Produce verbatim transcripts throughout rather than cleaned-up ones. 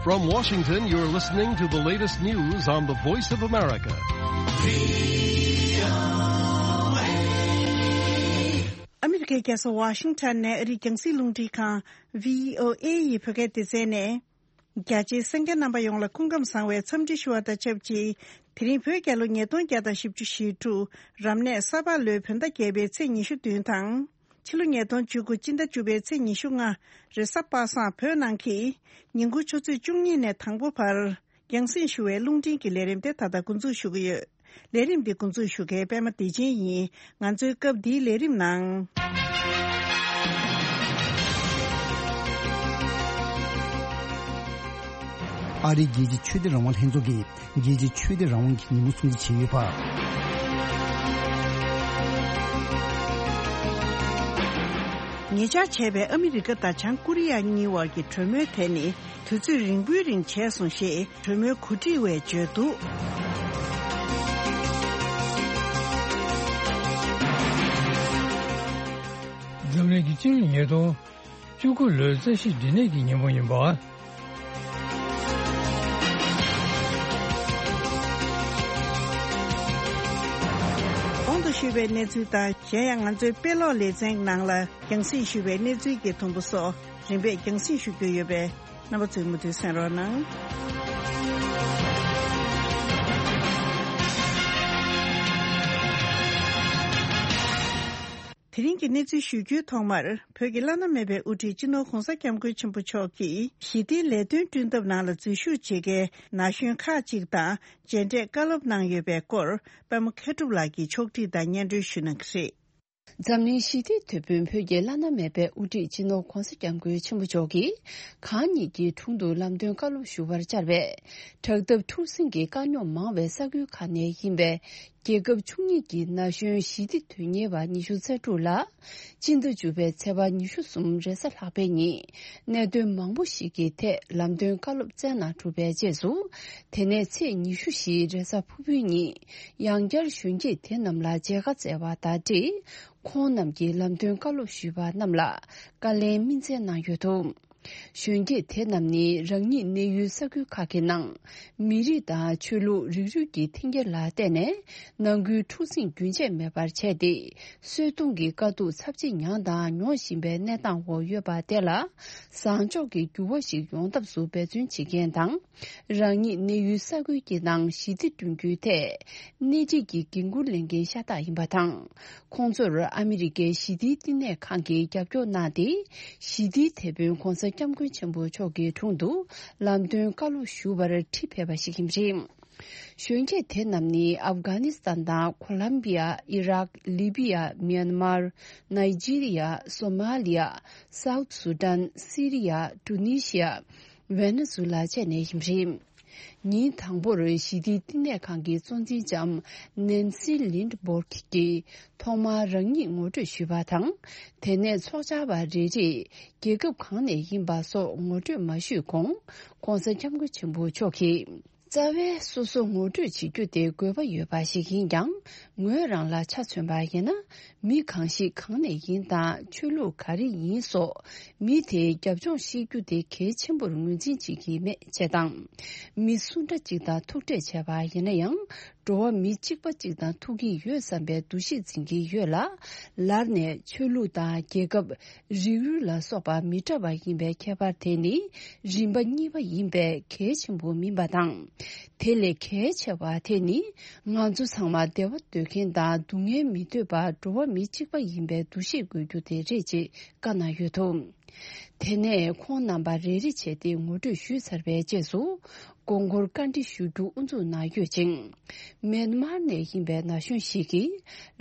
From Washington, you're listening to the latest news on the Voice of America. ཨ་མི་རི་ཀའི་རྒྱལ་ས་ཝ་ཤིང་ཊོན་ནས་ཨ་རིའི་རྒྱང་སྲིང་རླུང་འཕྲིན་ཁང་བྷི་ཨོ་ཨེ་ཡི་བོད་སྐད་སྡེ་ཚན་ནས། རྒྱ་ཆེའི་གསན་མཁན་རྣམ་པ་ཡོངས་ལ་སྐུ་ཁམས་བཟང་བའི་འཚམས་འདྲི་ཞུ་བ་དང་ཆབས་ཅིག་དེ་རིང་བོད་རྒྱལ་ལོ་ཉིས་སྟོང་བརྒྱ་དང་བཞི་བཅུ་ཞེ་དྲུག་རབ་གནས་ས་ཕག་ལོའི་བོད་ཟླ་བརྒྱད་པའི་ཚེས་ཉི་ཤུ་བདུན་དང་། ཕྱི་ལོ་ཉིས་སྟོང་བཅུ་དགུ་སྤྱི་ཟླ་བཅུ་པའི་ཚེས་ཉི་ཤུ་ལྔ་རེས་གཟའ་པ་སངས་བོད་ནང་གི་ཉིན་གུང་ཆུ་ཚོད་བཅུ་གཉིས་ནས་དང་པོ་བར་རྒྱང་སྲིང་ཞུ་བའི་རླུང་འཕྲིན་གྱི་ལས་རིམ་དེ་ད་ལྟ་འགོ་འཛུགས་ཞུ་གི་ཡོད། ལས་རིམ་འདི་འགོ་འཛུགས་ཞུ་མཁན་པད་མ་བདེ་ཆེན་ཡིན། ང་ཚོའི་སྐབས་འདིའི་ལས་རིམ་ནང་། ཨ་རིའི་རྒྱལ་སྤྱིའི་ཆོས་དད་རང་དབང་ལྷན་ཚོགས་ཀྱིས་རྒྱལ་སྤྱིའི་ཆོས་དད་རང་དབང་གི་ཉིན་མོ་སྲུང་བརྩི་བྱས་ཡོད་པ། ཉེ་ཆར་བྱས་པའི་ཨ་མི་རི་ཀ་དང་བྱང་ཀོ་རི་ཡ་གཉིས་དབར་གྱི་གྲོས་མོལ་དེ་ནི། དུས་ཚོད་རིང་པོའི་རིང་བྱས་སོང་ཞེས་གྲོས་མོལ་གོ་སྒྲིག་པས་བརྗོད་འདུག། འཛམ་གླིང་གི་སྤྱི་ལོ་ཉིས་སྟོང་བཅུ་དགུ་ལོའི་རྩ་བཞིའི་འབྲས་ནད་ཀྱི་ཉིན་མོ་ཡིན་པ། གོང་དུ་ཞུས་པའི་གནས་ཚུལ་དང་། གཞན་ཡང་ང་ཚོའི་དཔེ་ཀློག་ལེ་ཚན་ནང་ལ་རྒྱང་སྲིང་ཞུས་པའི་གནས་ཚུལ་གྱི་དུམ་བུ་སོགས་རིམ་པས་རྒྱང་སྲིང་ཞུ་རྒྱུ་ཡོད་པས། རྣམ་པ་ཚོས་མུ་མཐུད་གསན་རོགས་གནང་། དེ་རིང་གི་གནས་ཚུལ་ཞུ་རྒྱུའི་ཐོག་མར། བོད་ཀྱི་བླ་ན་མེད་པའི་དབུ་ཁྲིད་སྤྱི་ནོར་༧གོང་ས་༧སྐྱབས་མགོན་ཆེན་པོ་མཆོག་གིས་ཞི་བདེའི་ལས་དོན་བསྐྲུན་ཐབས་ནང་ལ་འཛུལ་ཞུགས་བྱེད་མཁན་ན་གཞོན་ཁག་ཅིག་དང་མཇལ་འཕྲད་བཀའ་སློབ་གནང་ཡོད་པའི་སྐོར། པད་མ་མཁས་གྲུབ་ལགས་ཀྱིས་ཕྱོགས་བསྒྲིགས་དང་སྙན་སྒྲོན་ཞུ་གནང་གི་རེད། འཛམ་གླིང་ཞི་བདེའི་དེད་དཔོན་བོད་ཀྱི་བླ་ན་མེད་པའི་དབུ་ཁྲིད་སྤྱི་ནོར་༧གོང་ས་༧སྐྱབས་མགོན་ཆེན་པོ་མཆོག་གིས་གང་ཉིད་ཀྱི་དྲུང་དུ་ལམ་སྟོན་བཀའ་སློབ་ཞུ་བར་བཅར་བས། དྲག་འཐབ་འཁྲུག་ཟིང་གི་དཀའ་རྙོག་མང་བའི་ས་ཁུལ་ཁག་ནས་ཡིན་པའི་རྒྱལ་ཁབ་བཅུ་གཉིས་ཀྱི་ན་གཞོན་ཞི་བདེ་དོན་གཉེར་བ་ཉི་ཤུ་རྩ་དྲུག་ལ། སྤྱི་ཟླ་བཅུ་པའི་ཚེས་པ་ཉི་ཤུ་གསུམ་རེས་གཟའ་ལྷག་པའི་ཉིན། གནད་དོན་མང་པོ་ཞིག་གི་ཐད་ལམ་སྟོན་བཀའ་སློབ་སྩལ་གནང་གྲུབ་པའི་རྗེས་སུ། དེ་ནས་ཚེས་ཉི་ཤུ་བཞི་རེས་གཟའ་ཕུར་བུའི་ཉིན། ཡང་བསྐྱར་གཞོན་སྐྱེས་དེ་རྣམས་ལ་མཇལ་ཁ་བསྩལ་བ་དང་འབྲེལ། ཁོང་རྣམས་ཀྱིས་ལམ་སྟོན་བཀའ་སློབ་ཞུས་པ་རྣམས་ལ་བཀའ་ལན་སྨིན་སྩལ་གནང་ཡོད་འདུག། གཞོན་སྐྱེས་དེ་རྣམས་ནི་རང་ཉིད་གནས་ཡུལ་ས་ཁུལ་ཁག་གི་ནང་། མི་རིགས་དང་ཆོས་ལུགས་རིགས་རུས་ཀྱི་འཐེན་འཁྱེར་ལ་བརྟེན་ནས། ནང་ཁུལ་འཁྲུག་ཟིང་རྒྱུན་ཆད་མེད་པར་བྱས་ཏེ། གསོད་གཏོང་གི་དཀའ་སྡུག་ཚབས་ཆེ་མྱངས་དང་མྱོང་བཞིན་པའི་གནས་སྟངས་འོག་ཡོད་པ་དེ་ལ། བཟང་ཕྱོགས་ཀྱི་འགྱུར་བ་ཞིག་ཡོང་ཐབས་སུ་འབད་བརྩོན་བྱེད་མཁན་དང་། རང་ཉིད་གནས་ཡུལ་ས་ཁུལ་གྱི་ནང་ཞི་བདེ་བསྐྲུན་རྒྱུའི་ཐད། སྣེ་ཁྲིད་ཀྱི་འགན་འཁུར་ལེན་མཁན་ཤ་སྟག་ཡིན་པ་དང་། ཁོང་ཚོར་ཨ་མི་རི་ཀའི་ཞི་བདེའི་བསྟི་གནས་ཁང་གིས་རྒྱབ་སྐྱོར་གནང་སྟེ། ཞི་བདེའི་དེད་དཔོན་༧གོང་ས་༧སྐྱབས་མགོན་ཆེན་པོ་མཆོག་གི་དྲུང་དུ་ལམ་སྟོན་བཀའ་སློབ་ཞུ་བར་ཁྲིད་ཕེབས་པ་ཞིག་ཡིན་པ་རེད། གཞོན་སྐྱེས་དེ་རྣམས་ནི་ཨབ་གྷ་ནི་སི་ཐན་དང་ཁོ་ལམ་བི་ཡ། ཨི་རག་ལི་བི་ཡ། མྱན་མར། ནཱི་ཇི་རི་ཡ། སོ་མ་ལི་ཡ། སའུ་ཐི་སུ་ཌན། སི་རི་ཡ། ཀྲུ་ནི་ཤི་ཡ། ཝེ་ནེ་ཛུ་ལ་བཅས་ནས་ཡིན་པ་རེད། ཉིན་དང་པོར་ཞི་བདེའི་བསྟི་གནས་ཁང་གི་གཙོ་འཛིན་ལྕམ་ནན་སི་ལིན་ཌ་སྦོར་གྱིས་ཐོག་མར་རང་ཉིད་ངོ་སྤྲོད་ཞུས་པ་དང་། དེ་ནས་ཚོགས་བཅར་བ་རེ་རེས་རྒྱལ་ཁབ་གང་ནས་ཡིན་པ་སོགས་ངོ་སྤྲོད་མ་ཞུས་གོང་། ྋགོང་ས་ྋསྐྱབས་མགོན་ཆེན་པོ་མཆོག་གིས། རྩ་བའི་སོ་སོ་ངོ་སྤྲོད་བྱེད་རྒྱུ་དེ་དགོས་པ་ཡོད་པ་ཞིག་ཡིན་ཀྱང་། ངོས་རང་ལ་ཆ་མཚོན་པ་ཡིན་ན། མི་གང་ཞིག་གང་ནས་ཡིན་དང་ཆོས་ལུགས་ག་རེ་ཡིན་སོགས། མི་དེའི་རྒྱབ་ལྗོངས་ཤེས་རྒྱུ་དེ་གལ་ཆེན་པོར་ངོས་འཛིན་བྱེད་ཀྱི་མེད་ཅེས་དང་། མི་སུ་འདྲ་གཅིག་དང་ཐུག་འཕྲད་བྱས་པ་ཡིན་ན་ཡང་། འགྲོ་བ་མི་གཅིག་པ་གཅིག་དང་ཐུག་གི་ཡོད་བསམ་པའི་འདུ་ཤེས་འཛིན་གྱི་ཡོད་ལ། ལར་ནས་ཆོས་ལུགས་དང་རྒྱལ་ཁབ། རིགས་རུས་ལ་སོགས་པ་མི་འདྲ་བ་ཡིན་པའི་ཁྱད་པར་དེ་ནི་རིམ་པ་གཉིས་པ་ཡིན་པས་གལ་ཆེན་པོ་མིན་པ་དང་། དེ་ལས་གལ་ཆེ་བ་དེ་ནི་ང་ཚོ་ཚང་མ་བདེ་བ་འདོད་མཁན་དང་སྡུག་བསྔལ་མི་འདོད་པར་འགྲོ་བ་མི་གཅིག་པ་ཡིན་པའི་འདུ་ཤེས་དགོས་རྒྱུ་དེ་རེད་ཅེས་བཀའ་གནང་ཡོད་འདུག། དེ་ནས་ཁོང་རྣམ་པ་རེ་རེ་བྱས་ཏེ་ངོ་སྤྲོད་ཞུས་ཚར་བའི་རྗེས་སུ། དགོངས་སྐོར་བཀའ་འདྲི་ཞུ་རྒྱུ་དབུ་འཛུགས་གནང་ཡོད་ཅིང་། མེན་མར་ནས་ཡིན་པའི་ན་གཞོན་ཞིག་གིས།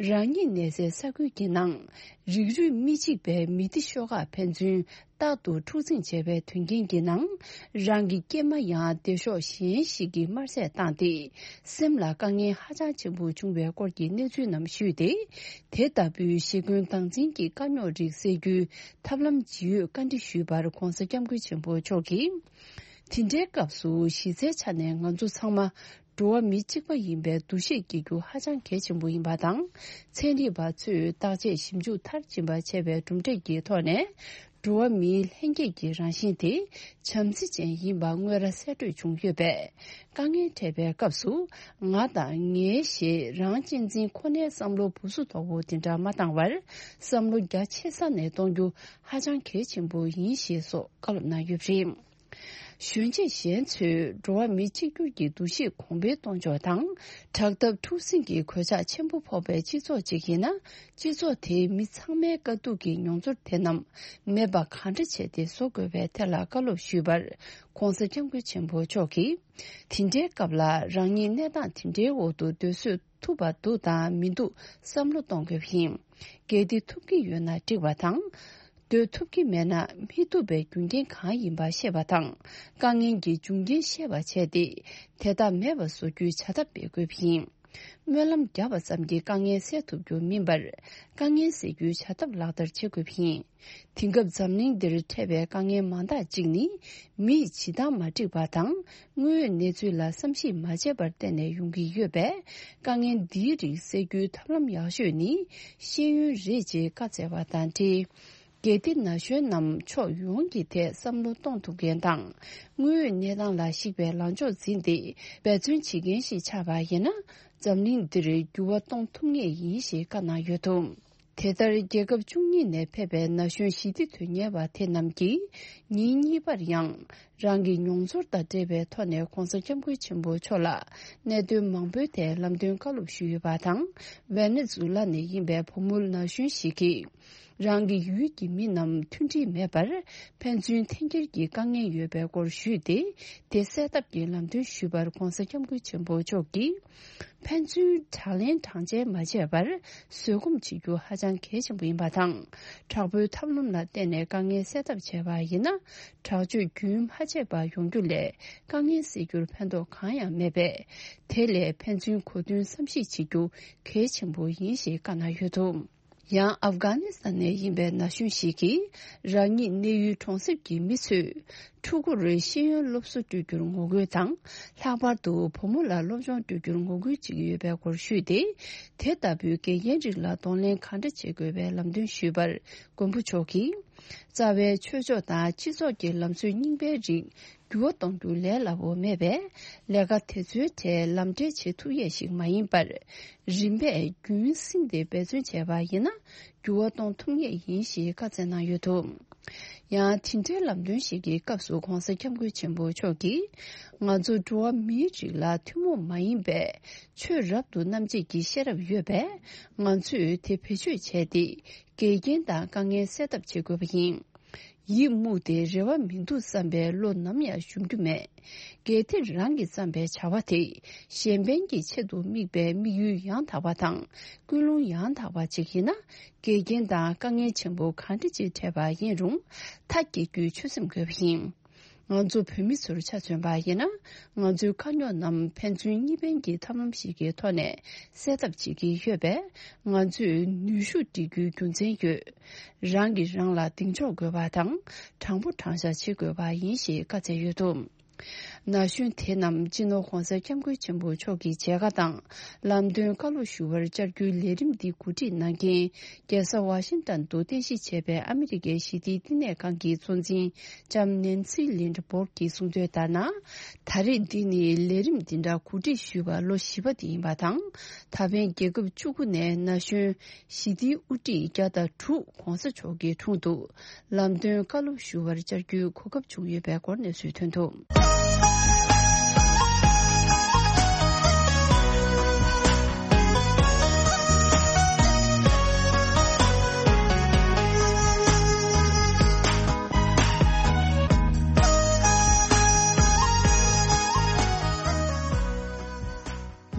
རང་ཉིད་གནས་སའི་ས་ཁུལ་གྱི་ནང་། རིགས་རུས་མི་གཅིག་པའི་མི་སྡེ་ཤོག་ཁག་ཕན་ཚུན་རྟག་ཏུ་འཁྲུག་འཛིང་བྱས་པའི་དོན་རྐྱེན་གྱི་ནང་། རང་གི་སྐྱེས་མ་ཡང་སྡེ་ཤོག་གཞན་ཞིག་གིས་དམར་བསད་བཏང་སྟེ། སེམས་ལ་དཀའ་ངལ་ཧ་ཅང་ཆེན་པོ་བྱུང་བའི་སྐོར་གྱི་གནས་ཚུལ་རྣམས་ཞུས་ཏེ། དེ་ལྟ་བུའི་ཞི་རྒོལ་སྟངས་འཛིན་གྱི་དཀའ་རྙོག་རིགས་སེལ་རྒྱུའི་ཐབས་ལམ་ཇི་ཡོད་བཀའ་འདྲི་ཞུས་པར་༧གོང་ས་༧སྐྱབས་མགོན་ཆེན་པོ་མཆོག་གིས། དེ་འདྲའི་སྐབས་སུ་གཞི་རྩའི་ཆ་ནས་ང་ཚོ་ཚང་མ་འགྲོ་བ་མི་གཅིག་པ་ཡིན་པའི་འདུ་ཤེས་སྐྱེ་རྒྱུ་ཧ་ཅང་གལ་ཆེན་པོ་ཡིན་པ་དང་། ཚན་རིག་པ་ཚོས་བརྟག་དཔྱད་ཞིབ་འཇུག་མཐར་ཕྱིན་པ་བྱས་པའི་གྲུབ་འབྲས་ཀྱི་ཐོག་ནས། འགྲོ་བ་མིའི་ལྷན་སྐྱེས་ཀྱི་རང་བཞིན་དེ་བྱམས་བརྩེ་ཅན་ཡིན་པ་དངོས་ར་གསལ་བཀྲོལ་བྱུང་ཡོད་པས། དཀའ་ངལ་འཕྲད་པའི་སྐབས་སུ་ང་དང་ངའི་ཞེས་རང་གཅེས་འཛིན་ཁོ་ནའི་བསམ་བློ་སྦུ་སུ་དོག་པོ་དེ་འདྲ་མ་བཏང་བར། བསམ་བློ་རྒྱ་ཆེ་ས་ནས་གཏོང་རྒྱུ་ཧ་ཅང་གལ་ཆེན་པོ་ཡིན་ཞེས་སོགས་བཀའ་སློབ་གནང་ཡོད་པ་རེད། གཞོན་སྐྱེས་གཞན་ཚོས་འགྲོ་བ་མི་གཅིག་གྱུར་གྱི་འདུ་ཤེས་གོང་འཕེལ་གཏོང་ཕྱོགས་དང་། དྲག་འཐབ་འཁྲུག་ཟིང་གི་གོད་ཆག་ཆེན་པོ་ཕོག་པའི་སྤྱི་ཚོགས་ཅིག་ཡིན་ན། སྤྱི་ཚོགས་དེའི་མི་ཚང་མའི་དཀའ་སྡུག་གི་མྱོང་ཚོར་དེ་རྣམས་མེད་པ་གང་འདྲ་བྱས་ཏེ་བཟོ་དགོས་པའི་ཐད་ལ་བཀའ་སློབ་ཞུས་པར། ྋགོང་ས་ྋསྐྱབས་མགོན་ཆེན་པོ་མཆོག་གིས། དེ་འདྲའི་སྐབས་ལ་རང་ཉིད་གནས་སྟངས་དེ་འདྲའི་འོག་ཏུ་སྡོད་བཟོད་ཐུབ་པ་འདུག་དང་མི་འདུག་བསམ་བློ་གཏོང་དགོས་པ་ཡིན། གལ་ཏེ་ཐུབ་ཀྱི་ཡོད་ན་འགྲིག་པ་དང་། སྡོད་ཐུབ་ཀྱི་མེད་ན་མི་ཐུབ་པའི་རྒྱུ་རྐྱེན་གང་ཡིན་པ་ཤེས་པ་དང་། དཀའ་ངལ་གྱི་འབྱུང་རྐྱེན་ཤེས་པ་བྱས་ཏེ། དེ་དག་མེད་པ་བཟོ་རྒྱུའི་བྱ་ཐབས་སྤེལ་དགོས་པ་ཡིན། སྨོན་ལམ་བརྒྱབ་པ་ཙམ་གྱིས་དཀའ་ངལ་སེལ་ཐུབ་རྒྱུ་མིན་པར། དཀའ་ངལ་སེལ་རྒྱུའི་བྱ་ཐབས་ལག་བསྟར་བྱེད་དགོས་པ་ཡིན། དེང་སྐབས་འཛམ་གླིང་འདིར་འཕྲད་པའི་དཀའ་ངལ་མང་དག་ཅིག་ནི། མིས་བྱེད་སྟངས་མ་འགྲིག་པ་དང་། དངོས་ཡོད་གནས་ཚུལ་ལ་བསམ་གཞིག་མ་བྱས་པར་བརྟེན་ནས་ཡོང་གི་ཡོད་པས། དཀའ་ངལ་འདིའི་རིགས་སེལ་རྒྱུའི་ཐབས་ལམ་ཡག་ཤོས་ནི་ཤེས་ཡོན་རེད་ཅེས་བཀའ་སྩལ་བ་དང་འབྲེལ། གལ་ཏེ་ན་གཞོན་རྣམས་ཕྱོགས་ཡོངས་ཀྱི་ཐད་བསམ་བློ་གཏོང་ཐུབ་མཁན་དང་། དངོས་ཡོད་གནས་སྟངས་ལ་གཞིགས་པའི་ལངས་ཕྱོགས་འཛིན་ཏེ་འབད་བརྩོན་བྱེད་མཁན་ཞིག་ཆགས་པ་ཡིན་ན། འཛམ་གླིང་འདིར་འགྱུར་བ་གཏོང་ཐུབ་ངེས་ཡིན་ཞེས་བཀའ་གནང་ཡོད་འདུག་དེ་ལྟར་རྒྱལ་ཁབ་བཅུ་གཉིས་ནས་ཕེབས་པའི་ན་གཞོན་ཞི་བདེ་དོན་གཉེར་བ་དེ་རྣམས་ཀྱིས་ཉིན་གཉིས་པར་ཡང་རང་གི་མྱོང་ཚོར་དང་འབྲེལ་བའི་ཐོག་ནས་ྋགོང་ས་ྋསྐྱབས་མགོན་ཆེན་པོ་མཆོག་ལ་གནད་དོན་མང་པོའི་ཐད་ལམ་སྟོན་བཀའ་སློབ་ཞུས་ཡོད་པ་དང་། ཝེ་ནེ་ཛུ་ལ་ནས་ཡིན་པའི་བུ་མོ་ན་གཞོན་ཞིག་གིས། རང་གི་ཡུལ་གྱི་མི་རྣམས་མཐུན་སྒྲིལ་མེད་པར་ཕན་ཚུན་འཐེན་འཁྱེར་གྱི་དཀའ་ངལ་ཡོད་པའི་སྐོར་ཞུས་ཏེ། དེ་སེལ་ཐབས་ཀྱི་ལམ་སྟོན་ཞུས་པར་ྋགོང་ས་ྋསྐྱབས་མགོན་ཆེན་པོ་མཆོག་གིས། ཕན་ཚུན་དྲག་ལན་དྲག་འཇལ་མ་བྱས་པར་བཟོད་སྒོམ་བྱེད་རྒྱུ་ཧ་ཅང་གལ་ཆེན་པོ་ཡིན་པ་དང་། དྲག་པོའི་ཐབས་ལམ་ལ་བརྟེན་ནས་དཀའ་ངལ་སེལ་ཐབས་བྱས་པ་ཡིན་ན། དྲག་སྤྱོད་རྒྱུན་མ་ཆད་པ་ཡོང་རྒྱུ་ལས་དཀའ་ངལ་སེལ་རྒྱུར་ཕན་ཐོགས་གང་ཡང་མེད་པས། དེ་ལས་ཕན་ཚུན་གོ་མཐུན་བསམ་ཤེས་བྱེད་རྒྱུ་གལ་ཆེན་པོ་ཡིན་ཞེས་བཀའ་གནང་ཡོད་འདུག་ཡང་ཨབ་གྷ་ནི་སི་ཐན་ནས་ཡིན་པའི་ན་གཞོན་ཞིག་གིས། རང་ཉིད་གནས་ཡུལ་གྲོང་གསེབ་ཀྱི་མི་ཚོས་ཕྲུ་གུར་ཤེས་ཡོན་སློབ་གསོ་སྤྲོད་རྒྱུར་ངོ་རྒོལ་དང་། ལྷག་པར་དུ་བུ་མོ་ལ་སློབ་སྦྱོང་སྤྲོད་རྒྱུར་ངོ་རྒོལ་བྱེད་ཀྱི་ཡོད་པའི་སྐོར་ཞུས་ཏེ། དེ་ལྟ་བུའི་འགལ་རྐྱེན་རིགས་ལ་གདོང་ལེན་གང་འདྲ་བྱེད་དགོས་པའི་ལམ་སྟོན་ཞུས་པར། མགོན་པོ་མཆོག་གིས། རྩ་བའི་ཆོས་ཕྱོགས་དང་སྤྱི་ཚོགས་ཀྱི་ལམ་སྲོལ་རྙིང་པའི་རིགས། འགྱུར་བ་གཏོང་རྒྱུ་ལས་སླ་པོ་མེད་པས། ལས་ཀ་དེ་ཚོའི་གྲས་ལམ་འབྲས་བྱེད་ཐུབ་ཡས་ཤིག་མ་ཡིན་པར། རིམ་པས་རྒྱུན་བསྲིངས་ཏེ་འབད་བརྩོན་བྱས་པ་ཡིན་ན། འགྱུར་བ་གཏོང་ཐུབ་ངེས་ཡིན་ཞེས་བཀའ་སྩལ་གནང་ཡོད་འདུག་ཡང་དེ་འདྲའི་ལམ་སྟོན་ཞིག་གི་སྐབས་སུ་ྋགོང་ས་ྋསྐྱབས་མགོན་ཆེན་པོ་མཆོག་གིས། ང་ཚོ་འགྲོ་བ་མིའི་རིགས་ལ་ཐུན་མོང་མ་ཡིན་པའི་ཆོས་རབ་ཏུ་རྣམ་འབྱེད་ཀྱི་ཤེས་རབ་ཡོད་པས། ང་ཚོས་དེ་བེད་སྤྱོད་བྱས་ཏེ། འགལ་རྐྱེན་དང་དཀའ་ངལ་སེལ་ཐབས་བྱེད་དགོས་པ་ཡིན། ཡིད་མུག་སྟེ་རེ་བ་མི་འདུག་བསམ་པའི་བློ་ནམ་ཡང་ཞུམ་རྒྱུ་མེད། གལ་ཏེ་རང་གིས་བརྩམས་པའི་བྱ་བ་དེ་གཞན་ཕན་གྱི་ཆེད་དུ་དམིགས་པའི་དམིགས་ཡུལ་ཡང་དག་པ་དང་ཀུན་སློང་ཡང་དག་པ་ཅིག་ཡིན་ན། འགལ་རྐྱེན་དང་དཀའ་ངལ་ཆེན་པོ་གང་འདྲ་ཅིག་འཕྲད་པ་ཡིན་རུང་མཐའ་སྐྱེལ་རྒྱུའི་ཆོད་སེམས་དགོས་པ་ཡིན། ང་ཚོ་བོད་མི་ཚོར་ཆ་མཚོན་པ་ཡིན་ན། ང་ཚོའི་དཀའ་རྙོག་རྣམས་ཕན་ཚུན་གཉིས་ཕན་གྱི་ཐབས་ལམ་ཞིག་གི་ཐོག་ནས་སེལ་ཐབས་བྱེད་ཀྱི་ཡོད་པས། ང་ཚོས་ནུས་ཤུགས་སྒྲིལ་རྒྱུའི་རྒྱུ་མཚན་ཡོད། རང་གིས་རང་ལ་གདེང་འཇོག་དགོས་པ་དང་། དྲང་པོ་དྲང་བཞག་བྱེད་དགོས་པ་ཡིན་ཞེས་བཀའ་སྩལ་ཡོད་འདུག་ན་གཞོན་དེ་རྣམས་སྤྱི་ནོར་༧གོང་ས་༧སྐྱབས་མགོན་ཆེན་པོ་མཆོག་གི་མཇལ་ཁ་དང་ལམ་སྟོན་བཀའ་སློབ་ཞུ་བར་བཅར་རྒྱུའི་ལས་རིམ་འདི་གོ་སྒྲིག་གནང་མཁན། རྒྱལ་ས་ཝ་ཤིང་ཏན་དུ་རྟེན་གཞི་བྱས་པའི་ཨ་མི་རི་ཀའི་ཞི་བདེའི་བསྟི་གནས་ཁང་གི་གཙོ་འཛིན་ལྕམ་ནེན་སི་ལིན་ཌ་སྦོར་གྱིས་གསུངས་དོན་ལྟར་ན། ད་རེས་འདི་ནི་ལས་རིམ་འདི་འདྲ་གོ་སྒྲིག་ཞུས་པ་ལོ་བཞི་པ་དེ་ཡིན་པ་དང་། ད་ཕན་རྒྱལ་ཁབ་བཅུ་དགུ་ནས་ན་གཞོན་ཞི་བདེའི་དབུ་ཁྲིད་བརྒྱ་དང་དྲུག་༧གོང་ས་མཆོག་གི་དྲུང་དུ་ལམ་སྟོན་བཀའ་སློབ་ཞུ་བར་བཅར་རྒྱུའི་གོ་སྐབས་བྱུང་ཡོད་པའི་སྐོར་གནས་ཚུལ་ཐོན་འདུག་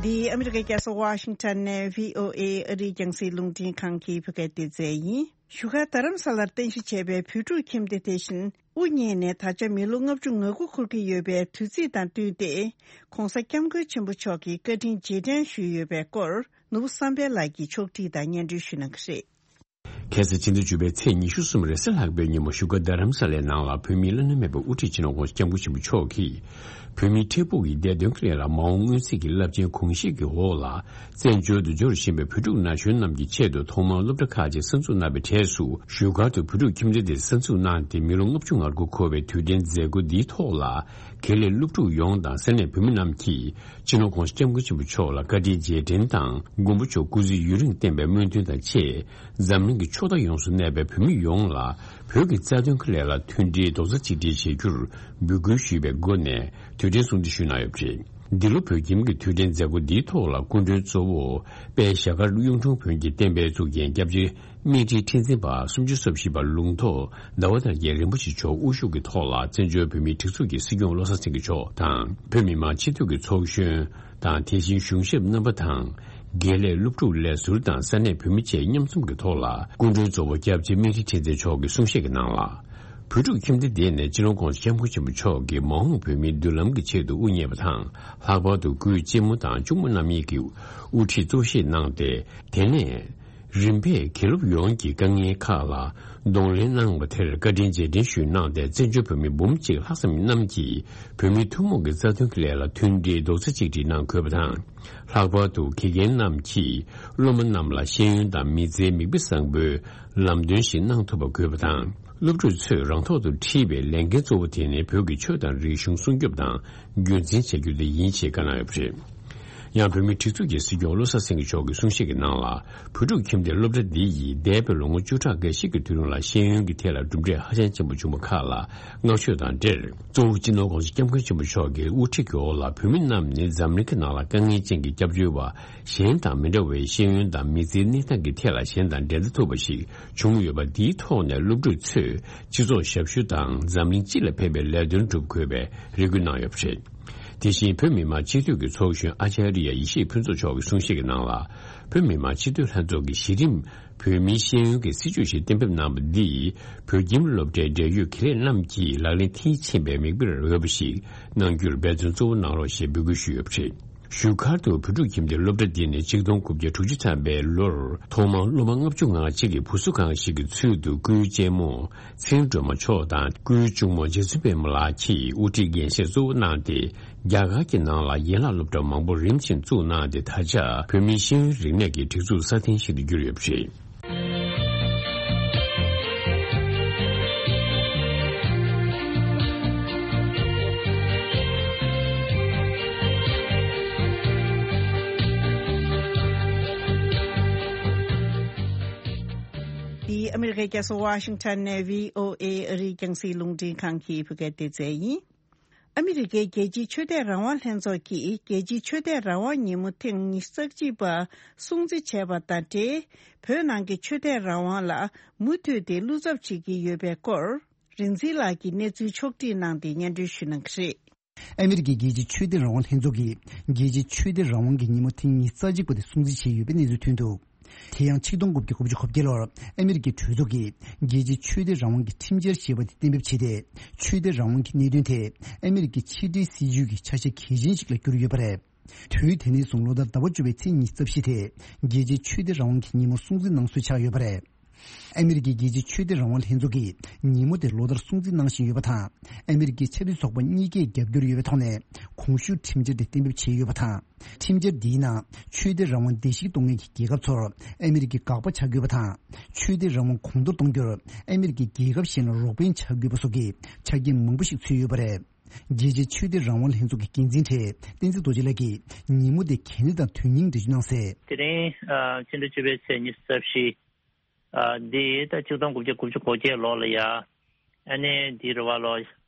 འདི་ཨ་མི་རི་ཀའི་རྒྱལ་ས་ཝ་ཤིང་ཊོན་ནས་བྷི་ཨོ་ཨེ་ཨ་རིའི་རྒྱང་སྲིང་རླུང་འཕྲིན་ཁང་གི་བོད་སྐད་སྡེ་ཚན་ཡིན། བཞུགས་སྒར་རྡ་རམ་ས་ལར་རྟེན་གཞི་བྱས་པའི་བོད་ཕྲུག་ཁྱིམ་སྡེ་དེ་བཞིན་དབུ་བརྙེས་ནས་ད་ཆ་མི་ལོ་ལྔ་བཅུ་ང་དགུ་འཁོར་གྱི་ཡོད་པའི་དུས་ཚིགས་དང་བསྟུན་ཏེ། ྋགོང་ས་ྋསྐྱབས་མགོན་ཆེན་པོ་མཆོག་གི་བཀའ་དྲིན་རྗེས་དྲན་ཞུས་ཡོད་པའི་སྐོར། ནོར་བུ་བསམ་འཕེལ་ལགས་ཀྱིས་ཕྱོགས་བསྒྲིགས་དང་སྙན་སྒྲོན་ཞུ་གནང་གི་རེད། ཁ་སང་ཕྱི་ཟླ་བཅུ་པའི་ཚེས་ཉི་ཤུ་གསུམ་རེས་གཟའ་ལྷག་པའི་ཉིན་མོ་བཞུགས་སྒར་རྡ་རམ་ས་ལའི་ནང་ལ་བོད་མིའི་བླ་ན་མེད་པའི་དབུ་ཁྲིད་སྤྱི་ནོར་༧གོང་ས་༧སྐྱབས་མགོན་ཆེན་པོ་མཆོག་གིས། བོད་མིའི་འཕྲལ་ཕུགས་ཀྱི་བདེ་དོན་གྱི་སླད་ལ་མ་འོངས་མངོན་གསལ་གྱི་རླབས་ཆེན་གོང་བཞེས་ཀྱི་འོག་ལ། བཙན་བྱོལ་དུ་འབྱོར་བཞིན་པའི་བོད་ཕྲུག་ན་གཞོན་རྣམས་ཀྱི་ཆེད་དུ་ཐོག་མར་སློབ་གྲྭ་ཁག་ཅིག་གསར་འཛུགས་གནང་བའི་གྲས་སུ། བཞུགས་སྒར་དུ་བོད་ཕྲུག་ཁྱིམ་སྡེ་དེ་གསར་འཛུགས་གནང་སྟེ། མི་ལོ་ལྔ་བཅུ་ང་དགུ་འཁོར་བའི་དུས་དྲན་མཛད་སྒོ་འདིའི་ཐོག་ལ། དགེ་ལས་སློབ་ཕྲུག་ཡོངས་དང་ས་གནས་བོད་མི་རྣམས་ཀྱིས། སྤྱི་ནོར་༧གོང་ས་༧སྐྱབས་མགོན་ཆེན་པོ་མཆོག་ལ་བཀའ་དྲིན་རྗེས་དྲན་དང་། མགོན་པོ་མཆོག་སྐུ་ཚེ་ཡུན་རིང་བརྟན་པའི་སྨོན་འདུན་དང་བཅས། འཛམ་གླིང་གི་ཕྱོགས་མཐའ་ཡོངས་སུ་གནས་པའི་བོད་མི་ཡོངས་ལ། བོད་ཀྱི་རྩ་དོན་གྱི་སླད་ལ་མཐུན་སྒྲིལ་རྡོག་རྩ་གཅིག་སྒྲིལ་བྱེད་རྒྱུར་འབོད་སྐུལ་ཞུས་པའི་སྒོ་ནས་དུས་དྲན་སྲུང་བརྩི་ཞུས་གནང་ཡོད་པ་རེད། འདི་ལོ་བོད་ཁྱིམ་གྱི་དུས་དྲན་མཛད་སྒོ་འདིའི་ཐོག་ལ་སྐུ་མགྲོན་གཙོ་བོ་དཔལ་ཞྭ་དཀར་གཡུང་དྲུང་བོན་གྱི་བསྟན་པའི་གཙུག་རྒྱན་སྐྱབས་རྗེ་སྨིན་གྲོལ་ཁྲི་འཛིན་པ་སུམ་ཅུ་སོ་བཞི་པ་ལུང་རྟོགས་ཟླ་བ་དར་རྒྱས་རིན་པོ་ཆེ་མཆོག་དབུ་བཞུགས་ཀྱི་ཐོག་ལ། བཙན་བྱོལ་བོད་མིའི་སྒྲིག་འཛུགས་ཀྱི་སྲིད་སྐྱོང་བློ་བཟང་སེང་གེ་མཆོག་དང་། བོད་མི་མང་སྤྱི་འཐུས་ཀྱི་ཚོགས་གཞོན་དང་། དེ་བཞིན་གཞུང་ཞབས་རྣམ་པ་དང་། དགེ་ལས་སློབ་ཕྲུག་ལས་ཟུར་དང་ས་གནས་བོད་མི་བཅས་མཉམ་འཛོམས་ཀྱི་ཐོག་ལ། སྐུ་མགྲོན་གཙོ་བོ་སྐྱབས་རྗེ་སྨིན་གྲོལ་ཁྲི་འཛིན་མཆོག་གིས་གསུང་བཤད་ཀྱི་ནང་ལ། བོད་ཕྲུག་ཁྱིམ་སྡེ་འདི་ནི་སྤྱི་ནོར་༧གོང་ས་༧སྐྱབས་མགོན་ཆེན་པོ་མཆོག་གིས་མ་འོངས་བོད་མིའི་མདུན་ལམ་གྱི་ཆེད་དུ་དབུ་བརྙེས་པ་དང་། ལྷག་པར་དུ་སྐུའི་གཅེན་མོ་དང་གཅུང་མོ་རྣམ་གཉིས་ཀྱིས་དབུ་ཁྲིད་གཙོ་བཞེས་གནང་སྟེ། དེ་ནས། རིམ་པས་དགེ་སློབ་ཡོངས་ཀྱིས་དཀའ་ངལ་ཁག་ལ་གདོང་ལེན་གནང་བ་དེར་བཀའ་དྲིན་རྗེས་དྲན་ཞུས་གནང་སྟེ། བཙན་བྱོལ་བོད་མི་འབུམ་གཅིག་ལྷག་ཙམ་རྣམས་ཀྱིས་བོད་མིའི་ཐུན་མོང་གི་རྩ་དོན་གྱི་ལས་ལ་མཐུན་སྒྲིལ་རྡོག་རྩ་གཅིག་སྒྲིལ་གནང་དགོས་པ་དང་། ལྷག་པར་དུ་དགེ་རྒན་རྣམས་ཀྱིས་སློབ་མ་རྣམས་ལ་ཤེས་ཡོན་དང་མི་ཚེའི་མིག་དཔེ་བཟང་པོའི་ལམ་སྟོན་ཞིག་གནང་ཐུབ་པ་དགོས་པ་དང་། སློབ་ཕྲུག་ཚོས་རང་ཐོག་ཏུ་ཁྲིད་པའི་ལས་འགན་གཙོ་བོ་དེ་ནི་བོད་ཀྱི་ཆོས་དང་རིག་གཞུང་སྲུང་སྐྱོབ་དང་རྒྱུན་འཛིན་བྱ་རྒྱུ་དེ་ཡིན་ཞེས་བཀའ་གནང་ཡོད་པ་རེད། ཡང་བོད་མིའི་སྒྲིག་འཛུགས་ཀྱི་སྲིད་སྐྱོང་བློ་བཟང་སེང་གེ་མཆོག་གིས་གསུང་བཤད་ཀྱི་ནང་ལ། བོད་ཕྲུག་ཁྱིམ་སྡེ་སློབ་གྲྭ་འདི་ཡིས་འདས་པའི་ལོ་ངོ་བཅུ་ཕྲག་འགའ་ཞིག་གི་དུས་རིང་ལ་ཤེས་ཡོན་གྱི་ཐད་ལ་གྲུབ་འབྲས་ཧ་ཅང་ཆེན་པོ་བྱུང་བ་ཁག་ལ་བསྔགས་བརྗོད་དང་འབྲེལ། གཙོ་བོ་སྤྱི་ནོར་༧གོང་ས་༧སྐྱབས་མགོན་ཆེན་པོ་མཆོག་གི་དབུ་ཁྲིད་ཀྱི་འོག་ལ། བོད་མི་རྣམས་ནི་འཛམ་གླིང་གི་ནང་ལ་དཀའ་ངལ་ཅན་གྱི་སྐྱབས་བཅོལ་བ་གཞན་དང་མི་འདྲ་བའི་ཤེས་ཡོན་དང་མི་ཚེའི་གནས་སྟངས་ཀྱི་ཐད་ལ་གཞན་དང་འགྲན་ཟླ་ཐུབ་པ་ཞིག་བྱུང་ཡོད་པ། འདིའི་ཐོག་ནས་སློབ་ཕྲུག་ཚོས་སྤྱི་ཚོགས་ཞབས་ཞུ་དང་འཛམ་གླིང་སྤྱི་ལ་ཕན་པའི་ལས་དོན་སྒྲུབ་དགོས་པའི་རེ་སྐུལ་གནང་ཡོད་པ་རེད། དེ་བཞིན་བོད་མི་མང་སྤྱི་འཐུས་ཀྱི་ཚོགས་གཞོན་ཨ་ཅཱ་རི་ཡ་ཡེ་ཤེས་ཕུན་ཚོགས་མཆོག་གིས་གསུང་བཤད་ཀྱི་ནང་ལ། བོད་མི་མང་སྤྱི་འཐུས་ལྷན་ཚོགས་ཀྱིས་གཞི་རིམ་བོད་མིའི་ཤེས་ཡོན་གྱི་སྲིད་བྱུས་ཤིག་གཏན་འབེབས་གནང་བ་འདིས། བོད་ཁྱིམ་སློབ་གྲྭའི་འབྲེལ་ཡོད་དགེ་ལས་རྣམས་ཀྱིས་ལག་ལེན་མཐིལ་ཕྱིན་པའི་མིག་དཔེར་འོས་པ་ཞིག་གནང་རྒྱུར་འབད་བརྩོན་གཙོ་བོ་གནང་རོགས་ཞེས་འབོད་སྐུལ་ཞུས་ཡོད་པ་རེད། བཞུགས་སྒར་དུ་བོད་ཕྲུག་ཁྱིམ་སྡེ་སློབ་གྲྭ་འདི་ནི་ཆིག་སྟོང་དགུ་བརྒྱ་དྲུག་ཅུ་ཐམ་པའི་ལོར་ཐོག་མར་སློབ་མ་ལྔ་བཅུ་ང་གཅིག་གི་བུ་གསོ་ཁང་ཞིག་གི་ཚུལ་དུ། སྐུའི་གཅེན་མོ་ཚེ་རིང་སྒྲོལ་མ་མཆོག་དང་། སྐུའི་གཅུང་མོ་རྗེ་བཙུན་པད་མ་ལགས་ཀྱིས་དབུ་ཁྲིད་འགན་བཞེས་གཙོ་བོ་གནང་སྟེ། རྒྱ་གར་གྱི་ནང་ལ་ཡན་ལག་སློབ་གྲྭ་མང་པོ་རིམ་བཞིན་བཙུགས་གནང་སྟེ། ད་ཆ་བོད་མིའི་ཤེས་ཡོན་རིག་གནས་ཀྱི་སྒྲིག་འཛུགས་སྲ་བརྟན་ཞིག་ཏུ་གྱུར་ཡོད་པ་རེད། འདི་ཨ་མི་རི་ཀའི་རྒྱལ་ས་ཝ་ཤིང་ཊོན་ནས་བྷི་ཨོ་ཨེ་ཨ་རིའི་རྒྱང་སྲིང་རླུང་འཕྲིན་ཁང་གི་བོད་སྐད་སྡེ་ཚན་ཡིན། ཨ་མི་རི་ཀའི་རྒྱལ་སྤྱིའི་ཆོས་དད་རང་དབང་ལྷན་ཚོགས་ཀྱིས་རྒྱལ་སྤྱིའི་ཆོས་དད་རང་དབང་ཉིན་མོ་ཐེངས་ཉི་ཤུ་རྩ་གཅིག་པ་སྲུང་བརྩི་བྱས་པ་དང་འབྲེལ། བོད་ནང་གི་ཆོས་དད་རང་དབང་ལ་མུ་མཐུད་དེ་བློ་འཚབ་བྱེད་ཀྱི་ཡོད་པའི་སྐོར། རིག་འཛིན་ལགས་ཀྱིས་གནས་ཚུལ་ཕྱོགས་བསྒྲིགས་གནང་སྟེ་སྙན་སྒྲོན་ཞུ་གནང་གི་རེད། ཨ་མི་རི་ཀའི་རྒྱལ་སྤྱིའི་ཆོས་དད་རང་དབང་ལྷན་ཚོགས་ཀྱིས་རྒྱལ་སྤྱིའི་ཆོས་དད་རང་དབང་གི་ཉིན་མོ་ཐེངས་ཉི་ཤུ་རྩ་གཅིག་པ་དེ་སྲུང་བརྩི་བྱས་ཡོད་པའི་གནས་ཚུལ་ཐོན་འདུག་དེ་ཡང་ཆིག་སྟོང་དགུ་བརྒྱ་དགུ་བཅུ་གོ་བརྒྱད་ལོར་ཨ་མི་རི་ཀའི་གྲོས་ཚོགས་ཀྱིས་རྒྱལ་སྤྱིའི་ཆོས་དད་རང་དབང་གི་ཁྲིམས་འཆར་ཞེས་པ་དེ་གཏན་འབེབས་བྱས་ཏེ། ཆོས་དད་རང་དབང་གི་གནད་དོན་དེ་ཨ་མི་རི་ཀའི་ཕྱི་འབྲེལ་སྲིད་ཇུས་ཀྱི་ཆ་ཤས་གལ་ཆེན་ཞིག་ལ་གྱུར་ཡོད་པ་རེད། དུས་དེ་ནས་བཟུང་ལོ་ལྟར་ཟླ་བ་བཅུ་པའི་ཚེས་ཉི་ཤུ་རྩ་བཞི་དེ་རྒྱལ་སྤྱིའི་ཆོས་དད་རང་དབང་གི་ཉིན་མོ་སྲུང་བརྩི་གནང་སྲོལ་ཆགས་ཡོད་པ་རེད། ཨ་མི་རི་ཀའི་རྒྱལ་སྤྱིའི་ཆོས་དད་རང་དབང་ལྷན་ཚོགས་ཀྱིས་ཉིན་མོ་དེ་ལོ་ལྟར་སྲུང་བརྩི་གནང་བཞིན་ཡོད་པ་དང་། ཨ་མི་རི་ཀའི་ཆབ་སྲིད་ཚོགས་པ་གཉིས་ཀས་རྒྱབ་སྐྱོར་ཡོད་པའི་ཐོག་ནས་གོང་ཞུས་ཁྲིམས་འཆར་དེ་གཏན་འབེབས་བྱས་ཡོད་པ་དང་། ཁྲིམས་འཆར་འདིའི་ནང་ཆོས་དད་རང་དབང་བརྡལ་བཤིག་གཏོང་མཁན་གྱི་རྒྱལ་ཁབ་ཚོར་ཨ་མི་རི་ཀའི་དགག་པ་བྱ་དགོས་པ་དང་། ཆོས་དད་རང་དབང་གོང་མཐོར་གཏོང་རྒྱུར་ཨ་མི་རི་ཀས་རྒྱལ་ཁབ་གཞན་ལ་རོགས་ཕན་བྱ་དགོས་པ་སོགས་ཀྱི་ཆ་རྐྱེན་མང་པོ་ཞིག་ཚུད་ཡོད་པ་རེད། རྒྱལ་སྤྱིའི་ཆོས་དད་རང་དབང་ལྷན་ཚོགས་ཀྱི་འགན་འཛིན་གྲས་བསྟན་འཛིན་རྡོ་རྗེ་ལགས་ཀྱིས་ཉིན་མོ་དེ་གལ་གནད་དང་དོན་སྙིང་འགྲེལ་བརྗོད་གནང་གསལ། དེ་རིང་ཕྱི་ཟླ་བཅུ་པའི་ཚེས་ཉི་ཤུ་རྩ་བཞི། ཨ། འདི་ད་ཆིག་སྟོང་དགུ་བརྒྱ་དགུ་བཅུ་གོ་བརྒྱད་ལོ་ལ་ཡ། ཨ་ནི་འདི་རེད་བ་ལོ།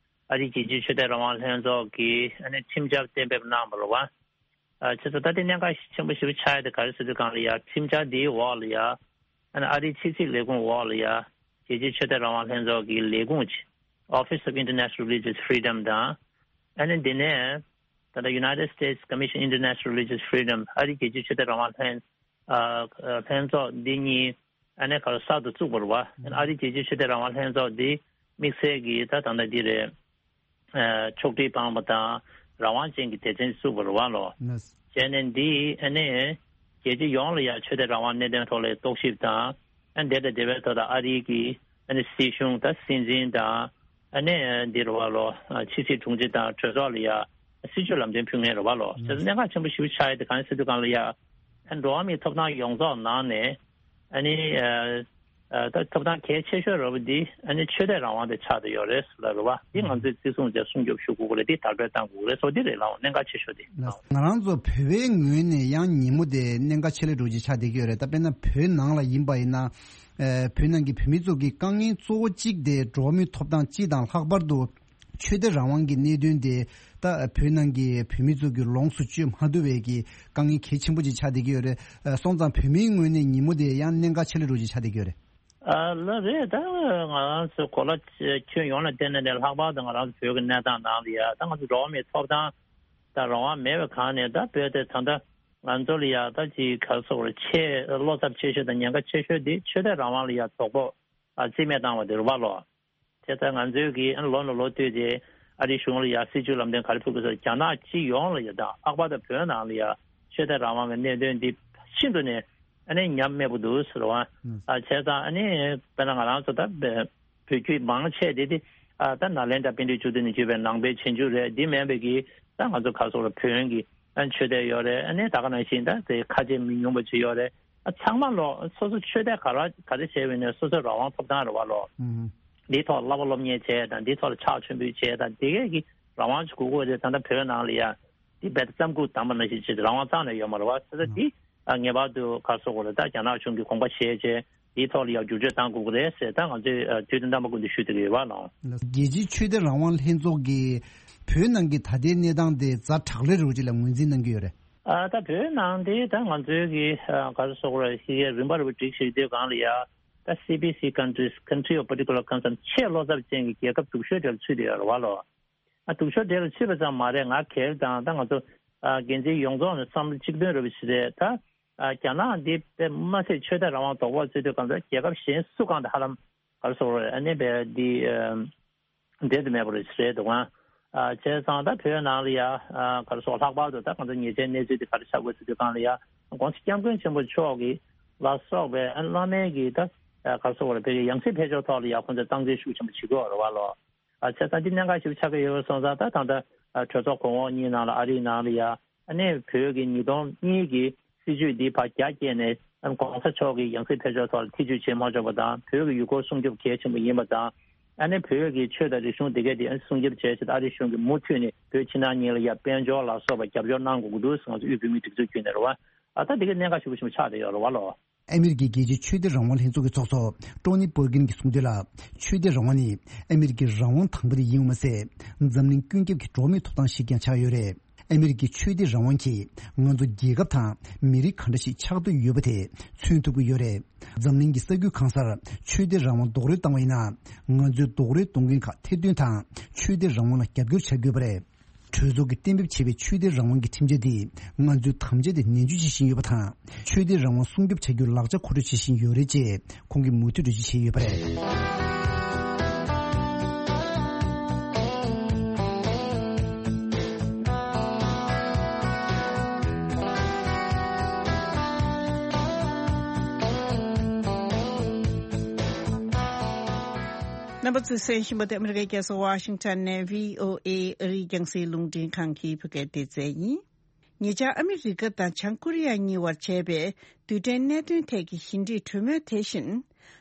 ཨ་རིའི་རྒྱལ་སྤྱིའི་ཆོས་དད་རང་དབང་ལྷན་ཚོགས་ཀྱིས་ཨ་ནི་ཁྲིམས་འཆར་གཏན་འབེབས་གནང་བ་རེད་བ། ཨ། བྱས་ཙང་ད་ལྟ་གནད་འགག་ཆེན་པོ་ཞེ་པོ་ཆགས་ཡ་དེ་ག་རེ་ཟེར་དུས་སྒང་ལ་ཡ། ཁྲིམས་འཆར་འདིའི་འོག་ལ་ཡ། ཨ་ནི་ཨ་རིའི་ཕྱི་སྲིད་ལས་ཁུངས་འོག་ལ་ཡ། རྒྱལ་སྤྱིའི་ཆོས་དད་རང་དབང་ལྷན་ཚོགས་ཀྱི་ལས་ཁུངས་ཀྱི་Office of International Religious Freedom དང་། ཨ་ནི་འདི་ནས་ད་ལྟ་United States Commission International Religious Freedom ཨ་རིའི་རྒྱལ་སྤྱིའི་ཆོས་དད་རང་དབང་ལྷན། ཨ། ལྷན་ཚོགས་འདི་གཉིས་ཨ་ནི་ག་རེ་གསར་དུ་བཙུགས་པ་རེད་བ། ཨ་རིའི་རྒྱལ་སྤྱིའི་ཆོས་དད་རང་དབང་ལྷན་ཚོགས་འདི་དམིགས་བསལ་གྱིས་ད་ད་ལྟ་འདི་རེད། ཨ། ཕྱོགས་སྒྲིག་བཏང་བ་དང་རང་དབང་ཅན་གྱི་སྡེ་ཚན་བཙུགས་པ་རེད་བ་ལོ། ལགས། བྱས་ནས་འདི་ཨ་ནི་རྒྱལ་སྤྱི་ཡོངས་ལ་ཡང་ཆོས་དད་རང་དབང་གནད་དོན་ཐོག་ལ་རྟོག་ཞིབ་དང་། ཨ་འདི་དང་འབྲེལ་བའི་ཐོག་ད་ཨ་རིའི་གི་ཨ་ནི་སྲིད་གཞུང་དང་སྲིད་འཛིན་དང་ཨ་ནི་འདི་རུ་བ་ལོ་ཕྱི་སྲིད་དྲུང་ཆེ་དང་གྲོས་ཚོགས་ལ་ཡ་སྲིད་ཇུས་ལམ་སྟོན་ཕུལ་མཁན་རུ་བ་ལོ་དེ་ཚོ་གནད་འགག་ཆེན་པོ་ཞིག་ཆགས་ཡོད་དེ་གང་ཡིན་ཟེར་དུས་གང་ལ་ཡ་ཨ་འགྲོ་བ་མིའི་ཐོབ་ཐང་ཡོངས་རྫོགས་ནང་ནས་ཨ་ནི་ད་ཐོབ་ཐང་གལ་ཆེ་ཤོས་རུ་བ་འདི་ཨ་ནི་ཆོས་དད་རང་དབང་དེ་ཆགས་བསྡད་ཡོད་རེད་ཟེར་ལ་རུ་བ་འདི་ང་ཚོས་བརྩི་སྲུང་བྱས་སྲུང་སྐྱོབ་ཞུ་དགོས་ཀྱི་རེད། འདི་དར་སྤེལ་གཏང་དགོས་ཀྱི་རེད། སོ་འདི་རེད་ལ་གནད་འགག་ཆེ་ཤོས་དེ། ང་རང་ཚོ་བོད་པའི་ངོས་ནས་ཡང་ཉིན་མོ་དེ་གནད་འགག་ཆེ་ལས་འགྲོ་རྒྱུ་ཆགས་བསྡད་ཀྱི་ཡོད་རེད། ད་དཔེར་ན་བོད་ནང་ལ་ཡིན་པ་ཡིན་ན། ཨ་བོད་ནང་གི་བོད་མི་ཚོ་གི་དཀའ་ངལ་གཙོ་བོ་གཅིག་དེ་འགྲོ་བ་མིའི་ཐོབ་ཐང་སྤྱི་དང་ལྷག་པར་དུ་ཆོས་དད་རང་དབང་གི་གནད་དོན་དེ་ད་བོད་ནང་གི་བོད་མི་ཚོ་གི་ལོངས་སུ་སྤྱོད་མ་ཐུབ་པའི་གི་དཀའ་ངལ་གལ་ཆེན་པོ་ཅིག་ཆགས་བསྡད་ཀྱི་ཡོད་རེད། ཨ་སོང་ཙང་བོད་མིའི་ངོས་ནས་ཉིན་མོ་དེ་ཡང་གནད་འགག་ཆེ་ལས་འགྲོ་རྒྱུ་ཆགས་བསྡད་ཀྱི་ཡོད་རེད། ཨ་ལ་རེད། ད་ང་རང་ཚོ་གོ་ལ་ཁྱོན་ཡོངས་ལ་བལྟས་ནས་ནས་ལྷག་པར་དུ་ང་རང་ཚོ་བོད་ཀྱི་གནས་སྟངས་ནང་ལ་ཡ་ད་ང་ཚོ་འགྲོ་བ་མིའི་ཐོབ་ཐང་དང་རང་དབང་མེད་པའི་སྒང་ནས་ད་བོད་དེ་ད་ལྟ་ང་ཚོ་ལ་ཡ་ད་ཅིག་ག་རེ་ཟེར་དགོས་རེད། ཆེས་བློ་འཚབ་ཆེ་ཤོས་དང་ཉེན་ཁ་ཆེ་ཤོས་དེ་ཆོས་དད་རང་དབང་ལ་ཡ་དོགས་པ་ཨ་རྩིས་མེད་བཏང་བ་དེ་རེད་བ་ལོ། དེ་ལྟར་ང་ཚོའི་གི་ཨ་ནི་ལོ་ནས་ལོ་བསྟུད་དེ་ཨ་རིའི་གཞུང་ལ་ཡ་སྲིད་ཇུས་ལམ་སྟོན་ག་རེ་ཕུལ་དགོས་ཟེར་རྒྱ་ནག་སྤྱི་ཡོངས་ལ་ཡ་དང་ལྷག་པར་དུ་བོད་ནང་ལ་ཡ་ཆོས་དད་རང་དབང་གི་གནད་དོན་འདི་ཤིན་ཏུ་ནས་ཨ་ནི་ཉམས་དམས་པོ་འདུག་ཟེར་བ། ཨ་བྱས་ཙང་ཨ་ནི་དཔེར་ན་ང་རང་ཚོ་ད་བོད་བརྒྱུད་མང་ཆེ་དེ་དེ་ཨ་ད་ནཱ་ལེནྡྲ་པཎྜི་ཏ་བཅུ་བདུན་ནས་བརྒྱུད་པའི་ནང་པའི་རྗེས་འཇུག་རེད། འདི་མིན་པའི་གི་ད་ང་ཚོ་ག་རེ་ཟེར་དགོས་རེད། བོན་གྱི་ཨ་ཆོས་དད་ཡོད་རེད། ཨ་ནི་ད་ག་ནང་བཞིན་ད་དེ་ཁ་ཆེ་མི་ཉུང་པ་ཅིག་ཡོད་རེད། ཨ་ཚང་མ་ལོ་སོ་སོ་ཆོས་དད་ག་རེ་ག་རེ་བྱས་པ་ཡིན་ནའི་སོ་སོའི་རང་དབང་ཐོབ་ཐང་རེད་བ་ལོ། འདིའི་ཐོག་བསླབ་པ་སློབ་གཉེར་བྱས་དང་འདིའི་ཐོག་ལ་ཕྱག་མཆོད་འབུལ་བྱས་དང་དེ་གས་ཀྱི་རང་དབང་ཅིག་དགོས་ཀྱི་རེད། ད་ལྟ་བོད་ནང་ལ་ཡ་འདི་རྦད་དེ་རྩམ་ཁུག་བསྡམས་པ་ནང་བཞིན་བྱས་ཏེ་རང་དབང་རྩ་ནས་ཡོད་མ་རེད་བ། ད་ལྟ་འདི་ཨ་ངེས་པར་དུ་ག་རེ་ཟེར་དགོས་རེད། ད་རྒྱ་ནག་གཞུང་གིས་དགོངས་པ་བཞེས་བྱས་འདིའི་ཐོག་ལ་ཡ་བསྒྱུར་བཅོས་གཏང་དགོས་ཀྱི་རེད་ཟེར་ད་ང་ཚོས་ཨ་དུས་དང་རྣམ་པ་ཀུན་ཏུ་ཞུ་བསྡད་ཀྱི་ཡོད་བ་ལོ། རྒྱལ་སྤྱིའི་ཆོས་དད་རང་དབང་ལྷན་ཚོགས་ཀྱིས་བོད་ནང་གི་ད་ལྟའི་གནས་སྟངས་དེ་ཛ་དྲག་ལས་རོགས་ཅིག་ལ་ངོས་འཛིན་གནང་གི་ཡོད་རེད། ཨ་ད་བོད་ནང་དེ་ད་ང་ཚོའི་གི་ཨ་ག་རེ་ཟེར་དགོས་རེད། ཤེས་ཀྱི་རིམ་པ་རིམ་པ་སྒྲིག་བཞག་དུས་སྒང་ལ་ཡ་ད་སི་པི་སི་countries, country of particular concern, ཆེས་བློ་འཚབ་ཅན་གྱི་རྒྱལ་ཁབ་སྡུག་ཤོས་དེར་ཚུད་དེ་ཡོད་རེད་བ་ལོ། ཨ་སྡུག་ཤོས་དེ་ལ་ཚུད་པ་ཙམ་མ་རེད། ང་སྒེར་དང་ད་ང་ཚོ་ཨ་འགན་འཛིན་ཡོངས་རྫོགས་ནས་བསམ་བློ་གཅིག་མཐུན་རེད་པ་ཞིག་རེད། ད་ཨ་རྒྱ་ནག་འདི་དཔེ་མ་སྲིད་ཆོས་དད་རང་དབང་དོགས་པ་བརྩི་དུས་སྒང་ལ་རྒྱལ་ཁབ་གཞན་སུ་གང་དང་ཧ་ལམ་ག་རེ་ཟེར་དགོས་རེད། ཨ་ནི་དཔེ་འདི་ཨ་འབྲེལ་དུ་མེད་པ་རེད་ཟེར་འདུག་ཨང་། ཨ་བྱས་ཙང་ད་བོད་ནང་ལ་ཡ་ཨ་ག་རེ་ཟེར་ལྷག་པར་དུ་ད་ང་ཚོ་ཉེ་ཆར་གནས་ཚུལ་དེ་ག་རེ་ཆགས་དགོས་ཟེར་དུས་སྒང་ལ་ཡ་༸གོང་ས་༸སྐྱབས་མགོན་ཆེན་པོ་མཆོག་གི་ལ་སོགས་པའི་ཨ་བླ་མའི་གི་ད་ཨ་ག་རེ་ཟེར་དགོས་རེད། བོད་ཀྱི་ཡང་སྲིད་ཕེབས་ཕྱོགས་ཐོག་ལ་ཡ་ཁོང་ཚོས་སྟངས་འཛིན་ཤུགས་ཆེན་པོ་བྱེད་ཀྱི་ཡོད་རེད་བ་ལོ། ཨ་བྱས་ཙང་འདི་གནད་འགག་ཞིག་ཆགས་ཀྱི་ཡོད་པ་སོང་ཙང་ད་ད་ལྟ་ཨ་གྲོས་ཚོགས་གོང་འོག་གཉིས་ནང་ལ་ཨ་རིའི་ནང་ལ་ཡ་ཨ་ནི་བོད་ཀྱི་ཉིས་སྟོང་གཉིས་ཀྱི་སྲིད་ཇུས་འདི་ཕར་རྒྱ་བསྐྱེད་ནས་ཨ་ནི་༸གོང་ས་མཆོག་གི་ཡང་སྲིད་ཕེབས་ཕྱོགས་ཐོག་ལ་ཐེ་ཇུས་བྱེད་མ་ཆོག་པ་དང་། བོད་ཀྱི་ཡུལ་སྐོར་སྲུང་སྐྱོབ་གལ་ཆེན་པོ་ཡིན་པ་དང་། ཨ་ནི་བོད་ཀྱི་ཆོས་དང་རིག་གཞུང་འདི་གས་དེ་ཨ་ནི་སྲུང་སྐྱོབ་བྱེད་ཆེད་ཨ་རིའི་གཞུང་གིས་མུ་མཐུད་ནས་བོད་ཕྱི་ནང་གཉིས་ལ་ཡ་དཔལ་འབྱོར་ལ་སོགས་པ་རྒྱབ་སྐྱོར་གནང་དགོས་ཀྱི་འདུག་ཟེར་ང་ཚོ་དབུས་བོད་མིའི་སྒྲིག་འཛུགས་བརྒྱུད་ནས་རེད་བ། ཨ་ད་འདི་གས་གནད་འགག་ཞེ་པོ་ཞེ་པོ་ཆགས་བསྡད་ཡོད་རེད་བ་ལོ། ཨ་མེ་རི་ཀའི་རྒྱལ་སྤྱིའི་ཆོས་དད་རང་དབང་ལྷན་ཚོགས་ཀྱི་ཚོགས་གཙོ་ཀྲོ་ནི་པར་ཀིན་གྱིས་གསུངས་དོན་ལ། ཆོས་དད་རང་དབང་ནི་ཨ་མེ་རི་ཀའི་རང་དབང་དང་པོ་དེ་ཡིན་པ་མ་ཟད། འཛམ་གླིང་ཀུན་ཁྱབ་ཀྱི་འགྲོ་བ་མིའི་ཐོབ་ཐང་ཞིག་ཀྱང་ཆགས་ཡོད་རེད། ཨ་མེ་རི་ཀའི་ཆོས་དད་རང་དབང་གིས་ང་ཚོ་རྒྱལ་ཁབ་དང་མི་རིགས་ག་འདྲ་ཞིག་ཆགས་འདོད་ཡོད་པ་དེ་མཚོན་ཐུབ་ཀྱི་ཡོད་རེད། འཛམ་གླིང་གི་ས་ཁུལ་གང་སར་ཆོས་དད་རང་དབང་རྡོག་རོལ་བཏང་བ་ཡིན་ན། ང་ཚོའི་རྡོག་རོལ་གཏོང་མཁན་ཁག་ཐེར་འདོན་དང་ཆོས་དད་རང་དབང་ལ་རྒྱབ་སྐྱོར་བྱ་དགོས་པ་རེད། གྲོས་ཚོགས་ཀྱིས་གཏན་འབེབས་བྱས་པའི་ཆོས་དད་རང་དབང་གི་ཁྲིམས་འཆར་འདིས་ང་ཚོའི་དམ་བཅའ་དེ་ནན་བརྗོད་བྱེད་བཞིན་ཡོད་པ་དང་། ཆོས་དད་རང་དབང་སྲུང་སྐྱོབ་བྱ་རྒྱུའི་ལག་ཆ་མཁོ་སྤྲོད་བྱེད་བཞིན་ཡོད་རེད་ཅེས་ཁོང་གིས་མུ་མཐུད་འགྲེལ་བརྗོད་བྱས་ཡོད་པ་རེད། རྣམ་པ་ཚོས་གསན་བཞིན་པ་དེ་ཨ་མི་རི་ཀའི་རྒྱལ་ས་ཝ་ཤིང་ཊོན་ནས་བྷི་ཨོ་ཨེ་ཨ་རིའི་རྒྱང་སྲིང་རླུང་འཕྲིན་ཁང་གི་བོད་སྐད་སྡེ་ཚན་ཡིན། ཉེ་ཆར་ཨ་མི་རི་ཀ་དང་བྱང་ཀོ་རི་ཡ་གཉིས་བར་བྱས་པའི་རྡུལ་ཕྲན་གནད་དོན་ཐད་ཀྱི་ཞི་འགྲིག་གྲོས་མོལ་དེ་བཞིན་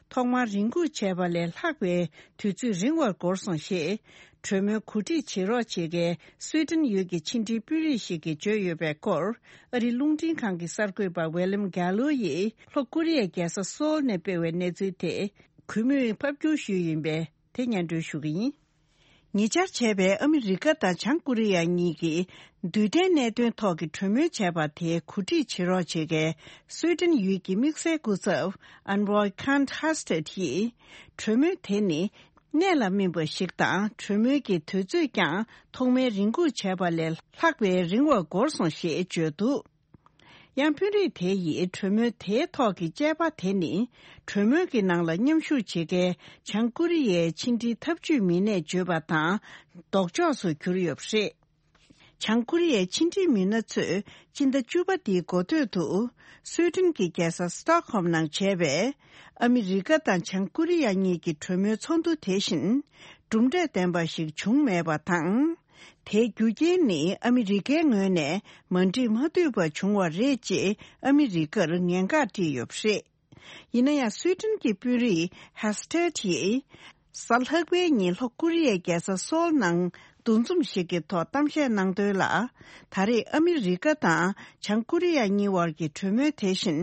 ཐོག་མར་རེ་སྒུག་བྱས་པ་ལས་ལྷག་པའི་དུས་ཚོད་རིང་བར་འགོར་སོང་ཞེས་གྲོས་མོལ་གོ་སྒྲིག་བྱེད་རོགས་བྱེད་མཁན་སུའེ་ཏན་ཡུལ་གྱི་ཕྱི་འབྲེལ་དཔོན་རིགས་ཤིག་གིས་བརྗོད་ཡོད་པའི་སྐོར། ཨ་རིའི་རླུང་འཕྲིན་ཁང་གི་གསར་འགོད་པ་ཝེ་ལམ་གྷ་ལོ་ཡིས་ལྷོ་ཀོ་རི་ཡའི་རྒྱལ་ས་སོལ་ནས་སྤེལ་བའི་གནས་ཚུལ་དེ་གུས་མོས་ཕབ་བསྒྱུར་ཞུས་ཡིན་པས། དེ་སྙན་སྒྲོན་ཞུ་གི་ཡིན། ཉེ་ཆར་བྱས་པའི་ཨ་མི་རི་ཀ་དང་བྱང་ཀོ་རི་ཡ་གཉིས་ཀྱིས་རྡུལ་ཕྲན་གནད་དོན་ཐོག་གི་གྲོས་མོལ་བྱས་པ་དེ་གོ་སྒྲིག་བྱེད་རོགས་བྱེད་མཁན་སུའེ་ཏན་ཡུལ་གྱི་དམིགས་བསལ་སྐུ་ཚབ་ཨན་རོའི་ཁཱན་ཧ་སྟེད་ཡིས། གྲོས་མོལ་དེ་ནི་གནད་ལ་སྨིན་པ་ཞིག་དང་། གྲོས་མོལ་གྱི་དུས་ཚོད་ཀྱང་ཐོག་མའི་རེ་སྒུག་བྱས་པ་ལས་ལྷག་པའི་རིང་བར་འགོར་སོང་ཞེས་བརྗོད་འདུག། ཡང་དཔོན་རིགས་དེ་ཡིས་གྲོས་མོལ་དེའི་ཐོག་གི་དཔྱད་པ་དེ་ནི། གྲོས་མོལ་གྱི་ནང་ལ་མཉམ་ཞུགས་བྱེད་མཁན་བྱང་ཀོ་རི་ཡའི་ཕྱི་འབྲེལ་འཐབ་ཇུས་མི་སྣས་བརྗོད་པ་དང་ལྡོག་ཕྱོགས་སུ་གྱུར་ཡོད་པ་རེད། བྱང་ཀོ་རི་ཡའི་ཕྱི་འབྲེལ་མི་སྣ་ཚོས་སྤྱི་ཟླ་བཅུ་པ་འདིའི་འགོ་སྟོད་དུ་སུའེ་ཏེན་གྱི་རྒྱལ་ས་སི་ཏོག་ཧོམ་ནང་བྱས་པའི་ཨ་མི་རི་ཀ་དང་བྱང་ཀོ་རི་ཡ་གཉིས་ཀྱི་གྲོས་མོལ་ཚོགས་འདུ་དེ་བཞིན་གྲུབ་འབྲས་ལྡན་པ་ཞིག་བྱུང་མེད་པ་དང་། དེའི་རྒྱུ་རྐྱེན་ནི་ཨ་མི་རི་ཀའི་ངོས་ནས་མ་འགྲིག་མ་འཐུས་པ་བྱུང་བ་རེད་ཅེས་ཨ་མི་རི་ཀར་ཉེན་བཀག་བསྒྲིགས་ཡོད་པ་རེད། ཡིན་ན་ཡང་སུའེ་ཏེན་གྱི་དཔོན་རིགས་ཧེ་སི་ཏེད་ཡིས་གཟའ་ལྷག་པའི་ཉིན་ལྷོ་ཀོ་རི་ཡའི་རྒྱལ་ས་སོལ་ནང་འདུ་འཛོམས་ཤིག་གི་ཐོག་གཏམ་བཤད་གནང་དོན་ལ། ད་རེས་ཨ་མི་རི་ཀ་དང་བྱང་ཀོ་རི་ཡ་གཉིས་དབར་གྱི་གྲོས་མོལ་དེ་བཞིན་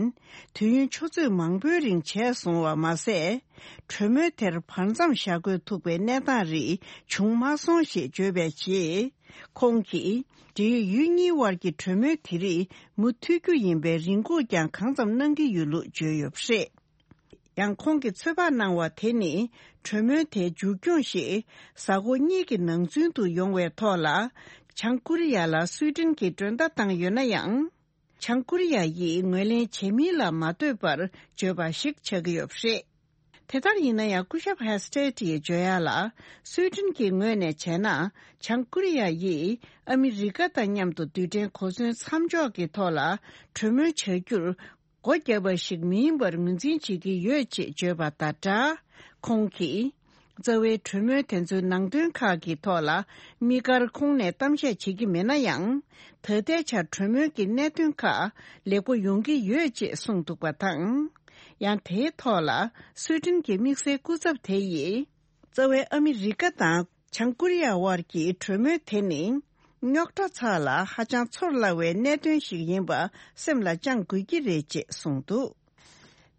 དུས་ཡུན་ཆུ་ཚོད་མང་པོའི་རིང་བྱས་སོང་བ་མ་ཟད། གྲོས་མོལ་དེར་བར་མཚམས་བཞག་དགོས་ཐུག་པའི་གནས་སྟངས་རིགས་བྱུང་མ་སོང་ཞེས་བརྗོད་པའི་རྗེས། ཁོང་གིས་འབྲེལ་ཡོད་ཡུལ་གཉིས་དབར་གྱི་གྲོས་མོལ་དེ་རིགས་མུ་མཐུད་རྒྱུ་ཡིན་པའི་རེ་སྐུལ་ཀྱང་གང་འཚམ་གནང་གི་ཡོད་ལུགས་བརྗོད་ཡོད་པ་རེད། ཡང་ཁོང་གིས་ཚོད་དཔག་གནང་བ་དེ་ནི་གྲོས་མོལ་དེའི་མཇུག་སྐྱོང་ཞིག་གཟའ་འཁོར་གཉིས་ཀྱི་ནང་ཚུན་དུ་ཡོང་བའི་ཐོག་ལ། བྱང་ཀོ་རི་ཡ་ལ་སུའེ་ཏེན་གྱིས་མགྲོན་བརྡ་བཏང་ཡོད་ན་ཡང་། བྱང་ཀོ་རི་ཡ་ཡིས་ངོས་ལེན་བྱེད་མིན་ལ་མ་ལྟོས་པར་བརྗོད་པ་ཞིག་ཆགས་ཀྱི་ཡོད་པ་རེད། དེ་ལྟར་ཡིན་ན་ཡང་སྐུ་ཞབས་ཧེ་སི་ཏེད་ཡིས་བརྗོད་ཡག་ལ། སུའེ་ཏེན་གྱི་ངོས་ནས་བྱས་ན། བྱང་ཀོ་རི་ཡ་ཡིས་ཨ་མི་རི་ཀ་དང་མཉམ་དུ་རྡུལ་ཕྲན་གོ་མཚོན་མཚམས་འཇོག་གི་ཐོག་ལ་གྲོས་མོལ་བྱ་རྒྱུར་སྒོ་བརྒྱབ་པ་ཞིག་མིན་པར་ངོས་འཛིན་བྱེད་ཀྱི་ཡོད་ཅེས་བརྗོད་པ་དང་སྦྲགས། ཁོང་གིས། རྩ་བའི་གྲོས་མོལ་དེ་ཚོའི་ནང་དོན་ཁག་གི་ཐོག་ལ་དམིགས་བཀར་ཁོང་ནས་གཏམ་བཤད་བྱེད་ཀྱི་མེད་ན་ཡང་། ད་ལྟའི་ཆར་གྲོས་མོལ་གྱི་གནད་དོན་ཁག་ལེགས་པོ་ཡོང་གི་ཡོད་ཅེས་གསུངས་འདུག་པ་དང་། ཡང་དེའི་ཐོག་ལ་སུའེ་ཏེན་གྱི་དམིགས་བསལ་སྐུ་ཚབ་དེ་ཡིས། རྩ་བའི་ཨ་མི་རི་ཀ་དང་བྱང་ཀོ་རི་ཡ་དབར་གྱི་གྲོས་མོལ་དེ་ནི། རྙོག་དྲ་ཚགས་ལ་ཧ་ཅང་ཚོར་སླ་བའི་གནད་དོན་ཞིག་ཡིན་པ་སེམས་ལ་བཅངས་དགོས་ཀྱི་རེད་ཅེས་གསུངས་འདུག་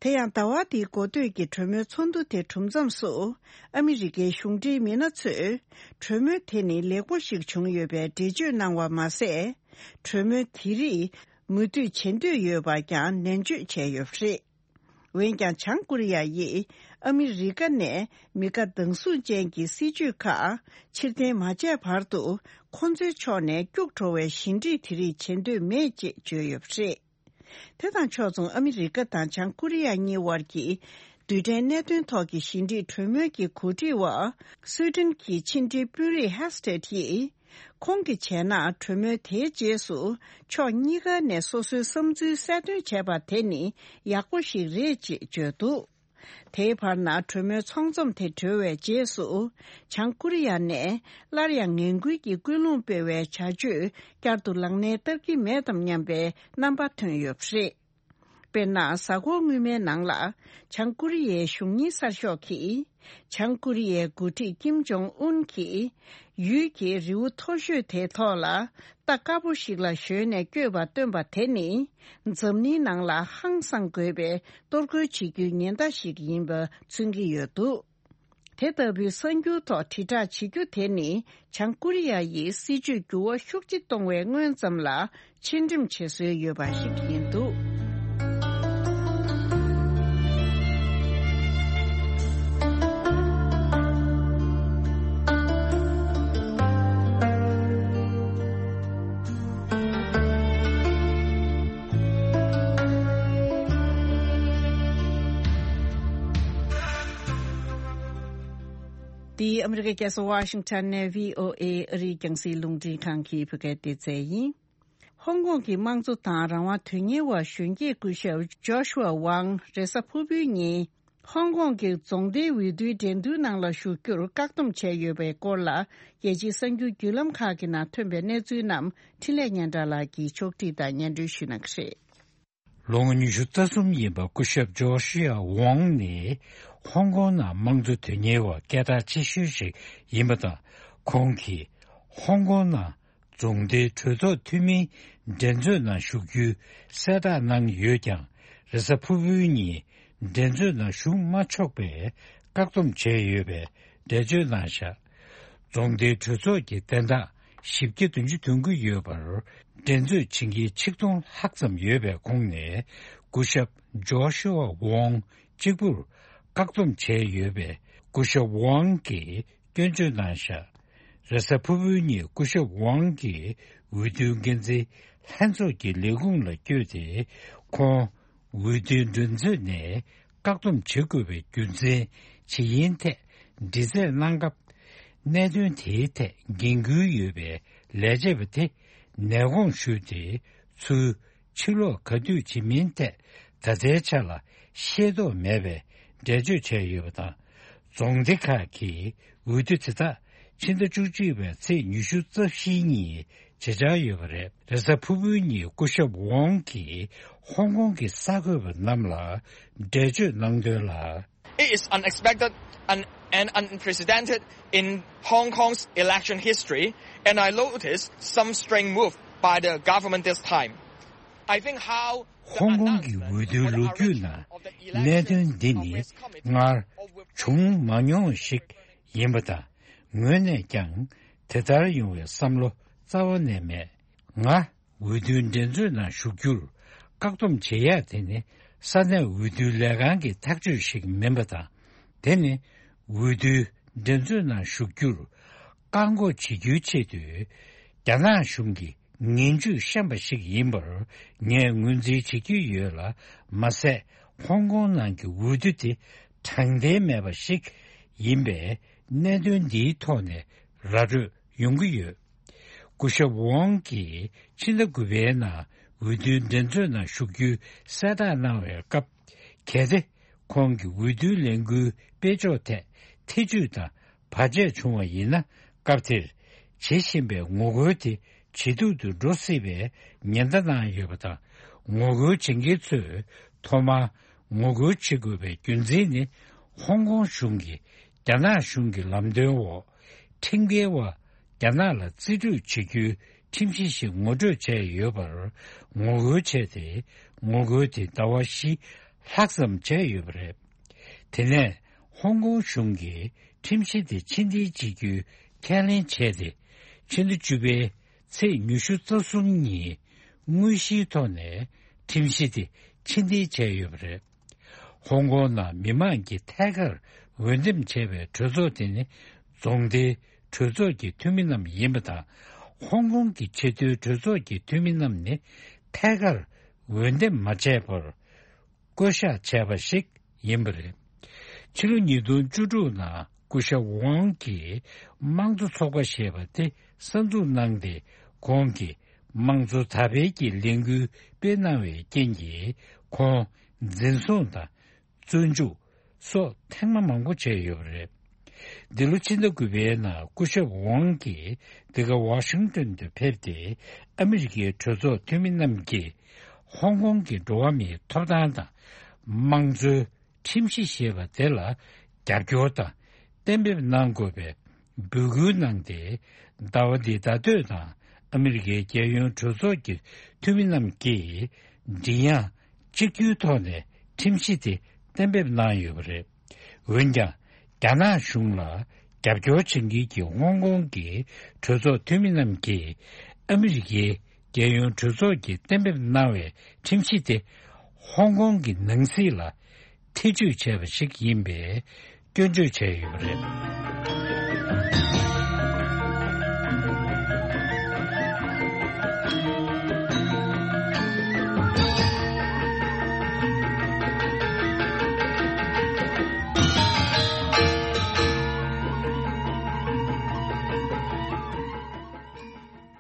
དེ་ཡང་ཟླ་བ་འདིའི་འགོ་སྟོད་ཀྱི་གྲོས་མོལ་ཚོགས་འདུ་དེ་གྲུབ་མཚམས་སུ། ཨ་མི་རི་ཀའི་གཞུང་འབྲེལ་མི་སྣ་ཚོས། གྲོས་མོལ་དེ་ནི་ལེགས་པོ་ཞིག་བྱུང་ཡོད་པའི་འགྲེལ་བརྗོད་གནང་བ་མ་ཟད། གྲོས་མོལ་དེ་རིགས་མུ་མཐུད་བྱེད་འདོད་ཡོད་པ་ཀྱང་ནན་བརྗོད་བྱས་ཡོད་པ་རེད། འོན་ཀྱང་། བྱང་ཀོ་རི་ཡ་ཡིས་ཨ་མི་རི་ཀ་ནས་མི་དགའ་སྡང་ཟུག་ཅན་གྱི་སྲིད་བྱུས་ཁག་ཕྱིར་འཐེན་མ་བྱས་བར་དུ། ཁོ་ཚོའི་ཕྱོགས་ནས་སྐྱུག་བྲོ་བའི་ཞི་འགྲིག་དེ་རིགས་བྱེད་འདོད་མེད་ཅེས་བརྗོད་ཡོད་པ་རེད། དེ་དང་ཕྱོགས་མཚུངས། ཨ་མི་རི་ཀ་དང་བྱང་ཀོ་རི་ཡ་གཉིས་དབར་གྱི་རྡུལ་ཕྲན་གནད་དོན་ཐོག་གི་ཞི་འགྲིག་གྲོས་མོལ་གྱི་གོ་སྒྲིག་པ། སུའེ་ཏེན་གྱི་ཕྱི་འབྲེལ་དཔོན་རིགས་ཧེ་སི་ཏེད་ཡིས། ཁོང་གིས་བྱས་ན། གྲོས་མོལ་དེའི་རྗེས་སུ་ཕྱོགས་གཉིས་ཀ་ནས་སོ་སོའི་བསམ་ཚུལ་གསལ་སྟོན་བྱས་པ་དེ་ནི་ཡག་པོ་ཞིག་རེད་ཅེས་བརྗོད་འདུག་དེའི་བར་ན་གྲོས་མོལ་ཚོགས་འཛོམས་དེ་གྲོལ་བའི་རྗེས་སུ། བྱང་ཀོ་རི་ཡ་ནས་སླར་ཡང་ངན་སྐུལ་གྱི་ཀུན་སློང་སྤེལ་བའི་བྱ་སྤྱོད་བསྐྱར་དུ་ལག་ལེན་བསྟར་གྱི་མེད་དམ་སྙམ་པའི་རྣམ་པ་ཐོན་ཡོད་པ་རེད། དཔེར་ན། གཟའ་འཁོར་སྔོན་མའི་ནང་ལ། བྱང་ཀོ་རི་ཡའི་གཞུང་གཉེར་གསར་ཤོག་གིས། བྱང་ཀོ་རི་ཡའི་འགོ་ཁྲིད་ཀིམ་ཇོང་ཨུན་གྱིས། ཡུལ་གྱི་རི་བོ་མཐོ་ཤོས་དེའི་ཐོག་ལ། རྟ་དཀར་པོ་ཞིག་ལ་ཞོན་ནས་བསྐྱོད་པ་སྟོན་པ་དེ་ནི། འཛམ་གླིང་ནང་ལ་ཧང་སང་དགོས་པའི་གཏོར་རྒོལ་བྱེད་རྒྱུའི་ཉེན་བརྡ་ཞིག་ཡིན་པ་མཚོན་གྱི་ཡོད་འདུག་དེ་ལྟ་བུའི་གསར་འགྱུར་ཐོག་དྲིལ་བསྒྲགས་བྱེད་རྒྱུ་དེ་ནི། བྱང་ཀོ་རི་ཡ་ཡིས་སྲིད་བྱུས་འགྱུར་བ་ཤུགས་ཆེ་གཏོང་བའི་སྔོན་ཙམ་ལ་ཕྱིར་འགྲེམས་བྱེད་སྲོལ་ཡོད་པ་ཞིག་ཡིན་འདུག་འདི་ཨ་མི་རི་ཀའི་རྒྱལ་ས་ཝ་ཤིང་ཊོན་ནས་བྷི་ཨོ་ཨེ་ཨ་རིའི་རྒྱང་སྲིང་རླུང་འཕྲིན་ཁང་གི་བོད་སྐད་སྡེ་ཚན་ཡིན། ཧོང་ཀོང་གི་དམངས་གཙོ་དང་རང་དབང་དོན་གཉེར་བ་གཞོན་སྐྱེས་སྐུ་ཞབས་ཇོ་ཤུ་ཝ་ཝང་རེས་གཟའ་ཕུར་བུའི་ཉིན། ཧོང་ཀོང་གི་རྫོང་སྡེའི་འོས་བསྡུའི་འགྲན་བསྡུར་ནང་ལ་ཞུགས་རྒྱུར་བཀག་སྡོམ་བྱས་ཡོད་པའི་སྐོར་ལ། རྒྱལ་སྤྱིའི་གསར་འགྱུར་བརྒྱུད་ལམ་ཁག་གི་ནང་ཐོན་པའི་གནས་ཚུལ་རྣམས་འཕྲིན་ལས་སྙན་གྲགས་ལགས་ཀྱིས་ཕྱོགས་སྒྲིག་དང་སྙན་སྒྲོན་ཞུ་གནང་གི་རེད། ལོ་ངོ་ཉི་ཤུ་རྩ་གསུམ་ཡིན་པ་སྐུ་ཞབས་ཇོ་ཤི་ཡ་ཝང་ནི་ཧོང་ཀོང་ནང་དམངས་གཙོ་དོན་གཉེར་བ་སྐད་གྲགས་ཆེ་ཤོས་ཤིག་ཡིན་པ་དང་། ཁོང་གིས་ཧོང་ཀོང་ནང་རྫོང་སྡེའི་གྲོས་ཚོགས་འཐུས་མིའི་འགྲན་རྩོད་ནང་ཞུགས་རྒྱུའི་གསལ་བསྒྲགས་གནང་ཡོད་ཀྱང་། རེས་གཟའ་ཕུར་བུའི་ཉིན་འགྲན་རྩོད་ནང་ཞུགས་མ་ཆོག་པའི་བཀག་སྡོམ་བྱས་ཡོད་པའི་འགྲེལ་བརྗོད་གནང་བཞག་རྫོང་སྡེའི་གྲོས་ཚོགས་ཀྱི་བདུན་ཕྲག་བཞི་བརྒྱ་བདུན་ཅུ་དོན་དགུ་ཡོད་པར། འགྲན་རྩོད་བྱེད་མཁན་ཆིག་སྟོང་ལྷག་ཙམ་ཡོད་པའི་ཁོངས་ནས། སྐུ་ཞབས་ཇོ་ཤུ་ཝ་ཝོང་གཅིག་པུར་བཀག་སྡོམ་བྱས་ཡོད་པས། སྐུ་ཞབས་ཝང་གིས་སྐྱོན་བརྗོད་གནང་བཞག་རེས་གཟའ་ཕུར་བུའི་ཉིན་སྐུ་ཞབས་ཝང་གིས་འོས་བསྡུའི་འགན་འཛིན་ལྷན་ཚོགས་ཀྱི་ལས་ཁུངས་ལ་བསྐྱོད་དེ། ཁོང་འོས་བསྡུའི་མགྲིན་ཚབ་ནས་བཀག་སྡོམ་བྱེད་དགོས་པའི་རྒྱུ་མཚན་ཇི་ཡིན་ཐད་འདྲི་རྩད་གནང་སྐབས། གནད་དོན་དེའི་ཐད་འགན་འཁུར་ཡོད་པའི་ ལས་བྱེད་པ་དེ་ནད་དགོངས་ཞུས་ཏེ། ཚུར་ཕྱིར་ལོག་ག་དུས་བྱེད་མིན་ཐད་ད་ལྟའི་ཆ་ལ་ཤེས་རྟོགས་མེད་པའི་འགྲེལ་བརྗོད་བྱས་ཡོད་པ་དང་། རྫོང་སྡེ་ཁག་གི་འོས་བསྡུ་དེ་དག་ཕྱི་ཟླ་བཅུ་གཅིག་པའི་ཚེས་ཉི་ཤུ་རྩ་བཞི་ཉིན་བྱེད་འཆར་ཡོད་པ་རེད། རེས་གཟའ་ཕུར་བུའི་ཉིན་སྐུ་ཞབས་ཝང་གིས་ཧོང་ཀོང་གི་གསར་འགོད་པ་རྣམས་ལ་འགྲེལ་བརྗོད་གནང་དོན་ལ། It is unexpected and, and unprecedented in Hong Kong's election history, and I noticed some strange move by the government this time. I think how the ཧོང་ཀོང་གི་འོས་བསྡུའི་ལོ་རྒྱུས་ནང་གནད་དོན་འདི་ནི་སྔར་བྱུང་མ་མྱོང་བ་ཞིག་ཡིན་པ་དང་། ངོས་ནས་ཀྱང་དེ་ལྟར་ཡོང་བའི་བསམ་བློ་རྩ་བ་ནས་མེད། ང་འོས་བསྡུའི་འགྲན་རྩོད་ནང་ཞུགས་རྒྱུར་བཀག་སྡོམ་བྱེད་ཡག་དེ་ནི་ས་གནས་འོས་བསྡུའི་ལས་ཁང་གི་ཐག་གཅོད་ཞིག་མིན་པ་དང་། དེ་ནི་འོས་བསྡུའི་འགྲན་རྩོད་ནང་ཞུགས་རྒྱུར་བཀག་འགོག་བྱེད་རྒྱུའི་ཆེད་དུ། རྒྱ་ནག་གཞུང་གི་ངན་ཇུས་བཤམས་པ་ཞིག་ཡིན་པར་ངས་ངོས་འཛིན་བྱེད་ཀྱི་ཡོད་ལ། མ་ཟད་ཧོང་ཀོང་ནང་གི་འོས་བསྡུ་དེ་དྲང་བདེན་མེད་པ་ཞིག་ཡིན་པས། གནད་དོན་འདིའི་ཐོག་ནས་ར་སྤྲོད་ཡོང་གི་ཡོད། སྐུ་ཞབས་ཝང་གིས་ཕྱི་ཟླ་དགུ་པའི་ནང་འོས་བསྡུའི་འགྲན་རྩོད་ནང་ཞུགས་རྒྱུའི་གསལ་བསྒྲགས་གནང་བའི་སྐབས། གལ་ཏེ་ཁོང་གི་འོས་བསྡུའི་ལས་འགུལ་སྤེལ་ཕྱོགས་ཐད་ཐེ་ཇུས་དང་བར་ཆད་བྱུང་བ་ཡིན་ན། སྐབས་དེར་བྱེད་བཞིན་པའི་ངོ་རྒོལ་དེ་ཇེ་སྡུག་ཏུ་འགྲོ་སྲིད་པའི་ཉེན་བརྡ་གནང་ཡོད་པ་དང་། ངོ་རྒོལ་བྱེད་མཁན་ཚོས་ཐོག་མར་ངོ་རྒོལ་བྱེད་དགོས་པའི་རྒྱུ་མཚན་ནི། ཧོང་ཀོང་གཞུང་གིས་རྒྱ་ནག་གཞུང་གི་ལམ་སྟོན་འོག་ཁྲིམས་འགལ་བ་རྒྱ་ནག་ལ་རྩིས་སྤྲོད་བྱེད་རྒྱུའི་ཁྲིམས་གཞི་ཞིག་ངོ་སྤྲོད་བྱས་ཡོད་པར་ངོ་རྒོལ་བྱས་ཏེ། ངོ་རྒོལ་དེ་ཟླ་བ་བཞི་ལྷག་ཙམ་བྱས་ཡོད་པ་རེད། དེ་ནས་ཧོང་ཀོང་གཞུང་གིས་ཁྲིམས་གཞི་དེ་ཕྱིར་འཐེན་བྱེད་རྒྱུའི་ཁས་ལེན་བྱས་ཏེ། ཕྱི་ཟླ་བཅུ་པའི་ཚེས་ཉི་ཤུ་རྩ་གསུམ་ཉིན་དངོས་གཞིའི་ཐོག་ནས་ཁྲིམས་གཞི་དེ་ཕྱིར་འཐེན་བྱས་ཡོད་པ་རེད། ཧོང་ཀོང་ནང་མི་མང་གིས་ཐད་ཀར་འོས་འདེམས་བྱས་པའི་གྲོས་ཚོགས་དེ་ནི་རྫོང་སྡེའི་གྲོས་ཚོགས་ཀྱི་འཐུས་མི་རྣམས་ཡིན་པ་དང་། ཧོང་ཀོང་གི་ཆེས་མཐོའི་གྲོས་ཚོགས་ཀྱི་འཐུས་མི་རྣམས་ནི་ཐད་ཀར་འོས་འདེམས་མ་བྱས་པར་བསྐོ་གཞག་བྱས་པ་ཞིག་ཡིན་པ་རེད། ཕྱི་ལོ་ཉིས་སྟོང་བཅུ་དྲུག་ནང་སྐུ་ཞབས་ཝང་གིས་དམངས་གཙོ་ཚོགས་པ་ཞེས་པ་དེ་གསར་འཛུགས་གནང་སྟེ། ཁོང་གིས་དམངས་གཙོ་དར་སྤེལ་གྱི་ལས་འགུལ་སྤེལ་གནང་བའི་རྐྱེན་གྱིས། ཁོང་འཛིན་བཟུང་དང་། བཙོན་འཇུག་སོགས་ཐེངས་མ་མང་པོ་བྱས་ཡོད་པ་རེད། འདི་ལོ་ཕྱི་ཟླ་དགུ་པའི་ནང་སྐུ་ཞབས་ཝང་གིས་འདི་ག་ཝ་ཤིང་ཏོན་དུ་ཕེབས་ཏེ། ཨ་མི་རི་ཀའི་གྲོས་ཚོགས་འཐུས་མི་རྣམས་ཀྱིས་ཧོང་ཀོང་གི་འགྲོ་བ་མིའི་ཐོབ་ཐང་དང་། དམངས་གཙོའི་ཁྲིམས་གཞི་ཞེས་པ་དེ་ལ་རྒྱབ་སྐྱོར་དང་གཏན་འབེབས་གནང་དགོས་པའི་འབོད་སྐུལ་གནང་སྟེ། ཟླ་བ་འདིའི་ཟླ་སྟོད་དང་ཨ་མི་རི་ཀའི་རྒྱལ་ཡོངས་གྲོས་ཚོགས་ཀྱི་འཐུས་མི་རྣམས་ཀྱིས་མགྲིན་དབྱངས་གཅིག་གྱུར་ཐོག་ནས་ཁྲིམས་གཞི་དེ་གཏན་འབེབས་གནང་ཡོད་པ་རེད། འོན་ཀྱང་རྒྱ་ནག་གཞུང་ལ་རྒྱབ་སྐྱོར་བྱེད་མཁན་གྱི་ཧོང་ཀོང་གི་གྲོས་ཚོགས་འཐུས་མི་རྣམས་ཀྱིས་ཨ་མི་རི་ཀའི་རྒྱལ་ཡོངས་གྲོས་ཚོགས་ཀྱིས་གཏན་འབེབས་གནང་བའི་ཁྲིམས་གཞི་དེ་ཧོང་ཀོང་གི་ནང་སྲིད་ལ་ཐེ་ཇུས་བྱས་པ་ཞིག་ཡིན་པའི་སྐྱོན་བརྗོད་བྱས་ཡོད་པ་རེད།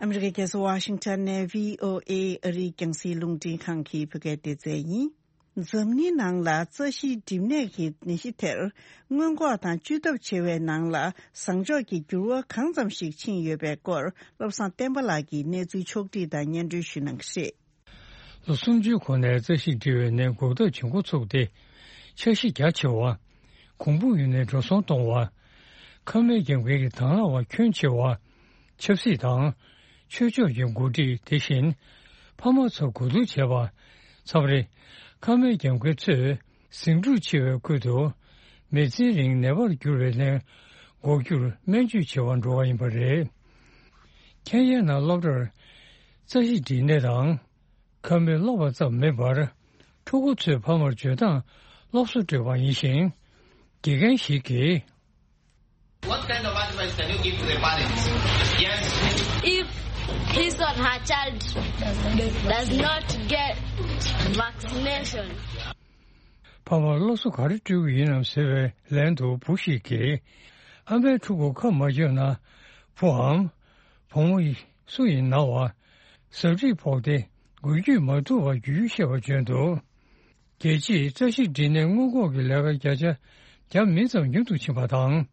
ཨ་མི་རི་ཀའི་རྒྱལ་ས་ཝ་ཤིང་ཊོན་ནས་བྷི་ཨོ་ཨེ་ཨ་རིའི་རྒྱང་སྲིང་རླུང་འཕྲིན་ཁང་གི་བོད་སྐད་སྡེ་ཚན་ཡིན། འཛམ་གླིང་ནང་ལ་རྩ་ཤེའི་གྲིབ་ནད་ཀྱི་ནད་གཞི་དེར་སྔོན་འགོག་དང་བཅོས་ཐབས་བྱེད་པའི་ནང་ལ་བཟང་ཕྱོགས་ཀྱི་འགྱུར་བ་གང་ཙམ་ཞིག་ཕྱིན་ཡོད་པའི་སྐོར་བློ་བཟང་བསྟན་པ་ལགས་ཀྱིས་གནས་ཚུལ་ཕྱོགས་བསྒྲིགས་དང་སྙན་སྒྲོན་ཞུ་གནང་གི་རེད། ལོ་སུམ་ཅུའི་གོང་ནས་རྩ་ཤེས་འབྲི་བའི་ནད་འགོག་ཐབས་བྱེད་འགོ་ཚུགས་ཏེ། འཆར་གཞི་རྒྱ་ཆེ་བ། གོང་བུ་ཡུན་ནས་འགྲོ་སོང་གཏོང་བ། ཁབ་སྨན་རྒྱག་མཁན་གྱི་དང་བླངས་པ་ཁྱོན་ཆེ་བ། ཆབ་སྲིད་དང་། ཆོས་ཕྱོགས་ཀྱི་འགོ་ཁྲིད་དེ་བཞིན་ཕ་མ་ཚོར་གོ་བསྡུར་བྱས་པ། མཚམས་རེ་ཁབ་སྨན་རྒྱག་མཁན་ཚོས་ཟིང་འཁྲུག་ཆེ་བའི་ཁུལ་དུ་མི་ཚེ་རིང་ནད་པར་གྱུར་བའི་ནད་འགོག་རྒྱུར་སྨན་བཅོས་བྱེད་པར་འགྲོ་བ་ཡིན་པ་རེད། ཁེན་ཡའི་ནང་སློབ་གྲྭར་རྩ་ཤེས་འབྲི་ནད་དང་། ཁབ་སྨན་སློབ་པ་ཙམ་མིན་པར། ཕྲུ་གུ་ཚོའི་ཕ་མར་འཇོན་ཐང་སློབ་གསོ་སྤྲོད་པ་ཡིན་ཞིང་། དགེ་རྒན་ཞིག་གིས། What kind of advice can you give to the parents? Yes. If his or her child does not get vaccination. ཕ་མར་སློབ་གསོ་ག་རེ་སྤྲོད་ཀྱི་ཡིན་ནམ་ཟེར་བའི་ལན་དུ་བུ་ཞིག་གིས། ཨ་མའི་ཕྲུ་གུ་ཁབ་མ་བརྒྱབ་ན། བུའམ། བུ་མོ་ཡིས། སུ་ཡིན་ན་བ། ཟབ་ཁྲིད་ཕོག་སྟེ་འགུལ་སྐྱོད་མ་ཐུབ་པར་རྒྱུ་རྒྱུ་ཤེས་པ་བྱོན་འདུག་རྒྱལ་སྤྱིའི་རྩ་ཤེས་འབྲི་ནད་སྔོན་འགོག་གི་ལས་ཀ་བརྒྱ་ཆ་བརྒྱ་མི་ཙམ་ཉུང་དུ་ཕྱིན་པ་དང་།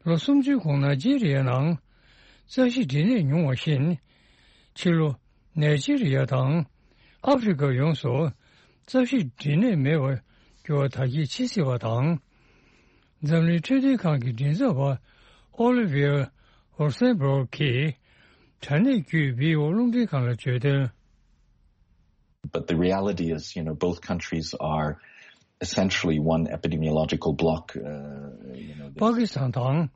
ལོ་སུམ་ཅུའི་གོང་ནའི་ཇི་རི་ཡ་ནང་རྩ་ཤེས་འབྲི་ནད་ཉུང་བ་བཞིན། ཕྱི་ལོ་ནའི་ཇི་རི་ཡ་དང་ཨ་ཧྥེ་རི་ཁ་ཡོངས་སུ་རྩ་ཤེས་འབྲི་ནད་མེད་པར་འགྱུར་བ་དར་རྒྱས་ཕྱིན་སྲིད་པ་དང་། འཛམ་གླིང་འཕྲོད་བསྟེན་ཁང་གི་མགྲིན་ཚབ་པ་ཨོ་ལི་ཝི་ཡར་ཨོ་སན་སྦུག་གིས་དྲ་གནས་བརྒྱུད་བྷི་ཨོ་རླུང་འཕྲིན་ཁང་ལ་བརྗོད་དོན། But the reality is, you know, both countries are essentially one epidemiological block. Uh, you know, པ་ཀི་སི་ཐན་དང་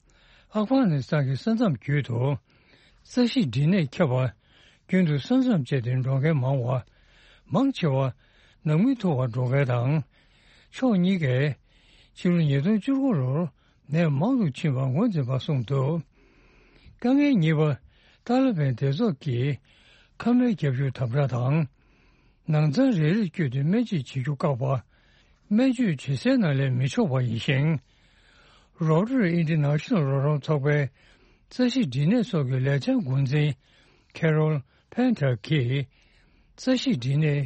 ཨབ་གྷ་ནི་སི་ཐན་གྱི་ས་མཚམས་བརྒྱུད་དུ་རྩ་ཤེས་འབྲི་ནད་ཁྱབ་པ་རྒྱུན་དུ་ས་མཚམས་བཅད་དེ་འགྲོ་མཁན་མང་བ། མང་ཆེ་བ་ནང་མི་ཐུག་པར་འགྲོ་མཁན་དང་། ཕྱོགས་གཉིས་ཀས་ཕྱི་ལོ་ཉིས་སྟོང་བཅུ་དགུ་ལོར་ནད་མང་དུ་ཕྱིན་པ་ངོས་འཛིན་པ་གསུངས་འདུག་དཀའ་ངལ་གཉིས་པ། ཏཱ་ལི་བན་སྡེ་ཚོགས་ཀྱིས་མཁའ་མའི་རྒྱབ་ཤོད་དམ་དྲག་དང་། ནང་ཚང་རེ་རེར་བསྐྱོད་དེ་སྨན་བཅོས་བྱེད་རྒྱུ་བཀག་པ། སྨན་བཅོས་བྱེད་སའི་ནང་ལས་མི་འཕྱོག་པ་ཡིན་ཞིང་། Rotary International རོགས་རམ་ཚོགས་པའི་རྩ་ཤེས་འབྲི་ནད་སོགས་ཀྱི་ལས་འཆར་འགོ་འཛིན་Carol Painter གྱིས། རྩ་ཤེས་འབྲི་ནད་དེ་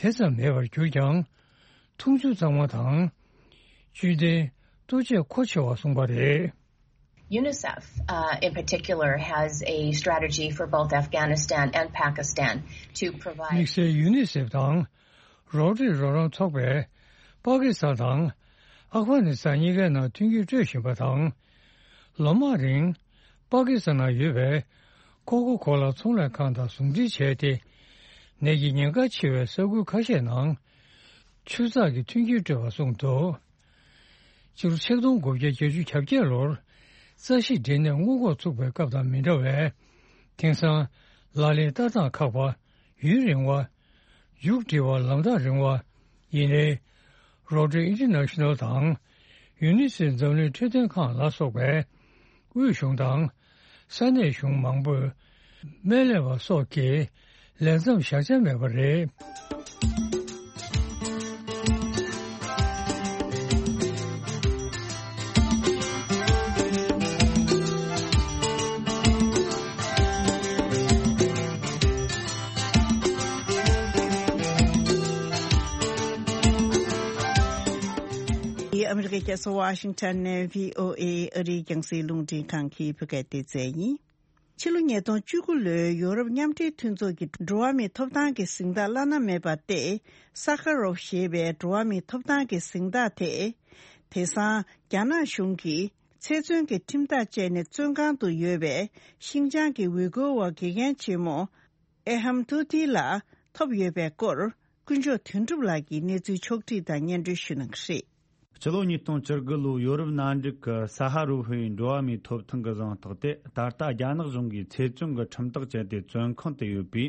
ཙམ་མེད་པར་གྱུར་ཀྱང་། འཐུང་ཆུ་གཙང་མ་དང་། བཅུད་ལྡན་ལྟོ་ཆས་མཁོ་ཆེ་བ་གསུངས་པ་རེད། UNICEF, uh, in particular, has a strategy for both Afghanistan and Pakistan to provide དམིགས་བསལ་ཡུ་ནི་སེབ་དང་རོ་ཏྲི་རོགས་རམ་ཚོགས་པས་པ་ཀི་སི་ཐན་དང་ཨབ་གྷ་ནི་སི་ཐན་གཉིས་ཀའི་ནང་མཐུན་འགྱུར་སྤྲོད་བཞིན་པ་དང་། ལོ་མང་རིང་པ་ཀི་སི་ཐན་ནང་ཡོད་པའི་ཀོ་ཀོ་ཀོ་ལ་ཚོང་ལས་ཁང་དང་ཟུང་འབྲེལ་བྱས་ཏེ། ནད་ཀྱི་ཉེན་ཁ་ཆེ་བའི་ས་ཁུལ་ཁ་ཤས་ནང་ཆུ་ཚགས་ཀྱི་མཐུན་རྐྱེན་སྤྲོད་པ་གསུངས་འདུག་སྤྱི་ལོ་ཆིག་སྟོང་དགུ་བརྒྱ་བརྒྱད་ཅུ་གྱ་བརྒྱད་ལོར་རྩ་ཤེས་འབྲི་ནད་སྔོན་འགོག་ཚུགས་པའི་སྐབས་དང་མི་འདྲ་བས། དེང་སང་ལག་ལེན་བསྟར་སྟངས་ཁག་པ། ཡུན་རིང་བ། མཇུག་སྒྲིལ་བ་ལམ་ཐག་རིང་བ། ཡིན་ནའི། Rotary International དང་ཡུ་ནི་སེབ་འཛམ་གླིང་འཕྲོད་བསྟེན་ཁང་ལ་སོགས་པའི་དབུས་གཞུང་དང་ས་གནས་གཞུང་མང་པོས་སྨན་ལས་པ་སོགས་ཀྱིས་ལས་མཚམས་བཞག་འཆར་མེད་པ་རེད། ཨ་མི་རི་ཀའི་རྒྱལ་ས་ཝ་ཤིང་ཊོན་ནས་བྷི་ཨོ་ཨེ་ཨ་རིའི་རྒྱང་སྲིང་རླུང་འཕྲིན་ཁང་གི་བོད་སྐད་སྡེ་ཚན་ཡིན། ཕྱི་ལོ་ཉིས་སྟོང་བཅུ་དགུ་ལོའི་ཡོ་རོབ་མཉམ་འབྲེལ་མཐུན་ཚོགས་ཀྱི་འགྲོ་བ་མིའི་ཐོབ་ཐང་གི་གཟེངས་རྟགས་བླ་ན་མེད་པ་སྟེ། ས་ཁ་རོབ་ཞེས་པའི་འགྲོ་བ་མིའི་ཐོབ་ཐང་གི་གཟེངས་རྟགས་དེ། དེང་སང་རྒྱ་ནག་གཞུང་གིས་ཚེ་བཙོན་གྱི་ཁྲིམས་ཐག་བཅད་ནས་བཙོན་ཁང་དུ་ཡོད་པའི་ཤིན་ཅང་གི་ཝི་གོ་བ་དགེ་རྒན་ཆེན་མོ་ཨེ་ཧམ་ཐུ་ཐི་ལ་ཐོབ་ཡོད་པའི་སྐོར། དཀོན་མཆོག་དོན་གྲུབ་ལགས་ཀྱིས་གནས་ཚུལ་ཕྱོགས་བསྒྲིགས་དང་སྙན་སྒྲོན་ཞུ་གནང་གི་རེད། སྤྱི་ལོ་ཉིས་སྟོང་བཅུ་དགུ་ལོའི་ཡོ་རོབ་མནའ་འབྲེལ་གྱི་ས་ཧ་རུ་ཧུའི་འགྲོ་བ་མིའི་ཐོབ་ཐང་གི་གཟེངས་རྟགས་དེ། ད་ལྟ་རྒྱ་ནག་གཞུང་གིས་ཚེ་བཙོན་གྱི་ཁྲིམས་ཐག་བཅད་དེ་བཙོན་ཁང་དུ་ཡོད་པའི་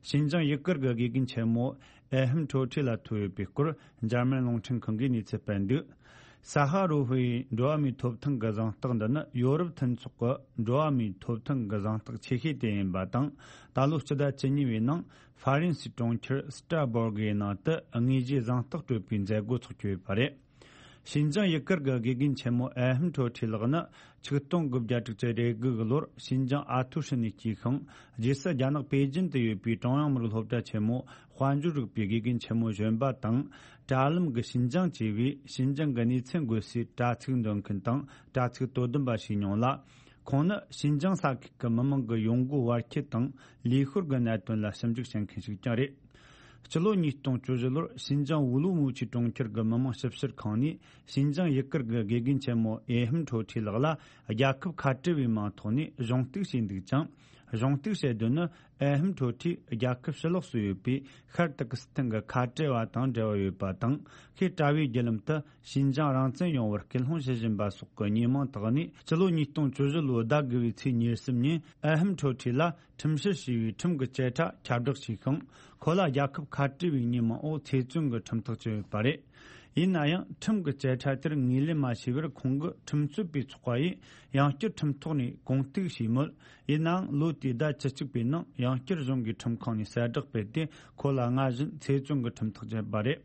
ཤིན་ཅང་ཡུ་གུར་གྱི་དགེ་རྒན་ཆེན་མོ་ཨེ་ཧམ་ཁྲོ་ཁྲི་ལ་ཐོབ་ཡོད་པའི་སྐོར། འཇར་མན་རླུང་འཕྲིན་ཁང་གིས་གནས་ཚུལ་སྤེལ་འདུག་ས་ཧ་རུ་ཧུའི་འགྲོ་བ་མིའི་ཐོབ་ཐང་གི་གཟེངས་རྟགས་འདི་ནི་ཡོ་རོབ་མཐུན་ཚོགས་ཀྱི་འགྲོ་བ་མིའི་ཐོབ་ཐང་གི་གཟེངས་རྟགས་ཆེ་ཤོས་དེ་ཡིན་པ་དང་། ད་ལོ་སྤྱི་ཟླ་བཅུ་གཉིས་པའི་ནང་ཧྥ་རན་སིའི་གྲོང་ཁྱེར་སི་ཏྲ་སྦོར་གི་ནང་དུ་དངོས་གཞིའི་གཟེངས་རྟགས་སྤྲོད་པའི་མཛད་སྒོ་འཚོགས་ཀྱི་ཡོད་པ་རེད། ཤིན་ཅང་ཡུ་གུར་གྱི་དགེ་རྒན་ཆེན་མོ་ཨེ་ཧམ་ཁྲོ་ཁྲི་ལགས་ནི་ཆིག་སྟོང་དགུ་བརྒྱ་དྲུག་ཅུ་རེ་དགུ་གི་ལོར་ཤིན་ཅང་ཨ་ཐུའུ་ཧྲི་ནས་སྐྱེས་ཤིང་། རྗེས་སུ་རྒྱ་ནག་པེ་ཅིན་དུ་ཡོད་པའི་ཀྲུང་དབྱང་མི་རིགས་སློབ་གྲྭ་ཆེན་མོའི་དཔལ་འབྱོར་རིག་པའི་དགེ་རྒན་ཆེན་མོ་གཞོན་པ་དང་། དྲ་ལམ་གྱི་ཤིན་ཅང་ཅེས་པའི་ཤིན་ཅང་གི་གནས་ཚུལ་འགོད་སའི་དྲ་ཚིགས་འདོན་མཁན་དང་དྲ་ཚིགས་དོ་དམ་པ་ཞིག་མྱོང་ལ། ཁོང་ནི་ཤིན་ཅང་ས་ཁུལ་གྱི་མི་མང་གི་ཡོང་སྒོ་བར་ཁྱད་དང་ལུས་ཤུགས་ཀྱི་གནད་དོན་ལ་ཞིབ་འཇུག་བྱེད་མཁན་ཞིག་ཀྱང་རེད། སྤྱི་ལོ་ཉིས་སྟོང་བཅུ་བཞི་ལོར་ཤིན་ཅང་ཝུ་ལུ་མུའུ་ཆི་གྲོང་ཁྱེར་གྱི་མི་དམངས་ཞིབ་བཤེར་ཁང་ནས་ཤིན་ཅང་ཡུ་གུར་གྱི་དགེ་རྒན་ཆེན་མོ་ཨེ་ཧམ་ཁྲོ་ཁྲི་ལགས་ལ་རྒྱལ་ཁབ་ཁ་བྲལ་བའི་མིང་ཐོག་ནས་གཞུང་གཏུག་བྱས་འདུག་ཅིང་། གཞུང་གཏུག་བྱེད་དོན་ནི་ཨེ་ཧམ་ཁྲོ་ཁྲི་རྒྱལ་ཁབ་ཕྱི་ལོགས་སུ་ཡོད་པའི་ཤར་ཏུར་ཀི་སི་ཐན་གྱི་ཁ་བྲལ་བ་དང་འབྲེལ་བ་ཡོད་པ་དང་། ཤེས་བྱ་བའི་བརྒྱུད་ལམ་དུ་ཤིན་ཅང་རང་བཙན་ཡོང་བར་སྐུལ་སློང་བྱེད་བཞིན་པ་སོགས་ཀྱི་ཉེས་མིང་དག་ནས། སྤྱི་ལོ་ཉིས་སྟོང་བཅུ་བཞི་ལོའི་ཟླ་དགུ་བའི་ཚེས་ཉེར་གསུམ་ཉིན་ཨེ་ཧམ་ཁྲོ་ཁྲི་ལ་ཁྲིམས་བཤེར་བྱས་པའི་ཁྲིམས་ཀྱི་བཅད་ཁྲ་ཁྱབ་བསྒྲགས་བྱས་ཤིང་། ཁོ་ལ་རྒྱལ་ཁབ་ཁ་བྲལ་བའི་ཉེས་མིང་འོག་ཚེ་བཙོན་གྱི་ཁྲིམས་ཐག་བཅད་ཡོད་པ་རེད། ཡིན་ན་ཡང་ཁྲིམས་ཀྱི་བཅད་ཁྲ་དེར་ངོས་ལེན་མ་བྱས་པར་ཁོང་གིས་ཁྲིམས་རྩོད་པའི་ཚོགས་པ་ཡིས་ཡང་བསྐྱར་ཁྲིམས་ཐོག་ནས་གུང་གཏུག་བྱས་མོད། ཡིན་ནའང་ལོ་དེའི་ཟླ་བཅུ་གཅིག་པའི་ནང་ཡང་བསྐྱར་གཞུང་གིས་ཁྲིམས་ཁང་ནས་གསལ་བསྒྲགས་སྤེལ་ཏེ། ཁོ་ལ་སྔར་བཞིན་ཚེ་བཙོན་གྱི་ཁྲིམས་ཐག་བཅད་པ་རེད།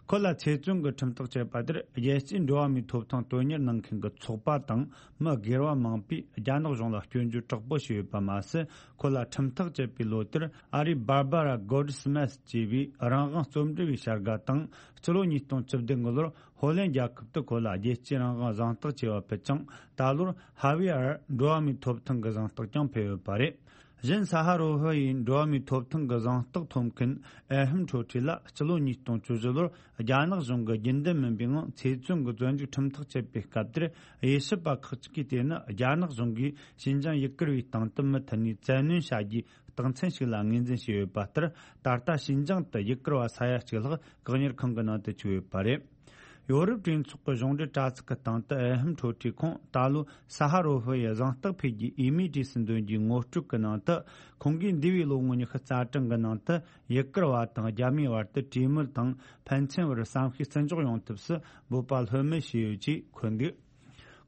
ཁོ་ལ་ཚེ་བཙོན་གྱི་ཁྲིམས་ཐག་བཅད་པ་དེར། རྒྱལ་སྤྱིའི་འགྲོ་བ་མིའི་ཐོབ་ཐང་དོན་གཉེར་གནང་མཁན་གྱི་ཚོགས་པ་དང་། མི་སྒེར་བ་མང་པོས་རྒྱ་ནག་གཞུང་ལ་སྐྱོན་བརྗོད་དྲག་པོ་བྱས་ཡོད་པ་མ་ཟད། ཁོ་ལ་ཁྲིམས་ཐག་བཅད་པའི་ལོ་དེར། ཨ་རིའི་Barbara Goldsmith ཅེས་པའི་རང་དབང་རྩོམ་སྒྲིག་པའི་བྱ་དགའ་དང་། སྤྱི་ལོ་ཉིས་སྟོང་བཅུ་བདུན་གྱི་ལོར་ཧོ་ལན་རྒྱལ་ཁབ་ཏུ་ཁོ་ལ་རྒྱལ་སྤྱིའི་རང་དབང་གཟེངས་རྟགས་ཅེས་པ་ཕུལ་ཅིང་། ད་ལོར་ཧ་ཝི་ཨར་འགྲོ་བ་མིའི་ཐོབ་ཐང་གི་གཟེངས་རྟགས་ཀྱང་ཕུལ་ཡོད་པ་རེད། གཞན་ས་ཧ་རོ་ཧྥ་ཡི་འགྲོ་བ་མིའི་ཐོབ་ཐང་གི་གཟེངས་རྟགས་ཐོབ་མཁན་ཨེ་ཧམ་ཁྲོ་ཁྲི་ལ། སྤྱི་ལོ་ཉིས་སྟོང་བཅུ་བཞི་ལོར་རྒྱ་ནག་གཞུང་གིས་རྒྱུན་ལྡན་མིན་པའི་ངང་ཚེ་བཙོན་གྱི་བཙོན་འཇུག་ཁྲིམས་ཐག་བཅད་པའི་སྐབས་དེར། དབྱེ་ཞིབ་པ་ཁག་ཅིག་གིས། དེ་ནི་རྒྱ་ནག་གཞུང་གིས་ཞིན་ཅང་ཡུ་གུར་བའི་སྟེང་དུ་མུ་མཐུད་ནས་བཙན་གནོན་བྱ་རྒྱུའི་རྟགས་མཚན་ཞིག་ལ་ངོས་འཛིན་བྱས་ཡོད་པ་ལྟར། ད་ལྟ་ཞིན་ཅང་དུ་ཡུ་གུར་བ་ས་ཡ་གཅིག་ལྷག་བཀག་ཉར་ཁང་གི་ནང་དུ་བཅུག་ཡོད་པ་རེད། ཡོ་རོབ་གྲོས་ཚོགས་ཀྱི་གཞུང་འབྲེལ་དྲ་ཚིགས་ཀྱི་སྟེང་དུ་ཨེ་ཧམ་ཁྲོ་ཁྲི་ཁོང་ད་ལོ་ས་ཧ་རོ་ཧྥ་ཡི་གཟེངས་རྟགས་ཕུལ་རྒྱུའི་འོས་མིའི་གྲས་སུ་འདོན་རྒྱུའི་ངོ་སྤྲོད་ཀྱི་ནང་དུ། ཁོང་གིས་འདས་པའི་ལོ་ངོ་ཉི་ཤུ་རྩ་གྲངས་ཀྱི་ནང་དུ་ཡུ་གུར་བ་དང་རྒྱ་མིའི་བར་དུ་གྲོས་མོལ་དང་ཕན་ཚུན་བར་བསམ་ཤེས་བརྩི་འཇོག་ཡོང་ཐབས་སུ་འབོད་པ་ལྷོད་མེད་བྱས་ཡོད་ཅེས་འཁོད་འདུག་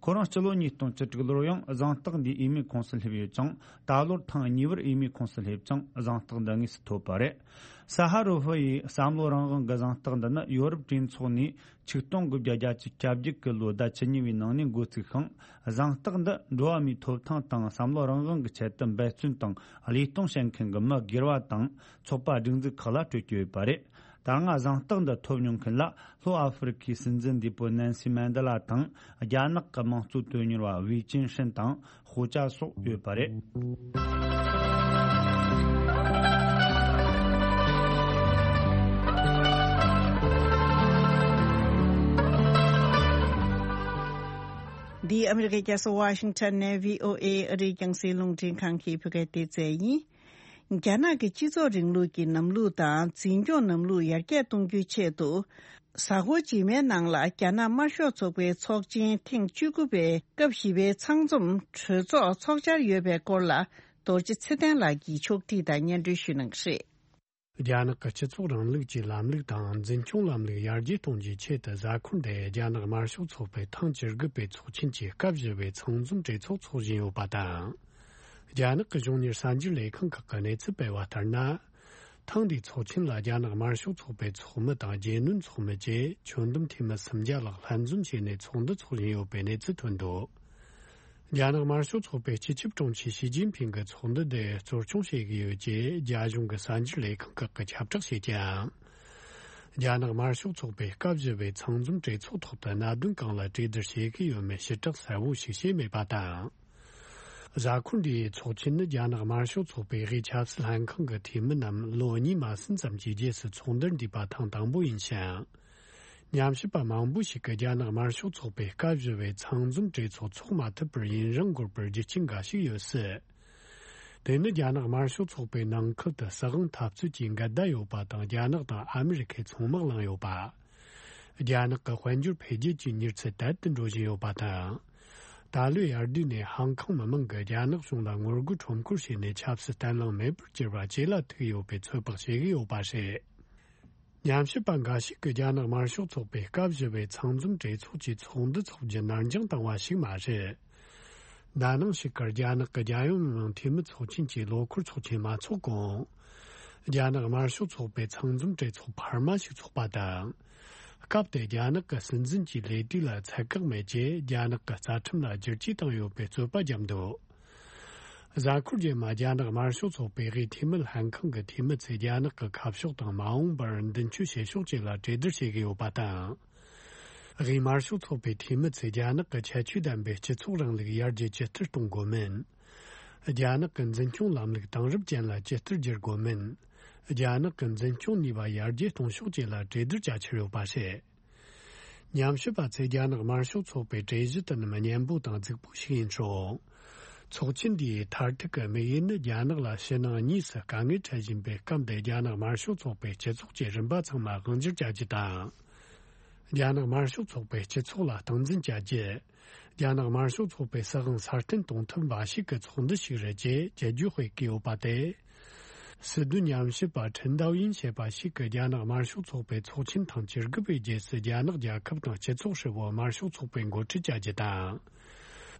ཁོ་རང་སྤྱི་ལོ་ཉིས་སྟོང་བཅུ་དྲུག་ལོར་ཡང་གཟེངས་རྟགས་འདིའི་འོས་མིའི་ཁོངས་སུ་སླེབས་ཡོད་ཅིང་། ད་ལོར་ཐེངས་གཉིས་པར་འོས་མིའི་ཁོངས་སུ་སླེབས་ཅིང་། གཟེངས་རྟགས་འདི་དངོས་སུ་ཐོབ་པ་རེད། ས་ཧ་རོ་ཧྥ་ཡི་བསམ་བློ་རང་དབང་གི་གཟེངས་རྟགས་འདི་ནི་ཡོ་རོབ་གྲོས་ཚོགས་ནས་ཆིག་སྟོང་དགུ་བརྒྱ་བརྒྱད་ཅུ་གྱ་བརྒྱད་ཀྱི་ལོའི་ཟླ་བཅུ་གཉིས་པའི་ནང་ནས་འགོ་བཙུགས་ཤིང་། གཟེངས་རྟགས་འདི་འགྲོ་བ་མིའི་ཐོབ་ཐང་དང་བསམ་བློ་རང་དབང་གི་ཆེད་དུ་འབད་བརྩོན་དང་བློས་གཏོང་བྱེད་མཁན་གྱི་མི་སྒེར་བ་དང་ཚོགས་པ་སྒྲིག་འཛུགས་ཁག་ལ་སྤྲོད་ཀྱི་ཡོད་པ་རེད། ད་སྔ་གཟེངས་རྟགས་འདི་ཐོབ་མྱོང་མཁན་ལ་ལྷོ་ཨ་ཧྥེ་རི་ཁའི་སྲིད་འཛིན་འདས་པོ་ནན་སི་མན་ཌེ་ལ་དང་། རྒྱ་ནག་གི་དམངས་གཙོ་དོན་གཉེར་བ་ཝེ་ཅིན་ཧྲིན་དང་ཧོ་ཅཱ་སོགས་ཡོད་པ་རེད། འདི་ཨ་མི་རི་ཀའི་རྒྱལ་ས་ཝ་ཤིང་ཊོན་ནས་བྷི་ཨོ་ཨེ་ཨ་རིའི་རྒྱང་སྲིང་རླུང་འཕྲིན་ཁང་གི་བོད་སྐད་སྡེ་ཚན་ཡིན། རྒྱ་ནག་གི་སྤྱི་ཚོགས་རིང་ལུགས་ཀྱི་ལམ་ལུགས་དང་འཛིན་སྐྱོང་ལམ་ལུགས་ཡར་རྒྱས་གཏོང་རྒྱུའི་ཆེད་དུ། གཟའ་འཁོར་རྗེས་མའི་ནང་ལ་རྒྱ་ནག་དམར་ཤོག་ཚོགས་པའི་ཚོགས་ཆེན་ཐེངས་བཅུ་དགུ་པའི་སྐབས་བཞི་པའི་ཚང་འཛོམས་གྲོས་ཚོགས་འཚོགས་འཆར་ཡོད་པའི་སྐོར་ལ། རྡོ་རྗེ་ཚེ་བརྟན་ལགས་ཀྱིས་ཕྱོགས་སྒྲིག་དང་སྙན་སྒྲོན་ཞུ་གནང་གི་རེད། རྒྱ་ནག་གི་སྤྱི་ཚོགས་རིང་ལུགས་ཀྱི་ལམ་ལུགས་དང་འཛིན་སྐྱོང་ལམ་ལུགས་ཡར་རྒྱས་གཏོང་རྒྱུའི་ཆེད་དུ། གཟའ་འཁོར་འདིར་རྒྱ་ནག་དམར་ཤོག་ཚོགས་པའི་ཐེངས་བཅུ་དགུ་པའི་ཚོགས་ཆེན་གྱི་སྐབས་བཞི་པའི་ཚང་འཛོམས་གྲོས་ཚོགས་འཚོགས་བཞིན་ཡོད་པ་དང་། རྒྱ་ནག་གི་གཞུང་གཉེར་གསར་འགྱུར་ལས་ཁང་ཁག་གིས་གནས་ཚུལ་སྤེལ་བ་ལྟར་ན། ཐེངས་འདིའི་ཚོགས་ཆེན་ལ་རྒྱ་ནག་དམར་ཤོག་ཚོགས་པའི་ཚོགས་མི་དང་རྒྱུས་ལོན་ཚོགས་མི་བཅས་ཁྱོན་བསྡོམས་འཐུས་མི་སུམ་བརྒྱ་ལྷག་ལྷན་འཛོམས་བྱས་ནས་ཚོགས་འདུ་འཚོགས་བཞིན་ཡོད་པའི་གནས་ཚུལ་ཐོན་འདུག་རྒྱ་ནག་དམར་ཤོག་ཚོགས་པའི་སྤྱི་ཁྱབ་དྲུང་ཆེ་ཞི་ཅིན་ཕིང་གིས་ཚོགས་འདུ་འདི་གཙོ་སྐྱོང་བྱེད་ཀྱི་ཡོད་ཅེས་རྒྱ་གཞུང་གི་གསར་འགྱུར་ལས་ཁང་ཁག་གིས་ཁྱབ་བསྒྲགས་བྱེད་ཀྱང་། རྒྱ་ནག་དམར་ཤོག་ཚོགས་པའི་སྐབས་བཞི་པའི་ཚང་འཛོམས་གྲོས་ཚོགས་ཐོག་ཏུ་གནད་དོན་གང་ལ་གྲོས་བསྡུར་བྱེད་ཀྱི་ཡོད་མེད་ཕྱིར་བསྒྲགས་གསལ་བོ་ཞིག་བྱས་མེད་པ་དང་། གཟའ་འཁོར་འདིའི་ཚོགས་ཆེན་ནི་རྒྱ་ནག་དམར་ཤོག་ཚོགས་པའི་དབུས་ཆབ་སྲིད་ལྷན་ཁང་གི་འཐུས་མི་རྣམས་ལོ་གཉིས་མ་ཟིན་ཙམ་གྱི་རྗེས་སུ་ཚོགས་འདུར་འདུས་པ་ཐེངས་དང་པོ་ཡིན་ཞིང་། ཉམས་ཞིབ་པ་མང་པོ་ཞིག་གིས་རྒྱ་ནག་དམར་ཤོག་ཚོགས་པའི་སྐབས་བཞི་པའི་ཚང་འཛོམས་གྲོས་ཚོགས་འཚོགས་མ་ཐུབ་པར་ཡུན་རིང་འགོར་བར་རྒྱུ་རྐྱེན་འགའ་ཞིག་ཡོད་སྲིད། དེ་ནི་རྒྱ་ནག་དམར་ཤོག་ཚོགས་པའི་ནང་ཁུལ་དུ་སྲིད་དབང་འཐབ་རྩོད་ཀྱི་འགལ་ཟླ་ཡོད་པ་དང་། རྒྱ་ནག་དང་ཨ་མི་རི་ཁས་མཚོ་དམག་བསླངས་ཡོད་པ། རྒྱ་ནག་གི་དཔལ་འབྱོར་འཕེལ་རྒྱས་ཀྱི་མྱུར་ཚད་དལ་དུ་འགྲོ་བཞིན་ཡོད་པ་དང་། ད་ལོའི་དབྱར་དུས་ནས་ཧང་ཀང་མི་མང་གིས་རྒྱ་ནག་གཞུང་ལ་ངོ་རྒོལ་ཁྲོམ་སྐོར་བྱས་ནས་ཆབ་སྲིད་བརྟན་ལྷིང་མེད་པར་གྱུར་བ་ཇེ་ལ་ཐུག་ཡོད་པའི་ཚོད་དཔག་བྱེད་ཀྱི་ཡོད་པ་རེད། ཉམས་ཞིབ་པ་འགའ་ཞིག་གིས་རྒྱ་ནག་དམར་ཤོག་ཚོགས་པའི་སྐབས་བཞི་པའི་ཚང་འཛོམས་གྲོས་ཚོགས་ཀྱི་ཚོགས་འདུ་འཚོགས་རྒྱུ་ནར་འགྱངས་བཏང་བ་ཞིག་མ་རེད། ད་ནང་ཞིག་གར་རྒྱ་ནག་གི་རྒྱལ་ཡོངས་མི་དམངས་འཐུས་མི་ཚོགས་ཆེན་གྱི་ལོ་འཁོར་ཚོགས་ཆེན་མ་འཚོགས་གོང་། རྒྱ་ནག་དམར་ཤོག་ཚོགས་པའི་ཚང་འཛོམས་གྲོས་ཚོགས་འཕར་མ་ཞིག་འཚོགས་པ་དང་། སྐབས་དེར་རྒྱ་ནག་གི་སྲིད་འཛིན་གྱི་ལས་དུས་ལ་ཚད་བཀག་མེད་ཅེས་རྒྱ་ནག་གི་རྩ་ཁྲིམས་ལ་བསྒྱུར་བཅོས་བཏང་ཡོད་པའི་རྩོད་པ་བརྒྱབ་འདུག་གཟའ་འཁོར་རྗེས་མ་རྒྱ་ནག་དམར་ཤོག་ཚོགས་པའི་དབུས་འཐུས་མི་ལྷན་ཁང་གི་འཐུས་མི་ཚོས་རྒྱ་ནག་གི་ཁ་ཕྱོགས་དང་མ་འོངས་པར་མདུན་སྐྱོད་བྱེད་ཕྱོགས་བཅས་ལ་གྲོས་བསྡུར་བྱེད་ཀྱི་ཡོད་པ་དང་། དབུས་དམར་ཤོག་ཚོགས་པའི་འཐུས་མི་ཚོས་རྒྱ་ནག་གི་ཁྱད་ཆོས་ལྡན་པའི་སྤྱི་ཚོགས་རིང་ལུགས་ཡར་རྒྱས་ཇི་ལྟར་གཏོང་དགོས་མིན། རྒྱ་ནག་གི་འཛིན་སྐྱོང་ལམ་ལུགས་དེང་རབས་ཅན་ལ་ཇི་ལྟར་བསྒྱུར་དགོས་མིན། རྒྱ་ནག་གི་འཛིན་སྐྱོང་ནུས་པ་ཡར་རྒྱས་གཏོང་ཕྱོགས་བཅས་ལ་གྲོས་བསྡུར་བྱ་འཆར་ཡོད་པ་རེད། ཉམས་ཞིབ་པ་ཚོས་རྒྱ་ནག་དམར་ཤོག་ཚོགས་པའི་གྲོས་གཞི་དེ་རྣམས་སྙན་པོ་དང་རྫིག་པོ་ཞིག་ཡིན་ཞིང་། ཚོགས་ཆེན་འདིའི་མཐར་ཐུག་གི་དམིགས་ཡུལ་ནི་རྒྱ་ནག་ལ་ཕྱི་ནང་གཉིས་སུ་དཀའ་ངལ་འཕྲད་བཞིན་པའི་སྐབས་འདིར་རྒྱ་ནག་དམར་ཤོག་ཚོགས་པའི་སྤྱི་ཚོགས་ཀྱི་རིམ་པ་ཚང་མ་དབང་སྒྱུར་བྱ་རྒྱུ་དང་། རྒྱ་ནག་དམར་ཤོག་ཚོགས་པའི་སྤྱི་ཚོགས་ལ་སྟངས་འཛིན་བྱ་རྒྱུ། རྒྱ་ནག་དམར་ཤོག་ཚོགས་པའི་སྲིད་དབང་སྲ་བརྟན་གཏོང་ཐབས་འབའ་ཞིག་གི་ཚོགས་འདུ་ཞིག་རེད་ཅེས་རྒྱལ་བརྒྱུད་སྤེལ་གྱི་ཡོད་པ་སྟེ། སྲིད་དོན་ཉམས་ཞིབ་པ་ཁྲིན་ཏའོ་ཡིན་ཞེས་པ་ཞིག་གིས་རྒྱ་ནག་དམར་ཤོག་ཚོགས་པའི་ཚོགས་ཆེན་ཐེངས་བཅུ་དགུ་པའི་རྗེས་སུ་རྒྱ་ནག་རྒྱལ་ཁབ་དང་སྤྱི་ཚོགས་ཧྲིལ་བོར་དམར་ཤོག་ཚོགས་པས་འགོ་ཁྲིད་བྱ་རྒྱུ་དང་།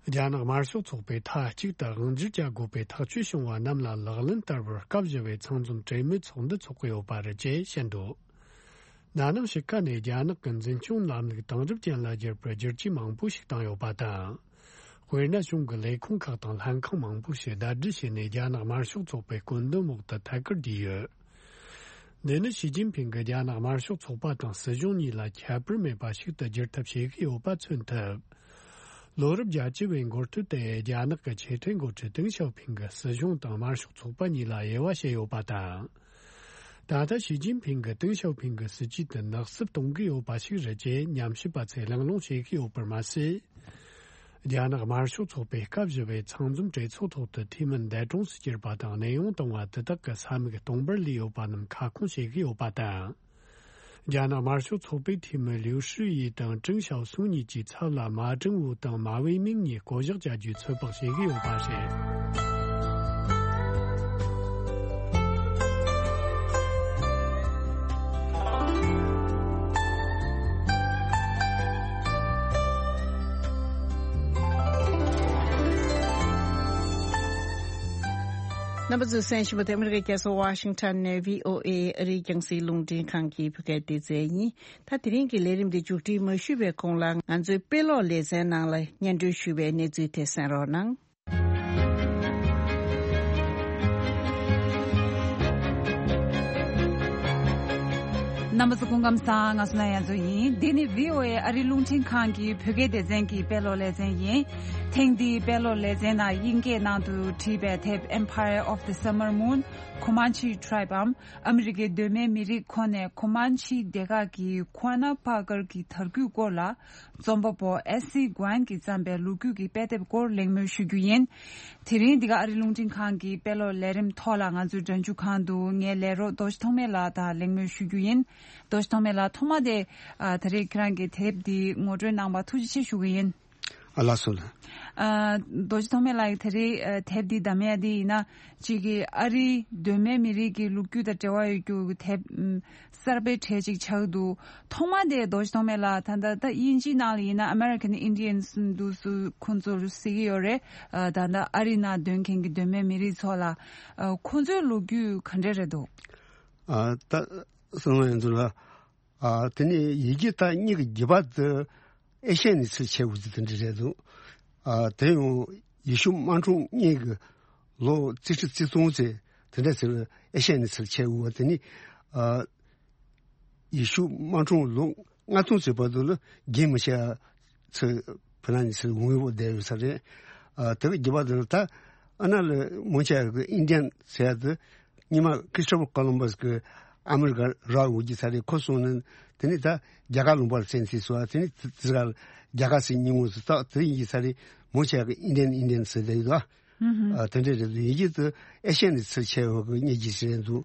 རྒྱ་ནག་དམར་ཤོག་ཚོགས་པས་མཐའ་གཅིག་ཏུ་དབང་སྒྱུར་བྱ་དགོས་པའི་ཐག་གཅོད་བྱུང་བ་རྣམས་ལ་ལག་ལེན་བསྟར་བར་སྐབས་བཞི་བའི་ཚང་འཛོམས་གྲོས་མོལ་ཚོགས་འདུ་འཚོགས་ཀྱི་ཡོད་པ་རེད་ཅེས་བཤད་འདུག་ན་ནིང་ཕྱི་ཁ་ནས་རྒྱ་ནག་གི་འཛིན་སྐྱོང་ལམ་ལུགས་དེང་རབས་ཅན་ལ་བསྒྱུར་བར་བསྒྱུར་བཅོས་མང་པོ་ཞིག་བཏང་ཡོད་པ་དང་། དཔེར་ན། གཞུང་གི་ལས་ཁུངས་ཁག་དང་ལྷན་ཁང་མང་པོ་ཞིག་ཟླ་སྒྲིལ་བྱས་ནས་རྒྱ་ནག་དམར་ཤོག་ཚོགས་པའི་བཀོད་འདོམས་འོག་ཏུ་ཐད་ཀར་བསྡུས་ཡོད། འདི་ནི་ཞི་ཅིན་ཕིང་གིས་རྒྱ་ནག་དམར་ཤོག་ཚོགས་པ་དང་སྲིད་གཞུང་གཉིས་ལ་ཁྱད་པར་མེད་པ་ཞིག་ཏུ་བསྒྱུར་ཐབས་བྱེད་ཀྱི་ཡོད་པ་མཚོན་ཐུབ། ལོ་རབས་བརྒྱད་ཅུ་བའི་འགོ་སྟོད་དུ་རྒྱ་ནག་གི་ཆེས་མཐོའི་འགོ་ཁྲིད་ཏེང་ཞའོ་ཕིང་གིས་སྲིད་གཞུང་དང་དམར་ཤོག་ཚོགས་པ་གཉིས་ལ་དབྱེ་བ་ཕྱེ་ཡོད་པ་དང་། ད་ལྟ་ཞི་ཅིན་ཕིང་གིས་ཏེང་ཞའོ་ཕིང་གི་སྲིད་ཇུས་དེ་ནག་སུབ་གཏོང་གི་ཡོད་པ་ཞིག་རེད་ཅེས་ཉམས་ཞིབ་པ་ཚོས་གླེང་སློང་བྱེད་ཀྱི་ཡོད་པར་མ་ཟད། རྒྱ་ནག་དམར་ཤོག་ཚོགས་པའི་སྐབས་བཞི་བའི་ཚང་འཛོམས་གྲོས་ཚོགས་ཐོག་ཏུ་འཐུས་མི་འདས་གྲོངས་སུ་གྱུར་པ་དང་གནས་དབྱུང་བཏང་བ་དེ་དག་གི་ས་མིག་སྟོང་པར་ལུས་ཡོད་པ་རྣམས་ཁ་སྐོང་བྱེད་ཀྱི་ཡོད་པ་དང་། རྒྱ་ནག་དམར་ཤོག་ཚོགས་པའི་འཐུས་མི་ལིའུ་ཧྲི་ཡི་དང་ཀྲིང་ཞའོ་སུང་གཉིས་ཀྱི་ཚབ་ལ་མ་ཀྲིང་ཝུ་དང་མ་ཝེ་མིང་གཉིས་བསྐོ་གཞག་བྱ་རྒྱུའི་ཚོད་དཔག་བྱེད་ཀྱི་ཡོད་པ་རེད། རྣམ་པ་ཚོས་གསན་བཞིན་པ་དེ་ཨ་མི་རི་ཀའི་རྒྱལ་ས་ཝ་ཤིང་ཊོན་ནས་བྷི་ཨོ་ཨེ་ཨ་རིའི་རྒྱང་སྲིང་རླུང་འཕྲིན་ཁང་གི་བོད་སྐད་སྡེ་ཚན་ཡིན། ད་དེ་རིང་གི་ལས་རིམ་འདི་མཇུག་སྒྲིལ་མ་ཞུས་པའི་གོང་ལ་ང་ཚོའི་དཔེ་ཀློག་ལེ་ཚན་ནང་ལ་སྙན་སྒྲོན་ཞུས་པའི་གནས་ཚུལ་དེ་གསན་རོགས་གནང་། རྣམ་པ་ཚོ་སྐུ་ཁམས་བཟང་། ང་སུ་ན་ཡ་མཚོ་ཡིན། འདི་ནི་བྷི་ཨོ་ཨེ་ཨ་རིའི་རླུང་འཕྲིན་ཁང་གི་བོད་སྐད་སྡེ་ཚན་གྱི་དཔེ་ཀློག་ལེ་ཚན་ཡིན། ཐེངས་འདིའི་དཔེ་ཀློག་ལེ་ཚན་ནང་དབྱིན་སྐད་ནང་དུ་བྲིས་པའི་དེབ་Empire of the Summer Moon Comanche Tribe འམ། ཨ་མི་རི་ཀའི་གདོད་མའི་མི་རིགས་ཁོ་ནས་ཁོ་མན་ཆི་སྡེ་ཁག་གི་ཁོ་ན་པ་ཀར་གྱི་དར་རྒུད་སྐོར་ལ་རྩོམ་པ་པོ་ཨེ་སི་གོན་གྱིས་བརྩམས་པའི་ལོ་རྒྱུས་ཀྱི་དཔེ་དེབ་སྐོར་གླེང་མོལ་ཞུ་རྒྱུ་ཡིན། དེ་རིང་འདི་ག་ཨ་རི་རླུང་འཕྲིན་ཁང་གི་དཔེ་ཀློག་ལས་རིམ་ཐོག་ལ་ང་ཚོའི་སྒྲ་འཇུག་ཁང་དུ་ངའི་ལས་རོགས་རྡོ་རྗེ་ཐོགས་མེད་ལགས་དང་གླེང་མོལ་ཞུ་རྒྱུ་ཡིན། རྡོ་རྗེ་ཐོགས་མེད་ལགས། ཐོག་མ་དེ་ཨ་ད་རེས་ཁྱེད་རང་གི་དེབ་འདི་ངོ་སྤྲོད་གནང་བར་ཐུགས་རྗེ་ཆེ་ཞུ་གི་ཡིན། ཨ་ལགས་སོ་ལགས། ཨ་རྡོ་རྗེ་ཐོགས་མེད་ལགས་ཀྱིས་ད་རེས་ཨ་དེབ་འདི་བདམས་ཡ་འདི་ཡིན་ན་གཅིག་གིས་ཨ་རིའི་གདོད་མའི་མི་རིགས་ཀྱི་ལོ་རྒྱུས་དང་འབྲེལ་བ་ཡོད་རྒྱུ་གི་དེབ་ཨམ་གསར་པའི་གྲས་ཅིག་ཆགས་འདུག། ཐོག་མ་དེ་རྡོ་རྗེ་ཐོགས་མེད་ལགས་ད་ལྟ་ད་དབྱིན་ཇིའི་ནང་ལ་ཡིན་ན་American Indians འདུག་སུ་ཁོང་ཚོར་ཟེར་གྱི་ཡོད་རེད། ཨ་ད་ལྟ་ཨ་རི་ནང་སྡོད་མཁན་གྱི་གདོད་མའི་མི་རིགས་ཚོ་ལ་ཨ་ཁོང་ཚོའི་ལོ་རྒྱུས་ག་འདྲ་རེད་འདུག། ཨ་ད་སོང་བ་ཡིན་ཚུལ་ལ། ཨ་དེ་ནས་ཡི་གེ་ད་སྙིང་གི་རྒྱུད་པ་དེ་ཨེ་ཤ་ཡའི་ནས་ཚུར་ཁྱེར་ཡོང་གི་དེ་འདྲ་རེད་འདུག། ཨ་དེ་ཡང་ཡེ་ཤུ་དམག་འཁྲུག་སྔོན་གྱི་ལོ་རྩིས་ཁྲི་རྩིས་སྟོང་ཙམ་དེ་འདྲ་ཟེར་ཨེ་ཤ་ཡའི་ནས་ཚུར་ཁྱེར་ཡོང་བ་དེ་ནི། ཨ་ཡེ་ཤུ་དམག་འཁྲུག་ལོ་ལྔ་སྟོང་ཙམ་བར་དུ་ལ་རྒྱུན་མི་ཆད་ཚུར་ཕ་ལ་ནས་ཚུར་འོང་ཡོད་བསྡད་ཡོད་ས་རེད། ཨ་དེ་གི་རྒྱུད་པ་དེ་ལ་ད་ཨ་ན་ལ་མོ་ཆ་གི་ཨིན་ཌི་ཡན་ཟེར་ཡ་དེ། སྔོན་མ་Christopher Columbus གི་ཨ་མི་རི་ཀ་རག་ཡོད་ཀྱི་ས་རེད། ཁོ་སོང་ནས་དེ་ནས་ད་རྒྱ་གར་ལུང་པར་བཙན་ཏེ་སོང་། དེ་ནས་དེ་དེ་ག་རྒྱ་གར་ཟེར་མྱོང་ངོ་ཟེར་ད་དེ་ཡིན་གྱི་ས་རེད། མོ་ཆ་གི་ཨིན་ཌི་ཡན་ཨིན་ཌི་ཡན་ཟེར་བསྡད་ཡོད་ད། ཨ་དེ་འདྲས་རེད་འདུག། ཡིན་གྱི་དེ་ཨེ་ཤ་ཡ་ནས་ཚུར་ཁྱེར་ཡོང་གི་སྙིང་རྗེ་ཞིག་རེད་འདུག།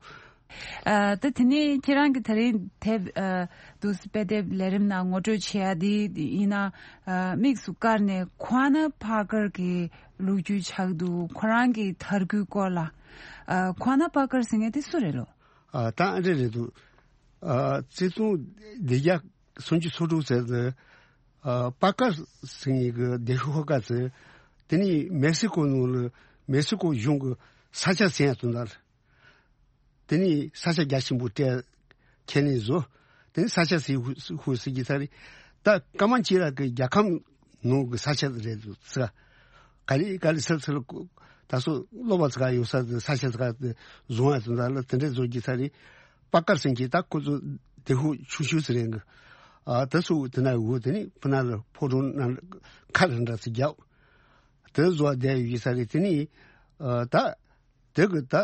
ཨ་ད་དེ་ནས་ཁྱེད་རང་གི་ད་རིང་དེབ་ཨ་འདུག་སེ་དཔེ་དེབ་ལས་རིམ་ནང་ངོ་སྤྲོད་བྱེད་ཡ་དེ་ཡིན་ན། ཨ་དམིགས་སུ་བཀར་ནས་ཁོ་ན་པ་ཀར་གྱི་ལོ་རྒྱུས་ཆགས་འདུག། ཁོ་རང་གི་དར་རྒུད་སྐོར་ལ། ཨ་ཁོ་ན་པ་ཀར་ཟེར་མཁན་དེ་སུ་རེད་ལོ། ཨ་ད་ཨ་འདྲ་རེད་འདུག། ཨ་བརྩི་མཐོང་བདེ་རྒྱ་སུམ་ཅུ་སོ་དྲུག་ཟེར་དུ། ཨ་པ་ཀར་ཟེར་མཁན་གྱི་བདེ་ཤུགས་ཧོ་ཀ་ཟེར། དེ་ནི་མེག་སི་ཀོ་ནང་ལ་མེག་སི་ཀོ་གཞུང་གི་ས་ཆ་ཟིན་ཡ་དོན་དག། དེ་ནི་ས་ཆ་རྒྱ་ཆེན་པོ་སྤྲད་ཁས་ལེན་བཟོ། དེ་ནི་ས་ཆ་ཟིན་ཧུ་ཧུ་ཟེར་གྱི་ས་རེད། ད་ཀ་མ་ཅི་ར་གི་རྒྱལ་ཁམས་ནང་གི་ས་ཆ་རེད་འདུག་ཟེར། ག་ལེ་ག་ལེ་ཚུར་ཚུར་ད་སོ་སློབ་པ་ཚོ་ག་ཡོད་ས་དེ་ས་ཆ་ཚོ་ག་དེ་བཟུང་ཡ་དོན་དག་ལ་དེ་འདྲས་བཟོ་གྱི་ས་རེད། པ་ཀར་ཟེར་གྱི་ད་ཁོ་ཚོ་དེ་ཧུ་ཆུ་ཆུ་ཟེར་རེད་གི། ཨ་ད་སོ་དེ་ན་ཡོད། དེ་ནི་ཕུ་ན་ལ་ཕོ་བྲང་ན་ཁ་ར་འདྲ་ཚོ་རྒྱག། དེ་བཟོ་བསྡད་ཡོད་ཀྱི་ས་རེད། དེ་ནི་ཨ་ད་དེ་གི་ད།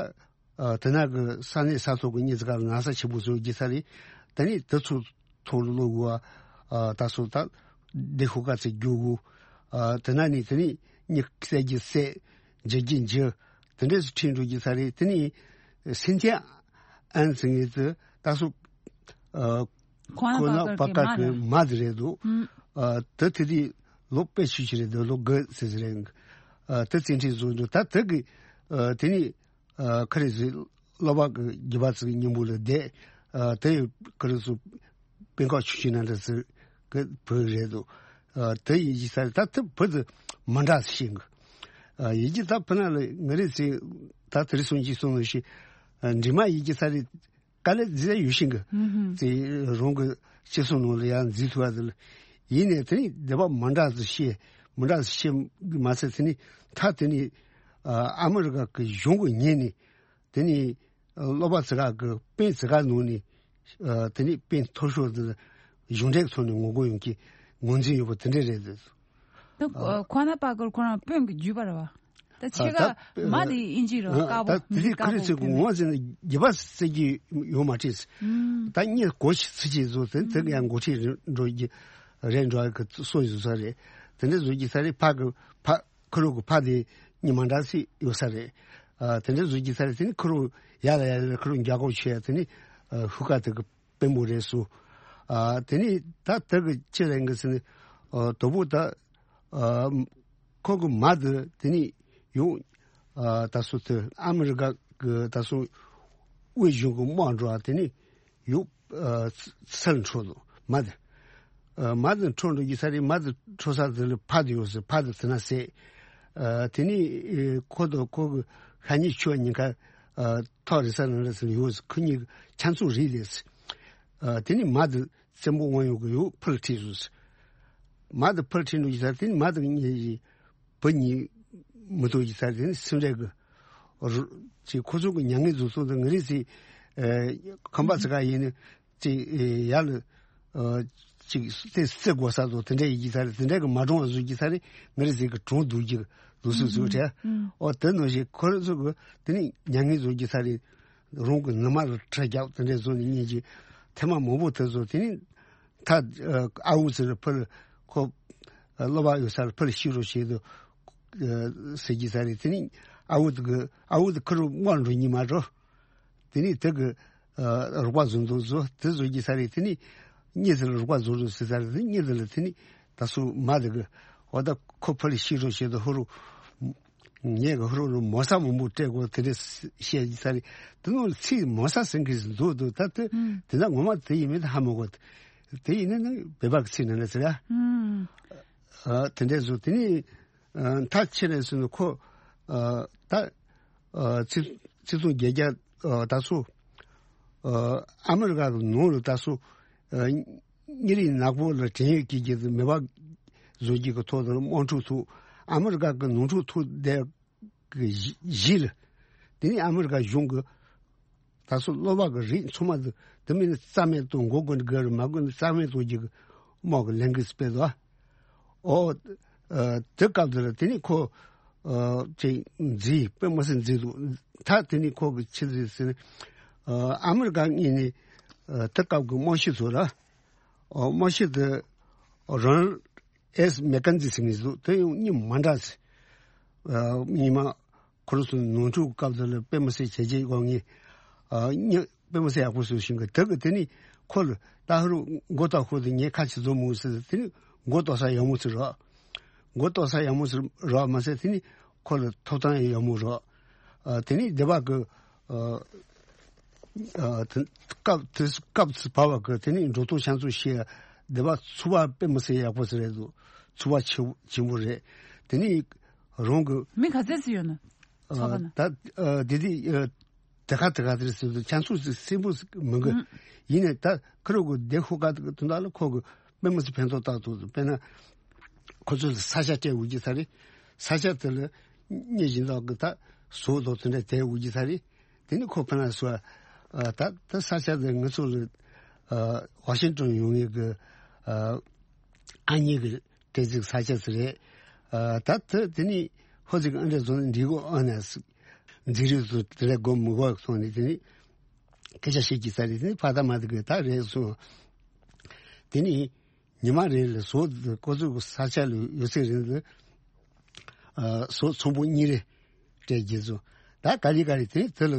ཨ་དེ་ན་གི་ས་གནས་ས་ཐོག་གི་མི་ཚོ་ག་ལ་ན་ཚ་ཆེན་པོ་བཟོ་གི་ས་རེད། དེ་ནི་དེ་ཚོ་ཐོག་ལ་ལོག་དགོས། ཨ་ད་སོ་ད་བདེ་ཤུགས་དཀའ་ཚེགས་རྒྱུག་དགོས། ཨ་དེ་ན་ནི་དེ་ནི་མི་བསད་རྒྱུ་བསད། འཇུ་རྒྱུ་འཇུ། དེ་འདྲས་སུ་ཁྲིད་འགྲོ་གི་ས་རེད། དེ་ནི་སིན་ཐི་ཡ་ཨན་ཟེར་མཁན་དེ་ད་སོ་ཨ་ཁོ་ན་པ་ཀར་གི་མ་དེ་རེད་འདུག། ཨ་དེ་དེ་དུས་ལོ་དཔེ་ཆུ་ཆུ་རེད་འདུག། ལོ་དགུ་ཙམ་ཟིག་རེད། ཨ་དེ་བཙན་ཁྲིད་བཟོ་འདུག། ད་དེ་གི་ཨ་དེ་ནི། ཨ་ཁ་རེ་ཟི་སློབ་པ་གི་རྒྱུད་པ་ཚོའི་སྙིང་པོ་ལ་བསྡད། ཨ་དེ་ཡི་ཁ་རེ་ཚོ་སྤེན་ཁ་ཆུ་ཆུ་ན་འདྲ་ཟེར་གི་བུ་རེད་འདུག། ཨ་དེ་ཡི་ཡི་ས་རེད། ད་དེ་བུ་དེ་མ་འདྲ་ཞིག་གི། ཨ་ཡི་གེ་ད་ཕུ་ན་ལ་ང་རེ་ཚེ་ད་དེ་རེ་སོང་གི་སོང་ནོ་ཞིག། ཨ་འབྲི་མ་ཡི་གེ་ས་རེད། དཀའ་ལས་འཛིན་ཡ་ཡོད་ཤིང་གི། ཨུམ་ཧུམ། དེ་རང་གི་སྤྱི་ཚོགས་ནང་ལ་ཡང་འཛིན་ཐུབ་ཡ་དེ་ལ། ཡིན་ནའི་དེ་ནི་སྡེ་པ་མི་འདྲ་ཟིག་བཤད། མི་འདྲ་ཟིག་བཤད་མ་ཟད་དེ་ནི་ད་དེ་ནི་ཨ་ཨ་མི་རི་ཀ་གི་གཞུང་གི་ཉེ་ནི་དེ་ནི་ཨ་སློབ་པ་ཙི་ག་གི་པེན་ཙི་ག་ནང་ནི་ཨ་དེ་ནི་པེན་མཐོ་ཤོས་དེ་གཞུང་འབྲེལ་ཐོག་ནས་ངོ་རྒོལ་ཡོང་གི་ངོས་འཛིན་ཡོད་པ་དེ་འདྲ་རེད། ད་ཁོ་ན་པ་ཀར་ཁོ་རང་དཔོན་གྱི་བརྒྱུད་པ་རེད་བ། ད་ཕྱེད་ཀ་ཨ་ད་མ་དེ་ཨིན་ཇི་རེད་བ། ཨ་དཀར་པོ་ད་དེ་མི་དཀར་ཁོ་རེ་པོ་ཚོས་དཔོན་ངོ་ཟིན་རྒྱུ་བ་སྲིད་ཀྱི་ཡོད་མ་རེད། ཨུམ། ད་གཉིས་གོ་ཞིག་ཚིག་ཅིག་བཟོ་དེ་དེ་ཡང་འགོ་ཁྲིད་འགྲོ་རྒྱུ་རེད་འགྲོ་གི་སོ་བཟོ་ས་རེད། དེ་འདྲ་བཟོ་རྒྱུ་ས་རེད། ཕ་གི་ཕ་ཁུ་རུ་གི་ཕ་དེ་གཉིས་མ་འདྲ་སྲིད་ཡོད་ས་རེད། ཨ་དེ་འདྲ་བཟོ་རྒྱུ་ས་རེད། དེ་ནི་ཁུ་རུ་ཡར་ལ་ཡར་ལ་ཁུ་རུ་འཇག་གོ་ཆེ་དེ་ནི་ཨ་ཧུ་ཀ་དེ་གི་དཔོན་པོ་རེད་སོ། ཨ་དེ་ནི་ད་དེ་གི་ཅི་རེད་གི་ཟེར་ནི་ཨ་དོ་པོ་ད་ཨ་ཁོ་གི་མ་དེ་དེ་ནི་ཡོང་ཨ་ད་སོ་དེ་ཨ་མི་རི་ཀ་གི་ད་སོ་དབུས་གཞུང་གི་དམག་འགྲོ་ཨ་དེ་ནི་ཡོང་ཨ་སར་འཕྲོ་ལོ་མ་དེ་ཨ་མ་དེ་འཕྲོ་འགྲོ་གི་ས་རེད། མ་དེ་འཕྲོ་ས་དེ་ལ་ཕ་དེ་ཡོད་ཟེར། ཕ་དེ་དེ་ན་ཟེར། ཨ་དེ་ནི་ཨེ་ཁོ་དང་ཁོ་གི་ཤ་ཉེ་ཆུ་ཉེ་ཁ་ཨ་ཐོག་རེ་ས་ནང་རེ་ས་ཡོད་ཟེར། ཁོ་གཉིས་ཆ་མཚུངས་རེད་ལས་ཟེར། ཨ་དེ་ནི་མ་དེ་བཙན་པོ་དབང་ཡོད་གི་ཡོད་ཕུལ་ཁྲིད་སོང་ཟེར། མ་དེ་ཕུལ་ཁྲིད་འགྲོ་གི་ས་དེ་ནི་མ་དེ་གཉིས་ཀྱི་བུ་གཉིས་མི་ཐུག་གི་ས་དེ་ནི་སེམས་ཁྲལ་གི་རུ་ཅིག་ཁོ་ཚོ་གི་མྱ་ངན་འཛུགས་སོང་དེ་ང་རེ་ཟེར། ཨ་ཁམས་པ་ཚ་ག་ཡིན་ནི་ཅིག་ཨེ་ཡར་ལ་ཨ་ཅིག་དེ་སྲིད་གོ་ས་དང་དེ་འདྲ་ཡི་གི་ས་རེད། དེ་འདྲ་གི་མ་གྲོངས་བཟོ་གི་ས་རེད། ང་རེ་ཟེར་གི་གྲོངས་འདུག་གི་འདུག་སུ་སུ་རེད། ཨོ་དེ་ནང་བཞིན་ཁོ་རེ་ཚོ་གི་དེ་ནི་མྱ་ངན་བཟོ་གི་ས་རེད། རང་གི་ནུ་མ་ལ་ཁྲག་རྒྱབ་དེ་འདྲ་བཟོ་ནི་ཉིན་གྱི་ཐེངས་མ་མང་པོ་དེ་ཚོ་དེ་ནི་ད་ཨ་འུ་ཚོ་ལ་ཕུལ་ཁོ་ཨ་སློབ་པ་ཡོད་ས་ལ་ཕུལ་ཤི་རོ་བྱེད་དུ་ཨ་ཟེར་གི་ས་རེད། དེ་ནི་ཨ་འུ་དེ་གི་ཨ་འུ་དེ་ཁུ་རུ་དམག་འགྲོ་ཉི་མ་འགྲོ། དེ་ནི་དེ་གི་ཨ་རོགས་པ་བཟོ་འདུག་བཟོ་དེ་བཟོ་གི་ས་རེད། དེ་ནི་གཉིས་དེ་ལ་རོགས་པ་བཟོ་རུ་ཟེར་ས་རེད། དེ་གཉིས་དེ་ལ་དེ་ནི་ད་སུ་མ་དེ་གི་འོ་ད་ཁོ་ཕུ་ལ་ཤི་རོ་བྱེད་དུ་ཧུ་རུ་ངས་གི་ཧུ་རུ་རུ་མོ་ས་མང་པོ་སྤྲད་དགོས་དེ་འདྲ་བཤད་ཀྱི་ས་རེད། དེ་ནི་ཚིག་མོ་ས་ཟེར་གི་འདུག་འདུག་ད་དེ་ཨུམ། དེ་ན་ངོ་མ་དེ་ཡིན་མིན་ཧ་མ་གོ། དེ་ཡིན་ན་ནི་བོད་པ་གི་ཚིག་ནང་ན་ཟེར་ཡ། ཨུམ། ཨ་དེ་འདྲ་བཟོ་དེ་ནི་ཨ་མཐའ་ཕྱིན་ནས་སུ་ནི་ཁོ་ཨ་ད་ཨ་ཚིག་ཚིག་ཚོང་བརྒྱད་བརྒྱ་ཨ་ད་སུ་ཨ་ཨ་མི་རི་ཀ་གི་ནང་ལ་ད་སུ་ཨ་གཉིད་རིག་ནག་པོ་ལ་བྲན་གཡོག་གི་རྒྱུ་དེ་མེད་པ་བཟོ་རྒྱུ་གི་ཐོག་ཏུ་དམག་འཁྲུག་ཐུག་ཨ་མི་རི་ཀ་གི་ནང་འཁྲུག་ཐུག་བསྡད་གི་གཞི་གཞི་ལ། དེ་ནི་ཨ་མི་རི་ཀ་གཞུང་གི་ད་སོ་སློབ་པ་གི་རིགས་ཚང་མ་དེ་དེ་མིན་ན་རྩ་མེད་གཏོང་དགོས་དགོས་འདི་ག་རེད། མ་དགོས་ན་རྩ་མེད་གཏོང་རྒྱུ་གི་དམག་གི་ལས་འགུལ་སྤེལ་དོ། ཨོ་ཨ་དེ་སྐབས་དེ་ལ་དེ་ནི་ཁོ་ཨ་ཅིག་འཛིན་དཔེ་མི་སྲིད་འཛིན་འདུག་ད་དེ་ནི་ཁོ་གི་ཆི་ཟིག་ཟེར་ན་ཨ་ཨ་མི་རི་ཀ་གཉིས་ནི་ཨ་དེ་སྐབས་གི་དམག་སྤྱི་ཚོ་ལ་ཨོ་དམག་སྤྱི་དེ་རོན་ཨེས་མེ་ཀན་ཛི་ཟེར་མཁན་ཟིག་འདུག་དེ་ཡང་གཉིས་མ་འདྲ་ཟེར། ཨ་གཉིས་མ་ཁོ་རང་ཚོ་ནོར་འཁྲུལ་སྐབས་དེ་ལ་དཔེ་མི་སྲིད་བྱས་རྗེས་དགོངས་ངེས། ཨ་གཉིས་དཔེ་མི་སྲིད་ཡག་པོ་བཟོས་ཤིང་གི་དེ་གི་དེ་ནི་ཁོ་ལ་ད་ཧུ་རུ་མགོ་ཏོག་ཁོ་དེ་ངས་ཁ་ཆེ་བཟོ་མོ་ཟེར། དེ་ནི་མགོ་ཏོག་ས་ཡག་མོ་ཚོ་རོགས། མགོ་ཏོག་ས་ཡག་མོ་ཚོ་རོགས་མ་ཟད་དེ་ནི་ཁོ་ལ་ཐོབ་ཐང་ཡག་མོ་རོགས། ཨ་དེ་ནི་སྡེ་པ་གི་ཨ་ཨ་དེ་སྐབས་དེ་སྐབས་སུ་བབས་པ་གི་དེ་ནི་འགྲོ་སྟངས་ཤང་ཚུལ་ཤེས་སྡེ་པ་ཚོ་བ་དཔེ་མི་སྲིད་ཡག་པོ་ཟེར་རེད་འདུག་ཚོ་བ་ཆེ་ཆེན་པོ་རེད། དེ་ནི་རང་གི་མི་ག་ཚད་ཟིག་ཡོད་ན་ཚོ་བ་ན། ད་ཨ་དེ་དེ་ཨ་དེ་ག་དེ་ག་དེ་ཟེར་དུས་ཁྱང་ཚུགས་སེམས་པོ་མི་དགོས། ཨུམ། ཡིན་ནས་ད་ཁུ་རུ་གི་སྡེ་ཤོག་ཁག་དེ་དོན་དག་ལ་ཁོ་གི་དཔེ་མི་སྲིད་ཕན་ཐོགས་བཏགས་ཐུབ་འདུག་དཔེར་ན་ཁོ་ཚོ་ལ་ས་ཆ་སྤྲད་འོས་ཀྱི་ས་རེད། ས་ཆ་དེ་ལ་སྙིང་རྗེ་མདོག་གི་ད་བཟོ་དང་དེ་འདྲ་དེ་འོས་ཀྱི་ས་རེད། དེ་ནི་ཁོ་ཕ་ན་སུ་ཨ་ད་ད་ས་ཆ་དེ་ང་ཚོ་ལ་ཨ་ཝ་ཤིང་ཏོན་ཡོང་ངེས་གི་ཨ་ཨ་མྱེས་གི་དེ་ཅིག་ས་ཆ་ཟེར་རེད། ཨ་ད་དེ་དེ་ནི་ཧོ་ཅིག་ཨ་འདྲ་བཟོ་ནི་འགྲིག་གོ་ཨ་ནས་འཛིན་རིགས་སུ་དེ་ལས་སྒོ་མི་གོ་སོང་ནི་དེ་ནི་སྐད་ཆ་བཤད་ཀྱི་ས་རེད། དེ་ནི་ཕ་ད་མ་དེ་གི་ད་རེད་སོང་། དེ་ནི་ཉི་མ་རེ་ལ་ཟོག་ཁོ་ཚོ་གི་ས་ཆ་ལ་ཡོད་ཚད་རིང་ལ་ཨ་ཟོག་ཚོང་པོ་གཉིས་རེ་སྤྲད་རྒྱུ་ཚོ་ད་ག་རེ་ག་རེ་དེ་དེ་ལ་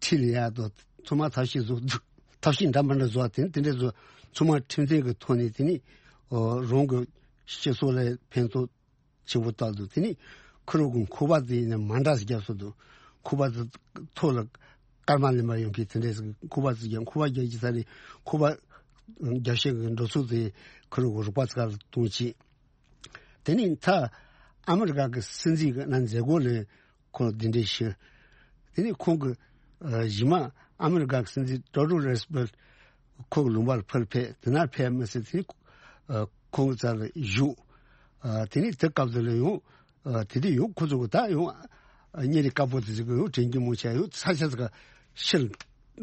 ཁྲིད་ལ་ཡག་དོ་ཚང་མ་ཐབས་ཤེས་བཟོ་ཐབས་ཤེས་འདྲ་མི་འདྲ་བཟོ་བ་དེ་དེ་འདྲ་བཟོ་ཚང་མ་ཁྲིམས་མཐུན་གྱི་ཐོག་ནས་དེ་ནི་ཨོ་རང་གི་སྤྱི་ཚོགས་ལ་ཕན་ཐོགས་ཆེན་པོ་བཏང་འདུག་དེ་ནི་ཁུ་རུ་གི་ཁུ་བ་དེ་ཡིན་ན་མ་འདྲ་ཞིག་བརྒྱབ་སོང་འདུག་ཁུ་བ་དེ་ཐོག་ལ་སྐར་མ་ལེན་པ་ཡོང་གི་དེ་འདྲ་ཞིག་ཁུ་བ་དེ་ཀྱང་ཁུ་བ་རྒྱག་གི་ས་རེད། ཁུ་བ་རྒྱག་ཤེས་ཀྱི་འགྲོ་ཚུལ་དེ་ཁུ་རུ་གི་རོགས་པ་ཚོ་ལ་གཏོང་ཆེད། དེ་ནི་མཐའ་ཨ་མི་རི་ཀ་གི་སྲིད་འཛིན་གྱི་ན་མཛད་སྒོ་ལས་ཁོང་གདན་འདྲེན་ཞུས། དེ་ནི་ཁོང་གི་ཨ་གཞི་མ་ ཨ་མི་རི་ཀ་གི་སྲིད་འཛིན་ཏེ་ཌོ་རོ་རུ་སི་ཝེལ་ཁོ་གི་ལུང་པ་ལ་ཕར་ཕེབས། དེ་ན་ཕེབས་མི་སྲིད་དེ་ནི་ཁོང་གི་རྩ་ལ་བཞུགས། དེ་ནི་དེ་སྐབས་དེ་ལ་ཡང་དེ་དུས་ཡང་ཁོ་ཚོ་གི་ད་ཡང་གཉེར་རིགས་དཀར་པོ་དེ་ཚོ་གི་ཡང་དྲན་གྱི་མོ་ཆ་ཡང་ས་ཆ་ཚ་ག་ཕྱིར་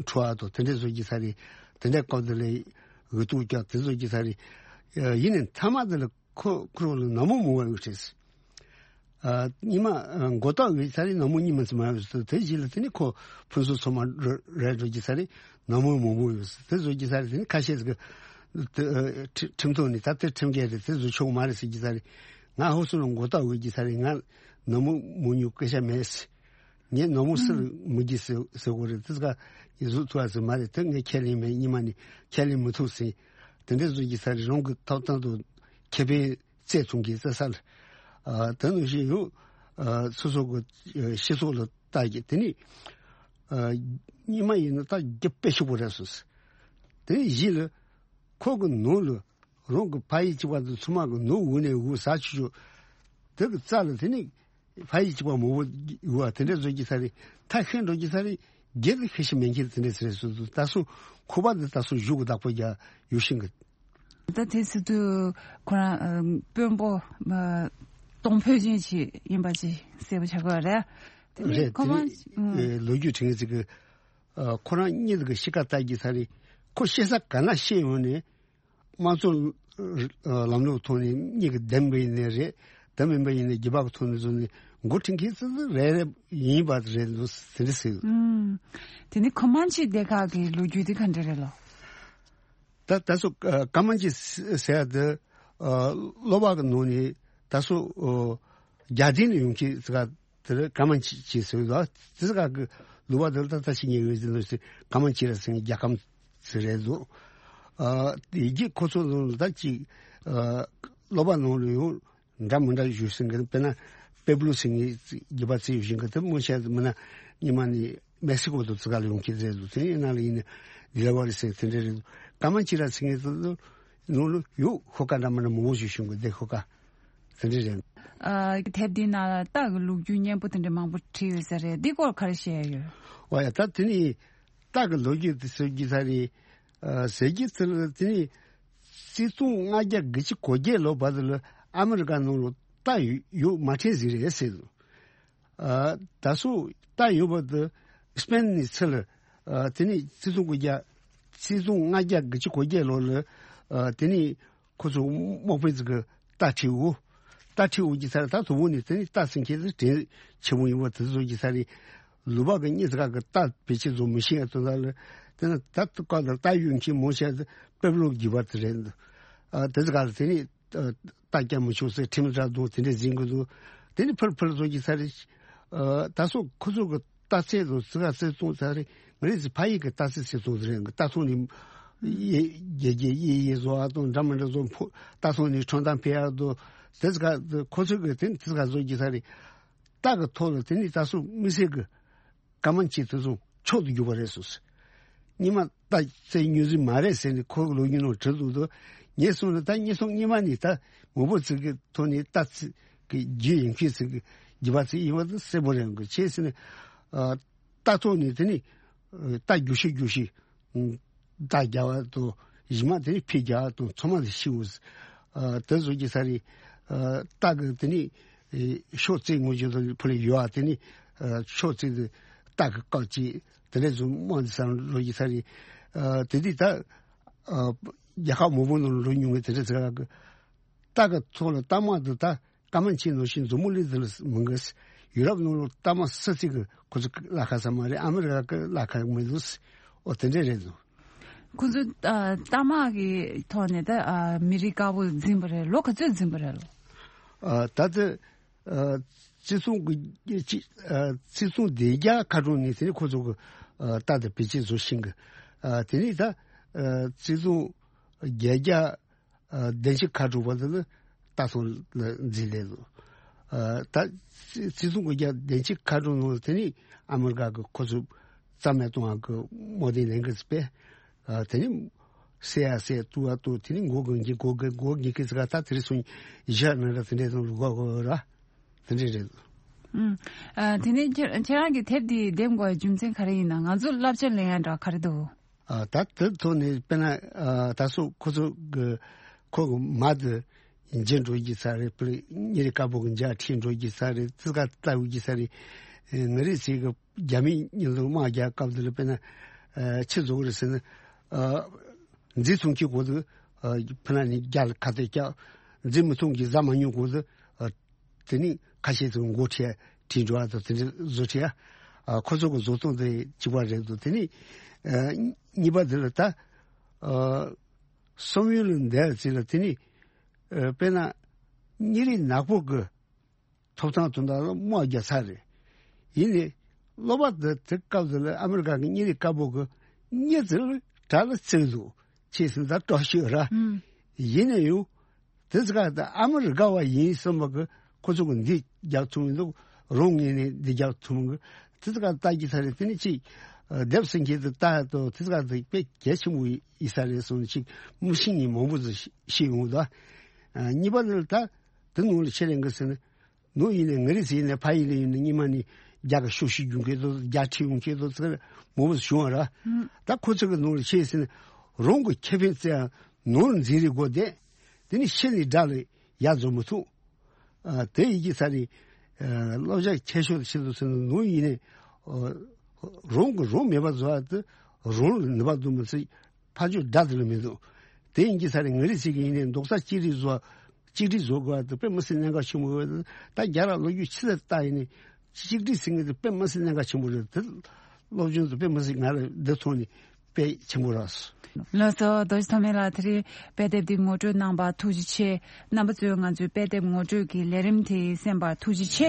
འཕྲོ་བ་དང་དེ་འདྲ་བཟོ་རྒྱུ་ས་རེད། དེ་འདྲ་སྐབས་དེ་ལ་འུ་ཐུག་རྒྱག་དེ་བཟོ་རྒྱུ་ས་རེད། ཡིན་ནའི་མཐའ་མ་དེ་ལ་ཁོ་ཁོ་རང་ལ་ནག་མོ་མང་བ་ཡོད་རེད། ཨ། ཉི་མ་ཨ་མགོ་ཏོག་གི་ཚ་རེད། ནག་མོ་གཉིས་མ་ཚིམ་ཡོད་ཟེར། དེ་རྗེས་ལ་དེ་ནི་ཁོ་ཕུན་སུམ་ཚོགས་མ་རེད་འགྲོ་གི་ཚ་རེད། ནག་མོ་མང་པོ་ཡོད་ཟེར། དེ་བཟོ་གི་ཚ་རེད། དེ་ནི་ཁ་ཤས་ཟིག་གི་དེ་ཨ་ཁྲི་ཁྲིམས་ཐོག་ནས་ད་དེ་ཁྲིམས་འགལ་རེད། དེ་བཟོ་ཆོག་མ་རེད་ཟེར་གི་ཚ་རེད། ང་ཧོ་སུ་ལ་མགོ་ཏོག་གི་ཚ་རེད། ང་ནག་མོ་མང་ཉུང་སྐད་ཆ་མེད་ཟེར། ངས་ནག་མོ་སུ་ལ་མི་རྒྱུ་ཟེར་ཟེར་གོ་རེད། དེ་ཟིག་ག་ཡིན་བཟོ་ཐུབ་ཨ་ཟེར། མ་རེད། དེ་ངས་ཁས་ལེན་མེད། ཉི་མ་ནས་ཁས་ལེན་མི་ཐུབ་ཟེར། དེ་འདྲ་བཟོ་གི་ཚ་རེད། རང་གི་ཐོབ་ཐང་དང་ཁེ་ཕན་བཙལ་ཐུབ་མཁན་བཙལ་ས་ལ། ཨ། དེ་ནང་བཞིན་ཡང་། ཨ། སོ་སོ་གི་ཨ་སྤྱི་ཚོགས་ལ་ལྟ་རྒྱུ་དེ་ནི། ཨ། སྔོན་མ་ཡིན་ན་ད་རྒྱུ་དཔེ་ཞིག་པོ་རེད་སོང་ཟེར། དེ་ནི་གཞི་ལ་ཁོ་གི་ནང་ལ་རང་གི་ཕ་ཡུལ་གཅིག་པ་དང་ཚང་མ་གི་ནང་འུ་ནས་འུ་ཟ་ཆུ་ཆུ་དེ་གི་རྩ་ལ་དེ་ནི། ཕ་ཡུལ་གཅིག་པ་མང་པོ་ཡོད་པ་དེ་འདྲ་བཟོ་གི་ཚ་རེད། ཐ་ཤལ་འགྲོ་གི་ཚ་རེད། སྒེར་གྱི་ཤེས་བྱ་མེད་མཁན་དེ་འདྲ་ཚ་རེད་སོང་ཟེར། ད་སོ་ཁོ་པ་འདི་ད་སོ་གཞུག་གི་བདག་པོ་རྒྱག་ཡོད་ཤིང་གི། ད་དེ་སྲིད་དུ་ཁོ་རང་ཨ་དཔོན་པོ་ཨ་གཏོང་ཕོད་ཅན་ཞིག་ཡིན་པ་ཅིག་གསལ་པོ་ཆགས་ཀྱི་ཡོད་རེད། དེ་ནས་རེད། ཁོ་དེ་མ་ནི་ཨ་ལོ་རྒྱུས་དྲན་ཚིག་གི། ཨ། ཁོ་རང་གཉིས་ཀྱི་གཤིས་ཀ་ལྟ་རྒྱུ་ཚ་རེད། ཁོ་བཤད་ས་ག་ན་བཤད་ཡོང་ནས། དམངས་གཙོ་ལམ་ལུགས་ཐོག་ནས་གཉིས་ཀྱི་བདེན་པ་ཡིན་ནའི་རེད། བདེན་མིན་པ་ཡིན་ནའི་རྒྱུ་བབ་ཀྱི་ཐོག་ནས་བཟུང་ནས་འགོ་ཁྲིད་མཁན་ཙི་ཙི་རེ་རེ་ཡིན་པ་རེད་འདུག་དེ་འདྲ་ཟེར། ཨུམ། དེ་ནི་ཁོ་མན་ཆི་སྡེ་ཁག་གི་ལོ་རྒྱུས་དེ་ག་འདྲ་རེད་ལོ། ད་ད་སོ་ཀ་མན་ཆི་ཟེར་ཡ་དེ་གློ་བ་གི་ནང་ནས་ད་སོ་རྒྱ་ལྡན་ལ་ཡོང་མཁན་ཟེར་ག་དེར་ཀ་མན་ཆི་ཟེར་ལ། དེ་ཟེར་ག་གི་ལུ་བ་དེར་ད་ལྟ་ཞིག་ཉེ་བའི་ཟིན་ལོ་ཟེར། ཀ་མན་ཆི་ར་ཟེར་རྒྱལ་ཁམས་ཟེར་རེད་འདུག་ཨ། དེ་རྗེས་ཁོ་ཚོ་ལ་ད་ཅིག་ཨ་ཀློ་བ་ནང་ལ་ཡང་འདྲ་མི་འདྲ་ཞུ་ཟིན་གི། དཔེར་ན་པེབ་ལོ་ཟེར་ངའི་རྒྱུད་པ་ཚོས་ཞུ་ཟིན་གི། དེ་མོ་ཤ་མི་ན་ཉི་མ་ནི་མེག་སི་ཀོ་དུ་ཙི་ག་ལ་ཡོང་གི་རེད་འདུག་དེ་ཡིན་ན་ལ་ཡིན་ན་དི་ལ་བ་རི་ཟེར་དེ་འདྲ་རེད་འདུག་ཀ་མན་ཆི་ར་ཟེར་ངའི་ཚོ་ནང་ལ་ཡོད། ཤོ་ཀ་འདྲ་མི་འདྲ་མང་པོ་ཞིག་བྱུང་གི། དེ་ཤོ་ཀ་དེ་འདྲ་རེད། ཨ། དེབ་འདི་ནང་ལ་རྟ་གི་ལོ་རྒྱུས་སྙན་པོ་དེ་འདྲ་མང་པོ་བྲིས་ཡོད་ས་རེད། འདི་སྐོར་ག་རེ་བཤད་ཡོད། འོ་ཡ། ད་དེ་ནི་རྟ་གི་ལོ་རྒྱུས་དེ་ཟེར་རྒྱུ་ས་རེད། ཨ། ཟེར་རྒྱུ་དེ་ལ་དེ་ནི་གཅིག་སྟོང་ལྔ་བརྒྱ་དགུ་བཅུ་གོ་བརྒྱད་ལོ་བར་དུ་ལ་ཨ་མི་རི་ཀ་ནང་ལ་རྟ་ཡོད་མ་ཕྲན་ཟིག་རེད་ཟེར་འདུག་ཨ། ད་སོ་རྟ་ཡོད་པ་དེ་སྤེན་ནས་ཚུར་ལ། ཨ། དེ་ནས་གཅིག་སྟོང་དགུ་བརྒྱ། གཅིག་སྟོང་ལྔ་བརྒྱ་དགུ་བཅུ་གོ་བརྒྱད་ལོ་ལ། ཨ། དེ་ནས་ཁོ་ཚོ་དམག་དཔོན་ཚོ་གི་རྟ་ཁྲིད་འོ། རྟ་ཁྲིད་འོ་གི་ས་རེད། ད་དུ་བོ་ནས་དེ་ནས་རྟ་སྲིན་ཁྱེར་ཚེ་དྲན་ཆེ་མོ་ཡིན་པ་དེ་ཚོ་གི་ས་རེད། ལུ་བ་གི་གཉིས་ཀ་གི་རྟ་བེད་སྤྱད་བཟོ་མི་ཤེས་ཡ་དོན་དག་ལ། དེ་ནས་ད་དུ་ཀ་ལ་རྟ་ཡོད་མཁན་མོ་ཤ་པེབ་ལོ་རྒྱུད་པ་དེ་རེད། ཨ། དེ་ཚོ་ག་ལ་དེ་ནས། ཨ། རྟ་རྒྱག་མི་ཆོག་ཟེར་ཁྲིམས་ར་དང་དེ་འདྲ་འཛིན་གི་འདུག་དེ་ནི་ཕར་ཕར་བཟོ་གི་ས་རེད། ཨ། ད་སོ་ཁོ་ཚོ་གི་རྟ་རྩལ་དང་ཙི་ག་རྩལ་གཏོང་ས་རེད། ང་རེ་ཚོ་ཕ་ཡུལ་གི་རྟ་རྩལ་རྩལ་གཏོང་ས་རེད། རྟ་ཐོག་ནས་ཡེ་རྒྱལ་རྒྱལ་ཡེ་ཡེ་བཟོ་བ་དང་འདྲ་མི་འདྲ་བཟོ། ཕོ་རྟ་ཐོག་ནས་ཁྲོམ་ཐང་ཕེབས་ཡག་དང་དེ་ཙི་ག་ཁོ་ཚོ་གི་དེ་ནི་ཙི་ག་བཟོ་གི་ས་རེད། རྟ་གི་ཐོག་ལ་དེ་ནི་ད་སོ་མི་སེར་གི་ཀ་མན་ཆི་དེ་ཚོ་མཆོག་ཏུ་གྱུར་པ་རེད་གསུངས་སོ། སྔོན་མ་རྟ་རྩལ་ཉུང་ཟིག་མ་རེད་ཟེར་ནས་ཁོ་གི་ལོ་རྒྱུས་ནང་བྲིས་འདུག་དོ། ངས་གསུངས་ན་ད་ངས་གསུངས། སྔོན་མ་ནས་ད་མི་བུ་ཚོ་གི་ཐོག་ནས་རྟ་རྩལ་གི་རྒྱུ་ཡིན་མཁན་ཚོ་གི་རྒྱུད་པ་ཚོ་ཡིན་པ་དེ་གསལ་པོ་རེད་གི། ཅི་ཟེར་ན། ཨ། རྟ་ཐོག་ནས་དེ་ནི་ཨ་རྟ་རྒྱུག་ཤུགས་རྒྱུག་ཤུགས། ཨ། རྟ་རྒྱག་པ་དང་གཞི་མ་དེ་ནི་ཕེ་རྒྱག་པ་དང་ཚང་མ་དེ་ཤི་འོ། ཨ། དེ་བཟོ་གི་ས་རེད། ཨ། རྟ་གི་དེ་ནི་ཨེ་ཤོག་རྩེ་ངོ་རྒྱུ་དང་ཕུ་ལེ་ཡོད་ཨ། དེ་ནི་ཨ་ཤོག་རྩེ་དེ་རྟ་གི་བཀག་ཅིག་དེ་འདྲ་བཟོ་མང་དེ་ས་རུ་ལོ་གི་ས་རེད། ཨ། དེ་དུས་ད་ཨ་རྒྱལ་ཁབ་མང་པོ་ནང་ལོ་ཉུང་གི་དེ་འདྲ་ཟེར་གི། རྟ་གི་ཐོག་ལ་རྟ་དམག་དེ་ད་ཀ་མན་ཆི་ནང་བཞིན་མཛུབ་མོ་ལི་དེ་ལ་མི་འགས། ཡུ་རོབ་ནང་ལ་རྟ་དམག་སུ་གཅིག་གི་ཁོ་ཚོ་བླ་ཁ་ས་མ་རེད། ཨ་མི་རི་ཀ་གི་བླ་ཁ་མི་འདུག་འོ་དེ་འདྲ་རེད་འདུག་ཁོ་ཚོ་ཨ་རྟ་དམག་གི་ཐོག་ནས་ད་ཨ་མི་རིགས་དཀར་པོ་འཛིན་པ་རེད་ལོ། ག་ཚོད་འཛིན་པ་རེད་ལོ། ཨ་ད་ལྟ་ཨ་ཆིག་སྟོང་དགུ་ཆིག་ཨ་ཆིག་སྟོང་བདུན་བརྒྱ་ཁ་གྲངས་ནས་དེ་ནས་ཁོ་ཚོ་གི་ཨ་རྟ་དང་བེད་སྤྱོད་བཟོ་ཤིང་གི། ཨ་དེ་ནས་ད་ཨ་ཆིག་སྟོང་བརྒྱད་བརྒྱ་ཨ་བདུན་ཅུ་ཁ་དྲུག་བར་དུ་ནི་རྟ་ཐོག་ལ་འཛིན་ལས་ལོ། ཨ་ད་ཆིག་སྟོང་དགུ་བརྒྱ་བདུན་ཅུ་ཁ་དྲུག་ནང་དེ་ནས་ཨ་མི་རི་ཀ་གི་ཁོ་ཚོ་རྩ་མེད་གཏོང་བ་གི་དམག་དོན་ལས་འགུལ་སྤེལ། ཨ་དེ་ནས་བསད་ཡ་བསད། གཏུབ་ཡ་གཏུབ། དེ་ནས་མགོ་འགེངས་མགོ་འགེངས་མགོ་འགེངས་ཀི་ཙི་ག་ད་དེ་རིང་སོང་བཞག་ན་ར་དེ་འདྲའི་དང་ལུག་ག་གོ་ར་དེ་འདྲའི་རེད། ཨུམ། ཨ། དེ་ནས་ཁྱེད་ཁྱེད་རང་གི་དེབ་འདི་འདེམས་དགོས་པའི་རྒྱུ་མཚན་ག་རེ་ཡིན་ན། ང་ཚོ་བསླབ་བྱ་ལེན་ཡ་འདྲ་ག་རེ་འདུག་ཨ། ད་དེ་ཐོག་ནས་དཔེར་ན། ཨ། ད་སོ་ཁོ་ཚོ་གི་ཁོ་གི་མ་དེ་འཇིག་འགྲོ་གི་ས་རེད། དཔེར་ན་གཉེར་དཀར་པོ་གི་མཇལ་ཁྲིད་འགྲོ་གི་ས་རེད། ཙི་ག་ལྟ་བུ་གི་ས་རེད། ཨེ། ང་རེ་ཚོ་གི་རྒྱ་མི་མཉམ་དུ་དམག་རྒྱག་སྐབས་དེ་ལ་དཔེར་ན། ཨ། ཆི་བཟོ་གི་རེད་ཟེར་ན། ཨ། འཛིང་ཐུབ་མཁན་གོ་དུ། ཨ། ཕུ་ན་ནི་རྒྱ་ལ་ཁ་གཏད་བཅག་འཛིང་མི་ཐུབ་མཁན་ཟ་མ་མྱོང་གོ་དུ། ཨ། དེ་ནི་ཁ་ཤས་ཚོ་མགོ་ཁྲིད་ཁྲིད་འགྲོ་བ་དང་དེ་འདྲ་བཟོ་ཁྲིད། ཨ། ཁོ་ཚོ་གི་བཟོ་སྟངས་དེ་གཅིག་པ་རེད་འདུག་དེ་ནི། ཨ། གཉིས་པ་དེ་ལ་ད། ཨ། བསམ་ཡུལ་ལ་འདས་ཚེ་ལ་དེ་ནི། ཨ། དཔེར་ན་གཉེར་རིགས་ནག་པོ་གི་ཐོབ་ཐང་དོན་དག་ལ་དམག་རྒྱག་ས་རེད། ཡིན་ནའི་སློབ་པ་དེ་དེ་སྐབས་དེ་ལ་ཨ་མི་རི་ཀ་གི་གཉེར་རིགས་དཀར་པོ་གི་གཉེར་དེ་ལ་དགྲ་ལ་བརྩེ་འདུག་ཅེས་ཟིན་ད་སྐྲག་ཤོས་ར། ཨུམ། ཡིན་ནའི་ཡང་དེ་ཚོ་ག་ད་ཨ་མི་རི་ཀ་བ་ཡིན་བསམ་པ་གི་ཁོ་ཚོ་གི་འདི་རྒྱག་ཐུབ་མི་འདུག་རང་ངོས་ནས་འདི་རྒྱག་ཐུབ་མི་གི་དེ་ཚོ་ག་ལྟ་རྒྱུ་ས་རེད། དེ་ནི་ཅིག་ཨ། སྡེབ་སེང་གེ་དེ་ལྟ་ཡ་དང་དེ་ཚོ་ག་དེ་དཔེ་གལ་ཆེན་པོ་ཡིན་ས་རེད་གསུངས་ནས་ཅིག་མི་ཤེས་མཁན་མང་པོ་ཚོ་ཤེས་ཡོང་གི་འདུག་ཨ། གཉིས་པ་ནི་ད་དེ་ནང་ལ་ཆེད་ལས་འགི་ཟེར་ན། ནོར་ཡིན་ནའི་ང་རེ་ཟེར་ནས་ཕ་ཡིན་ལ་ཡིན་ནའི་སྙིང་མ་ནི་རྒྱ་གི་ཤོག་ཤིག་རྒྱུན་ཁྱེར་དོ་རྒྱ་ཁྲིད་ཡོང་ཁྱེར་དོ་ཚེ་མོ་བོ་བྱུང་བ་ར། ཨུམ། ད་ཁོ་ཚོ་གི་ནོར་ཤེས་ཟེར་ན་རང་གི་ཁེ་ཕན་བཙལ་ཡང་ནོར་འཛིན་རེ་དགོས་དེ། དེ་ནི་ཤེས་ནས་དགྲ་ལ་ཡ་འཛོམས་མི་ཐུབ། ཨ། དེ་ཡི་གེ་ས་རེད། ཨ། བསླབ་བྱ་ཁྱད་ཤོས་ཆེད་དུ་ཟེར་ན་ནོར་ཡིན་ནའི། ཨ། རང་གི་རང་མེད་པ་བཟོ་བ་དེ་རང་ལ་ནུས་པ་འདུག་མི་ཚེ། ཕ་ཆོས་དགྲ་དེ་ལ་མི་འདུག་དེ་ཡིན་གྱི་ས་རེད། ང་རེ་ཟེར་གྱི་ཡིན་ནའི་རྡོག་རྩ་གཅིག་སྒྲིལ་བཟོ། གཅིག་སྒྲིལ་བཟོ་དགོས་པ་དེ་དཔེ་མི་སྲིད་གནད་འགག་ཆེན་པོ་རེད། ད་རྒྱ་ར་ལོ་རྒྱུས་ཆི་ཟེར་ལྟ་ཡིན་ནའི་གཅིག་སྒྲིལ་ཟེར་མཁན་དེ་དཔེ་མི་སྲིད་གནད་འགག་ཆེན་པོ་རེད། དེ་སློབ་སྦྱོང་དེ་དཔེ་མི་སྲིད་ང་ལ་འདི་ཐོག་ནས་དཔེ་ཆེན་པོ་རག་སོང་། ལགས་སོ། རྡོ་རྗེ་ཐོགས་མེད་ལགས། དེ་རིང་དཔེ་དེབ་འདི་ངོ་སྤྲོད་གནང་བར་ཐུགས་རྗེ་ཆེ། རྣམ་པ་ཚོས་ང་ཚོའི་དཔེ་དེབ་ངོ་སྤྲོད་ཀྱི་ལས་རིམ་དེ་གསན་པར་ཐུགས་རྗེ་ཆེ།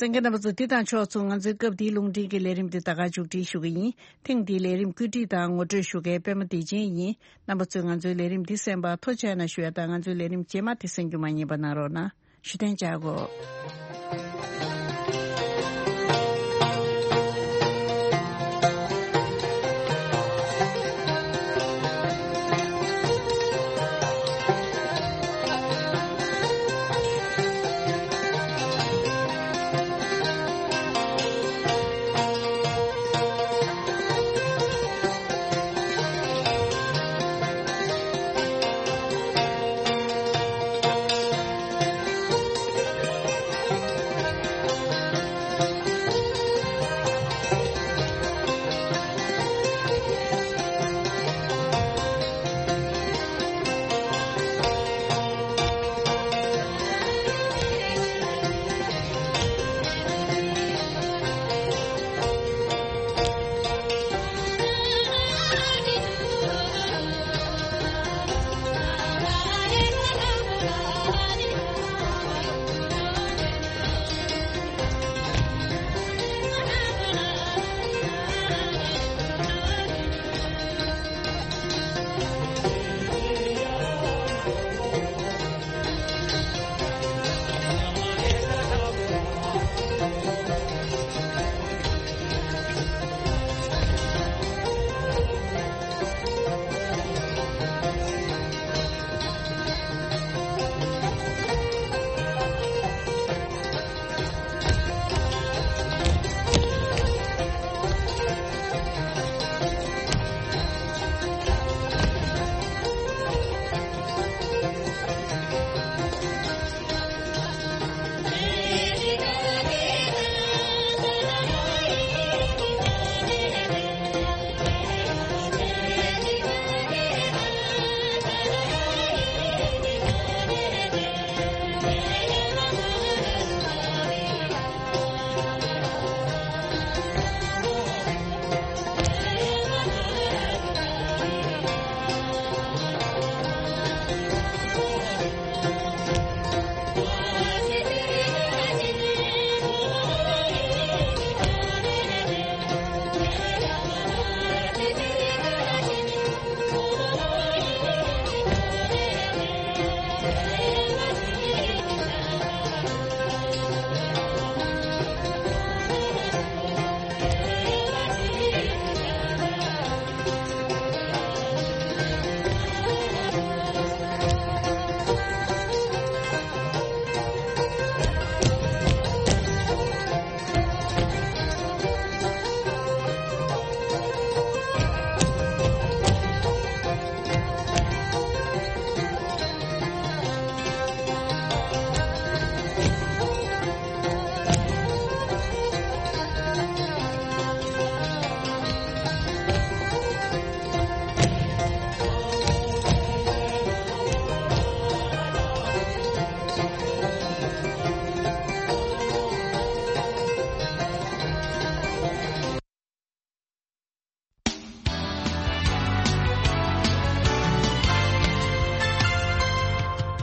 གསན་མཁན་རྣམ་པ་ཚོ། འདི་དང་ཕྱོགས་མཚུངས་ང་ཚོའི་སྐབས་འདིའི་རླུང་འཕྲིན་གྱི་ལས་རིམ་འདི་ད་ག་མཇུག་སྒྲིལ་ཞུ་གི་ཡིན། ཐེངས་འདིའི་ལས་རིམ་བཀོད་སྒྲིག་དང་ངོ་སྤྲོད་ཞུ་མཁན་པད་མ་བདེ་ཆེན་ཡིན། རྣམ་པ་ཚོས་ང་ཚོའི་ལས་རིམ་འདི་གསན་པར་ཐུགས་རྗེ་ཆེ་ཞུ་ཡ་དང་། ང་ཚོའི་ལས་རིམ་རྗེས་མ་དེ་གསན་རྒྱུ་མ་བསྙེལ་བ་གནང་རོགས་གནང་། ཞུ་ཐེངས་བཅར་དགོས།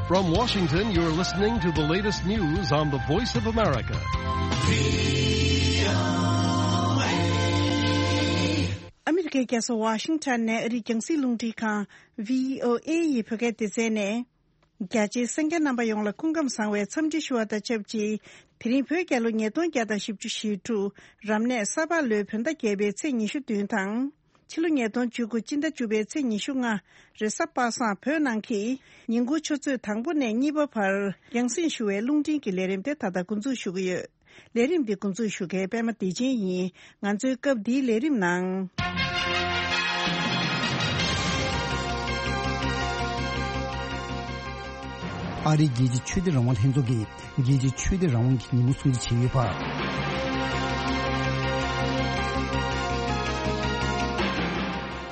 From Washington, you're listening to the latest news on the Voice of America. ཨ་མི་རི་ཀའི་རྒྱལ་ས་ཝ་ཤིང་ཊོན་ནས་ཨ་རིའི་རྒྱང་སྲིང་རླུང་འཕྲིན་ཁང་བྷི་ཨོ་ཨེ་ཡི་བོད་སྐད་སྡེ་ཚན་ནས། རྒྱ་ཆེའི་གསན་མཁན་རྣམ་པ་ཡོངས་ལ་སྐུ་ཁམས་བཟང་བའི་འཚམས་འདྲི་ཞུ་བ་དང་ཆབས་ཅིག་དེ་རིང་བོད་རྒྱལ་ལོ་ཉིས་སྟོང་བརྒྱ་དང་བཞི་བཅུ་ཞེ་དྲུག་རབ་གནས་ས་ཕག་ལོའི་བོད་ཟླ་བརྒྱད་པའི་ཚེས་ཉི་ཤུ་བདུན་དང་། ཕྱི་ལོ་ཉིས་སྟོང་བཅུ་དགུ་སྤྱི་ཟླ་བཅུ་པའི་ཚེས་ཉི་ཤུ་ལྔ་རེས་གཟའ་པ་སངས་བོད་ནང་གི་ཉིན་གུང་ཆུ་ཚོད་དང་པོ་ནས་གཉིས་པ་བར་རྒྱང་སྲིང་ཞུ་བའི་རླུང་འཕྲིན་གྱི་ལས་རིམ་དེ་ད་ལྟ་འགོ་འཛུགས་ཞུ་གི་ཡོད། ལས་རིམ་འདི་འགོ་འཛུགས་ཞུ་མཁན་པད་མ་བདེ་ཆེན་ཡིན། ང་ཚོའི་སྐབས་འདིའི་ལས་རིམ་ནང་། ཨ་རིའི་རྒྱལ་སྤྱིའི་ཆོས་དད་རང་དབང་ལྷན་ཚོགས་ཀྱིས་རྒྱལ་སྤྱིའི་ཆོས་དད་རང་དབང་གི་ཉིན་མོ་སྲུང་བརྩི་བྱས་ཡོད་པ།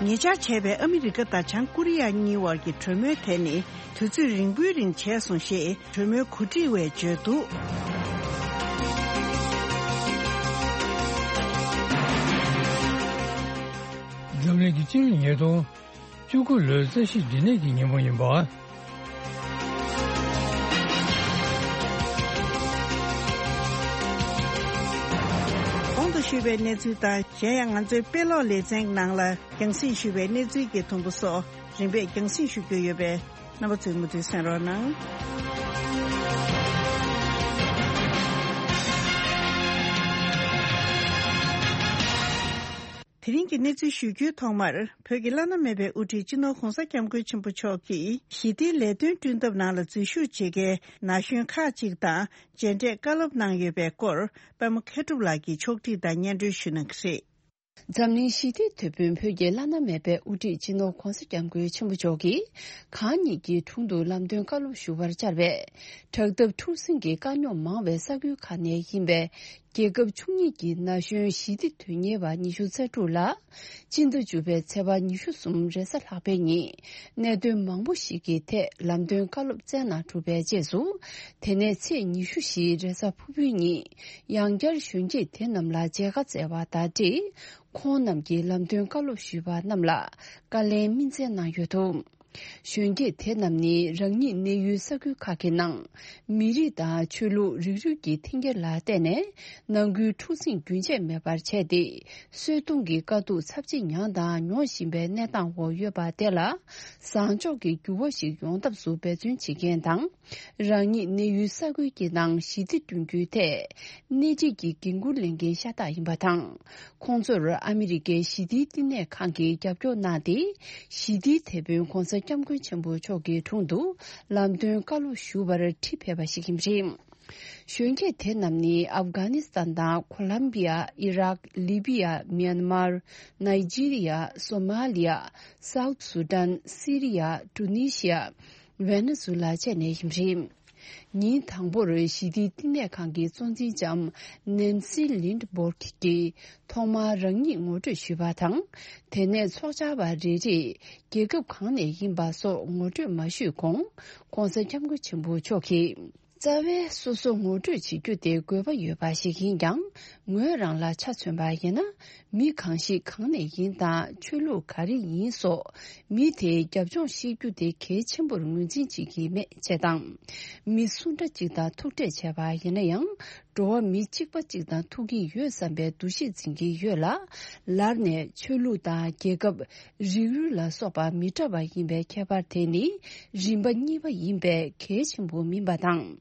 ཉེ་ཆར་བྱས་པའི་ཨ་མི་རི་ཀ་དང་བྱང་ཀོ་རི་ཡ་གཉིས་དབར་གྱི་གྲོས་མོལ་དེ་ནི། དུས་ཚོད་རིང་པོའི་རིང་བྱས་སོང་ཞེས་གྲོས་མོལ་གོ་སྒྲིག་པས་བརྗོད་འདུག་འཛམ་གླིང་གི་སྤྱི་ལོ་ཉིས་སྟོང་བཅུ་དགུ་ལོའི་རྩ་བཞིའི་འབྲས་ནད་ཀྱི་ཉིན་མོ་ཡིན་པ། གོང་དུ་ཞུས་པའི་གནས་ཚུལ་དང་། གཞན་ཡང་ང་ཚོའི་དཔེ་ཀློག་ལེ་ཚན་ནང་ལ་རྒྱང་སྲིང་ཞུས་པའི་གནས་ཚུལ་གྱི་དུམ་བུ་སོགས་རིམ་པས་རྒྱང་སྲིང་ཞུ་རྒྱུ་ཡོད་པས། རྣམ་པ་ཚོས་མུ་མཐུད་གསན་རོགས་གནང་། དེ་རིང་གི་གནས་ཚུལ་ཞུ་རྒྱུའི་ཐོག་མར། བོད་ཀྱི་བླ་ན་མེད་པའི་དབུ་ཁྲིད་སྤྱི་ནོར་༧གོང་ས་༧སྐྱབས་མགོན་ཆེན་པོ་མཆོག་གིས་ཞི་བདེའི་ལས་དོན་བསྐྲུན་ཐབས་ནང་ལ་འཛུལ་ཞུགས་བྱེད་མཁན་ན་གཞོན་ཁག་ཅིག་དང་མཇལ་འཕྲད་བཀའ་སློབ་གནང་ཡོད་པའི་སྐོར་པད་མ་མཁས་གྲུབ་ལགས་ཀྱིས་ཕྱོགས་སྒྲིག་དང་སྙན་སྒྲོན་ཞུ་གནང་གི་རེད། འཛམ་གླིང་ཞི་བདེའི་དེད་དཔོན་བོད་ཀྱི་བླ་ན་མེད་པའི་དབུ་ཁྲིད་སྤྱི་ནོར་༧གོང་ས་༧སྐྱབས་མགོན་ཆེན་པོ་མཆོག་གིས་གང་ཉིད་ཀྱི་དྲུང་དུ་ལམ་སྟོན་བཀའ་སློབ་ཞུ་བར་བཅར་བའི་དྲག་འཐབ་འཁྲུག་ཟིང་གི་དཀའ་རྙོག་མང་བའི་ས་ཁུལ་ཁག་ནས་ཡིན་པའི་རྒྱལ་ཁབ་བཅུ་གཉིས་ཀྱི་ན་གཞོན་ཞི་བདེ་དོན་གཉེར་བ་ཉི་ཤུ་རྩ་དྲུག་ལ། སྤྱི་ཟླ་བཅུ་པའི་ཚེས་པ་ཉི་ཤུ་གསུམ་རེས་གཟའ་ལྷག་པའི་ཉིན་གནད་དོན་མང་པོ་ཞིག་གི་ཐད་ལམ་སྟོན་བཀའ་སློབ་སྩལ་གནང་གྲུབ་པའི་རྗེས་སུ། དེ་ནས་ཚེས་ཉི་ཤུ་བཞི་རེས་གཟའ་ཕུར་བུའི་ཉིན་ཡང་བསྐྱར་གཞོན་སྐྱེས་དེ་རྣམས་ལ་མཇལ་ཁ་བསྩལ་བ་དང་འབྲེལ། ཁོང་རྣམས་ཀྱིས་ལམ་སྟོན་བཀའ་སློབ་ཞུས་པ་རྣམས་ལ་བཀའ་ལན་སྨིན་སྩལ་གནང་ཡོད་འདུག་གཞོན་སྐྱེས་དེ་རྣམས་ནི་རང་ཉིད་གནས་ཡུལ་ས་ཁུལ་ཁག་གི་ནང་མི་རིགས་དང་ཆོས་ལུགས་རིགས་རུས་ཀྱི་འཐེན་འཁྱེར་ལ་བརྟེན་ནས་ནང་ཁུལ་འཁྲུག་ཟིང་རྒྱུན་ཆད་མེད་པར་བྱས་ཏེ། གསོད་གཏོང་གི་དཀའ་སྡུག་ཚབས་ཆེ་མྱངས་དང་མྱོང་བཞིན་པའི་གནས་སྟངས་འོག་ཡོད་པ་དེ་ལ་བཟང་ཕྱོགས་ཀྱི་འགྱུར་བ་ཞིག་ཡོང་ཐབས་སུ་འབད་བརྩོན་བྱེད་མཁན་དང་། རང་ཉིད་གནས་ཡུལ་ས་ཁུལ་གྱི་ནང་ཞི་བདེ་བསྐྲུན་རྒྱུའི་ཐད་སྣེ་ཁྲིད་ཀྱི་འགན་འཁུར་ལེན་མཁན་ཤ་སྟག་ཡིན་པ་དང་། ཁོང་ཚོར་ཨ་མི་རི་ཀའི་ཞི་བདེའི་བསྟི་གནས་ཁང་གིས་རྒྱབ་སྐྱོར་གནང་སྟེ། ཞི་བདེའི་དེད་དཔོན་༧གོང་ས་༧སྐྱབས་མགོན་ཆེན་པོ་མཆོག་གི་དྲུང་དུ་ལམ་སྟོན་བཀའ་སློབ་ཞུ་བར་ཁྲིད་ཕེབས་པ་ཞིག་ཡིན་པ་རེད། གཞོན་སྐྱེས་དེ་རྣམས་ནི་ཨབ་གྷ་ནི་སི་ཐན་དང་ཁོ་ལམ་བི་ཡ། ཨི་རག་ལི་བི་ཡ། མྱན་མར། ནཱི་ཇི་རི་ཡ། སོ་མ་ལི་ཡ། སའུ་ཐི་སུ་ཌན། སི་རི་ཡ། ཀྲུ་ནི་ཤི་ཡ། ཝེ་ནེ་ཛུ་ལ་བཅས་ནས་ཡིན་པ་རེད། ཉིན་དང་པོར་ཞི་བདེའི་བསྟི་གནས་ཁང་གི་གཙོ་འཛིན་ལྕམ་ནན་སི་ལིན་ཌི་སྦོར་གྱིས་ཐོག་མར་རང་ཉིད་ངོ་སྤྲོད་ཞུས་པ་དང་། དེ་ནས་ཚོགས་བཅར་བ་རེ་རེས་རྒྱལ་ཁབ་གང་ནས་ཡིན་པ་སོགས་ངོ་སྤྲོད་མ་ཞུས་གོང་།༧གོང་ས་༧སྐྱབས་མགོན་ཆེན་པོ་མཆོག་གིས། རྩ་བའི་སོ་སོ་ངོ་སྤྲོད་བྱེད་རྒྱུ་དེ་དགོས་པ་ཡོད་པ་ཞིག་ཡིན་ཀྱང་། ངོས་རང་ལ་ཆ་མཚོན་པ་ཡིན་ན། མི་གང་ཞིག་གང་ནས་ཡིན་དང་ཆོས་ལུགས་ག་རེ་ཡིན་སོགས་མི་དེའི་རྒྱབ་ལྗོངས་ཤེས་རྒྱུ་དེ་གལ་ཆེན་པོར་ངོས་འཛིན་བྱེད་ཀྱི་མེད་ཅེས་དང་། མི་སུ་འདྲ་གཅིག་དང་ཐུག་འཕྲད་བྱས་པ་ཡིན་ན་ཡང་། འགྲོ་བ་མི་གཅིག་པ་གཅིག་དང་ཐུག་གི་ཡོད་བསམ་པའི་འདུ་ཤེས་འཛིན་གྱི་ཡོད་ལ། ལར་ནས་ཆོས་ལུགས་དང་རྒྱལ་ཁབ། རིགས་རུས་ལ་སོགས་པ་མི་འདྲ་བ་ཡིན་པའི་ཁྱད་པར་དེ་ནི་རིམ་པ་གཉིས་པ་ཡིན་པས་གལ་ཆེན་པོ་མིན་པ་དང་།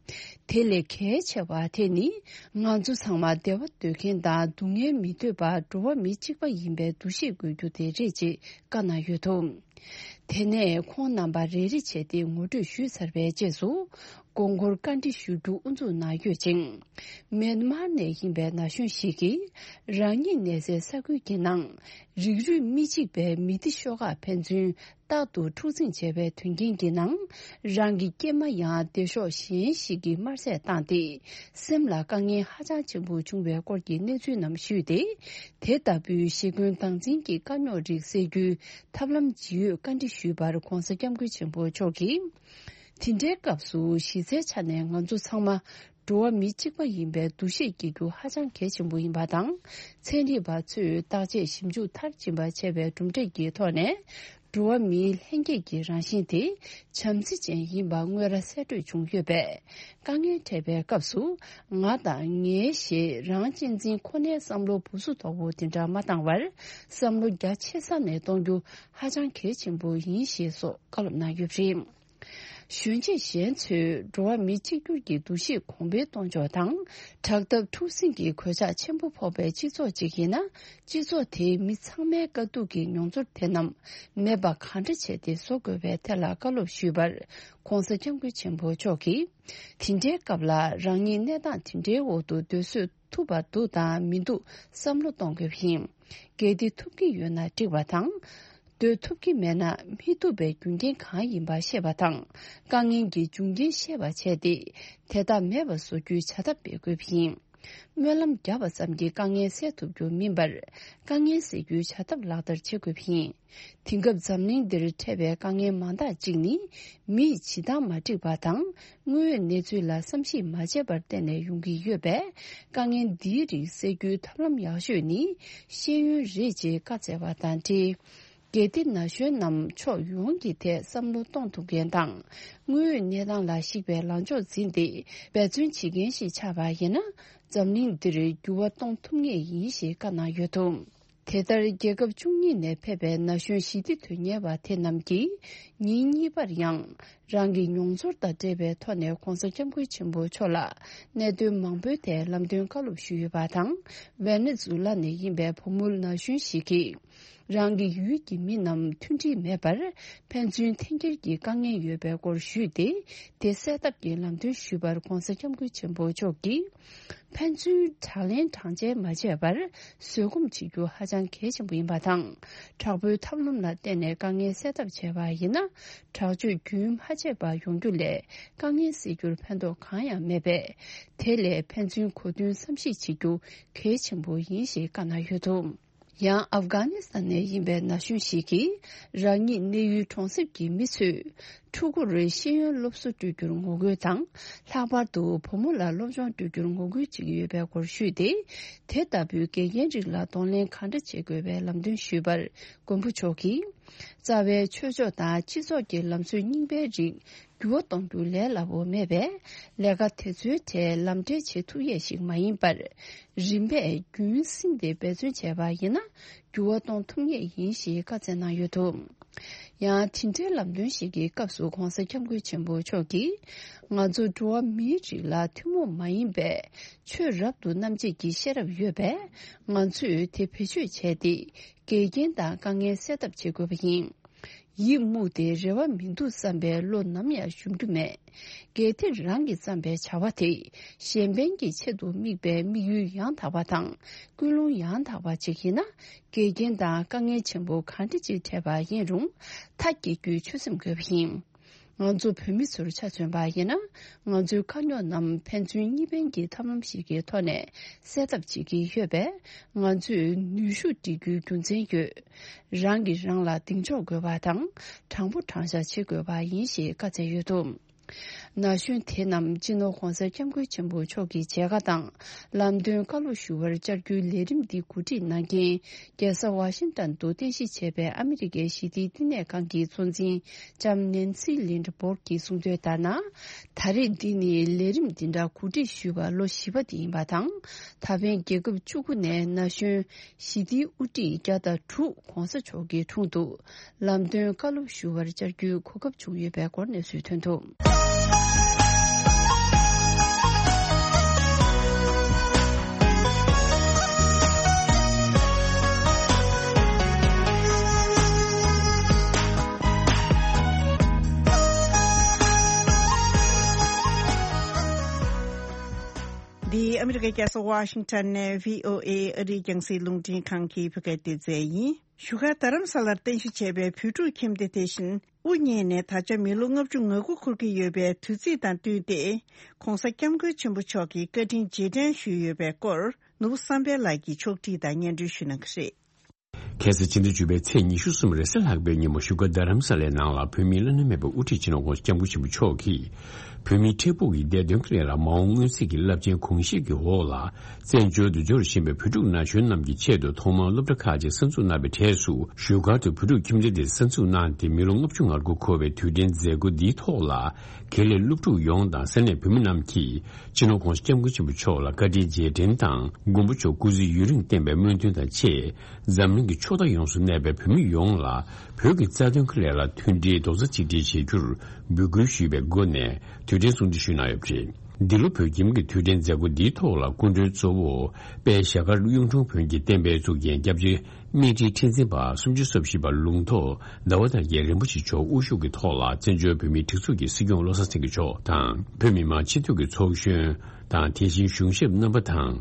དེ་ལས་གལ་ཆེ་བ་དེ་ནི་ང་ཚོ་ཚང་མ་བདེ་བ་འདོད་མཁན་དང་སྡུག་བསྔལ་མི་འདོད་པར་འགྲོ་བ་མི་གཅིག་པ་ཡིན་པའི་འདུ་ཤེས་དགོས་རྒྱུ་དེ་རེད་ཅེས་བཀའ་གནང་ཡོད་འདུག་དེ་ནས་ཁོང་རྣམ་པ་རེ་རེ་བྱས་ཏེ་ངོ་སྤྲོད་ཞུས་ཚར་བའི་རྗེས་སུ། དགོངས་སྐོར་བཀའ་འདྲི་ཞུ་རྒྱུ་དབུ་འཛུགས་གནང་ཡོད་ཅིང་། མེན་མར་ནས་ཡིན་པའི་ན་གཞོན་ཞིག་གིས་རང་ཉིད་གནས་སའི་ས་ཁུལ་གྱི་ནང་རིགས་རུས་མི་གཅིག་པའི་མི་སྡེ་ཤོག་ཁག་ཕན་ཚུན་རྟག་ཏུ་འཁྲུག་འཛིང་བྱས་པའི་དོན་རྐྱེན་གྱི་ནང་། རང་གི་སྐྱེས་མ་ཡང་སྡེ་ཤོག་གཞན་ཞིག་གིས་དམར་བསད་བཏང་སྟེ། སེམས་ལ་དཀའ་ངལ་ཧ་ཅང་ཆེན་པོ་བྱུང་བའི་སྐོར་གྱི་གནས་ཚུལ་རྣམས་ཞུས་ཏེ། དེ་ལྟ་བུའི་ཞི་རྒོལ་སྟངས་འཛིན་གྱི་དཀའ་རྙོག་རིགས་སེལ་རྒྱུའི་ཐབས་ལམ་ཇི་ཡོད་བཀའ་འདྲི་ཞུས་པར་༧གོང་ས་༧སྐྱབས་མགོན་ཆེན་པོ་མཆོག་གིས། དེ་འདྲའི་སྐབས་སུ་གཞི་རྩའི་ཆ་ནས་ང་ཚོ་ཚང་མ་འགྲོ་བ་མི་གཅིག་པ་ཡིན་པའི་འདུ་ཤེས་སྐྱེ་རྒྱུ་ཧ་ཅང་གལ་ཆེན་པོ་ཡིན་པ་དང་། ཚན་རིག་པ་ཚོས་བརྟག་དཔྱད་ཞིབ་འཇུག་མཐར་ཕྱིན་པ་བྱས་པའི་གྲུབ་འབྲས་ཀྱི་ཐོག་ནས། འགྲོ་བ་མིའི་ལྷན་སྐྱེས་ཀྱི་རང་བཞིན་དེ་བྱམས་བརྩེ་ཅན་ཡིན་པ་དངོས་ར་གསལ་བཀྲོལ་བྱུང་ཡོད་པས། དཀའ་ངལ་འཕྲད་པའི་སྐབས་སུ་ང་དང་ངའི་ཞེས་རང་གཅེས་འཛིན་ཁོ་ནའི་བསམ་བློ་སྦུ་སུ་དོག་པོ་དེ་འདྲ་མ་བཏང་བར། བསམ་བློ་རྒྱ་ཆེ་ས་ནས་གཏོང་རྒྱུ་ཧ་ཅང་གལ་ཆེན་པོ་ཡིན་ཞེས་སོགས་བཀའ་སློབ་གནང་ཡོད་པ་རེད། གཞོན་སྐྱེས་གཞན་ཚོས་འགྲོ་བ་མི་གཅིག་གྱུར་གྱི་འདུ་ཤེས་གོང་འཕེལ་གཏོང་ཕྱོགས་དང་། དྲག་འཐབ་འཁྲུག་ཟིང་གི་གོད་ཆག་ཆེན་པོ་ཕོག་པའི་སྤྱི་ཚོགས་ཅིག་ཡིན་ན། སྤྱི་ཚོགས་དེའི་མི་ཚང་མའི་དཀའ་སྡུག་གི་མྱོང་ཚོར་དེ་རྣམས་མེད་པ་གང་འདྲ་བྱས་ཏེ་བཟོ་དགོས་པའི་ཐད་ལ་བཀའ་སློབ་ཞུས་པར། ྋགོང་ས་ྋསྐྱབས་མགོན་ཆེན་པོ་མཆོག་གིས། དེ་འདྲའི་སྐབས་ལ་རང་ཉིད་གནས་སྟངས་དེ་འདྲའི་འོག་ཏུ་སྡོད་བཟོད་ཐུབ་པ་འདུག་དང་མི་འདུག་བསམ་བློ་གཏོང་དགོས་པ་ཡིན། གལ་ཏེ་ཐུབ་ཀྱི་ཡོད་ན་འགྲིག་པ་དང་། སྡོད་ཐུབ་ཀྱི་མེད་ན་མི་ཐུབ་པའི་རྒྱུ་རྐྱེན་གང་ཡིན་པ་ཤེས་པ་དང་། དཀའ་ངལ་གྱི་འབྱུང་རྐྱེན་ཤེས་པ་བྱས་ཏེ། དེ་དག་མེད་པ་བཟོ་རྒྱུའི་བྱ་ཐབས་སྤེལ་དགོས་པ་ཡིན། སྨོན་ལམ་བརྒྱབ་པ་ཙམ་གྱིས་དཀའ་ངལ་སེལ་ཐུབ་རྒྱུ་མིན་པར། དཀའ་ངལ་སེལ་རྒྱུའི་བྱ་ཐབས་ལག་བསྟར་བྱེད་དགོས་པ་ཡིན། དེང་སྐབས་འཛམ་གླིང་འདིར་འཕྲད་པའི་དཀའ་ངལ་མང་དག་ཅིག་ནི། མིས་བྱེད་སྟངས་མ་འགྲིག་པ་དང་། དངོས་ཡོད་གནས་ཚུལ་ལ་བསམ་གཞིག་མ་བྱས་པར་བརྟེན་ནས་ཡོང་གི་ཡོད་པས། དཀའ་ངལ་འདིའི་རིགས་སེལ་རྒྱུའི་ཐབས་ལམ་ཡག་ཤོས་ནི་ཤེས་ཡོན་རེད་ཅེས་བཀའ་སྩལ་བ་དང་འབྲེལ། གལ་ཏེ་ན་གཞོན་རྣམས་ཕྱོགས་ཡོངས་ཀྱི་ཐད་བསམ་བློ་གཏོང་ཐུབ་མཁན་དང་། དངོས་ཡོད་གནས་སྟངས་ལ་གཞིགས་པའི་ལངས་ཕྱོགས་འཛིན་ཏེ་འབད་བརྩོན་བྱེད་མཁན་ཞིག་ཆགས་པ་ཡིན་ན། འཛམ་གླིང་འདིར་འགྱུར་བ་གཏོང་ཐུབ་ངེས་ཡིན་ཞེས་བཀའ་གནང་ཡོད་འདུག་དེ་ལྟར་རྒྱལ་ཁབ་བཅུ་གཉིས་ནས་ཕེབས་པའི་ན་གཞོན་ཞི་བདེ་དོན་གཉེར་བ་དེ་རྣམས་ཀྱིས་ཉིན་གཉིས་པར་ཡང་རང་གི་མྱོང་ཚོར་དང་འབྲེལ་བའི་ཐོག་ནས་༧གོང་ས་༧སྐྱབས་མགོན་ཆེན་པོ་མཆོག་ལ་གནད་དོན་མང་པོའི་ཐད་ལམ་སྟོན་བཀའ་སློབ་ཞུས་ཡོད་པ་དང་། ཝེ་ནེ་ཛུ་ལ་ནས་ཡིན་པའི་བུ་མོ་ན་གཞོན་ཞིག་གིས། རང་གི་ཡུལ་གྱི་མི་རྣམས་མཐུན་སྒྲིལ་མེད་པར་ཕན་ཚུན་འཐེན་འཁྱེར་གྱི་དཀའ་ངལ་ཡོད་པའི་སྐོར་ཞུས་ཏེ། དེ་སེལ་ཐབས་ཀྱི་ལམ་སྟོན་ཞུས་པར་༧གོང་ས་༧སྐྱབས་མགོན་ཆེན་པོ་མཆོག་གིས། ཕན་ཚུན་དྲག་གླེང་དྲག་འཇལ་མ་བྱས་པར་བཟོད་སྒོམ་བྱེད་རྒྱུ་ཧ་ཅང་གལ་ཆེན་པོ་ཡིན་པ་དང་། དྲག་པོའི་ཐབས་ལམ་ལ་བརྟེན་ནས་དཀའ་ངལ་སེལ་ཐབས་བྱས་པ་ཡིན་ན། དྲག་སྤྱོད་རྒྱུན་མ་ཆད་པ་ཡོང་རྒྱུ་ལས་དཀའ་ངལ་སེལ་རྒྱུར་ཕན་ཐོགས་གང་ཡང་མེད་པས། དེ་ལས་ཕན་ཚུན་གོ་མཐུན་བསམ་ཤེས་བྱེད་རྒྱུ་གལ་ཆེན་པོ་ཡིན་ཞེས་བཀའ་གནང་ཡོད་འདུག་ཡང་ཨབ་གྷ་ནི་སི་ཐན་ནས་ཡིན་པའི་ན་གཞོན་ཞིག་གིས། རང་ཉིད་གནས་ཡུལ་གྲོང་གསེབ་ཀྱི་མི་ཚོས་ཕྲུ་གུར་ཤེས་ཡོན་སློབ་གསོ་སྤྲོད་རྒྱུར་ངོ་རྒོལ་དང་། ལྷག་པར་དུ་བུ་མོ་ལ་སློབ་སྦྱོང་སྤྲོད་རྒྱུར་ངོ་རྒོལ་བྱེད་ཀྱི་ཡོད་པའི་སྐོར་ཞུས་ཏེ། དེ་ལྟ་བུའི་འགལ་རྐྱེན་རིགས་ལ་གདོང་ལེན་གང་འདྲ་བྱེད་དགོས་པའི་ལམ་སྟོན་ཞུས་པར། མགོན་པོ་མཆོག་གིས། རྩ་བའི་ཆོས་ཕྱོགས་དང་སྤྱི་ཚོགས་ཀྱི་ལམ་སྲོལ་རྙིང་པའི་རིགས། འགྱུར་བ་གཏོང་རྒྱུ་ལས་སླ་པོ་མེད་པས། ལས་ཀ་དེ་ཚོའི་གྲས་ལམ་འགྲེལ་བྱེད་ཐུབ་ཡས་ཤིག་མ་ཡིན་པར། རིམ་པས་རྒྱུན་བསྲིངས་ཏེ་འབད་བརྩོན་བྱས་པ་ཡིན་ན། འགྱུར་བ་གཏོང་ཐུབ་ངེས་ཡིན་ཞེས་བཀའ་སྩལ་གནང་ཡོད་འདུག་ཡང་དེ་འདྲའི་ལམ་སྟོན་ཞིག་གི་སྐབས་སུ་༧གོང་ས་༧སྐྱབས་མགོན་ཆེན་པོ་མཆོག་གིས། ང་ཚོ་འགྲོ་བ་མིའི་རིགས་ལ་ཐུན་མོང་མ་ཡིན་པའི་ཆོས་རབ་ཏུ་རྣམ་འབྱེད་ཀྱི་ཤེས་རབ་ཡོད་པས། ང་ཚོས་དེ་བེད་སྤྱོད་བྱས་ཏེ། འགལ་རྐྱེན་དང་དཀའ་ངལ་སེལ་ཐབས་བྱེད་དགོས་པ་ཡིན། ཡིད་མུག་སྟེ་རེ་བ་མི་འདུག་བསམ་པའི་བློ་ནམ་ཡང་ཞུམ་རྒྱུ་མེད། གལ་ཏེ་རང་གིས་བརྩམས་པའི་བྱ་བ་དེ་གཞན་ཕན་གྱི་ཆེད་དུ་དམིགས་པའི་དམིགས་ཡུལ་ཡང་དག་པ་དང་ཀུན་སློང་ཡང་དག་པ་ཅིག་ཡིན་ན། འགལ་རྐྱེན་དང་དཀའ་ངལ་ཆེན་པོ་གང་འདྲ་ཅིག་འཕྲད་པ་ཡིན་རུང་མཐའ་སྐྱེལ་རྒྱུའི་ཆོད་སེམས་དགོས་པ་ཡིན། ང་ཚོ་བོད་མི་ཚོར་ཆ་མཚོན་པ་ཡིན་ན། ང་ཚོའི་དཀའ་རྙོག་རྣམས་ཕན་ཚུན་གཉིས་ཕན་གྱི་ཐབས་ལམ་ཞིག་གི་ཐོག་ནས་སེལ་ཐབས་བྱེད་ཀྱི་ཡོད་པས། ང་ཚོས་ནུས་ཤུགས་སྒྲིལ་རྒྱུའི་རྒྱུ་མཚན་ཡོད། རང་གིས་རང་ལ་གདེང་འཇོག་དགོས་པ་དང་། དྲང་པོ་དྲང་བཞག་བྱེད་དགོས་པ་ཡིན་ཞེས་བཀའ་སྩལ་ཡོད་འདུག་ན་གཞོན་དེ་རྣམས་སྤྱི་ནོར་༧གོང་ས་༧སྐྱབས་མགོན་ཆེན་པོ་མཆོག་གི་མཇལ་ཁ་དང་། ལམ་སྟོན་བཀའ་སློབ་ཞུ་བར་བཅར་རྒྱུའི་ལས་རིམ་འདི་གོ་སྒྲིག་གནང་མཁན། རྒྱལ་ས་ཝ་ཤིང་ཏན་དུ་རྟེན་གཞི་བྱས་པའི་ཨ་མི་རི་ཀའི་ཞི་བདེའི་བསྟི་གནས་ཁང་གི་གཙོ་འཛིན་ལྕམ་ནེན་སི་ལིན་ཌ་སྦོར་གྱིས་གསུངས་དོན་ལྟར་ན། ད་རེས་འདི་ནི་ལས་རིམ་འདི་འདྲ་གོ་སྒྲིག་ཞུས་པ་ལོ་བཞི་པ་དེ་ཡིན་པ་དང་། ད་ཕན་རྒྱལ་ཁབ་བཅུ་དགུ་ནས་ན་གཞོན་ཞི་བདེའི་དབུ་ཁྲིད་བརྒྱ་དང་དྲུག་༧གོང་ས་མཆོག་གི་དྲུང་དུ་ལམ་སྟོན་བཀའ་སློབ་ཞུ་བར་བཅར་རྒྱུའི་གོ་སྐབས་བྱུང་ཡོད་པའི་སྐོར་གནས་ཚུལ་ཐོན་འདུག་འདི་ཨ་མི་རི་ཀའི་རྒྱལ་ས་ཝ་ཤིང་ཊོན་ནས་བྷི་ཨོ་ཨེ་ཨ་རིའི་རྒྱང་སྲིང་རླུང་འཕྲིན་ཁང་གི་བོད་སྐད་སྡེ་ཚན་ཡིན། བཞུགས་སྒར་རྡ་རམ་ས་ལར་རྟེན་གཞི་བྱས་པའི་བོད་ཕྲུག་ཁྱིམ་སྡེ་དེ་བཞིན་དབུ་བརྙེས་ནས་ད་ཆ་མི་ལོ་ལྔ་བཅུ་ང་དགུ་འཁོར་གྱི་ཡོད་པའི་དུས་ཚིགས་དང་བསྟུན་ཏེ། ྋགོང་ས་ྋསྐྱབས་མགོན་ཆེན་པོ་མཆོག་གི་བཀའ་དྲིན་རྗེས་དྲན་ཞུས་ཡོད་པའི་སྐོར། ནོར་བུ་བསམ་འཕེལ་ལགས་ཀྱིས་ཕྱོགས་བསྒྲིགས་དང་སྙན་སྒྲོན་ཞུ་གནང་གི་རེད། ཁ་སང་ཕྱི་ཟླ་བཅུ་པའི་ཚེས་ཉི་ཤུ་གསུམ་རེས་གཟའ་ལྷག་པའི་ཉིན་མོ་བཞུགས་སྒར་རྡ་རམ་ས་ལའི་ནང་ལ་བོད་མིའི་བླ་ན་མེད་པའི་དབུ་ཁྲིད་སྤྱི་ནོར་༧གོང་ས་༧སྐྱབས་མགོན་ཆེན་པོ་མཆོག་གིས། བོད་མིའི་འཕྲལ་ཕུགས་ཀྱི་བདེ་དོན་སླད་ལ་མ་འོངས་མངོན་གསལ་གྱི་རླབས་ཆེན་གོང་བཞིན་གྱི་འོག་ལ། བཙན་བྱོལ་དུ་འབྱོར་བཞིན་པའི་བོད་ཕྲུག་ན་གཞོན་རྣམས་ཀྱི་ཆེད་དུ་ཐོག་མར་སློབ་གྲྭ་ཁག་ཅིག་གསར་འཛུགས་གནང་བའི་གྲས་སུ། བཞུགས་སྒར་དུ་བོད་ཕྲུག་ཁྱིམ་སྡེ་དེ་གསར་འཛུགས་གནང་སྟེ་མི་ལོ་ལྔ་བཅུ་ང་དགུ་འཁོར་བའི་དུས་དྲན་མཛད་སྒོ་འདིའི་ཐོག་ལ། དགེ་ལས་སློབ་ཕྲུག་ཡོངས་དང་ས་གནས་བོད་མི་རྣམས་ཀྱིས། སྤྱི་ནོར་༧གོང་ས་༧སྐྱབས་མགོན་ཆེན་པོ་མཆོག་ལ་བཀའ་དྲིན་རྗེས་དྲན་དང་། མགོན་པོ་མཆོག་སྐུ་ཚེ་ཡུན་རིང་བརྟན་པའི་སྨོན་འདུན་དང་བཅས། འཛམ་གླིང་གི་ཕྱོགས་མཐའ་ཡོངས་སུ་གནས་པའི་བོད་མི་ཡོངས་ལ། བོད་ཀྱི་རྩ་དོན་གྱི་སླད་ལ་མཐུན་སྒྲིལ་རྡོག་རྩ་གཅིག་སྒྲིལ་བྱེད་རྒྱུར་འབོད་སྐུལ་ཞུས་པའི་སྒོ་ནས་དུས་དྲན་སྲུང་བརྩི་ཞུས་གནང་ཡོད་པ་རེད། འདི་ལོ་བོད་ཁྱིམ་གྱི་དུས་དྲན་མཛད་སྒོ་འདིའི་ཐོག་ལ་སྐུ་མགྲོན་གཙོ་བོ་དཔལ་ཞྭ་དཀར་གཡུང་དྲུང་བོན་གྱི་བསྟན་པའི་གཙུག་རྒྱན་སྐྱབས་རྗེ་སྨན་ཁྲིའི་ཁྲི་འཛིན་པ་སུམ་ཅུ་སོ་བཞི་པ་ལུང་རྟོགས་ཟླ་བ་དར་རྒྱས་རིན་པོ་ཆེ་མཆོག་དབུ་བཞུགས་ཀྱི་ཐོག་ལ་བཙན་བྱོལ་བོད་མིའི་སྒྲིག་འཛུགས་ཀྱི་སྲིད་སྐྱོང་བློ་བཟང་སེང་གེ་མཆོག་དང་བོད་མི་མང་སྤྱི་འཐུས་ཀྱི་ཚོགས་གཞོན་དང་། དེ་བཞིན་གཞུང་ཞབས་རྣམ་པ་དང་།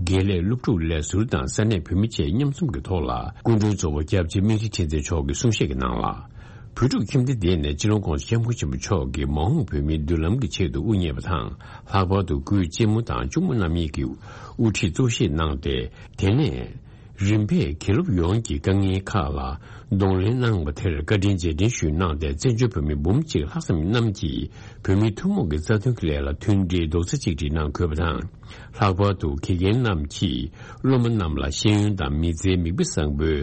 དགེ་ལས། སློབ་ཕྲུག་ལས་ཟུར་དང་ས་གནས་བོད་མི་བཅས་མཉམ་འཛོམས་ཀྱི་ཐོག་ལ་སྐུ་མགྲོན་གཙོ་བོ་སྐྱབས་རྗེ་སྨན་ཁྲི་ཁྲི་འཛིན་མཆོག་གིས་གསུང་བཤད་ཀྱི་ནང་ལ། བོད་ཕྲུག་ཁྱིམ་སྡེ་འདི་ནས་སྤྱི་ནོར་༧གོང་ས་༧སྐྱབས་མགོན་ཆེན་པོ་མཆོག་གིས་མ་འོངས་བོད་མིའི་མདུན་ལམ་གྱི་ཆེད་དུ་དབུ་བརྙེས་པ་དང་། ལྷག་པར་དུ་སྐུའི་གཅེན་མོ་དང་གཅུང་མོ་རྣམ་གཉིས་ཀྱིས་དབུ་ཁྲིད་གཙོ་བཞེས་གནང་སྟེ། དེ་ནས། རིམ་པས་དགེ་སློབ་ཡོངས་ཀྱི་དཀའ་ངལ་ཁག་ལ་གདོང་ལེན་གནང་བ་དེར་བཀའ་དྲིན་རྗེས་དྲན་ཞུས་གནང་སྟེ། བཙན་བྱོལ་བོད་མི་འབུམ་གཅིག་ལྷག་ཙམ་རྣམས་ཀྱིས་བོད་མིའི་ཐུན་མོང་གི་རྩ་དོན་གྱི་སླད་ལ་མཐུན་སྒྲིལ་རྡོག་རྩ་གཅིག་སྒྲིལ་གནང་དགོས་པ་དང་། ལྷག་པར་དུ་དགེ་རྒན་རྣམས་ཀྱིས་སློབ་མ་རྣམས་ལ་ཤེས་ཡོན་དང་མི་ཚེའི་མིག་དཔེ་བཟང་པོའི་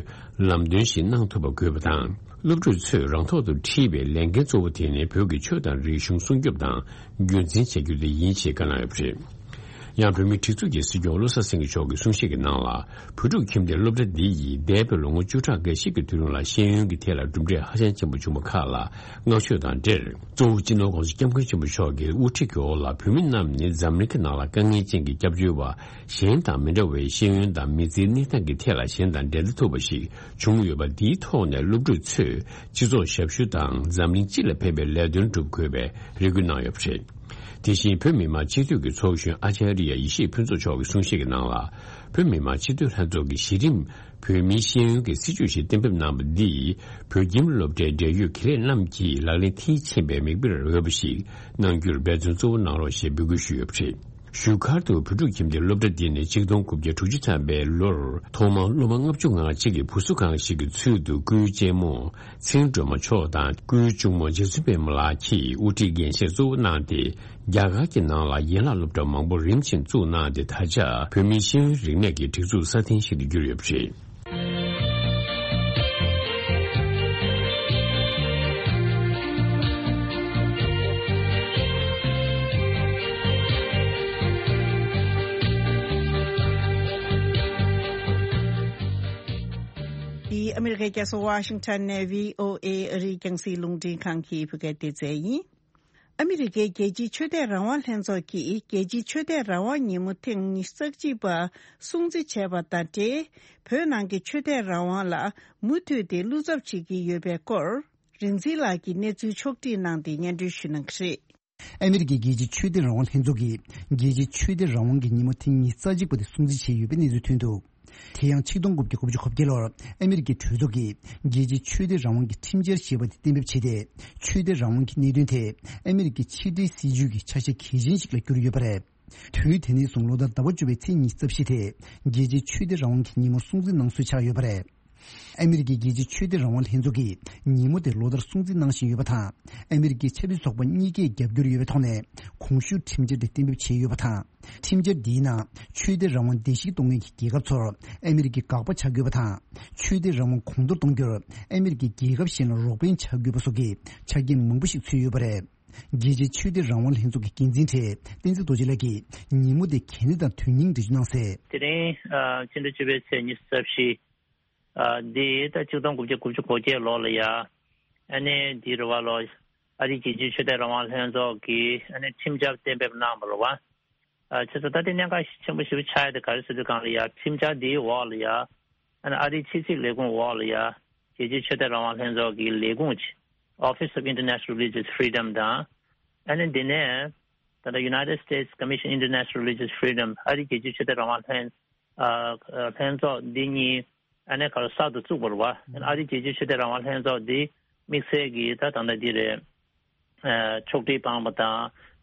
ལམ་སྟོན་ཞིག་གནང་ཐུབ་པ་དགོས་པ་དང་། སློབ་ཕྲུག་ཚོས་རང་ཐོག་ཏུ་འཁྲིད་པའི་ལས་འགན་གཙོ་བོ་དེ་ནི་བོད་ཀྱི་ཆོས་དང་རིག་གཞུང་སྲུང་སྐྱོབ་དང་རྒྱུན་འཛིན་བྱ་རྒྱུ་དེ་ཡིན་ཞེས་བཀའ་གནང་ཡོད་པ་རེད། ཡང་བོད་མིའི་སྒྲིག་འཛུགས་ཀྱི་སྲིད་སྐྱོང་བློ་བཟང་སེང་གེ་མཆོག་གིས་གསུང་བཤད་ཀྱི་ནང་ལ། བོད་ཕྲུག་ཁྱིམ་སྡེ་སློབ་གྲྭ་འདི་ཡིས་འདས་པའི་ལོ་ངོ་བཅུ་ཕྲག་འགའ་ཞིག་གི་དུས་རིང་ལ་ཤེས་ཡོན་གྱི་ཐད་ལ་གྲུབ་འབྲས་ཧ་ཅང་ཆེན་པོ་བྱུང་བ་ཁག་ལ་བསྔགས་བརྗོད་དང་འབྲེལ། གཙོ་བོ་སྤྱི་ནོར་༧གོང་ས་༧སྐྱབས་མགོན་ཆེན་པོ་མཆོག་གི་དབུ་ཁྲིད་ཀྱི་འོག་ལ་བོད་མི་རྣམས་ནི་འཛམ་གླིང་གི་ནང་ལ་དཀའ་ངལ་ཅན་གྱི་སྐྱབས་བཅོལ་བ་གཞན་དང་མི་འདྲ་བའི་ཤེས་ཡོན་དང་མི་ཚེའི་གནས་སྟངས་ཀྱི་ཐད་ལ་གཞན་དང་འགྲན་ཟླ་ཐུབ་པ་ཞིག་བྱུང་ཡོད་པ་འདིའི་ཐོག་ནས་སློབ་ཕྲུག་ཚོས་སྤྱི་ཚོགས་ཞབས་ཞུ་དང་འཛམ་གླིང་སྤྱི་ལ་ཕན་པའི་ལས་དོན་སྒྲུབ་དགོས་པའི་རེ་སྐུལ་གནང་ཡོད་པ་རེད། དེ་བཞིན་བོད་མི་མང་སྤྱི་འཐུས་ཀྱི་ཚོགས་གཞོན་ཨ་ཅཱ་རི་ཡ་ཡེ་ཤེས་ཕུན་ཚོགས་མཆོག་གིས་གསུང་བཤད་ཀྱི་ནང་ལ། བོད་མི་མང་སྤྱི་འཐུས་ལྷན་ཚོགས་ཀྱིས་གཞི་རིམ་བོད་མིའི་ཤེས་ཡོན་གྱི་སྲིད་བྱུས་ཤིག་གཏན་འབེབས་གནང་བ་འདིས་བོད་ཁྱིམ་སློབ་གྲྭའི་འབྲེལ་ཡོད་དགེ་ལས་རྣམས་ཀྱིས་ལག་ལེན་མཐིལ་ཕྱིན་པའི་མིག་དཔེར་འོས་པ་ཞིག་གནང་རྒྱུར་འབད་བརྩོན་གཙོ་བོ་གནང་རོགས་ཞེས་འབོད་སྐུལ་ཞུས་ཡོད་པ་རེད། བཞུགས་སྒར་དུ་བོད་ཕྲུག་ཁྱིམ་སྡེ་སློབ་གྲྭ་འདི་ནི་ཆིག་སྟོང་དགུ་བརྒྱ་དྲུག་ཅུ་ཐམ་པའི་ལོར་ཐོག་མར་སློབ་མ་ལྔ་བཅུ་ང་གཅིག་གི་བུ་གསོ་ཁང་ཞིག་གི་ཚུལ་དུ་སྐུའི་གཅེན་མོ་ཚེ་རིང་སྒྲོལ་མ་མཆོག་དང་སྐུའི་གཅུང་མོ་རྗེ་བཙུན་པད་མ་ལགས་ཀྱིས་དབུ་ཁྲིད་འགན་བཞེས་གཙོ་བོ་གནང་སྟེ། རྒྱ་གར་གྱི་ནང་ལ་ཡན་ལག་སློབ་གྲྭ་མང་པོ་རིམ་བཞིན་བཙུགས་གནང་སྟེ། ད་ཆ་བོད་མིའི་ཤེས་ཡོན་རིག་གནས་ཀྱི་སྒྲིག་འཛུགས་སྲ་བརྟན་ཞིག་ཏུ་གྱུར་ཡོད་པ་རེད། འདི་ཨ་མི་རི་ཀའི་རྒྱལ་ས་ཝ་ཤིང་ཊོན་ནས་བྷི་ཨོ་ཨེ་ཨ་རིའི་རྒྱང་སྲིང་རླུང་འཕྲིན་ཁང་གི་བོད་སྐད་སྡེ་ཚན་ཡིན། ཨ་མི་རི་ཀའི་རྒྱལ་སྤྱིའི་ཆོས་དད་རང་དབང་ལྷན་ཚོགས་ཀྱིས་རྒྱལ་སྤྱིའི་ཆོས་དད་རང་དབང་ཉིན་མོ་ཐེངས་ཉི་ཤུ་རྩ་གཅིག་པ་སྲུང་བརྩི་བྱས་པ་དང་འབྲེལ། བོད་ནང་གི་ཆོས་དད་རང་དབང་ལ་མུ་མཐུད་དེ་བློ་འཚབ་བྱེད་ཀྱི་ཡོད་པའི་སྐོར། རིག་འཛིན་ལགས་ཀྱིས་གནས་ཚུལ་ཕྱོགས་བསྒྲིགས་གནང་སྟེ་སྙན་སྒྲོན་ཞུ་གནང་གི་རེད། ཨ་མི་རི་ཀའི་རྒྱལ་སྤྱིའི་ཆོས་དད་རང་དབང་ལྷན་ཚོགས་ཀྱིས་རྒྱལ་སྤྱིའི་ཆོས་དད་རང་དབང་གི་ཉིན་མོ་ཐེངས་ཉི་ཤུ་རྩ་གཅིག་པ་དེ་སྲུང་བརྩི་བྱས་ཡོད་པའི་གནས་ཚུལ་ཐོན་འདུག་དེ་ཡང་ཆིག་སྟོང་དགུ་བརྒྱ་དགུ་བཅུ་གོ་བརྒྱད་ལོར་ཨ་མི་རི་ཀའི་གྲོས་ཚོགས་ཀྱིས་རྒྱལ་སྤྱིའི་ཆོས་དད་རང་དབང་གི་ཁྲིམས་འཆར་ཞེས་པ་དེ་གཏན་འབེབས་བྱས་ཏེ། ཆོས་དད་རང་དབང་གི་གནད་དོན་དེ་ཨ་མི་རི་ཀའི་ཕྱི་འབྲེལ་སྲིད་ཇུས་ཀྱི་ཆ་ཤས་གལ་ཆེན་ཞིག་ལ་གྱུར་ཡོད་པ་རེད། དུས་དེ་ནས་བཟུང་ལོ་ལྟར་ཟླ་བ་བཅུ་པའི་ཚེས་ཉི་ཤུ་རྩ་བཞི་དེ་རྒྱལ་སྤྱིའི་ཆོས་དད་རང་དབང་གི་ཉིན་མོ་སྲུང་བརྩི་གནང་སྲོལ་ཆགས་ཡོད་པ་རེད། ཨ་མི་རི་ཀའི་རྒྱལ་སྤྱིའི་ཆོས་དད་རང་དབང་ལྷན་ཚོགས་ཀྱིས་ཉིན་མོ་དེ་ལོ་ལྟར་སྲུང་བརྩི་གནང་བཞིན་ཡོད་པ་དང་། ཨ་མི་རི་ཀའི་ཆབ་སྲིད་ཚོགས་པ་གཉིས་ཀས་རྒྱབ་སྐྱོར་ཡོད་པའི་ཐོག་ནས་གོང་ཞུས་ཁྲིམས་འཆར་དེ་གཏན་འབེབས་བྱས་ཡོད་པ་དང་། ཁྲིམས་འཆར་འདིའི་ནང་ཆོས་དད་རང་དབང་བརྡལ་བཤིག་གཏོང་མཁན་གྱི་རྒྱལ་ཁབ་ཚོར་ཨ་མི་རི་ཀས་དགག་པ་བྱ་དགོས་པ་དང་། ཆོས་དད་རང་དབང་གོང་མཐོར་གཏོང་རྒྱུར་ཨ་མི་རི་ཀས་རྒྱལ་ཁབ་གཞན་ལ་རོགས་ཕན་བྱ་དགོས་པ་སོགས་ཀྱི་ཆ་རྐྱེན་མང་པོ་ཞིག་ཚུད་ཡོད་པ་རེད། རྒྱལ་སྤྱིའི་ཆོས་དད་རང་དབང་ལྷན་ཚོགས་ཀྱི་འགན་འཛིན་གྲས་བསྟན་འཛིན་རྡོ་རྗེ་ལགས་ཀྱིས་ཉིན་མོ་དེ་གལ་གནད་དང་དོན་སྙིང་འགྲེལ་བརྗོད་གནང་གསལ། དེ་རིང་ཨ་ཕྱི་ཟླ་བཅུ་པའི་ཚེས་ཉི་ཤུ་རྩ་བཞི། ཨ་འདི་ད་ཆིག་སྟོང་དགུ་བརྒྱ་དགུ་བཅུ་གོ་བརྒྱད་ལོ་ལ་ཡ། ཨ་ནི་འདི་རེད་བ་ལོ། ཨ་རིའི་རྒྱལ་སྤྱིའི་ཆོས་དད་རང་དབང་ལྷན་ཚོགས་ཀྱིས་ཨ་ནི་ཁྲིམས་འཆར་གཏན་འབེབས་གནང་བ་རེད་བ། ཨ་བྱས་ཙང་ད་ལྟའི་གནད་འགག་ཆེན་པོ་ཞེ་པོ་ཆགས་ཡ་དེ་ག་རེ་ཟེར་དུས་སྒང་ལ་ཡ། ཁྲིམས་འཆར་འདིའི་འོག་ལ་ཡ། ཨ་ནི་ཨ་རིའི་ཕྱི་སྲིད་ལས་ཁུངས་འོག་ལ་ཡ། རྒྱལ་སྤྱིའི་ཆོས་དད་རང་དབང་ལྷན་ཚོགས་ཀྱི་ལས་ཁུངས་ཀྱི་Office of International Religious Freedom དང་། ཨ་ནི་འདི་ནས་ད་ལྟ་United States Commission International Religious Freedom ཨ་རིའི་རྒྱལ་སྤྱིའི་ཆོས་དད་རང་དབང་ལྷན། ཨ་ལྷན་ཚོགས་འདི་གཉིས་ཨ་ནི་ག་རེ་གསར་དུ་བཙུགས་པ་རེད་བ། ཨ་ནི་ཨ་རིའི་རྒྱལ་སྤྱིའི་ཆོས་དད་རང་དབང་ལྷན་ཚོགས་འདི་དམིགས་བསལ་གྱིས་ད་ད་ལྟ་འདི་རེད། ཨ་ཕྱོགས་སྒྲིག་བཏང་བ་དང་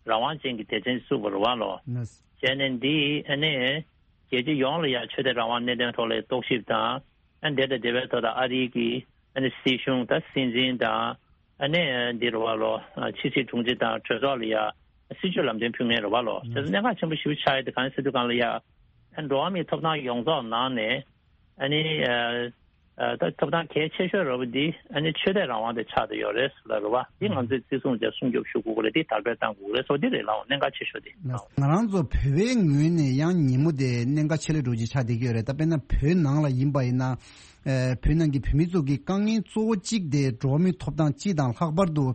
རང་དབང་ཅན་གྱི་སྡེ་ཚན་བཙུགས་པ་རེད་བ་ལོ། ལགས། བྱས་ནས་འདི་ཨ་ནི་རྒྱལ་སྤྱི་ཡོངས་ལ་ཡང་ཆོས་དད་རང་དབང་གནད་དོན་ཐོག་ལ་རྟོག་ཞིབ་དང་། ཨ་འདི་དང་འདི་བའི་ཐོག་ད་ཨ་རི་གི་ཨ་ནི་སྲིད་གཞུང་དང་སྲིད་འཛིན་དང་ཨ་ནི་འདི་རུ་བ་ལོ་ཕྱི་སྲིད་དྲུང་ཆེ་དང་གྲོས་ཚོགས་ལ་ཡ་སྲིད་ཇུས་ལམ་སྟོན་ཕུལ་མཁན་རུ་བ་ལོ་དེ་ཚོ་གནད་འགག་ཆེན་པོ་ཞིག་ཆགས་ཡོད་དེ་གང་ཟེར་དུས་གང་ལ་ཡ་ཨ་འགྲོ་བ་མིའི་ཐོབ་ཐང་ཡོངས་རྫོགས་ནང་ནས་ཨ་ནི་ཨ་ད་ཐོབ་ཐང་གལ་ཆེ་ཤོས་རུ་བ་འདི་ཨ་ནི་ཆོས་དད་རང་དབང་དེ་ཆགས་བསྡད་ཡོད་རེད་ཟེར་ལ་རུ་བ་འདི་ང་ཚོས་བརྩི་སྲུང་བྱས་སྲུང་སྐྱོབ་ཞུ་དགོས་ཀྱི་རེད། འདི་དར་སྤེལ་གཏང་དགོས་ཀྱི་རེད། སོ་འདི་རེད་ལའོ་གནད་འགག་ཆེ་ཤོས་དེ། ང་རང་ཚོ་བོད་པའི་ངོས་ནས་ཡང་ཉིན་མོ་དེ་གནད་འགག་ཆེ་ལས་འགྲོ་རྒྱུ་ཆགས་བསྡད་ཀྱི་ཡོད་རེད། ད་དཔེར་ན་བོད་ནང་ལ་ཡིན་པ་ཡིན་ན། ཨ་བོད་ནང་གི་བོད་མི་ཚོ་གི་དཀའ་ངལ་གཙོ་བོ་གཅིག་དེ་འགྲོ་བ་མིའི་ཐོབ་ཐང་སྤྱི་དང་ལྷག་པར་དུ་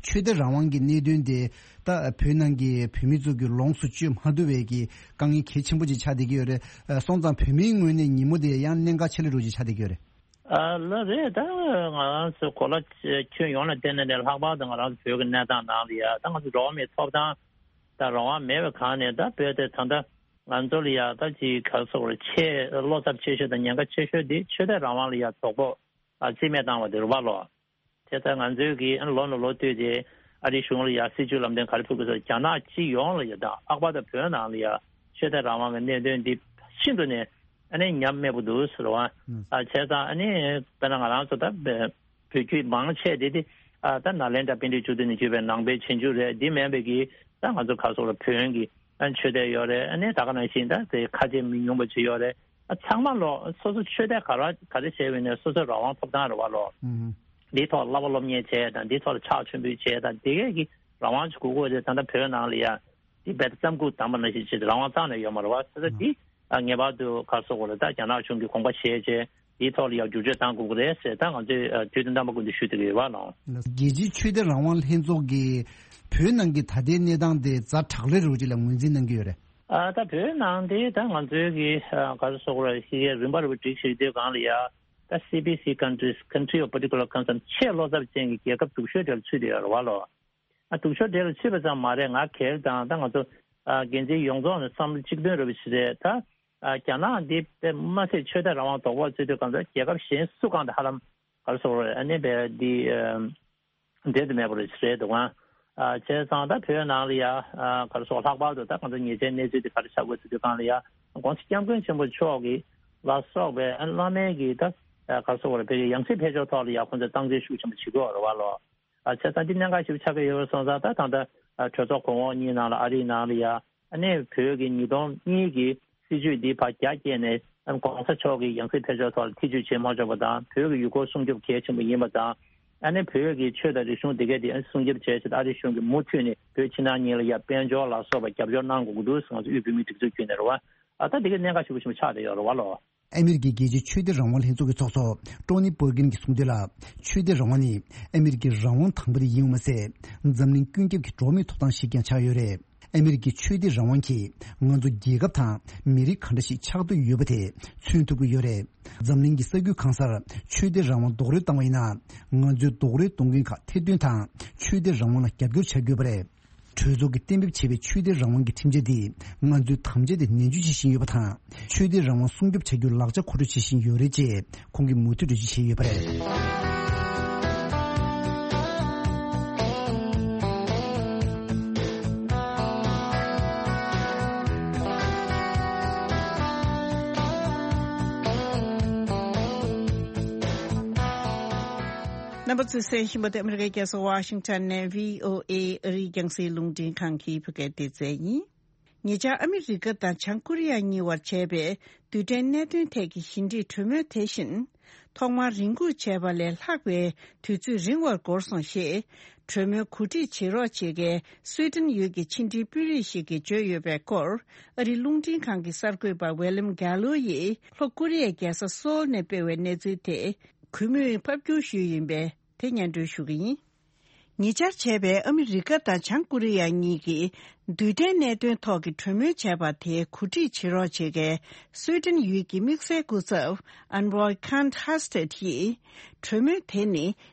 ཆོས་དད་རང་དབང་གི་གནད་དོན་དེ་ད་བོད་ནང་གི་བོད་མི་ཚོ་གི་ལོངས་སུ་སྤྱོད་མ་ཐུབ་པའི་གི་དཀའ་ངལ་གལ་ཆེན་པོ་ཅིག་ཆགས་བསྡད་ཀྱི་ཡོད་རེད། ཨ་སོང་ཙང་བོད་མིའི་ངོས་ནས་ཉིན་མོ་དེ་ཡང་གནད་འགག་ཆེ་ལས་འགྲོ་རྒྱུ་ཆགས་བསྡད་ཀྱི་ཡོད་རེད། ཨ་ལགས་རེད། ད་ང་རང་ཚོ་གོ་ལ་ཁྱོན་ཡོངས་ལ་བལྟས་ན་ནས་ལྷག་པར་དུ་ང་རང་ཚོ་བོད་ཀྱི་གནས་སྟངས་ནང་ལ་ཡ་ད་ང་ཚོ་འགྲོ་བ་མིའི་ཐོབ་ཐང་དང་རང་དབང་མེད་པའི་སྒང་ནས་ད་བོད་དེ་ད་ལྟ་ང་ཚོ་ལ་ཡ་ད་ཅིག་ག་རེ་ཟེར་དགོས་རེད། ཆེས་བློ་འཚབ་ཆེ་ཤོས་དང་ཉེན་ཁ་ཆེ་ཤོས་དེ་ཆོས་དད་རང་དབང་ལ་ཡ་དོགས་པ་ཨ་རྩིས་མེད་བཏང་བ་དེ་རེད་བ་ལོ། དེ་ལྟར་ང་ཚོའི་གི་ཨ་ལོ་ནས་ལོ་བསྟུད་དེ་ཨ་རིའི་གཞུང་ལ་ཡ་སྲིད་ཇུས་ལམ་སྟོན་ག་རེ་ཕུལ་དགོས་ཟེར་རྒྱ་ནག་སྤྱི་ཡོངས་ལ་ཡ་དང་ལྷག་པར་དུ་བོད་ནང་ལ་ཡ་ཆོས་དད་རང་དབང་གི་གནད་དོན་འདི་ཤིན་ཏུ་ནས་ཨ་ནི་ཉམས་དམས་པོ་འདུག་ཟེར་བ། ཨ་བྱས་ཙང་ཨ་ནི་དཔེར་ན་ང་རང་ཚོ་ད་བོད་བོད་བརྒྱུད་མང་ཆེ་དེ་དེ་ཨ་ད་ནཱ་ལེནྡྲ་པཎྜི་ཏ་བཅུ་བདུན་ནས་བརྒྱུད་པའི་ནང་པའི་རྗེས་འཇུག་རེད། འདི་མིན་པའི་གི་ད་ང་ཚོ་ག་རེ་ཟེར་དགོས་རེད། བོན་གྱི་ཨ་ཆོས་དད་ཡོད་རེད། ཨ་ནི་ད་ག་ནང་བཞིན་ད་དེ་ཁ་ཆེ་མི་ཉུང་པ་ཅིག་ཡོད་རེད། ཨ་ཚང་མ་ལོ་སོ་སོ་ཆོས་དད་ག་ར་ག་རེ་བྱས་པ་ཡིན་ནའི་སོ་སོའི་རང་དབང་ཐོབ་ཐང་རེད་བ་ལོ། འདིའི་ཐོག་བསླབ་པ་སློབ་གཉེར་བྱས་དང་འདིའི་ཐོག་ལ་ཕྱག་མཆོད་འབུལ་བྱས་དང་འདི་གས་ཀྱི་རང་དབང་ཅིག་དགོས་ཀྱི་ཡོད་རེད། ད་ལྟ་བོད་ནང་ལ་ཡ་འདི་རྦད་དེ་རྩམ་ཁུག་བསྡམས་པ་ནང་བཞིན་བྱས་ཏེ་རང་དབང་རྩ་ནས་ཡོད་མ་རེད་བ། ཟེར་ད་འདི་ཨ་ངེས་པར་དུ་ག་རེ་ཟེར་དགོས་རེད། ད་རྒྱ་ནག་གཞུང་གིས་དགོངས་པ་བཞེས་བྱས་འདིའི་ཐོག་ལ་ཡ་བསྒྱུར་བཅོས་གཏང་དགོས་ཀྱི་རེད་ཟེར་ད་ང་ཚོས་ཨ་དུས་དང་རྣམ་པ་ཀུན་ཏུ་ཞུ་བསྡད་ཀྱི་ཡོད་བ་ལོ། རྒྱལ་སྤྱིའི་ཆོས་དད་རང་དབང་ལྷན་ཚོགས་ཀྱིས་བོད་ནང་གི་ད་ལྟའི་གནས་སྟངས་དེ་ཛ་དྲག་ལས་རུ་ཅིག་ལ་ངོས་འཛིན་གནང་གི་ཡོད་རེད། ཨ་ད་བོད་ནང་དེ་ད་ང་ཚོའི་གི་ཨ་ག་རེ་ཟེར་དགོས་རེད། ཤེས་ཀྱི་རིམ་པ་རུ་སྒྲིག་བྱེད་དུས་སྒང་ལ་ཡ་ད་སི་པི་སི་countries, country of particular concern, ཆེས་བློ་འཚབ་ཅན་གྱི་རྒྱལ་ཁབ་སྡུག་ཤོས་དེ་ལ་ཚུད་དེ་ཡོད་རེད་བ་ལོ། ཨ་སྡུག་ཤོས་དེ་ལ་ཚུད་པ་ཙམ་མ་རེད། ང་སྒེར་དང་ད་ང་ཚོ་ཨ་འགན་འཛིན་ཡོངས་རྫོགས་ནས་བསམ་བློ་གཅིག་མཐུན་རེད་པ་ཞིག་རེད། ད་ཨ་རྒྱ་ནག་འདི་དཔེ་མ་སྲིད་ཆོས་དད་རང་དབང་དོགས་པ་ཚུད་དུས་སྒང་ཚོ་རྒྱལ་ཁབ་གཞན་སུ་གང་དུ་ཧ་ལམ་ག་རེ་ཟེར་དགོས་རེད། ཨ་ནི་དཔེ་འདི་ཨ་འབྲལ་དུ་མེད་པ་རེད་ཟེར་འདུག་ཨང་། ཨ་བྱས་ཙང་ད་བོད་ནང་ལ་ཡ་ཨ་ག་རེ་ཟེར་ལྷག་པར་དུ་ད་ང་ཚོ་ཉེ་ཆར་གནས་ཚུལ་དེ་ག་རེ་ཆགས་དགོས་ཟེར་དུས་སྒང་ལ་ཡ་༸གོང་ས་༸སྐྱབས་མགོན་ཆེན་པོ་མཆོག་གི་ལ་སོགས་པའི་ཨ་བླ་མའི་གི་ད་ཨ་ག་རེ་ཟེར་དགོས་རེད། བོད་ཀྱི་ཡང་སྲིད་ཕེབས་ཕྱོགས་ཐོག་ལ་ཡ་ཁོང་ཚོས་སྟངས་འཛིན་ཤུགས་ཆེན་པོ་བྱེད་ཀྱི་ཡོད་རེད་བ་ལོ། ཨ་བྱས་ཙང་འདི་གནད་འགག་ཞིག་ཆགས་ཀྱི་ཡོད་པ་སོང་ཙང་ད་ད་ལྟ་ཨ་གྲོས་ཚོགས་གོང་འོག་གཉིས་ནང་ལ་ཨ་རིའི་ནང་ལ་ཡ་ཨ་ནི་བོད་ཀྱི་ཉིས་སྟོང་གཉིས་ཀྱི་སྲིད་ཇུས་འདི་ཕར་རྒྱ་བསྐྱེད་ནས་༸གོང་ས་མཆོག་གི་ཡང་སྲིད་ཕེབས་ཕྱོགས་ཐོག་ལ་ཐེ་ཇུས་བྱེད་མ་ཆོག་པ་དང་། བོད་ཀྱི་ཡུལ་སྐོར་སྲུང་སྐྱོབ་གལ་ཆེན་པོ་ཡིན་པ་དང་། ཨ་ནི་བོད་ཀྱི་ཆོས་དང་རིག་གཞུང་འདི་གའི་དེ་སྲུང་སྐྱོབ་བྱེད་ཆེད་ཨ་རིའི་གཞུང་གིས་མུ་མཐུད་ནས་བོད་ཕྱི་ནང་གཉིས་ལ་ཡ་དཔལ་འབྱོར་ལ་སོགས་པ་རྒྱབ་སྐྱོར་གནང་དགོས་ཀྱི་འདུག་ཟེར་ང་ཚོ་དབུས་བོད་མིའི་སྒྲིག་འཛུགས་བརྒྱུད་ནས་རེད་བ། ཨ་ད་འདི་གའི་གནད་འགག་ཞེ་པོ་ཞེ་པོ་ཆགས་བསྡད་ཡོད་རེད་བ་ལོ། ཨ་མི་རི་ཀའི་རྒྱལ་སྤྱིའི་ཆོས་དད་རང་དབང་ལྷན་ཚོགས་ཀྱི་ཚོགས་གཙོ་ཀྲོ་ནི་པར་གིན་གྱིས་གསུངས་དོན་ལ། ཆོས་དད་རང་དབང་ནི་ཨ་མི་རི་ཀའི་རང་དབང་དང་པོ་དེ་ཡིན་པ་མ་ཟད། འཛམ་གླིང་ཀུན་ཁྱབ་ཀྱི་འགྲོ་བ་མིའི་ཐོབ་ཐང་ཞིག་ཀྱང་ཆགས་ཡོད་རེད། ཨ་མི་རི་ཀའི་ཆོས་དད་རང་དབང་གིས་ང་ཚོ་རྒྱལ་ཁབ་དང་མི་རིགས་ག་འདྲ་ཞིག་ཆགས་འདོད་ཡོད་པ་དེ་མཚོན་ཐུབ་ཀྱི་ཡོད་རེད། འཛམ་གླིང་གི་ས་ཁུལ་གང་སར་ཆོས་དད་རང་དབང་རྡོག་རོལ་བཏང་བ་ཡིན་ན། ང་ཚོའི་རྡོག་རོལ་གཏོང་མཁན་ཁག་ཐེར་འདོན་དང་ཆོས་དད་རང་དབང་ལ་རྒྱབ་སྐྱོར་བྱ་དགོས་པ་རེད། གྲོས་ཚོགས་ཀྱིས་གཏན་འབེབས་བྱས་པའི་ཆོས་དད་རང་དབང་གི་ཁྲིམས་འཆར་འདིས་ང་ཚོའི་དམ་བཅའ་དེ་ནན་བརྗོད་བྱེད་བཞིན་ཡོད་པ་དང་། ཆོས་དད་རང་དབང་སྲུང་སྐྱོབ་བྱ་རྒྱུར་ལག་ཆ་མཁོ་སྤྲོད་བྱེད་བཞིན་ཡོད་རེད་ཅེས་ཁོང་གིས་མུ་མཐུད་འགྲེལ་བརྗོད་བྱས་ཡོད་པ་རེད། རྣམ་པ་ཚོས་གསན་བཞིན་པ་དེ་ཨ་མི་རི་ཀའི་རྒྱལ་ས་ཝ་ཤིང་ཊོན་ནས་བྷི་ཨོ་ཨེ་ཨ་རིའི་རྒྱང་སྲིང་རླུང་འཕྲིན་ཁང་གི་བོད་སྐད་སྡེ་ཚན་ཡིན། ཉེ་ཆར་ཨ་མི་རི་ཀ་དང་བྱང་ཀོ་རི་ཡ་གཉིས་བར་བྱས་པའི་རྡུལ་ཕྲན་གནད་དོན་ཐད་ཀྱི་ཞི་འགྲིག་གྲོས་མོལ་དེ་བཞིན་ཐོག་མར་རེ་སྒུག་བྱས་པ་ལས་ལྷག་པའི་དུས་ཚོད་རིང་བར་འགོར་སོང་ཞེས་གྲོས་མོལ་གོ་སྒྲིག་བྱེད་རོགས་བྱེད་མཁན་སུའེ་ཏེན་ཡུལ་གྱི་ཕྱི་འབྲེལ་དཔོན་རིགས་ཤིག་གིས་བརྗོད་ཡོད་པའི་སྐོར། ཨ་རིའི་རླུང་འཕྲིན་ཁང་གི་གསར་འགོད་པ་ཝེ་ལེམ་གྷ་ལོ་ཡིས་ལྷོ་ཀོ་རི་ཡའི་རྒྱལ་ས་སོལ་ནས་སྤེལ་བའི་གནས་ཚུལ་དེ་གུས་མོས་ཕབ་སྒྱུར་ཞུས་ཡིན་པས་དེ་སྙན་སྒྲོན་ཞུ་གི་ཡིན། ཉེ་ཆར་བྱས་པའི་ཨ་མི་རི་ཀ་དང་བྱང་ཀོ་རི་ཡ་གཉིས་ཀྱིས་རྡུལ་ཕྲན་གནད་དོན་ཐོག་གི་གྲོས་མོལ་བྱས་པ་དེ་གོ་སྒྲིག་བྱེད་རོགས་བྱེད་མཁན་སུའེ་ཏེན་ཡུལ་གྱི་དམིགས་བསལ་སྐུ་ཚབ་ཨན་ཝོའི་ཁཱན་ཧ་སྟེད་ཡིས། གྲོས་མོལ་དེ་ནི་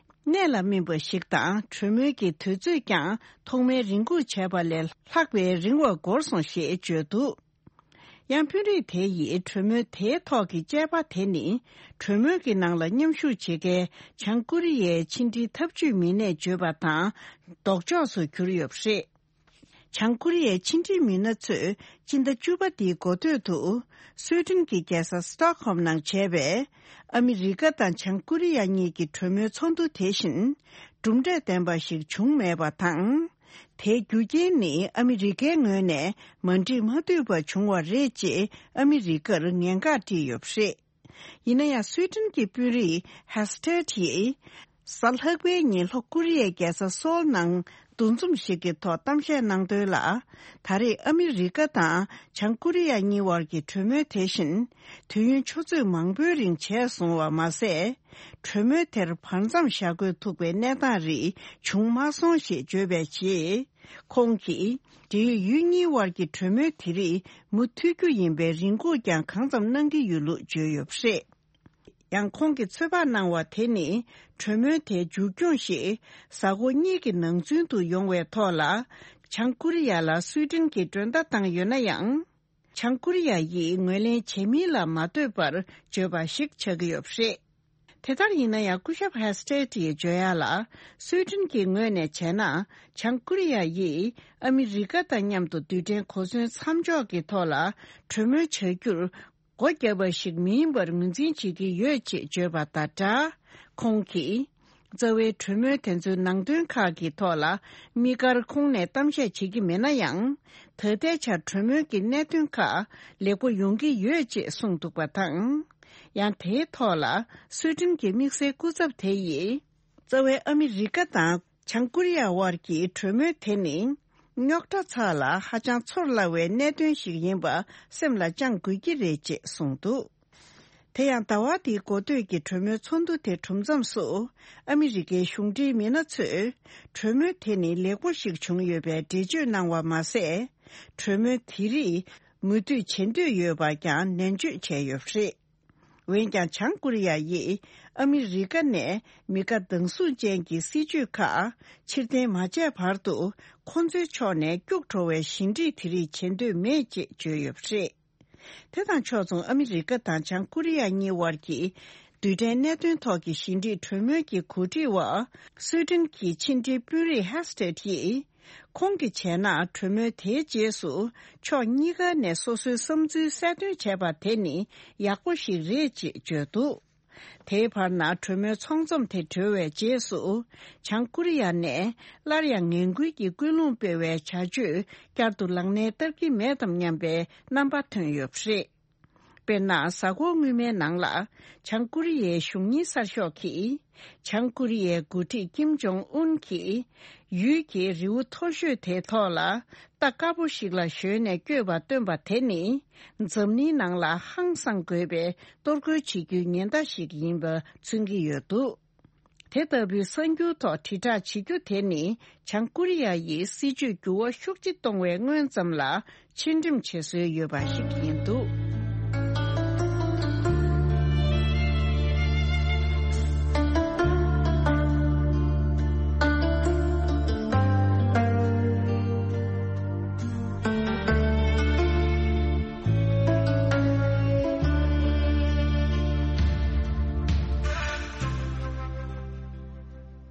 གནད་ལ་སྨིན་པ་ཞིག་དང་། གྲོས་མོལ་གྱི་དུས་ཚོད་ཀྱང་ཐོག་མའི་རེ་སྒུག་བྱས་པ་ལས་ལྷག་པའི་རིང་བ་འགོར་སོང་ཞེས་བརྗོད་འདུག། ཡང་དཔོན་རིགས་དེ་ཡིས་གྲོས་མོལ་དེའི་ཐོག་གི་དཔྱད་པ་དེ་ནི། གྲོས་མོལ་གྱི་ནང་ལ་མཉམ་ཞུགས་བྱེད་མཁན་བྱང་ཀོ་རི་ཡའི་ཕྱི་འབྲེལ་འཐབ་ཇུས་མི་སྣས་བརྗོད་པ་དང་ལྡོག་ཕྱོགས་སུ་གྱུར་ཡོད་པ་རེད། བྱང་ཀོ་རི་ཡའི་ཕྱི་འབྲེལ་མི་སྣ་ཚོས་སྤྱི་ཟླ་བཅུ་པ་འདིའི་འགོ་སྟོད་དུ། སུའེ་ཏེན་གྱི་རྒྱལ་ས་སི་ཏོག་ཧོམ་ནང་བྱས་པའི་ཨ་མི་རི་ཀ་དང་བྱང་ཀོ་རི་ཡ་གཉིས་ཀྱི་གྲོས་མོལ་ཚོགས་འདུ་དེ་བཞིན་གྲུབ་འབྲས་ལྡན་པ་ཞིག་བྱུང་མེད་པ་དང་། དེའི་རྒྱུ་རྐྱེན་ནི་ཨ་མི་རི་ཀའི་ངོས་ནས་མ་འགྲིག་མ་འཐུས་པ་བྱུང་བ་རེད་ཅེས་ཨ་མི་རི་ཀར་ངན་ཁག་བཀྲིས་ཡོད་པ་རེད། ཡིན་ན་ཡང་སུའེ་ཏེན་གྱི་དཔོན་རིགས་ཧེ་སི་ཏེད་ཡིས། གཟའ་ལྷག་པའི་ཉིན་ལྷོ་ཀོ་རི་ཡའི་རྒྱལ་ས་སོལ་ནང་འདུ་འཛོམས་ཤིག་གི་ཐོག་གཏམ་བཤད་གནང་དོན་ལ། ད་རེས་ཨ་མི་རི་ཀ་དང་བྱང་ཀོ་རི་ཡ་གཉིས་དབར་གྱི་གྲོས་མོལ་དེ་བཞིན་དུས་ཡུན་ཆུ་ཚོད་མང་པོའི་རིང་བྱས་སོང་བ་མ་ཟད། གྲོས་མོལ་དེར་བར་མཚམས་བཞག་དགོས་ཐུག་པའི་གནས་སྟངས་རིགས་བྱུང་མ་སོང་ཞེས་བརྗོད་པའི་རྗེས། ཁོང་གིས། འབྲེལ་ཡོད་ཡུལ་གཉིས་དབར་གྱི་གྲོས་མོལ་དེ་རིགས་མུ་མཐུད་རྒྱུ་ཡིན་པའི་རེ་སྒུག་ཀྱང་གང་འཚམ་གནང་གི་ཡོད་ལུགས་བརྗོད་ཡོད་པ་རེད། ཡང་ཁོང་གིས་ཚོད་དཔག་གནང་བ་དེ་ནི། གྲོས་མོལ་དེའི་མཇུག་སྐྱོང་ཞིག་གཟའ་འཁོར་གཉིས་ཀྱི་ནང་ཚུན་དུ་ཡོང་བའི་ཐོག་ལ། བྱང་ཀོ་རི་ཡ་ལ་སུའེ་ཏེན་གྱིས་མགྲོན་བརྡ་བཏང་ཡོད་ན་ཡང་། བྱང་ཀོ་རི་ཡ་ཡིས་ངོས་ལེན་བྱེད་མིན་ལ་མ་ལྟོས་པར་བརྗོད་པ་ཞིག་ཆགས་ཀྱི་ཡོད་པ་རེད། དེ་ལྟར་ཡིན་ན་ཡང་སྐུ་ཞབས་ཧེ་སི་ཏེད་ཡིས་བརྗོད་ཡ་ལ། སུའེ་ཏེན་གྱི་ངོས་ནས་བྱས་ན། བྱང་ཀོ་རི་ཡ་ཡིས་ཨ་མི་རི་ཀ་དང་མཉམ་དུ་རྡུལ་ཕྲན་གོ་མཚོན་མཚམས་འཇོག་གི་ཐོག་ལ་གྲོས་མོལ་བྱ་རྒྱུར་སྒོ་བརྒྱབ་པ་ཞིག་མིན་པར་ངོས་འཛིན་བྱེད་ཀྱི་ཡོད་ཅེས་བརྗོད་པ་དང་སྦྲགས། ཁོང་གིས། རྩ་བའི་གྲོས་མོལ་དེ་ཚོའི་ནང་དོན་ཁག་གི་ཐོག་ལ་དམིགས་བཀར་ཁོང་ནས་གཏམ་བཤད་བྱེད་ཀྱི་མེད་ན་ཡང་། ད་ལྟའི་ཆར་གྲོས་མོལ་གྱི་གནད་དོན་ཁག་ལེགས་པོ་ཡོང་གི་ཡོད་ཅེས་གསུངས་འདུག་པ་དང་། ཡང་དེའི་ཐོག་ལ་སུའེ་ཏེན་གྱི་དམིགས་བསལ་སྐུ་ཚབ་དེ་ཡིས། རྩ་བའི་ཨ་མི་རི་ཀ་དང་བྱང་ཀོ་རི་ཡ་དབར་གྱི་གྲོས་མོལ་དེ་ནི། རྙོག་དྲ་ཚགས་ལ་ཧ་ཅང་ཚོར་སླ་བའི་གནད་དོན་ཞིག་ཡིན་པ་སེམས་ལ་བཅངས་དགོས་ཀྱི་རེད་ཅེས་གསུངས་འདུག་དེ་ཡང་ཟླ་བ་འདིའི་འགོ་སྟོད་ཀྱི་གྲོས་མོལ་ཚོགས་འདུ་དེ་གྲུབ་མཚམས་སུ། ཨ་མི་རི་ཀའི་གཞུང་འབྲེལ་མི་སྣ་ཚོས། གྲོས་མོལ་དེ་ནི་ལེགས་པོ་ཞིག་བྱུང་ཡོད་པའི་འགྲེལ་བརྗོད་གནང་བ་མ་ཟད། གྲོས་མོལ་དེ་རིགས་མུ་མཐུད་བྱེད་འདོད་ཡོད་པ་ཀྱང་ནན་བརྗོད་བྱས་ཡོད་པ་རེད། འོན་ཀྱང་། བྱང་ཀོ་རི་ཡ་ཡིས་ཨ་མི་རི་ཀ་ནས་མི་དགའ་སྡང་ཟུག་ཅན་གྱི་སྲིད་བྱུས་ཁག་ཕྱིར་འཐེན་མ་བྱས་བར་དུ། ཁོ་ཚོའི་ཕྱོགས་ནས་སྐྱུག་བྲོ་བའི་ཞི་འགྲིག་དེ་རིགས་བྱེད་འདོད་མེད་ཅེས་བརྗོད་ཡོད་པ་རེད། དེ་དང་ཕྱོགས་མཚུངས། ཨ་མི་རི་ཀ་དང་བྱང་ཀོ་རི་ཡ་གཉིས་དབར་གྱི་རྡུལ་ཕྲན་གནད་དོན་ཐོག་གི་ཞི་འགྲིག་གྲོས་མོལ་གྱི་གོ་སྒྲིག་འོག་སུའེ་ཏེན་གྱི་ཕྱི་འབྲེལ་དཔོན་རིགས་ཧེ་སི་ཏེད་ཡིས། ཁོང་གིས་བྱས་ན། གྲོས་མོལ་དེའི་རྗེས་སུ་ཕྱོགས་གཉིས་ཀ་ནས་སོ་སོའི་བསམ་ཚུལ་གསལ་སྟོན་བྱས་པ་དེ་ནི་ཡག་པོ་ཞིག་རེད་ཅེས་བརྗོད་འདུག་དེའི་བར་ན་གྲོས་མོལ་ཚོགས་འཛོམས་དེ་གྲོལ་བའི་རྗེས་སུ། བྱང་ཀོ་རི་ཡ་ནས་སླར་ཡང་ངན་སྐུལ་གྱི་ཀུན་སློང་སྤེལ་བའི་བྱ་སྤྱོད་བསྐྱར་དུ་ལག་ལེན་བསྟར་གྱི་མེད་དམ་སྙམ་པའི་རྣམ་པ་ཐོན་ཡོད་པ་རེད། དཔེར་ན། གཟའ་འཁོར་སྔོན་མའི་ནང་ལ། བྱང་ཀོ་རི་ཡའི་གཞུང་གཉེར་གསར་ཤོག་གིས། བྱང་ཀོ་རི་ཡའི་འགོ་ཁྲིད་ཀིམ་ཇོང་ཨུན་གྱིས། ཡུལ་གྱི་རི་བོ་མཐོ་ཤོས་དེའི་ཐོག་ལ། རྟ་དཀར་པོ་ཞིག་ལ་ཞོན་ནས་བསྐྱོད་པ་སྟོན་པ་དེ་ནི། འཛམ་གླིང་ནང་ལ་ཧང་སང་དགོས་པའི་གཏོར་རྒོལ་བྱེད་རྒྱུའི་ཉེན་བརྡ་ཞིག་ཡིན་པ་མཚོན་གྱི་ཡོད་འདུག་དེ་ལྟ་བུའི་གསར་འགྱུར་ཐོག་དྲིལ་བསྒྲགས་བྱེད་རྒྱུ་དེ་ནི། བྱང་ཀོ་རི་ཡ་ཡིས་སྲིད་ཇུས་འགྱུར་བ་ཤུགས་ཆེ་གཏོང་བའི་སྔོན་ཙམ་ལ་ཕྱིར་འགྲེམས་བྱེད་སྲོལ་ཡོད་པ་ཞིག་ཡིན་འདུག་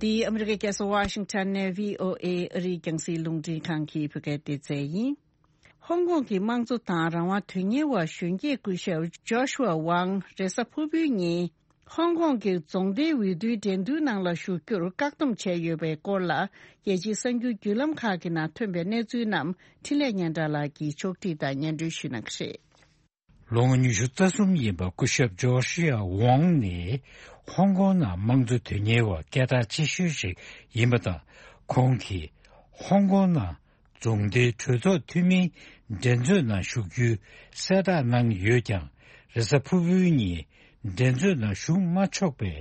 འདི་ཨ་མི་རི་ཀའི་རྒྱལ་ས་ཝ་ཤིང་ཊོན་ནས་བྷི་ཨོ་ཨེ་ཨ་རིའི་རྒྱང་སྲིང་རླུང་འཕྲིན་ཁང་གི་བོད་སྐད་སྡེ་ཚན་ཡིན། ཧོང་ཀོང་གི་དམངས་གཙོ་དང་རང་དབང་དོན་གཉེར་བ་གཞོན་སྐྱེས་སྐུ་ཞབས་ཇོ་ཤུ་ཝ་ཝང་རེས་གཟའ་ཕུར་བུའི་ཉིན། ཧོང་ཀོང་གི་རྫོང་སྡེའི་འོས་བསྡུའི་འགྲན་བསྡུར་ནང་ལ་ཞུགས་རྒྱུར་བཀག་སྡོམ་བྱས་ཡོད་པའི་སྐོར་ལ། རྒྱལ་སྤྱིའི་གསར་འགྱུར་བརྒྱུད་ལམ་ཁག་གི་ནང་ཐོན་པའི་གནས་ཚུལ་རྣམས་འཕྲིན་ལས་སྙན་གྲགས་ལགས་ཀྱིས་ཕྱོགས་སྒྲིག་དང་སྙན་སྒྲོན་ཞུ་གནང་གི་རེད། ལོ་ངོ་ཉི་ཤུ་རྩ་གསུམ་ཡིན་པ་སྐུ་ཞབས་ཇོ་ཤི་ཡ་ཝང་ནི་ཧོང་ཀོང་ནང་དམངས་གཙོ་དོན་གཉེར་བ་སྐད་གྲགས་ཆེ་ཤོས་ཤིག་ཡིན་པ་དང་། ཁོང་གིས་ཧོང་ཀོང་ནང་རྫོང་སྡེའི་གྲོས་ཚོགས་འཐུས་མིའི་འགྲན་རྩོད་ནང་ཞུགས་རྒྱུའི་གསལ་བསྒྲགས་གནང་ཡོད་ཀྱང་། རེས་གཟའ་ཕུར་བུའི་ཉིན་འགྲན་རྩོད་ནང་ཞུགས་མ་ཆོག་པའི་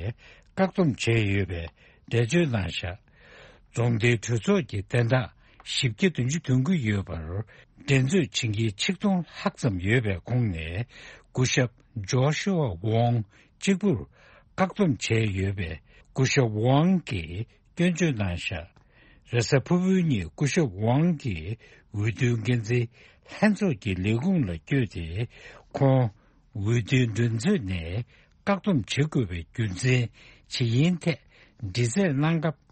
བཀག་སྡོམ་བྱས་ཡོད་པའི་འགྲེལ་བརྗོད་གནང་བཞག་རྫོང་སྡེའི་གྲོས་ཚོགས་ཀྱི་བདུན་ཕྲག་བཞི་བརྒྱ་བདུན་ཅུ་དོན་དགུ་ཡོད་པར། འགྲན་རྩོད་བྱེད་མཁན་ཆིག་སྟོང་ལྷག་ཙམ་ཡོད་པའི་ཁོངས་ནས། སྐུ་ཞབས་ཇོ་ཤུ་ཝ་ཝོང་གཅིག་པུར་བཀག་སྡོམ་བྱས་ཡོད་པས། སྐུ་ཞབས་ཝང་གིས་སྐྱོན་བརྗོད་གནང་བཞག་རེས་གཟའ་ཕུར་བུའི་ཉིན་སྐུ་ཞབས་ཝང་གིས་འོས་བསྡུའི་འགན་འཛིན་ལྷན་ཚོགས་ཀྱི་ལས་ཁུངས་ལ་བསྐྱོད་དེ། ཁོང་འོས་བསྡུའི་འགྲན་རྩོད་ནས་བཀག་སྡོམ་བྱེད་དགོས་པའི་རྒྱུ་མཚན་ཇི་ཡིན་ཐད་འདྲི་རྩད་གནང་སྐབས།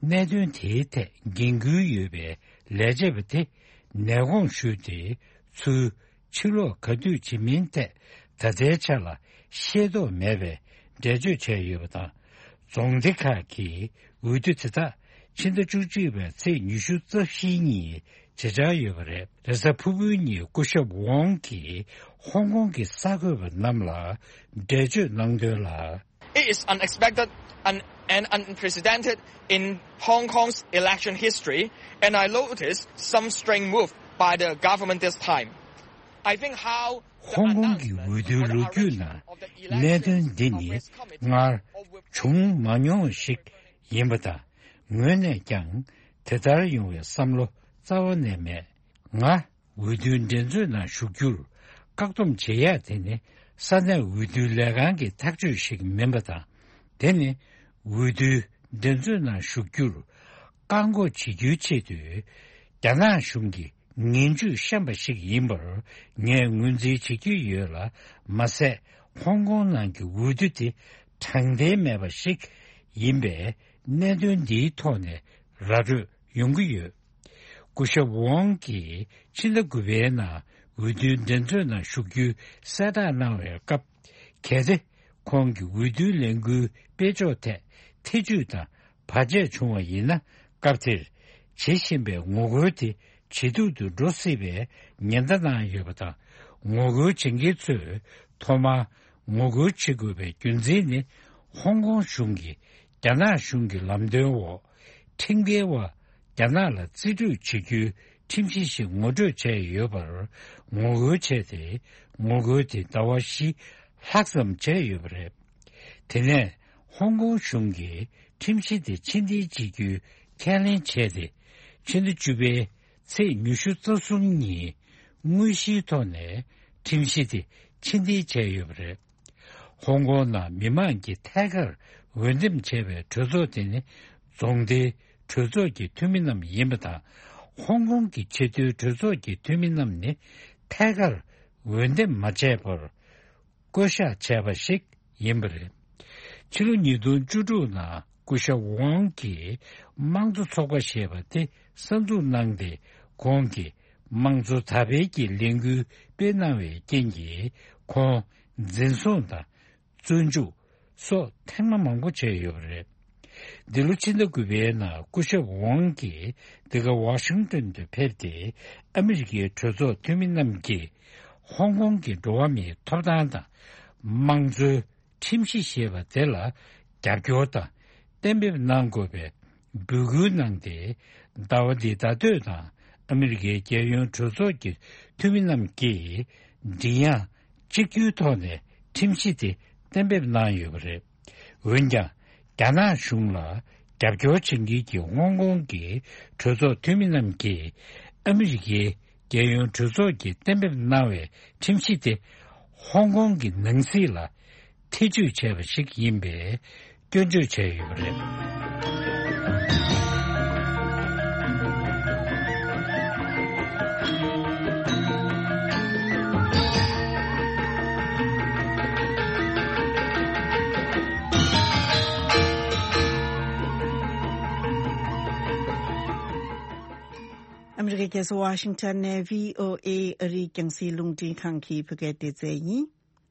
གནད་དོན་དེའི་ཐད་འགན་འཁུར་ཡོད་པའི་ལས་བྱེད་པ་དེ་ནས་དགོངས་ཞུས་ཏེ། ཚུར་ཕྱིར་ལོག་ག་དུས་བྱེད་མིན་ཐད་ད་ལྟའི་ཆ་ལ་ཤེས་རྟོགས་མེད་པའི་འགྲེལ་བརྗོད་བྱས་ཡོད་པ་དང་། རྫོང་སྡེ་ཁག་གི་འོས་བསྡུ་དེ་དག་ཕྱི་ཟླ་བཅུ་གཅིག་པའི་ཚེས་ཉི་ཤུ་རྩ་བཞིའི་ཉིན་བྱེད་འཆར་ཡོད་པ་རེད། རེས་གཟའ་ཕུར་བུའི་ཉིན་སྐུ་ཞབས་ཝང་གིས་ཧོང་ཀོང་གི་གསར་འགོད་པ་རྣམས་ལ་འགྲེལ་བརྗོད་གནང་དོན་ལ། It is unexpected and, and unprecedented in Hong Kong's election history, and I noticed some strange move by the government this time. I think how the ཧོང་ཀོང་གི་འོས་བསྡུའི་ལོ་རྒྱུས་ནང་གནད་དོན་འདི་ནི་སྔར་བྱུང་མ་མྱོང་བ་ཞིག་ཡིན་པ་དང་། ངོས་ནས་ཀྱང་དེ་ལྟར་ཡོང་བའི་བསམ་བློ་རྩ་བ་ནས་མེད། ང་འོས་བསྡུའི་འགྲན་རྩོད་ནང་ཞུགས་རྒྱུར་བཀག་སྡོམ་བྱེད་ཡ་དེ་ནི་ས་གནས་འོས་བསྡུ་ལས་ཁང་གི་ཐག་གཅོད་ཞིག་མིན་པ་དང་། དེ་ནི་འོས་བསྡུའི་འགྲན་རྩོད་ནང་ཞུགས་རྒྱུར་བཀག་འགོག་བྱེད་རྒྱུའི་ཆེད་དུ་རྒྱ་ནག་གཞུང་གིས་ངན་ཇུས་བཤམས་པ་ཞིག་ཡིན་པར་ངས་ངོས་འཛིན་བྱེད་ཀྱི་ཡོད་ལ། མ་ཟད་ཧོང་ཀོང་ནང་གི་འོས་བསྡུ་དེ་དྲང་བདེན་མེད་པ་ཞིག་ཡིན་པས། གནད་དོན་འདིའི་ཐོག་ནས་ར་སྤྲོད་ཡོང་གི་ཡོད། སྐུ་ཞབས་ཝང་གིས་ཕྱི་ཟླ་དགུ་པའི་ནང་འོས་བསྡུའི་འགྲན་རྩོད་ནང་ཞུགས་རྒྱུའི་གསལ་བསྒྲགས་གནང་བའི་སྐབས། གལ་ཏེ་ཁོང་གི་འོས་བསྡུའི་ལས་འགུལ་སྤེལ་ཕྱོགས་ཐད་ཐེ་བྱུས་དང་བར་ཆད་བྱུང་བ་ཡིན་ན། སྐབས་དེར་བྱེད་བཞིན་པའི་ངོ་རྒོལ་དེ་ཇེ་སྡུག་ཏུ་འགྲོ་སྲིད་པའི་ཉེན་བརྡ་གནང་ཡོད་པ་དང་། ངོ་རྒོལ་བྱེད་མཁན་ཚོས་ཐོག་མར་ངོ་རྒོལ་བྱེད་དགོས་པའི་རྒྱུ་མཚན་ནི། ཧོང་ཀོང་གཞུང་གིས་རྒྱ་ནག་གཞུང་གི་ལམ་སྟོན་འོག་ཁྲིམས་འགལ་བ་རྒྱ་ནག་ལ་རྩིས་སྤྲོད་བྱེད་རྒྱུའི་ཁྲིམས་གཞི་ཞིག་ངོ་སྤྲོད་བྱས་ཡོད་པར་ངོ་རྒོལ་བྱས་ཏེ། ངོ་རྒོལ་དེ་ཟླ་བ་བཞི་ལྷག་ཙམ་བྱས་ཡོད་པ་རེད། དེ་ནས་ཧོང་ཀོང་གཞུང་གིས་ཁྲིམས་གཞི་དེ་ཕྱིར་འཐེན་བྱེད་རྒྱུའི་ཁས་ལེན་བྱས་ཏེ། ཕྱི་ཟླ་བཅུ་པའི་ཚེས་ཉི་ཤུ་རྩ་གསུམ་ཉིན་དངོས་གཞིའི་ཐོག་ནས་ཁྲིམས་གཞི་དེ་ཕྱིར་འཐེན་བྱས་ཡོད་པ་རེད། ཧོང་ཀོང་ནང་མི་མང་གིས་ཐད་ཀར་འོས་འདེམས་བྱས་པའི་གྲོས་ཚོགས་དེ་ནི་རྫོང་སྡེའི་གྲོས་ཚོགས་ཀྱི་འཐུས་མི་རྣམས་ཡིན་པ་དང་། ཧོང་ཀོང་གི་ཆེས་མཐོའི་གྲོས་ཚོགས་ཀྱི་འཐུས་མི་རྣམས་ནི་ཐད་ཀར་འོས་འདེམས་མ་བྱས་པར་བསྐོ་གཞག་བྱས་པ་ཞིག་ཡིན་པ་རེད། ཕྱི་ལོ་ཉིས་སྟོང་བཅུ་དྲུག་ནང་སྐུ་ཞབས་ཝང་གིས་དམངས་གཙོ་ཚོགས་པ་ཞེས་པ་དེ་གསར་འཛུགས་གནང་སྟེ། ཁོང་གིས་དམངས་གཙོ་དར་སྤེལ་གྱི་ལས་འགུལ་སྤེལ་གནང་བའི་རྐྱེན་གྱིས། ཁོང་འཛིན་བཟུང་དང་བཙོན་འཇུག་སོགས་ཐེངས་མ་མང་པོ་བྱས་ཡོད་པ་རེད། འདི་ལོ་ཕྱི་ཟླ་དགུ་པའི་ནང་སྐུ་ཞབས་ཝང་གིས་འདི་ག་ཝ་ཤིང་ཏོན་དུ་ཕེབས་ཏེ། ཨ་མི་རི་ཀའི་གྲོས་ཚོགས་འཐུས་མི་རྣམས་ཀྱིས་ཧོང་ཀོང་གི་འགྲོ་བ་མིའི་ཐོབ་ཐང་དང་། དམངས་གཙོའི་ཁྲིམས་གཞི་ཞེས་པ་དེ་ལ་རྒྱབ་སྐྱོར་དང་གཏན་འབེབས་གནང་དགོས་པའི་འབོད་སྐུལ་གནང་སྟེ། ཟླ་བ་འདིའི་ཟླ་སྟོད་ནང་ཨ་མི་རི་ཀའི་རྒྱལ་ཡོངས་གྲོས་ཚོགས་ཀྱི་འཐུས་མི་རྣམས་ཀྱིས་མགྲིན་དབྱངས་གཅིག་གྱུར་ཐོག་ནས་ཁྲིམས་གཞི་དེ་གཏན་འབེབས་གནང་ཡོད་པ་རེད། འོན་ཀྱང་། རྒྱ་ནག་གཞུང་ལ་རྒྱབ་སྐྱོར་བྱེད་མཁན་གྱི་ཧོང་ཀོང་གི་གྲོས་ཚོགས་འཐུས་མི་རྣམས་ཀྱིས་ཨ་མི་རི་ཀའི་རྒྱལ་ཡོངས་གྲོས་ཚོགས་ཀྱིས་གཏན་འབེབས་གནང་བའི་ཁྲིམས་གཞི་དེ་ཧོང་ཀོང་གི་ནང་སྲིད་ལ་ཐེ་བྱུས་བྱས་པ་ཞིག་ཡིན་པའི་སྐྱོན་བརྗོད་བྱས་ཡོད་པ་རེད། ཨ་མི་རི་ཀའི་རྒྱལ་ས་ཝ་ཤིང་ཊོན་ནས་བྷི་ཨོ་ཨེ་ཨ་རིའི་རྒྱང་སྲིང་རླུང་འཕྲིན་ཁང་གི་བོད་སྐད་སྡེ་ཚན་ཡིན།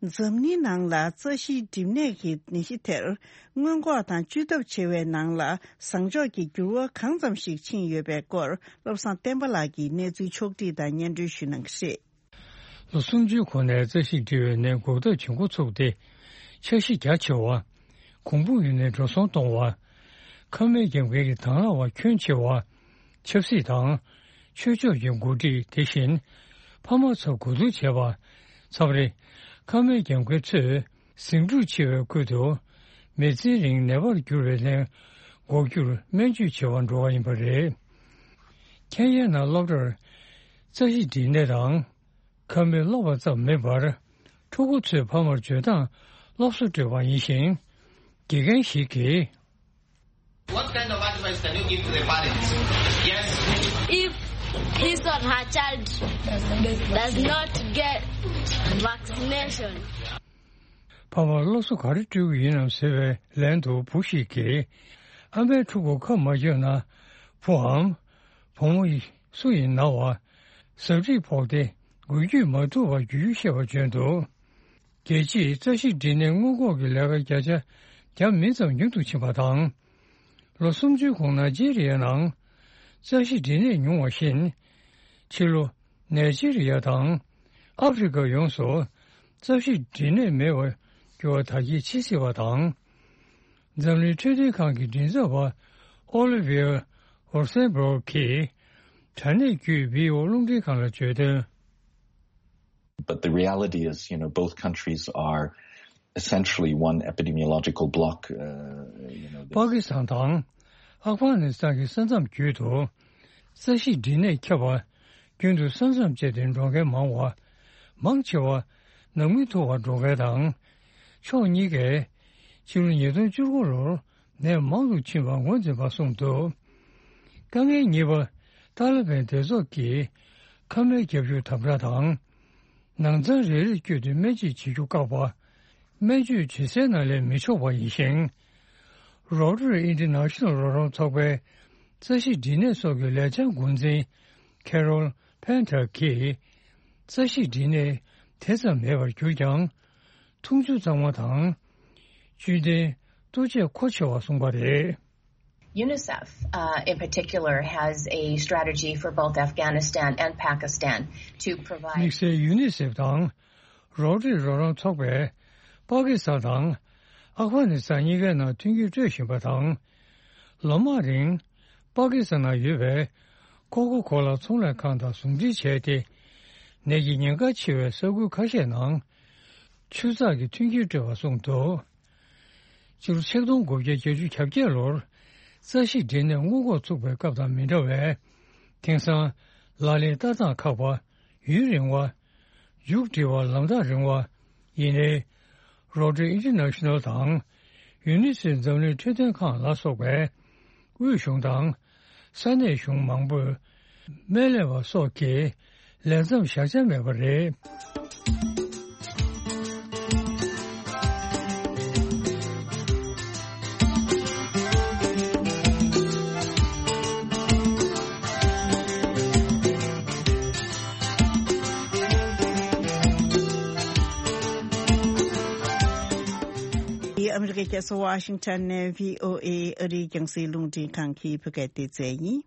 འཛམ་གླིང་ནང་ལ་རྩ་ཤེད་འགྲིབ་ནད་ཀྱི་ནད་གཞི་དེར་སྔོན་འགོག་དང་བཅོས་ཐབས་བྱེད་པའི་ནང་ལ་བཟང་ཕྱོགས་ཀྱི་འགྱུར་བ་གང་ཙམ་ཞིག་ཕྱིན་ཡོད་པའི་སྐོར། བློ་བཟང་བསྟན་པ་ལགས་ཀྱིས་གནས་ཚུལ་ཕྱོགས་བསྒྲིགས་དང་སྙན་སྒྲོན་ཞུ་གནང་གི་རེད། ལོ་སུམ་ཅུའི་གོང་ནས་རྩ་ཤེད་འགྲིབ་པའི་ནད་འགོག་ཐབས་བྱེད་འགོ་ཚུགས་ཏེ། འཆར་གཞི་རྒྱ་ཆེ་བ། གོང་འཕེལ་ཡུན་ནས་འགྲོ་སོང་གཏོང་བ། ཁ་སྨྲས་རྒྱབ་འགལ་གྱི་དང་བླངས་པ་ཁྱོན་ཆེ་བ། ཆབ་སྲིད་དང་། ཆོས་ཕྱོགས་ཀྱི་འགོ་ཁྲིད་དེ་བཞིན། ཕ་མ་ཚོ་གོ་བསྡུར་བྱས་པ། མཚམས་རེ། ཁ་སྨྲས་རྒྱབ་འགལ་ཚོས་ཟིང་འཁྲུག་ཆེ་བའི་ཁུལ་དུ། མི་ཚེ་རིང་ནད་པར་གྱུར་བའི་ནད་འགོག་རྒྱུར་སྨན་བཅོས་བྱེད་པར་འགྲོ་བ་ཡིན་པ་རེད། ཁེན་ཡ་ནང་སློབ་གྲྭར་རྩ་ཤེད་འགྲིབ་ནད་དང་། ཁ་སྨྲས་སློབ་པ་ཙམ་མིན་པར། ཕྲུ་གུ་ཚོའི་ཕ་མར་འཇོན་ཐང་སློབ་གསོ་སྤྲོད་པ་ཡིན་ཞིང་། དགེ་རྒན་ཞིག་གིས། What kind of advice can you give to the parents? Yes. If his or her child does not get vaccination. ཕ་མར་སློབ་གསོ་ག་རེ་སྤྲོད་ཀྱི་ཡིན་ནམ་ཟེར་བའི་ལན་དུ་བུ་ཞིག་གིས། ཨ་མའི་ཕྲུ་གུ་ཁ་མ་གྱོན་ན་བུའམ་བུ་མོ་སུ་ཡིན་ན་བ་ཟབ་ཁྲིད་ཕོག་སྟེ་འགུལ་སྐྱོད་མ་ཐུབ་པར་རྒྱུ་རྒྱུ་བཤད་པ་བྱོན་འདུག་རྒྱལ་སྤྱིའི་རྩ་ཤེ་འབྲི་ནད་སྔོན་འགོག་གི་ལས་ཀ་བརྒྱ་ཆ་བརྒྱ་མིན་ཙམ་ཉུང་དུ་ཕྱིན་པ་དང་། ལོ་སུམ་ཅུའི་གོང་ནའི་ཇི་རི་ཡ་ནང་རྩ་ཤེ་འབྲི་ནད་ཉུང་བ་བཞིན། ཕྱི་ལོ་ནའི་ཇི་རི་ཡ་དང་ཨ་ཧྥེ་རི་ཁ་ཡོངས་སུ་རྩ་ཤེ་འབྲི་ནད་མེད་པར་འགྱུར་བ་དར་རྒྱས་ཕྱིན་སྲིད་པ་དང་། འཛམ་གླིང་འཕྲོད་བསྟེན་ཁང་གི་མགྲིན་ཚབ་པ་ཨོ་ལི་ཝི་ཡ་ཨོར་སན་སྦུར་གྱིས་དྲ་གནས་བརྒྱུད་བྷི་ཨོ་རླུང་འཕྲིན་ཁང་ལ་བརྗོད་དོན། But the reality is, you know, both countries are essentially one epidemiological block. Uh, you know, པ་ཀི་སི་ཐན་དང་ཨབ་གྷ་ནི་སི་ཐན་གྱི་ས་མཚམས་བརྒྱུད་དུ་རྩ་ཤེ་འབྲི་ནད་ཁྱབ་པ་རྒྱུན་དུ་ས་མཚམས་བཅད་དེ་འགྲོ་མཁན་མང་བ། མང་ཆེ་བ་ནམ་རྒྱུན་ཐུག་པར་འགྲོ་མཁན་དང་། ཕྱོགས་གཉིས་ཀས་ཕྱི་ལོ་ཉིས་སྟོང་བཅུ་དགུ་ལོར་ནད་མང་དུ་ཕྱིན་པ་ངོས་འཛིན་པ་གསུངས་འདུག་དཀའ་ངལ་གཉིས་པ། ཏཱ་ལི་བན་སྡེ་ཚོགས་ཀྱིས་ཁ་མའི་རྒྱབ་ཤུགས་དམ་དྲག་དང་། ནང་ཚང་རེ་རེར་བསྐྱོད་དེ་སྨན་བཅོས་བྱེད་རྒྱུ་བཀག་པ། སྨན་བཅོས་བྱེད་སའི་ནང་ལས་མི་ཆོག་པ་ཡིན་ཞིང་། Rotary International རོགས་རམ་ཚོགས་པའི་རྩ་ཤེ་འབྲི་ནད་སོགས་ཀྱི་ལས་འཆར་འགོ་འཛིན་Carol Painter གྱིས། རྩ་ཤེ་འབྲི་ནད་དེ་ཙམ་མེད་པར་གྱུར་ཀྱང་། འཐུང་ཆུ་གཙང་མ་དང་། བཅུད་ལྡན་ལྟོ་ཆས་མཁོ་ཆེ་བ་གསུངས་པ་རེད། UNICEF, uh, in particular, has a strategy for both Afghanistan and Pakistan to provide དམིགས་བསལ་ཡུ་ནི་སེབ་དང་རོ་ཊ་རི་རོགས་རམ་ཚོགས་པས་པ་ཀི་སི་ཐན་དང་ཨབ་གྷ་ནི་སི་ཐན་གཉིས་ཀའི་ནང་མཐུན་འགྱུར་སྤྲོད་བཞིན་པ་དང་། ལོ་མང་རིང་པ་ཀི་སི་ཐན་ནང་ཡོད་པའི་ཀོ་ཀོ་ཀོ་ལ་ཚོང་ལས་ཁང་དང་ཟུང་འབྲེལ་བྱས་ཏེ། ནད་ཀྱི་ཉེན་ཁ་ཆེ་བའི་ས་ཁུལ་ཁ་ཤས་ནང་ཆུ་ཚགས་ཀྱི་མཐུན་འགྱུར་སྤྲོད་པ་གསུངས་འདུག་སྤྱི་ལོ་ཆིག་སྟོང་དགུ་བརྒྱ་བརྒྱད་ཅུ་གྱ་བརྒྱད་ལོར་རྩ་ཤེ་འབྲི་ནད་སྔོན་འགོག་ཚུགས་པའི་སྐབས་དང་མི་འདྲ་བས། དེང་སང་ལག་ལེན་བསྟར་སྟངས་ཁག་པ། ཡུན་རིང་བ། མཇུག་སྒྲིལ་བ་ལམ་ཐག་རིང་བ། ཡིན་ནའི། Rotary International དང་ཡུ་ནི་སེབ་འཛམ་གླིང་འཕྲོད་བསྟེན་ཁང་ལ་སོགས་པའི་དབུས་གཞུང་དང་ས་གནས་གཞུང་མང་པོས་སྨན་ལས་པ་སོགས་ཀྱི་ལས་མཚམས་བཞག་འཆར་མེད་པ་རེད། ཨ་མི་རི་ཀའི་རྒྱལ་ས་ཝ་ཤིང་ཊོན་ནས་བྷི་ཨོ་ཨེ་ཨ་རིའི་རྒྱང་སྲིང་རླུང་འཕྲིན་ཁང་གི་བོད་སྐད་སྡེ་ཚན་ཡིན།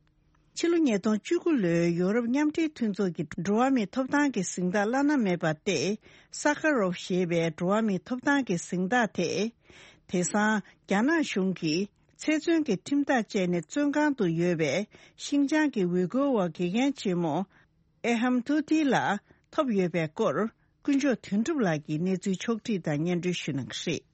ཕྱི་ལོ་ཉིས་སྟོང་བཅུ་དགུ་ལོའི་ཡོ་རོབ་མཉམ་འབྲེལ་མཐུན་ཚོགས་ཀྱི་འགྲོ་བ་མིའི་ཐོབ་ཐང་གི་གཟེངས་རྟགས་བླ་ན་མེད་པ་སྟེ། ས་ཁ་རོབ་ཞེས་པའི་འགྲོ་བ་མིའི་ཐོབ་ཐང་གི་གཟེངས་རྟགས་དེ། དེང་སང་རྒྱ་ནག་གཞུང་གིས་ཚེ་བཙོན་གྱི་ཁྲིམས་ཐག་བཅད་ནས་བཙོན་ཁང་དུ་ཡོད་པའི་ཤིན་ཅང་གི་ཝི་གོ་བ་དགེ་རྒན་ཆེན་མོ་ཨེ་ཧམ་ཐུ་ཐི་ལགས་ཐོབ་ཡོད་པའི་སྐོར། ཀུན་མཆོག་དོན་གྲུབ་ལགས་ཀྱིས་གནས་ཚུལ་ཕྱོགས་བསྒྲིགས་དང་སྙན་སྒྲོན་ཞུ་གནང་གི་རེད།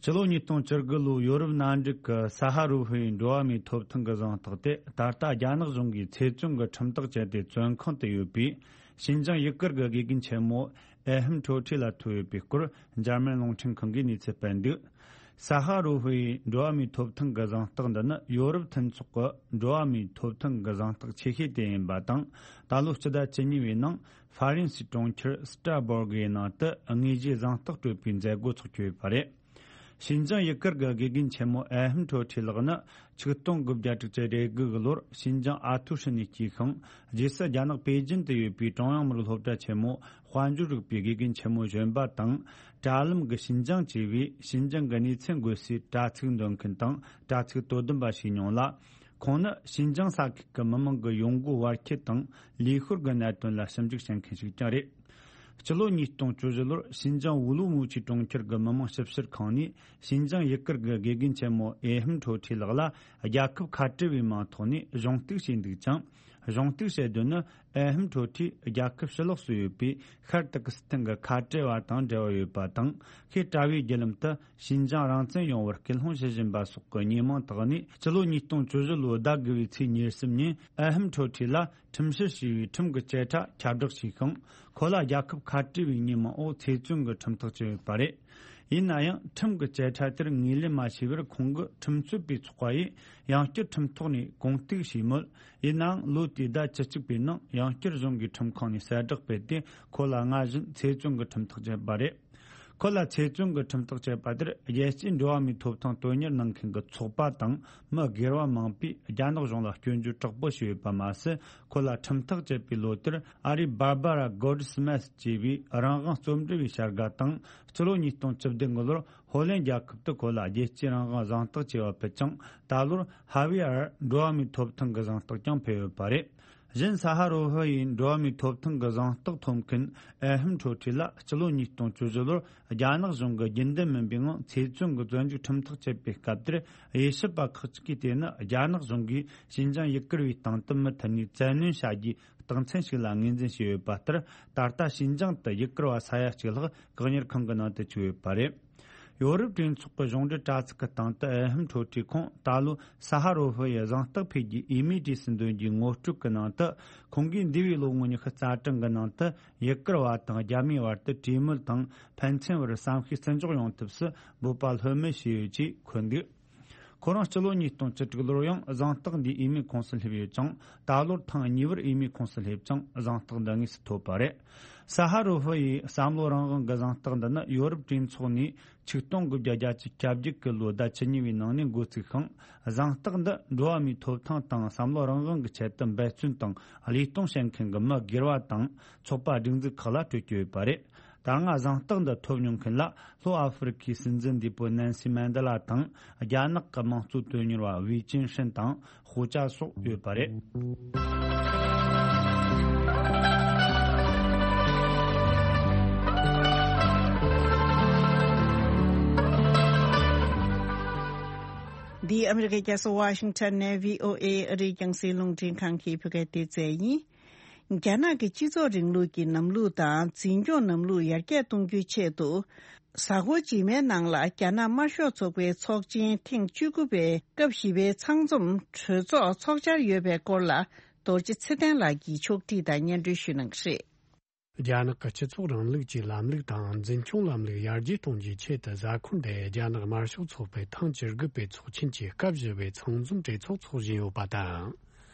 སྤྱི་ལོ་ཉིས་སྟོང་བཅུ་དགུ་ལོའི་ཡོ་རོབ་མནའ་འབྲེལ་གྱི་ས་ཧ་རུ་ཧུའི་འགྲོ་བ་མིའི་ཐོབ་ཐང་གི་གཟེངས་རྟགས་དེ། ད་ལྟ་རྒྱ་ནག་གཞུང་གིས་ཚེ་བཙོན་གྱི་ཁྲིམས་ཐག་བཅད་དེ་བཙོན་ཁང་དུ་ཡོད་པའི་ཤིན་ཅང་ཡུ་གུར་གྱི་དགེ་རྒན་ཆེན་མོ་ཨེ་ཧམ་ཁྲོ་ཁྲི་ལ་ཐོབ་ཡོད་པའི་སྐོར། འཇར་མན་རླུང་འཕྲིན་ཁང་གིས་གནས་ཚུལ་སྤེལ་འདུག་ས་ཧ་རུ་ཧུའི་འགྲོ་བ་མིའི་ཐོབ་ཐང་གི་གཟེངས་རྟགས་འདི་ནི་ཡོ་རོབ་མཐུན་ཚོགས་ཀྱི་འགྲོ་བ་མིའི་ཐོབ་ཐང་གི་གཟེངས་རྟགས་ཆེ་ཤོས་དེ་ཡིན་པ་དང་། ད་ལོ་སྤྱི་ཟླ་བཅུ་གཉིས་པའི་ནང་ཧྥ་རན་སིའི་གྲོང་ཁྱེར་སི་ཏྲ་སྦུར་གི་ནང་དུ་དངོས་གཞིའི་གཟེངས་རྟགས་སྤྲོད་པའི་མཛད་སྒོ་འཚོགས་ཀྱི་ཡོད་པ་རེད། ཤིན་ཅང་ཡུ་གུར་གྱི་དགེ་རྒན་ཆེན་མོ་ཨེ་ཧམ་ཁྲོ་ཁྲི་ལགས་ནི་ཆིག་སྟོང་དགུ་བརྒྱ་དྲུག་ཅུ་རེ་དགུ་གི་ལོར་ཤིན་ཅང་ཨ་ཐུའུ་ཧྲི་ནས་སྐྱེས་ཤིང་། རྗེས་སུ་རྒྱ་ནག་པེ་ཅིན་དུ་ཡོད་པའི་ཀྲུང་དབྱང་མི་རིགས་སློབ་གྲྭ་ཆེན་མོ་དཔལ་འབྱོར་རིག་པའི་དགེ་རྒན་ཆེན་མོ་གཞོན་པ་དང་། དྲ་ལམ་གྱི་ཤིན་ཅང་ཅེས་པའི་ཤིན་ཅང་གི་གནས་ཚུལ་འགོད་སའི་དྲ་ཚིགས་འདོན་མཁན་དང་དྲ་ཚིགས་དོ་དམ་པ་ཞིག་མྱོང་ལ། ཁོང་ནི་ཤིན་ཅང་ས་ཁུལ་གྱི་མི་མང་གི་ཡོང་སྒོ་བར་ཁྱད་དང་ལུས་ཤུལ་གྱི་གནད་དོན་ལ་ཞིབ་འཇུག་བྱེད་མཁན་ཞིག་ཀྱང་རེད། སྤྱི་ལོ་ཉིས་སྟོང་བཅུ་བཞི་ལོར་ཤིན་ཅང་ཝུ་ལུ་མུའུ་ཆི་གྲོང་ཁྱེར་གྱི་མི་དམངས་ཞིབ་བཤེར་ཁང་ནས་ཤིན་ཅང་ཡུ་གུར་གྱི་དགེ་རྒན་ཆེན་མོ་ཨེ་ཧམ་ཁྲོ་ཁྲི་ལགས་ལ་རྒྱལ་ཁབ་ཁ་བྲལ་བའི་མིང་ཐོག་ནས་གཞུང་གཏུག་བྱས་འདུག་ཅིང་། གཞུང་གཏུག་བྱེད་དོན་ནི་ཨེ་ཧམ་ཁྲོ་ཁྲི་རྒྱལ་ཁབ་ཕྱི་ལོགས་སུ་ཡོད་པའི་ཤར་ཏུར་ཀི་སི་ཐན་གྱི་ཁ་བྲལ་བ་དང་འབྲེལ་བ་ཡོད་པ་དང་། ཤེས་བྲལ་བའི་བརྒྱུད་ལམ་དུ་ཤིན་ཅང་རང་བཙན་ཡོང་བར་སྐུལ་སློང་བྱེད་བཞིན་པ་སོགས་ཀྱི་ཉེས་མིང་དག་ནས་སྤྱི་ལོ་ཉིས་སྟོང་བཅུ་བཞི་ལོའི་ཟླ་དགུ་པའི་ཚེས་ཉེར་གསུམ་ཉིན་ཨེ་ཧམ་ཁྲོ་ཁྲི་ལ་ཁྲིམས་བཤེར་བྱས་པའི་ཁྲིམས་ཀྱི་བཅད་ཁྲ་ཁྱབ་བསྒྲགས་བྱས་ཤིང་། ཁོ་ལ་རྒྱལ་ཁབ་ཁ་བྲལ་བའི་ཉེས་མིང་འོག་ཚེ་བཙོན་གྱི་ཁྲིམས་ཐག་བཅད་ཡོད་པ་རེད། ཡིན་ན་ཡང་ཁྲིམས་ཀྱི་བཅད་ཁྲ་དེར་ངོས་ལེན་མ་བྱས་པར་ཁོང་གིས་ཁྲིམས་རྩོད་པའི་ཚོགས་པ་ཡིས་ཡང་བསྐྱར་ཁྲིམས་ཐོག་ནས་གུང་གཏུག་བྱས་མོད། ཡིན་ནའང་ལོ་དེའི་ཟླ་བཅུ་གཅིག་པའི་ནང་ཡང་བསྐྱར་གཞུང་གིས་ཁྲིམས་ཁང་ནས་གསལ་བསྒྲགས་སྤེལ་ཏེ་ཁོ་ལ་སྔར་བཞིན་ཚེ་བཙོན་གྱི་ཁྲིམས་ཐག་བཅད་པ་རེད། ཁོ་ལ་ཚེ་བཙོན་གྱི་ཁྲིམས་ཐག་བཅད་པ་དེར། རྒྱལ་སྤྱིའི་འགྲོ་བ་མིའི་ཐོབ་ཐང་དོན་གཉེར་གནང་མཁན་གྱི་ཚོགས་པ་དང་། མི་སྒེར་བ་མང་པོས་རྒྱ་ནག་གཞུང་ལ་སྐྱོན་བརྗོད་དྲག་པོ་བྱས་ཡོད་པ་མ་ཟད། ཁོ་ལ་ཁྲིམས་ཐག་བཅད་པའི་ལོ་དེར། ཨ་རིའི་Barbara Goldsmith ཅེས་པའི་རང་དབང་རྩོམ་སྒྲིག་པའི་བྱ་དགའ་དང་། སྤྱི་ལོ་ཉིས་སྟོང་བཅུ་བདུན་གྱི་ལོར། ཧོ་ལན་རྒྱལ་ཁབ་ཏུ་ཁོ་ལ་རྒྱལ་སྤྱིའི་རང་དབང་གཟེངས་རྟགས་ཅེས་པ་ཕུལ་ཅིང་། ད་ལོར་ཧ་ཝི་ཨར་འགྲོ་བ་མིའི་ཐོབ་ཐང་གི་གཟེངས་རྟགས་ཀྱང་ཕུལ་ཡོད་པ་རེད། གཞན་ས་ཧ་རོ་ཧྥི་ཡི་འགྲོ་བ་མིའི་ཐོབ་ཐང་གི་གཟེངས་རྟགས་ཐོབ་མཁན་ཨེ་ཧམ་ཁྲོ་ཁྲི་ལ། སྤྱི་ལོ་ཉིས་སྟོང་བཅུ་བཞི་ལོར་རྒྱ་ནག་གཞུང་གིས་རྒྱུན་ལྡན་མིན་པའི་ངང་ཚེ་བཙོན་གྱི་བཙོན་འཇུག་ཁྲིམས་ཐག་བཅད་པའི་སྐབས་དེར། དབྱེ་ཞིབ་པ་ཁག་ཅིག་གིས་བལྟས་ན། རྒྱ་ནག་གཞུང་གིས་ཞིན་ཅང་ཡུ་གུར་བའི་སྟེང་དུ་མུ་མཐུད་ནས་བཙན་གནོན་བྱ་རྒྱུའི་རྟགས་མཚན་ཞིག་ལ་ངོས་འཛིན་བྱས་ཡོད་པ་ལྟར། ད་ལྟ་ཞིན་ཅང་དུ་ཡུ་གུར་བ་ས་ཡ་གཅིག་ལྷག་བཀག་ཉར་ཁང་གི་ནང་དུ་བཅུག་ཡོད་པ་རེད། ཡོ་རོབ་གྲོས་ཚོགས་ཀྱི་གཞུང་འབྲེལ་དྲ་ཚིགས་ཀྱི་སྟེང་དུ་ཨེ་ཧམ་ཁྲོ་ཁྲི་ཁོང་ད་ལོ་ས་ཧ་རོ་ཧྥི་ཡི་གཟེངས་རྟགས་ཕུལ་རྒྱུའི་འོས་མིའི་གྲས་སུ་འདོན་རྒྱུའི་ངོ་སྤྲོད་ཀྱི་ནང་དུ། ཁོང་གིས་འདས་པའི་ལོ་ངོ་ཉི་ཤུ་རྩ་གྲངས་ཀྱི་ནང་དུ་ཡུ་གུར་བ་དང་རྒྱ་མིའི་བར་དུ་གྲོས་མོལ་དང་ཕན་ཚུན་བར་བསམ་ཤེས་བརྩི་འཇོག་ཡོང་ཐབས་སུ་འབོད་པ་ལྷོད་མེད་བྱས་ཡོད་ཅེས་འཁོད་འདུག་ཁོ་རང་སྤྱི་ལོ་ཉིས་སྟོང་བཅུ་དྲུག་ལོར་ཡང་གཟེངས་རྟགས་འདིའི་འོས་མིའི་ཁོངས་སུ་སླེབས་ཡོད་ཅིང་། ད་ལོར་ཐེངས་གཉིས་པར་འོས་མིའི་ཁོངས་སུ་སླེབས་ཅིང་། གཟེངས་རྟགས་འདི་དངོས་སུ་ཐོབ་པ་རེད། ས་ཧ་རོ་ཧྥི་ཡི་བསམ་བློ་རང་དབང་གི་གཟེངས་རྟགས་འདི་ནི་ཡོ་རོབ་གྲོས་ཚོགས་ནས་ཆིག་སྟོང་དགུ་བརྒྱ་བརྒྱད་ཅུ་གྱ་བརྒྱད་ཀྱི་ལོའི་ཟླ་བཅུ་གཉིས་པའི་ནང་ནས་འགོ་བཙུགས་ཤིང་། གཟེངས་རྟགས་འདི་འགྲོ་བ་མིའི་ཐོབ་ཐང་དང་བསམ་བློ་རང་དབང་གི་ཆེད་དུ་འབད་བརྩོན་དང་བློས་གཏོང་བྱེད་མཁན་གྱི་མི་སྒེར་བ་དང་ཚོགས་པ་སྒྲིག་འཛུགས་ཁག་ལ་སྤྲོད་ཀྱི་ཡོད་པ་རེད། ད་སྔ་གཟེངས་རྟགས་འདི་ཐོབ་མྱོང་མཁན་ལ། ལྷོ་ཨ་ཧྥེ་རི་ཁའི་སྲིད་འཛིན་འདས་པོ་ནན་སི་མན་ཌེ་ལ་དང་། རྒྱ་ནག་གི་དམངས་གཙོ་དོན་གཉེར་བ་ཝེ་ཅིན་ཧྲིན་དང་། ཧུའུ་ཅཱ་སོགས་ཡོད་པ་རེད། འདི་ཨ་མི་རི་ཀའི་རྒྱལ་ས་ཝ་ཤིང་ཊོན་ནས་ཝི་ཨོ་ཨེ་ཨ་རིའི་རྒྱང་སྲིང་རླུང་འཕྲིན་ཁང་གི་བོད་སྐད་སྡེ་ཚན་ཡིན། རྒྱ་ནག་གི་སྤྱི་ཚོགས་རིང་ལུགས་ཀྱི་ལམ་ལུགས་དང་འཛིན་སྐྱོང་ལམ་ལུགས་ཡར་རྒྱས་གཏོང་རྒྱུའི་ཆེད་དུ། གཟའ་འཁོར་རྗེས་མའི་ནང་ལ་རྒྱ་ནག་དམར་ཤོག་ཚོགས་པའི་ཚོགས་ཆེན་ཐེངས་བཅུ་དགུ་པའི་སྐབས་བཞི་པའི་ཚང་འཛོམས་གྲོས་ཚོགས་འཚོགས་འཆར་ཡོད་པའི་སྐོར་ལ། རྡོ་རྗེ་ཚེ་བརྟན་ལགས་ཀྱིས་ཕྱོགས་སྒྲིག་དང་སྙན་སྒྲོན་ཞུ་གནང་གི་རེད། རྒྱ་ནག་གི་སྤྱི་ཚོགས་རིང་ལུགས་ཀྱི་ལམ་ལུགས་དང་འཛིན་སྐྱོང་ལམ་ལུགས་ཡར་རྒྱས་གཏོང་རྒྱུའི་ཆེད་དུ། གཟའ་འཁོར་འདིར་རྒྱ་ནག་དམར་ཤོག་ཚོགས་པའི་ཐེངས་བཅུ་དགུ་པའི་ཚོགས་ཆེན་གྱི་སྐབས་བཞི་པའི་ཚང་འཛོམས་གྲོས་ཚོགས་འཚོགས་བཞིན་ཡོད་པ་དང་།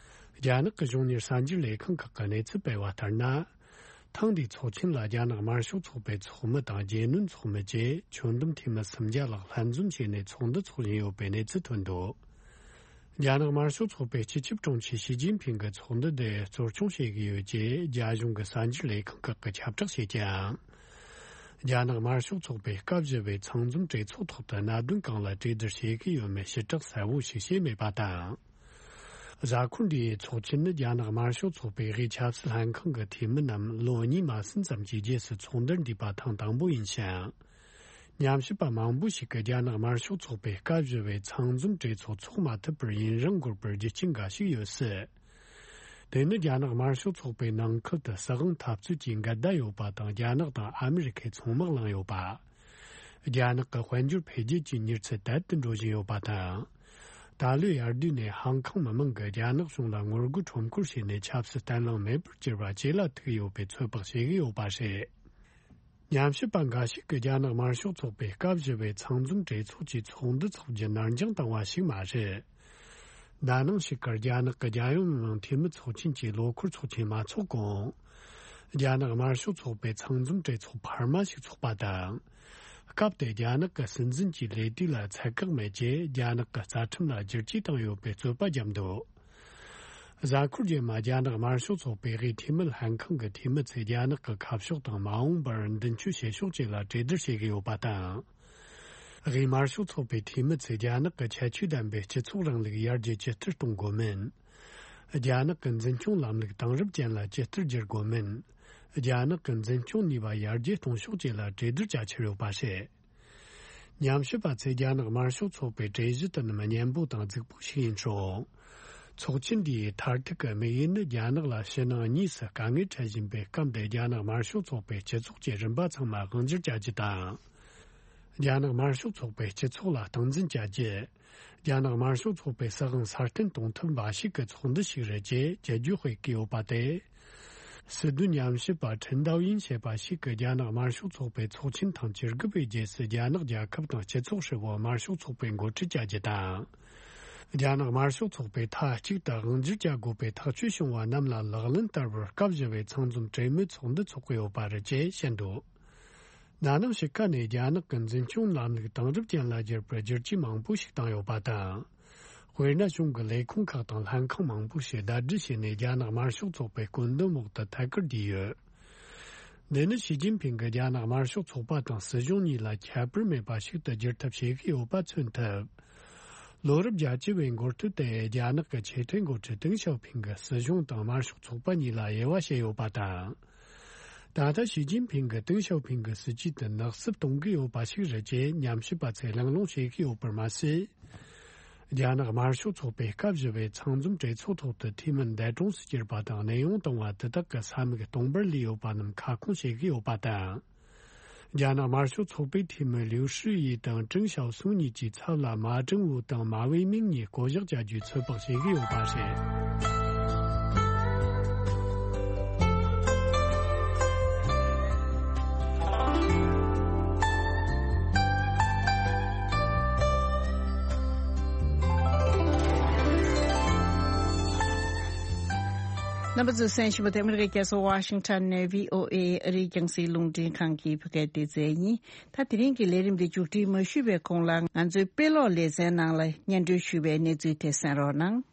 རྒྱ་ནག་གི་གཞུང་གཉེར་གསར་འགྱུར་ལས་ཁང་ཁག་གིས་གནས་ཚུལ་སྤེལ་བ་ལྟར་ན། ཐེངས་འདིའི་ཚོགས་ཆེན་ལ་རྒྱ་ནག་དམར་ཤོག་ཚོགས་པའི་ཚོགས་མི་དང་རྒྱལ་བློན་ཚོགས་མི་བཅས་ཆོད་གདམ་འཐུས་མི་སུམ་བརྒྱ་ལྷག་ལྷན་འཛོམས་བྱས་ནས་ཚོགས་འདུ་འཚོགས་བཞིན་ཡོད་པའི་གནས་ཚུལ་ཐོན་འདུག་རྒྱ་ནག་དམར་ཤོག་ཚོགས་པའི་སྤྱི་ཁྱབ་དྲུང་ཆེ་ཞི་ཅིན་ཕིང་གིས་ཚོགས་འདུ་འདི་གཙོ་སྐྱོང་བྱེད་ཀྱི་ཡོད་ཅེས་རྒྱ་གཞུང་གི་གསར་འགྱུར་ལས་ཁང་ཁག་གིས་ཁྱབ་བསྒྲགས་བྱེད་ཀྱང་། རྒྱ་ནག་དམར་ཤོག་ཚོགས་པའི་སྐབས་བཞི་པའི་ཚང་འཛོམས་གྲོས་ཚོགས་ཐོག་ཏུ་གནད་དོན་གང་ལ་གྲོས་བསྡུར་བྱེད་ཀྱི་ཡོད་མེད་ཕྱིར་བསྒྲགས་གསལ་བོ་ཞིག་བྱས་མེད་པ་དང་། གཟའ་འཁོར་འདིའི་ཚོགས་ཆེན་ནི་རྒྱ་ནག་དམར་ཤོག་ཚོགས་པའི་དབུས་ཆབ་སྲིད་ལྷན་ཁང་གི་འཐུས་མི་རྣམས་ལོ་གཉིས་མ་ཟིན་ཙམ་གྱི་རྗེས་སུ་ཚོགས་འདུར་འདུས་པ་ཐེངས་དང་པོ་ཡིན་ཞིང་། ཉམས་ཞིབ་པ་མང་པོ་ཞིག་གིས་རྒྱ་ནག་དམར་ཤོག་ཚོགས་པའི་སྐབས་བཞི་པའི་ཚང་འཛོམས་གྲོས་ཚོགས་འཚོགས་མ་ཐུབ་པར་ཡུན་རིང་འགོར་པར་རྒྱུ་རྐྱེན་འགའ་ཞིག་ཡོད་སྲིད། དེ་ནི་རྒྱ་ནག་དམར་ཤོག་ཚོགས་པའི་ནང་ཁུལ་དུ་སྲིད་དབང་འཐབ་རྩོད་ཀྱི་འགལ་ཟླ་ཡོད་པ་དང་། རྒྱ་ནག་དང་ཨ་མི་རི་ཁས་མཚོ་དམག་བསླངས་ཡོད་པ། རྒྱ་ནག་གི་དཔལ་འབྱོར་འཕེལ་རྒྱས་ཀྱི་མྱུར་ཚད་དལ་དུ་འགྲོ་བཞིན་ཡོད་པ་དང་། ད་ལོའི་ཡར་དུས་ནས་ཧང་ཀང་མི་མང་གིས་རྒྱ་ནག་གཞུང་ལ་ངོ་རྒོལ་ཁྲོམ་སྐོར་བྱས་ནས་ཆབ་སྲིད་བརྟན་ལྷིང་མེད་པར་གྱུར་བ་ཇེ་ལ་ཐུག་ཡོད་པའི་ཚོད་དཔག་བྱེད་ཀྱི་ཡོད་པ་རེད། ཉམས་ཞིབ་པ་འགའ་ཞིག་གིས་རྒྱ་ནག་དམར་ཤོག་ཚོགས་པའི་སྐབས་བཞི་པའི་ཚང་འཛོམས་གྲོས་ཚོགས་ཀྱི་ཚོགས་འདུ་འཚོགས་རྒྱུ་ནར་འགྱངས་བཏང་བ་ཞིག་མ་རེད། ན་ནིང་ཞིག་གར་རྒྱ་ནག་གི་རྒྱལ་ཡོངས་མི་དམངས་འཐུས་མི་ཚོགས་ཆེན་གྱི་ལོ་འཁོར་ཚོགས་ཆེན་མ་འཚོགས་གོང་། རྒྱ་ནག་དམར་ཤོག་ཚོགས་པའི་ཚང་འཛོམས་གྲོས་ཚོགས་འཕར་མ་ཞིག་འཚོགས་པ་དང་། སྐབས་དེར་རྒྱ་ནག་གི་སྲིད་འཛིན་གྱི་ལས་དུས་ལ་ཚད་བཀག་མེད་ཅེས་རྒྱ་ནག་གི་རྩ་ཁྲིམས་ལ་བསྒྱུར་བཅོས་བཏང་ཡོད་པའི་རྩོད་པ་བརྒྱབ་འདུག་གཟའ་འཁོར་རྗེས་མ་རྒྱ་ནག་དམར་ཤོག་ཚོགས་པའི་དབུས་འཐུས་མི་ལྷན་ཁང་གི་འཐུས་མི་ཚོས་རྒྱ་ནག་གི་ཁ་ཕྱོགས་དང་མ་འོངས་པར་མདུན་སྐྱོད་བྱེད་ཕྱོགས་བཅས་ལ་གྲོས་བསྡུར་བྱེད་ཀྱི་ཡོད་པ་དང་། དབུས་དམར་ཤོག་ཚོགས་པའི་འཐུས་མི་ཚོས་རྒྱ་ནག་གི་ཁྱད་ཆོས་ལྡན་པའི་སྤྱི་ཚོགས་རིང་ལུགས་ཡར་རྒྱས་ཇི་ལྟར་གཏོང་དགོས་མིན། རྒྱ་ནག་གི་འཛིན་སྐྱོང་ལམ་ལུགས་དེང་རབས་ཅན་ལ་ཇི་ལྟར་བསྒྱུར་དགོས་མིན། རྒྱ་ནག་གི་འཛིན་སྐྱོང་ནུས་པ་ཡར་རྒྱས་གཏོང་ཕྱོགས་བཅས་ལ་གྲོས་བསྡུར་བྱ་འཆར་ཡོད་པ་རེད། ཉམས་ཞིབ་པ་ཚོས་རྒྱ་ནག་དམར་ཤོག་ཚོགས་པའི་གྲོས་གཞི་དེ་རྣམས་སྙན་པོ་དང་རྫིག་པོ་ཞིག་ཡིན་ཞིང་། ཚོགས་ཆེན་འདིའི་མཐར་ཐུག་གི་དམིགས་ཡུལ་ནི་རྒྱ་ནག་ལ་ཕྱི་ནང་གཉིས་སུ་དཀའ་ངལ་འཕྲད་བཞིན་པའི་སྐབས་འདིར་རྒྱ་ནག་དམར་ཤོག་ཚོགས་པའི་སྤྱི་ཚོགས་ཀྱི་རིམ་པ་ཚང་མ་དབང་སྒྱུར་བྱ་རྒྱུ་དང་། རྒྱ་ནག་དམར་ཤོག་ཚོགས་པའི་སྤྱི་ཚོགས་ལ་སྟངས་འཛིན་བྱ་རྒྱུ། རྒྱ་ནག་དམར་ཤོག་ཚོགས་པའི་སྲིད་དབང་སྲ་བརྟན་གཏོང་ཐབས་འབའ་ཞིག་གི་ཚོགས་འདུ་ཞིག་རེད་ཅེས་བརྗོད་རྒྱུ་དཔེ་བཀོད་ཡོད་པ་སྟེ། སྲིད་དོན་ཉམས་ཞིབ་པ་ཁྲིན་ཏའོ་ཡིན་ཞེས་པ་ཞིག་གིས་རྒྱ་ནག་དམར་ཤོག་ཚོགས་པའི་ཚོགས་ཆེན་ཐེངས་བཅུ་དགུ་པའི་རྗེས་སུ་རྒྱ་ནག་རྒྱལ་ཁབ་དང་སྤྱི་ཚོགས་ཧྲིལ་པོ་དམར་ཤོག་ཚོགས་པས་འགོ་ཁྲིད་བྱ་རྒྱུ་དང་། རྒྱ་ནག་དམར་ཤོག་ཚོགས་པས་མཐའ་གཅིག་ཏུ་དབང་སྒྱུར་བྱ་དགོས་པའི་ཐག་གཅོད་བྱུང་བ་རྣམས་ལ་ལག་ལེན་བསྟར་བར་སྐབས་བཞི་པའི་ཚང་འཛོམས་གྲོས་མོལ་ཚོགས་འདུ་འཚོགས་ཀྱི་ཡོད་པ་རེད་ཅེས་བཤད་འདུག་ན་ནིང་ཕྱི་ཁ་ནས་རྒྱ་ནག་གི་འཛིན་སྐྱོང་ལམ་ལུགས་དེང་རབས་ཅན་ལ་བསྒྱུར་བར་བསྒྱུར་བཅོས་མང་པོ་ཞིག་བཏང་ཡོད་པ་དང་། དཔེར་ན། གཞུང་གི་ལས་ཁུངས་ཁག་དང་ལྷན་ཁང་མང་པོ་ཞིག་ཟླ་སྒྲིལ་བྱས་ནས་རྒྱ་ནག་དམར་ཤོག་ཚོགས་པའི་བཀོད་འདོམས་འོག་ཏུ་ཐད་ཀར་བསྡུས་ཡོད། འདི་ནི་ཞི་ཅིན་ཕིང་གིས་རྒྱ་ནག་དམར་ཤོག་ཚོགས་པ་དང་སྲིད་གཞུང་གཉིས་ལ་ཁྱད་པར་མེད་པ་ཞིག་ཏུ་བསྒྱུར་ཐབས་བྱེད་ཀྱི་ཡོད་པ་མཚོན་ཐུབ། ལོ་རབས་བརྒྱད་ཅུ་བའི་འགོ་སྟོད་དེ་རྒྱ་ནག་གི་ཆེས་མཐོའི་འགོ་ཁྲིད་ཏེང་ཞའོ་ཕིང་གིས་སྲིད་གཞུང་དང་དམར་ཤོག་ཚོགས་པ་གཉིས་ལ་དབྱེ་བ་ཕྱེ་ཡོད་པ་དང་། ད་ལྟ་ཞི་ཅིན་ཕིང་གིས་ཏེང་ཞའོ་ཕིང་གི་སྲིད་ཇུས་དེ་ནག་སུབ་གཏོང་གི་ཡོད་པ་ཞིག་རེད་ཅེས་ཉམས་ཞིབ་པ་ཚོས་གླེང་སློང་བྱེད་ཀྱི་ཡོད་པར་མ་ཟད། རྒྱ་ནག་དམར་ཤོག་ཚོགས་པའི་སྐབས་བཞི་བའི་ཚང་འཛོམས་གྲོས་ཚོགས་ཐོག་ཏུ་འཐུས་མི་འདས་གྲོངས་སུ་གྱུར་པ་དང་གནས་དབྱུང་བཏང་བ་དེ་དག་གི་ས་མིག་སྟོང་པར་ལུས་ཡོད་པ་རྣམས་ཁ་སྐོང་བྱེད་ཀྱི་ཡོད་པ་དང་། རྒྱ་ནག་དམར་ཤོག་ཚོགས་པའི་འཐུས་མི་ལིའུ་ཧྲི་ཡི་དང་ཀྲིང་ཞའོ་སུང་གཉིས་ཀྱི་ཚབ་ལ་མ་ཀྲང་ཝུ་དང་མ་ཝེ་མིང་གཉིས་བསྐོ་གཞག་བྱ་རྒྱུའི་ཚོད་དཔག་བྱེད་ཀྱི་ཡོད་པ་རེད། རྣམ་པ་ཚོས་གསན་བཞིན་པ་དེ་ཨ་མི་རི་ཀའི་རྒྱལ་ས་ཝ་ཤིང་ཊོན་ནས་བྷི་ཨོ་ཨེ་ཨ་རིའི་རྒྱང་སྲིང་རླུང་འཕྲིན་ཁང་གི་བོད་སྐད་སྡེ་ཚན་ཡིན། ད་དེ་རིང་གི་ལས་རིམ་འདི་མཇུག་སྒྲིལ་མ་ཞུས་པའི་གོང་ལ་ང་ཚོའི་དཔེ་ཀློག་ལེ་ཚན་ནང་ལ་སྙན་སྒྲོན་ཞུས་པའི་གནས་ཚུལ་དེ་གསན་རོགས་གནང་།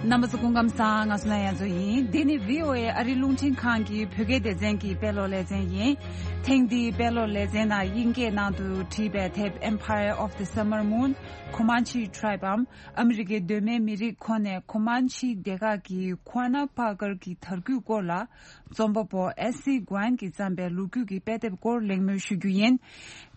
རྣམ་པ་ཚོ་སྐུ་ཁམས་བཟང་། ང་སུ་ན་ཡ་མཚོ་ཡིན། འདི་ནི་བྷི་ཨོ་ཨེ་ཨ་རིའི་རླུང་འཕྲིན་ཁང་གི་བོད་སྐད་སྡེ་ཚན་གྱི་དཔེ་ཀློག་ལེ་ཚན་ཡིན། ཐེངས་འདིའི་དཔེ་ཀློག་ལེ་ཚན་ནང་དབྱིན་སྐད་ནང་དུ་བྲིས་པའི་དེབ་Empire of the Summer Moon Comanche Tribe འམ་ཨ་མི་རི་ཀའི་གདོད་མའི་མི་རིགས་ཁོ་ནས་ཁོ་མན་ཆི་སྡེ་ཁག་གི་ཁོ་ན་པ་ཀར་གྱི་དར་རྒུད་སྐོར་ལ། རྩོམ་པ་པོ་ཨེ་སི་གོན་གྱིས་བརྩམས་པའི་ལོ་རྒྱུས་ཀྱི་དཔེ་དེབ་སྐོར་གླེང་མོལ་ཞུ་རྒྱུ་ཡིན།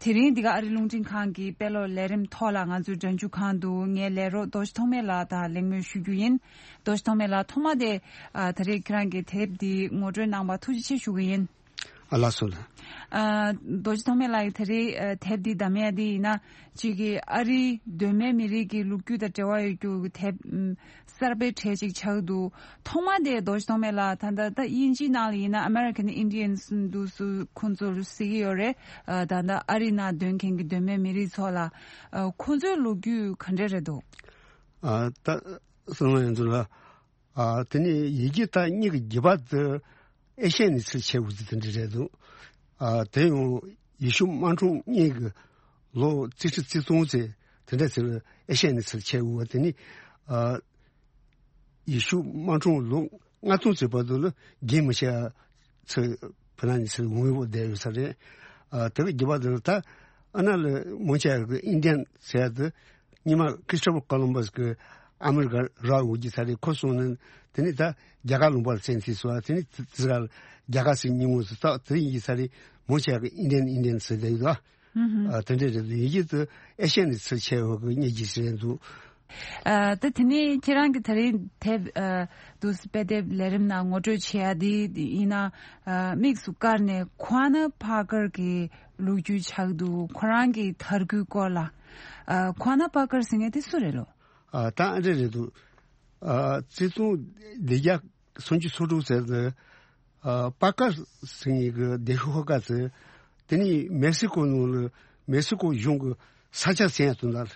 དེ་རིང་འདི་ག་ཨ་རི་རླུང་འཕྲིན་ཁང་གི་དཔེ་ཀློག་ལས་རིམ་ཐོག་ལ་ང་ཚོའི་སྒྲ་འཇུག་ཁང་དུ་ངའི་ལས་རོགས་རྡོ་རྗེ་ཐོགས་མེད་ལགས་དང་གླེང་མོལ་ཞུ་རྒྱུ་ཡིན། རྡོ་རྗེ་ཐོགས་མེད་ལགས། ཐོག་མ་དེ་ཨ་ད་རེས་ཁྱེད་རང་གི་དེབ་འདི་ངོ་སྤྲོད་གནང་བར་ཐུགས་རྗེ་ཆེ་ཞུ་གི་ཡིན། ཨ་ལགས་སོ་ལགས། ཨ་རྡོ་རྗེ་ཐོགས་མེད་ལགས་ཀྱིས་ད་རེས་ཨ་དེབ་འདི་བདམས་ཡ་འདི་ཡིན་ན། གཅིག་གིས་ཨ་རིའི་གདོད་མའི་མི་རིགས་ཀྱི་ལོ་རྒྱུས་དང་འབྲེལ་བ་ཡོད་རྒྱུ་གི་དེབ་ཨམ་གསར་པའི་གྲས་ཅིག་ཆགས་འདུག་ཐོག་མ་དེ་རྡོ་རྗེ་ཐོགས་མེད་ལགས། ད་ལྟ་ད་དབྱིན་ཇིའི་ནང་ལ་ཡིན་ན་American Indians འདུག་སུ་ཁོང་ཚོར་ཟེར་གྱི་ཡོད་རེད། ཨ་ད་ལྟ་ཨ་རི་ནང་སྡོད་མཁན་གྱི་གདོད་མའི་མི་རིགས་ཚོ་ལ་ཨ་ཁོང་ཚོའི་ལོ་རྒྱུས་ག་འདྲ་རེད་འདུག་ཨ་ད་སོང་ལ་ཡིན་ཚུལ་ལ། ཨ་དེ་ནས་ཡི་གེ་ད་སྙིང་གི་རྒྱུད་པ་དེ་ཨེ་ཤི་ཡའི་ནས་ཚུར་ཁྱེར་ཡོང་རྒྱུ་དེ་འདྲ་རེད་འདུག་ཨ་དེ་ཡང་ཡེ་ཤུ་དམག་འཁྲུག་སྔོན་གྱི་ལོ་རྩིས་ཁྲི་རྩིས་སྟོང་ཙམ་དེ་འདྲ་ཚུར་ཨེ་ཤི་ཡའི་ནས་ཚུར་ཁྱེར་ཡོང་བ་དེ་ནི། ཨ་ཡེ་ཤུ་དམག་འཁྲུག་ལོ་ལྔ་སྟོང་ཙམ་བར་དུ་ལ་རྒྱུན་མི་ཆད་ཚུར་ཕ་ནང་ནས་ཚུར་འོང་བའི་འོག་བསྡད་ཡོད་ས་རེད། ཨ་དེ་གི་རྒྱུད་པ་དེ་ལ་ད་ཨ་ན་ལ་མོ་ཆ་གི་ཨིན་ཌི་ཡན་ཟེར་ཡ་དེ། སྔོན་མ་Christopher Columbus གི་ཨ་མི་རི་ཀ་རག་ཡོང་རྒྱུ་ས་རེད། ཁོ་སོང་ནས་དེ་ནས་ད་རྒྱ་གར་ལུང་པ་ལ་བཙན་ཐིག་སོང་བ། དེ་ནས་དེ་དེ་ག་རྒྱ་གར་ཟེར་མྱོང་ངོ་ཟེར། ད་དེ་ཡིན་གྱི་ས་རེད། མོ་ཆ་གི་ཨིན་ཌི་ཡན་ཨིན་ཌི་ཡན་ཟེར་བསྡད་ཡོད་ད། ཨ་དེ་འདྲ་རེད་འདུག་ཡི་གེ་དེ་ཨེ་ཤི་ཡ་ནས་ཚུར་ཁྱེར་ཡོང་གི་སྙིང་རྗེ་ཞིག་རེད་འདུག་ཨ་ད་དེ་ནས་ཁྱེད་རང་གིས་ད་རེས་དེབ་ཨ་འདུག་དཔེ་དེབ་ལས་རིམ་ནང་ངོ་སྤྲོད་བྱེད་ཡ་དེ་ཡིན་ན། ཨ་དམིགས་སུ་བཀར་ནས་ཁོ་ན་པ་ཀར་གྱི་ལོ་རྒྱུས་ཆགས་འདུག་ཁོ་རང་གི་དར་རྒུད་སྐོར་ལ། ཨ་ཁོ་ན་པ་ཀར་ཟེར་མཁན་དེ་སུ་རེད་ལོ། ཨ་ད་ཨ་འདྲ་རེད་འདུག་ཨ་རྩིས་སྟོང་བདུན་བརྒྱ་སུམ་ཅུ་སོ་དྲུག་ཟེར་དུས། ཨ་པ་ཀར་ཟེར་མཁན་གྱི་སྡེ་ཤོག་ཁག་ཅིག་དེ་ནི་མེག་སི་ཀོ་ནང་ལ་མེག་སི་ཀོ་གཞུང་གི་ས་ཆ་ཟིན་ཡ་དོན་དག་ལ།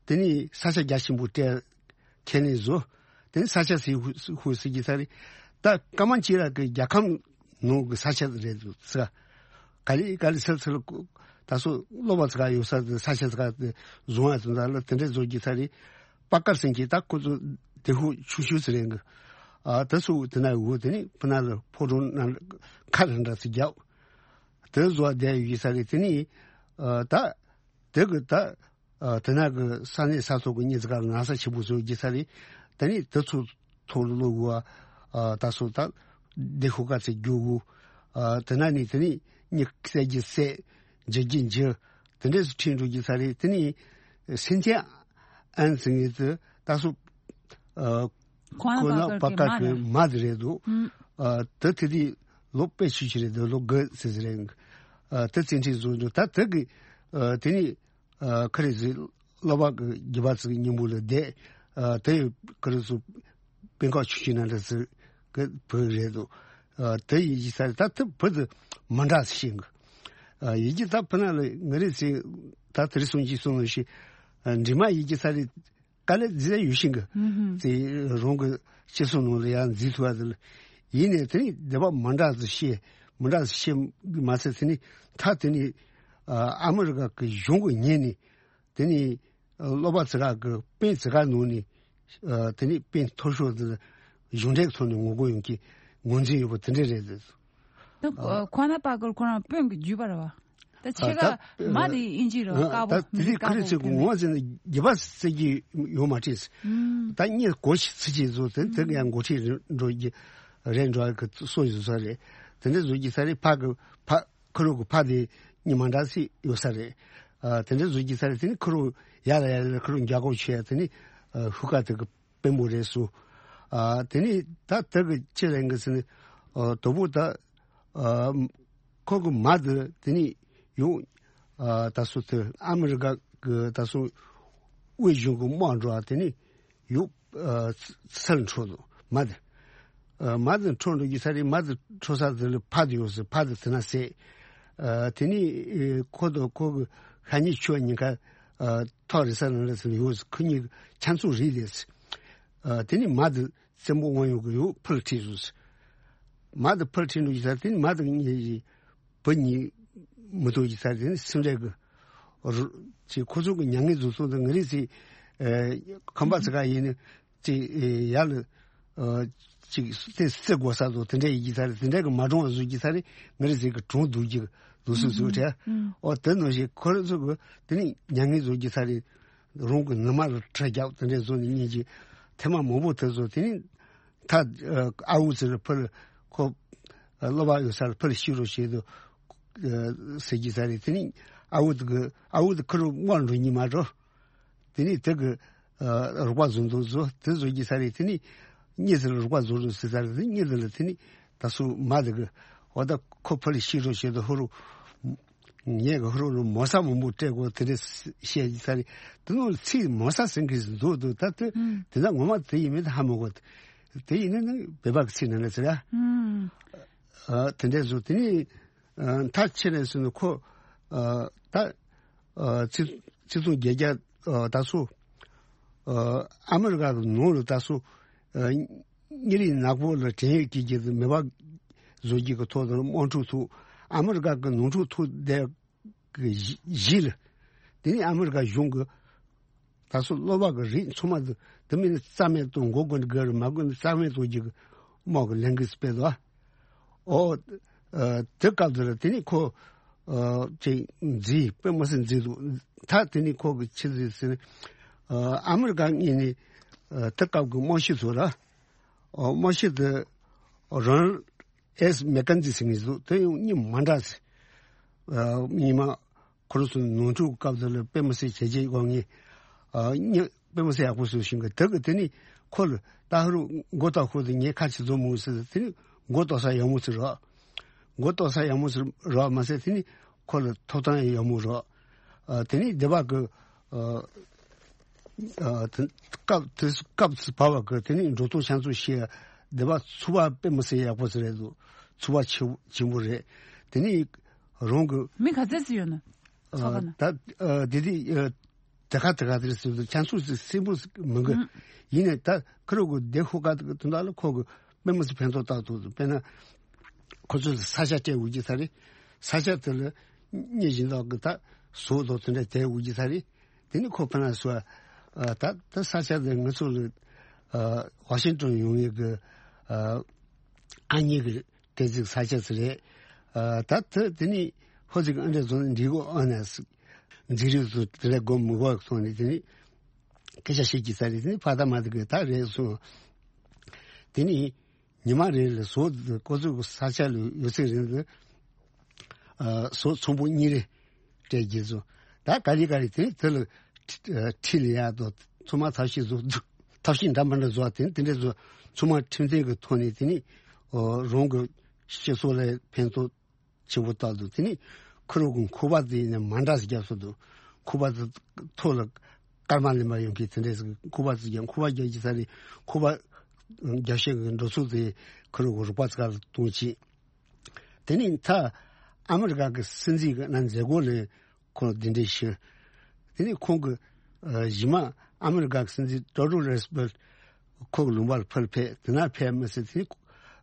དེ་ནས་ས་ཆ་རྒྱ་ཆེན་པོ་སྤྲད། ཁས་ལེན་བཟོ། དེ་ནས་ས་ཆ་ཟིན་ཧུ་ཧུ་ཟེར་གྱི་ས་རེད། ད་ཀ་མན་ཆི་ར་གི་རྒྱལ་ཁམས་ནང་གི་ས་ཆ་རེད་འདུག་ཟེར། ག་ལེ་ག་ལེ་ཚུར་ཚུར་ད་སོ་སློབ་པ་ཚོ་ག་ཡོད་ས་དེ་ས་ཆ་ཚོ་ག་དེ་བཟུང་ཡ་དོན་དག་ལ་དེ་འདྲ་བཟོ་གྱི་ས་རེད། པ་ཀར་ཟེར་གྱི་ད་ཁོ་ཚོ་དེ་ཧུ་ཆུ་ཤུ་ཟེར་རེད་གི། ཨ་ད་སོ་དེ་ན་འོ་དེ་ནས་ཕུ་ན་ལ་ཕོ་བྲང་ན་ཁ་ར་འདྲ་ཚོ་རྒྱབ། དེ་བཟོ་བ་བསྡད་ཡོད་ས་རེད། དེ་ནས་ཨ་ད་དེ་གི་ད། ཨ་དེ་ན་གི་ས་གནས་ས་ཐོག་གི་མི་ཚོ་ག་ན་ས་ཆེན་པོ་བཟོ་རྒྱུ་ས་རེད། དེ་ནས་དེ་ཚོ་ཐོག་ལ་ལོག་དགོས། ཨ་ད་སོ་ད་སྡེ་ཤོག་ཁག་ཅིག་རྒྱུག་དགོས། ཨ་དེ་ན་ནས་དེ་ནས་མི་བསད་རྒྱུ་བསད། འཇུ་རྒྱུ་འཇུ། དེ་འདྲས་སུ་ཁྲིད་འགྲོ་རྒྱུ་ས་རེད། དེ་ནས་སེན་ཐེ་ཨན་ཟེར་མཁན་དེ་ད་སོ་ཨ་ཁོ་ན་པ་ཀར་གྱི་མ་དེ་རེད་འདུག་ཨ་དེ་དེ་དུས་ལོ་དཔེ་ཆུ་ཆུ་རེད་འདུག་ལོ་དགུ་ཙམ་ཟིག་རེད། ཨ་དེ་བཙན་ཁྲིད་བཟོ་འདུག་ད་དེ་གི་ཨ་དེ་ནས། ཨ་ཁ་རེ་ཟིག་སློབ་པ་གི་རྒྱུད་པ་ཚོ་གི་སྙིང་པོ་ལ་བསྡད། ཨ་དེ་ཡི་ཁ་རེ་ཚོ་དཔེ་ཁག་ཆུང་ཆུང་ན་འདྲ་ཚོ་གི་བུ་རེད་འདུག་ཨ་དེ་ཡི་ཡི་ས་རེད། ད་དེ་བུ་དེ་མི་འདྲ་ཞིག་གི། ཨ་ཡི་གེ་ད་ཕུ་ན་ལ་ང་རེ་ཚེ་ད་དེ་རེ་སོང་གི་སོང་ལ་ཞིག་ཨ་འབྲི་མ་ཡི་གེ་ས་རེད། དཀའ་ལས་མཛད་ཡོད་ཤིང་གི། ཧུམ་ཧུམ། དེ་རང་གི་སྤྱི་ཚོགས་ནང་ལ་ཡང་འཛུལ་ཐུབ་པ་དེ་ལ། ཡིན་ནའི་དེ་ནི་སྡེ་པ་མི་འདྲ་ཟིག་བཤད། མི་འདྲ་ཟིག་བཤད་མ་ཚད་དེ་ནི་ད་དེ་ནི་ཨ་ཨ་མི་རི་ཀ་གི་གཞུང་གི་ཉེས་ནི། དེ་ནི་ཨ་སློབ་པ་ཚུ་ག་གི་དཔོན་ཚུ་ག་ནང་ནི་ཨ་དེ་ནི་དཔོན་མཐོ་ཤོས་དེ་གཞུང་འབྲེལ་ཐོག་ནས་ངོ་རྒོལ་ཡོང་གི་ངོས་འཛིན་ཡོད་པ་དེ་འདྲ་རེད། ད་ཨ་ཁོ་ན་པ་གར་ཁོ་རང་དཔོན་གྱི་བརྒྱུད་པ་རེད་བ། ད་ཨ་ཕྱི་ད་ཁ་མ་དེ་ཨིན་ཇི་རོ་ཨ་དཀར་པོ་ད་དེ་དེ་ཁ་རེ་ཚིག་ངོ་ཟེར་ན་རྒྱུད་པ་ཟེར་གྱི་ཡོད་མ་རེད། ཨུམ། ད་གཉིས་གོ་ཤི་ཚི་ཅི་བཟོ་དེ་དེ་ཡང་འགོ་ཁྲིད་འགྲོ་གི་རེད་འགྲོ་གི་སོ་ཡི་བཟོ་ས་རེད། དེ་འདྲ་བཟོ་གི་ས་རེད། ཕ་གི་ཕ་ཁུ་རུ་གི་ཕ་དེ་གཉིས་མ་འདྲ་སི་ཡོད་ས་རེད། ཨ་དེ་འདྲ་བཟོ་གི་ས་རེད། དེ་ནི་ཁུ་རུ་ཡ་ལ་ཡ་ལ་ཁུ་རུ་རྒྱ་གོ་ཆེ་དེ་ནི་ཨ་ཧུ་ཀ་དེ་གི་དཔོན་པོ་རེད་སོ། ཨ་དེ་ནི་ད་དེ་གི་ཅི་ལེན་གི་ཟེར་ནི་ཨ་དོ་པོ་ད། ཨ་ཁོ་གི་མ་དེ་དེ་ནི་ཡོང་ཨ་ད་སོ་དེ་ཨ་མི་རི་ཀ་གི་ད་སོ་དབུས་གཞུང་གི་དམག་འགྲོ་བ་དེ་ནི་ཡོང་ཨ་ཚུར་འཕྲོ་འདུག་མ་དེ། ཨ་མ་དེ་འཕྲོ་འགྲོ་གི་ས་རེད། མ་དེ་འཕྲོ་ས་དེ་ལ་ཕ་དེ་ཡོད་ཟེར། ཕ་དེ་དེ་ན་ཟེར། ཨ་དེ་ནི་ཨེ་ཁོ་དང་ཁོ་གི་ཤ་ཉེ་ཆུ་གཉིས་ཀ་ཨ་ཐོག་རེ་ས་ན་རེ་ཟེར་ཡོད་ཟེར། ཁོ་གཉིས་ཆ་མཚུངས་རེད་ལས་ཟེར། ཨ་དེ་ནི་མ་དེ་བཙན་པོ་དབང་ཡོད་གི་ཡོད་ཕུལ་ཁྲིད་བཟོས། མ་དེ་ཕུལ་ཁྲིད་འགྲོ་གི་ས་དེ་ནི་མ་དེ་གཉིས་ཀྱི་བུ་གཉིས་མི་ཐུག་གི་ས་དེ་ནི་སེམས་ཁྲལ་གི་རུ་ཅིག་ཁོ་ཚོ་གི་མྱ་ངན་འཛུགས་སོང་དུ་ང་རེ་ཚེ་ཨེ་ཁམས་པ་ཚ་ག་ཡིན་ནི་ཅིག་ཨེ་ཡ་ལ་ཨ་ཅིག་དེ་སེ་གོ་ས་དུ་དེ་འདྲ་ཡི་གི་ས་དེ་འདྲ་གི་མ་གྲོང་བ་བཟོ་གི་ས་རེད། ང་རེ་ཚེ་གི་གྲོང་སྡུག་གི་འདུག་སུ་སུ་དྲ། ཨོ་དེ་ནང་བཞིན་ཁོ་རེ་ཚོ་གི་དེ་ནི་མྱ་ངན་བཟོ་གི་ས་རེད། རང་གི་ནུ་མ་ལ་ཁྲག་རྒྱབ་དེ་འདྲ་བཟོ་ནི་གཉིས་ཀྱི་ཐེངས་མ་མང་པོ་དེ་ཚོ་དེ་ནི། ད་ཨ་ཨ་འུ་ཚུར་ཕུལ་ཁོ་ཨ་སློབ་པ་ཡོད་སར་ཕུལ་ཤི་རོ་ཞེས་དུ་ཨ་ཟེར་གྱི་ས་རེད། དེ་ནི་ཨ་འུ་དུ་གི་ཨ་འུ་དུ་ཁུ་རུ་དམག་འགྲོ་ཉི་མ་འགྲོ། དེ་ནི་དེ་གི་ཨ་རོགས་པ་བཟུང་དུ་བཟོ་དེ་བཟོ་གྱི་ས་རེད། དེ་ནི་གཉིས་ཚུར་རོགས་པ་བཟོ་རུ་ཟེར་ས་རེད། དེ་གཉིས་དུ་ལ་དེ་ནི་ད་སུ་མ་དུ་གི་འོ་ད་ཁོ་ཕུལ་ཤི་རོ་ཞེས་དུ་ཧུ་རུ། ངས་ག་ཧུར་ལ་མོ་ས་མང་པོ་སྤྲད་དགོས་དེ་འདྲ་བཤད་ཀྱི་ས་རེད། དེ་ནང་ཚིག་མོ་ས་ཟེར་གྱི་འདུག་འདུག་ད་དེ་ཨུམ། དེ་ན་ངོ་མ་དེ་ཡིན་མིན་ཧ་མ་གོ། དེ་ཡིན་ན་ནི་བོད་པ་གི་ཚིག་ནང་ལ་ཟེར་ཡ། ཨུམ། ཨ་དེ་འདྲ་བཟོ་དེ་ནི་ཨ་མཐའ་ཕྱིན་ནས་སོང་ནས་ཁོ་ཨ་ད་ཨ་ཚིག་ཚིག་ཚོང་བརྒྱད་བརྒྱ་ཨ་ད་སོ་ཨ་ཨ་མི་རི་ཀ་གི་ནང་ལ་ད་སོ་ཨ། གཉིད་རིག་ནག་པོ་ལ་བྲན་གཡོག་བྱེད་ཀྱི་མེད་པ་བཟོ་རྒྱུ་གི་ཐོག་ཏུ་དམག་འཁྲུག་ཐུག་ཨ་མི་རི་ཀ་གི་ནང་འཁྲུག་ཐུག་བསྡད་གི་གཞི་ལ། དེ་ནི་ཨ་མི་རི་ཀ་གཞུང་གི་ད་སོ་སློབ་པ་གི་རིགས་ཚང་མ་དུ་དུ་མི་ནི་རྩ་མེད་དུ་འགོ་དགོས་ནི་དགོས་རུ་མ་དགོས་ནི་རྩ་མེད་དུ་རྒྱུ་གི་དམག་གི་ལས་འགུལ་སྤེལ་དོ། ཨོ། ཨ་དེ་སྐབས་དེ་ལ་དེ་ནི་ཁོ་ཨ་ཅིག་མཛེས་དཔེ་མི་སྲིད་མཛེས་འདུག་ད་དེ་ནི་ཁོ་གི་ཆི་ཟིག་ཟེར་ནས་ཨ་ཨ་མི་རི་ཀ་གཉིས་ནི་ཨ་དེ་སྐབས་ཀྱི་དམག་ཤི་ཚོ་ལ་ཨ་དམག་ཤི་དེ་རོན་ཨེས་མེ་ཀན་ཛི་ཟེར་ངེས་འདུག་དེ་ཡང་གཉིས་མ་འདྲ་ཟེར། ཨ་གཉིས་མ་ཁོ་རང་ཚོ་ནོར་འཁྲུལ་སྐབས་དེ་ལ་དཔེ་མི་སྲིད་བྱས་རྗེས་དབང་ངེས་ཨ་གཉིས། དཔེ་མི་སྲིད་ཡག་པོ་བཟོས་ཤིང་གི་དེ་གི་དེ་ནི་ཁོ་ལ་ད་ཧ་རུ་མགོ་ཏོག་ཁུར་དེ་ངས་ཁ་ཆེ་བཟོ་མོ་ཟེར་དེ་ནི་མགོ་ཏོག་ས་ཡག་མོ་ཟེར་རོགས། མགོ་ཏོག་ས་ཡག་མོ་ཟེར་རོགས་མ་ཟེར་དེ་ནི་ཁོ་ལ་ཐོབ་ཐང་ཡག་མོ་རོགས། ཨ་དེ་ནི་སྡེ་པ་གི་ཨ་ཨ་དེ་སྐབས་དེ་སྐབས་སུ་བབ་པ་གི་དེ་ནི་འགྲོ་སྟངས་ཆང་ཚུ་ཤེས་སྡེ་པ་ཚུ་བ་དཔེ་མི་སྲིད་ཡག་པོ་ཟེར་རེད་འདུག་ཚུ་བ་ཆེ་ཆེན་པོ་རེད། དེ་ནི་རང་གི་མི་ག་ཚད་ཙི་ཡོད་ན་ཚོགས་པ་ན། ད་ཨ་དེ་དེ་ཨ། དེ་ག་དེ་ག་དེར་ཟེར་དུས་ཁྱང་ཚུགས་སུ་སྲིན་པོ་མི་དགོས། ཨུམ། ཡིན་ནས་ད་ཁུ་རུ་གུ་དེ་ཧུ་ཀ་དེ་དུ་འདྲ་ལ་ཁོ་གི་དཔེ་མི་སྲིད་ཕན་ཐོགས་ཏག་ཏུ་དཔེར་ན་ཁོ་ཚོས་ས་ཆ་སྤྲད་འོས་ཀྱི་ས་རེད། ས་ཆ་དེ་ལ་སྙེ་བཞིན་དག་གི་ད་ཟོག་དང་དེ་འདྲ་དེ་འོས་ཀྱི་ས་རེད། དེ་ནི་ཁོ་ཕན་ལ་སོ་ཨ་ད་ད་ས་ཆ་དེ་ང་ཚོ་ལ་ཨ་ཝ་ཤིང་ཏོན་ཡོང་ཡས་གི་ཨ་ཨ་མྱེས་གི་ཏེ་ཙིག་ས་ཆ་ཙི་རེད། ཨ་ད་ད་དེ་ནི་ཧོ་ཙིག་ཨ་འདྲ་བཟོ་ནི་འདི་གོ་ཨ་ནས་འཛིན་རིག་ཚོ་དེ་ལས་སྒོ་མི་གོ་སོང་ནས་དེ་ནི་སྐད་ཆ་བཤད་ཀྱི་ས་རེད། དེ་ནི་ཕ་ད་མ་དེ་གི་ད་རེད་སོང་། དེ་ནི་ཉི་མ་རེ་ལ་ཟོག་དེ་ཀོ་ཙུག་གི་ས་ཆ་ལ་ཡོད་ཚད་རིང་དུ་ཨ་ཟོག་ཚོང་པོ་གཉིས་རེ་སྤྲད་ཀྱི་སོང་། ད་ག་རེ་ག་རེ་དེ་ནི་དེ་ལ་ཁྲི་ལ་ཡག་དོ་ཚོང་མ་ཐབས་ཤེས་བཟོ་འདུག་ཐབས་ཤེས་འདྲ་མི་འདྲ་བཟོ་བ་དེ་དེ་འདྲ་བཟོ་ཚང་མ་ཁྲིམས་མཐུན་གྱི་ཐོག་ནས་དེ་ནི་ཨོ་རང་གི་སྤྱི་ཚོགས་ལ་ཕན་ཐོགས་ཆེན་པོ་བཏགས་འདུག་དེ་ནི་ཁུ་རུ་གི་ཁུ་བ་དེ་ནི་མ་འདྲ་ཟིག་རྒྱབ་སོ་འདུག་ཁུ་བ་དེ་ཐོག་ལ་སྐར་མ་ལེན་པ་ཡོང་གི་དེ་འདྲ་ཟིག་ཁུ་བ་ཟིག་རྒྱབ་ཁུ་བ་རྒྱབ་ཀྱི་ས་ནི་ཁུ་བ་རྒྱབ་ཤེས་ཀྱི་འགྲོ་ཚུལ་དེ་ཁུ་རུ་གི་རུག་པ་ཚ་ལ་གཏོང་ཅི། དེ་ནི་མཐའ་ཨ་མི་རི་ཀ་གི་སྲིད་འཛིན་གི་ན་མཛད་སྒོ་ལས། ཁོང་འདི་འདྲའི་ཞུ། དེ་ནས་ཁོང་གི་ ཨ་གཞི་མ་ཨ་མི་རི་ཀ་གི་སྲིད་འཛིན་ཏེ་ཨོ་རོ་རུ་སི་བེལ་ཁོ་གི་ལུང་པ་ལ་ཕར་ཕེབས། དེ་ན་ཕེབས་མ་ཟད་དེ་ནི་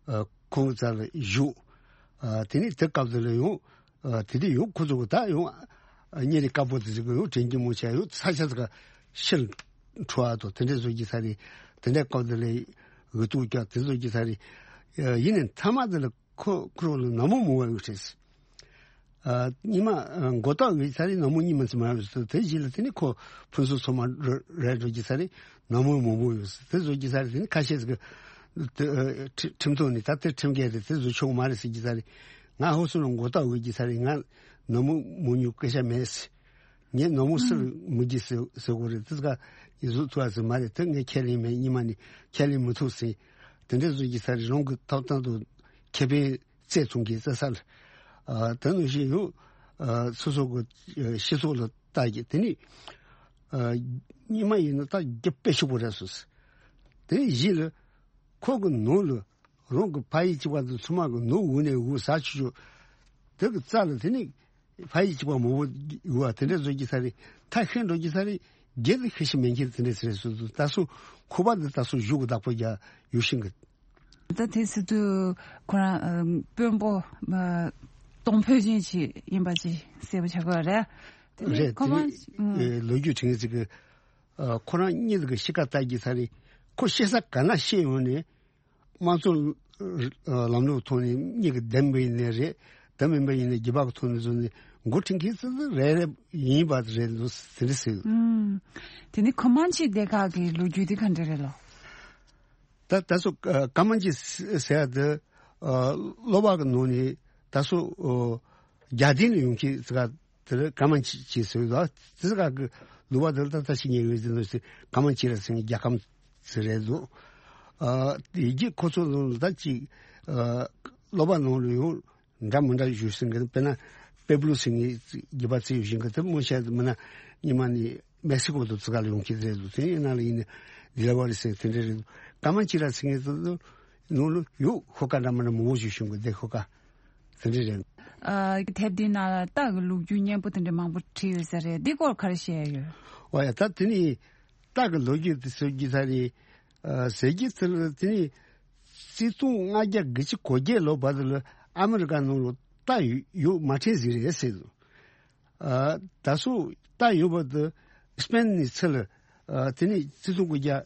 ཨ་ཁོང་གི་རྩ་ལ་བཞུགས། ཨ་དེ་ནི་དེ་སྐབས་དེ་ལ་ཡང་ཨ་དེ་དུས་ཡང་ཁོ་ཚོ་གི་ད་ཡང་ཨ་གཉེར་རིགས་དཀར་པོ་དེ་ཚོ་གི་ཡང་དྲན་གྱི་མོ་ཆ་ཡང་ས་ཆ་ཚོ་ག་ཕྱིར་འཁྲུ་བ་དང་དེ་འདྲ་བཟོ་རྒྱུ་ས་རེད། དེ་འདྲ་སྐབས་དེ་ལ་འུ་ཐུག་རྒྱག་དེ་བཟོ་རྒྱུ་ས་རེད། ཨ་ཡིན་ནའི་མཐའ་མ་དེ་ལ་ཁོ་ཁོ་རང་ལ་ནག་མོ་མང་བ་ཡོད་རེད། ཨ་ཉི་མ་ཨ་མགོ་བཏགས་ཡོད་ས་རེད། ནག་མོ་གཉིས་མ་ཚིག་མ་ཡོད་ས་དེ་རྗེས་ལ་དེ་ནི་ཁོ་ཕུན་སུམ་ཚོགས་མ་རེད་འགྲོ་གི་ས་རེད། ནག་མོ་མང་པོ་ཡོད་ས་དེ་བཟོ་གི་ས་རེད། དེ་ནི་ཁ་ཤས་ཟིག་གི་དེ་ཨ་ཁྲི་ཁྲིམས་ཐོག་ནས་ད་དེ་ཁྲིམས་འགལ་རེད། དེ་བཟོ་ཆོག་མ་རེད་ཟེར་གི་ས་རེད། ང་ཧོ་སུ་ལ་མགོ་བཏགས་ཡོད་གི་ས་རེད། ང་ནག་མོ་མང་ཉུང་སྐད་ཆ་མེད་ཟེར། ངས་ནག་མོ་སུ་ལ་མི་གི་ཟེར་ཟེར་གོ་རེད། དེ་ཟིག་ག་ཡིན་བཟོ་ཐུབ་ཨ་ཟེར་མ་རེད། དེ་ངས་ཁས་ལེན་མེད། ཉི་མ་ནས་ཁས་ལེན་མི་ཐུབ་ཟེར། དེ་འདྲ་བཟོ་གི་ས་རེད། རང་གི་ཐོབ་ཐང་དང་ཁེ་ཕན་རྩེ་ཚོང་གི་རྩེ་ས་ལ། ཨ་དེ་ནང་བཞིན་ཡང་ཨ་སོ་སོ་གི་ཨ་སྤྱི་ཚོགས་ལ་ལྟ་གི་དེ་ནི་ཨ་ཉི་མ་ཡིན་ན་ད་རྒྱབ་དཔེ་ཞིག་པོ་རེད་སོ་སོ། དེ་བཞིན་ལ་ཁོ་གི་ནང་ལ་རང་གི་ཕ་ཡུལ་གཅིག་པ་དང་ཚང་མ་གི་ནང་འུ་ནས་འུ་ཟ་ཆུ་ཆུ་དེ་གི་རྩ་ལ་དེ་ནི་ཕ་ཡུལ་གཅིག་པ་མང་པོ་ཡོད་པ་དེ་འདྲ་བཟོ་གི་ས་རེད། ཐ་ཤལ་འགྲོ་གི་ས་རེད། རྒྱལ་དུ་ཤི་ཤི་མེད་མཁན་དེ་འདྲ་ཟེར་སོ་སོ། ད་སོ་ཁོ་པ་འདི་ད་སོ་གཞུག་གི་བདག་པོ་རྒྱག་ཡོད་ཤིང་གི། ད་དེ་སྲིད་དུ་ཁོ་རང་ཨ་དཔོན་པོ་ཨ་གཏོང་ཕོད་ཅན་ཅིག་ཡིན་པ་ཅིག་གསལ་པོ་ཆགས་ཀྱི་རེད། དེ་ནས་རེད། ཁོ་དེ་མ་ནི་ཨ་ལོ་རྒྱུས་དྲན་གི་ཟིག་གི་ཨ་ཁོ་རང་གཉིས་ཀྱི་གཤིས་ཀ་ལྟ་གི་ས་རེད། ཁོ་གཤེ་ས་ག་ན་གཤེ་ཡོང་ནས་དམངས་གཙོ་ཨ་ལམ་ལུགས་ཐོག་ནས་གཉིས་ཀྱི་བདེན་པ་ཡིན་ནའི་རེད། བདེན་མིན་པ་ཡིན་ནའི་རྒྱུ་བག་ཐོག་ནས་བཟུང་ནས་འགོ་ཁྲིད་མཁན་ཙི་ཙི་རེ་རེ་ཡིན་པ་རེད་འདུག་དེ་འདྲ་ཟེར། ཨུམ། དེ་ནི་ཁོ་མན་ཆི་སྡེ་ཁག་གི་ལོ་རྒྱུས་དེ་ག་འདྲ་རེད་ལོ། ད་ད་སོ་ཨ་ཀ་མན་ཆི་ཟེར་ཡ་དེ་ཨ་སློབ་པ་གི་ནང་ནས་ད་སོ་ཨ་རྒྱ་དེ་ནས་ཡོང་མཁན་ཙི་ག་དེར་ཀ་མན་ཆི་ཅེས་ཟེར་བ། དེ་ག་གི་ལུག་པ་དེར་ད་ལྟ་ཞིག་ཉེ་བའི་དེ་ནོ་ཞིག་ཀ་མན་ཆི་ར་ཟེར་རྒྱ་ཀམ་ཟེར་རེད་འདུག་ཨ་དེ་རྗེས་ཁོ་ཚོ་ལ་ད་ཅིག་ཨ་སློབ་པ་ནང་ལ་ཡང་འདྲ་མི་འདྲ་ཞུ་ཟིན་གི། དཔེར་ན་པེ་བློ་ཟེར་ངའི་རྒྱུད་པ་ཚེ་ཡོད་བཞིན་གི་དེ་མོ་བཤད་མི་ན་ཉི་མ་ནི་མེག་སི་ཀོ་དུ་ཙི་ག་ལ་ཡོང་གི་རེད་འདུག་དེ་ཡིན་ན་ལ་ཡིན་ནི་དི་ལ་བ་རི་ཟེར་དེ་འདྲ་རེད་འདུག་ཀ་མན་ཆི་ར་ཟེར་ངའི་དུ་ནང་ལ་ཡོད་ཤོ་ཀ་འདྲ་མི་འདྲ་མང་བོ་ཞིག་བྱུང་གི་བསྡད་ཤོ་ཀ་དེ་འདྲ་རེད། ཨ་དེབ་འདི་ནང་ལ་རྟ་གི་ལོ་རྒྱུས་སྙན་པོ་དེ་འདྲ་མང་པོ་བྲིས་ཡོད་ས་རེད། འདི་སྐོར་ག་རེ་བཤད་ཡོད། འོ་ཡ་ད་དེ་ནི་རྟ་གི་ལོ་རྒྱུས་དེ་ཟེར་རྒྱུ་ས་རེད། ཨ་ཟེར་རྒྱུ་དེ་ལ་དེ་ནི་ཆིག་སྟོང་ལྔ་བརྒྱ་དགུ་བཅུ་གོ་བརྒྱད་ལོ་བར་དུ་ལ་ཨ་མི་རི་ཀ་ནང་ལ་རྟ་ཡོད་ཡོད་མ་ཕྲན་ཟིག་རེད་ཟེར་འདུག་ཨ་ད་སོ་རྟ་ཡོད་པ་དེ་སྤེན་ནི་ཚེ་ལ་ཨ་དེ་ནི་ཆིག་སྟོང་དགུ་བརྒྱ་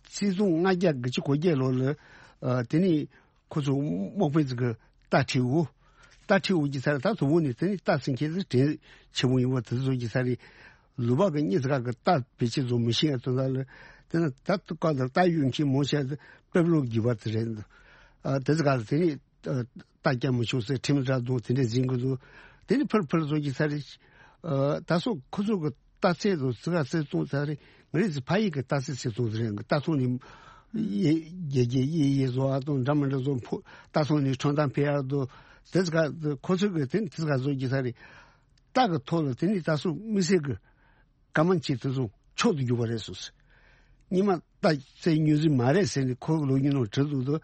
ཆིག་སྟོང་ལྔ་བརྒྱ་དགུ་བཅུ་གོ་བརྒྱད་ལོ་ལ་ཨ་དེ་ནི་ཁོ་ཚོ་དམག་དཔོན་ཚོ་གི་རྟ་ཁྲིད་འོ། རྟ་ཁྲིད་འོ་གི་ས་རེད། ད་དུ་བོ་ནི་དེ་ནི་རྟ་ཚིང་ཁྱེད་ཚོ་དྲན་ཆེ་མོ་ཡིན་པ་དེ་ཚོ་གི་ས་རེད། ལུ་བ་གི་གཉིས་ཀ་གི་རྟ་བེད་སྤྱད་བཟོ་མི་ཤེས་ཡ་དོན་དག་ལ་དེ་ན་ད་དུ་ཀ་ལ་རྟ་ཡོད་མཁན་མོ་བཤད་དེ་དཔེ་བློ་རྒྱུ་བ་དེ་རེད། ཨ་དེ་ཚོ་ག་ལ་དེ་ནི་ཨ་རྟ་རྒྱག་མི་ཆོག་ཟེར་ཁྲིམས་ར་དང་དེ་འདྲ་འཛིན་གི་འདུག་དེ་ནི་ཕར་ཕར་བཟོ་གི་ས་རེད། ཨ་ད་སོ་ཁོ་ཚོ་གི་རྟ་ཚེ་དང་ཙི་ག་ཚེ་བཙོང་ཚར་རེད། ང་རེ་ཚེ་ཕ་ཡི་གི་རྟ་ཚེ་ཚེ་བཙོང་ཚར་རེད། རྟ་ཚོང་ནི་ཡེ་རྒྱལ་རྒྱལ་ཡེ་ཡེ་བཟོ་བ་དང་འདྲ་མི་འདྲ་བཟོ་ཕོ་རྟ་ཚོང་ནི་ཁྲོམ་ཐང་ཕེ་ཡར་དུ་དེ་ཚེ་ག་ཁོ་ཚོ་གི་དེ་ནི་དེ་ཚེ་ག་བཟོ་རྒྱུ་ས་རེད། རྟ་གི་ཐོག་ལ་དེ་ནི་ད་སོ་མི་སེར་གི་ཀ་མན་ཆི་དེ་ཚོ་མཆོག་ཏུ་གྱུར་པ་རེད་སོ་སོ། ཉི་མ་རྟ་ཚེ་ཉུང་ཟིག་མ་རེད་ཟེར་ནས་ཁོ་གི་ལོ་རྒྱུས་ནང་བྲིས་འདུག་དོ།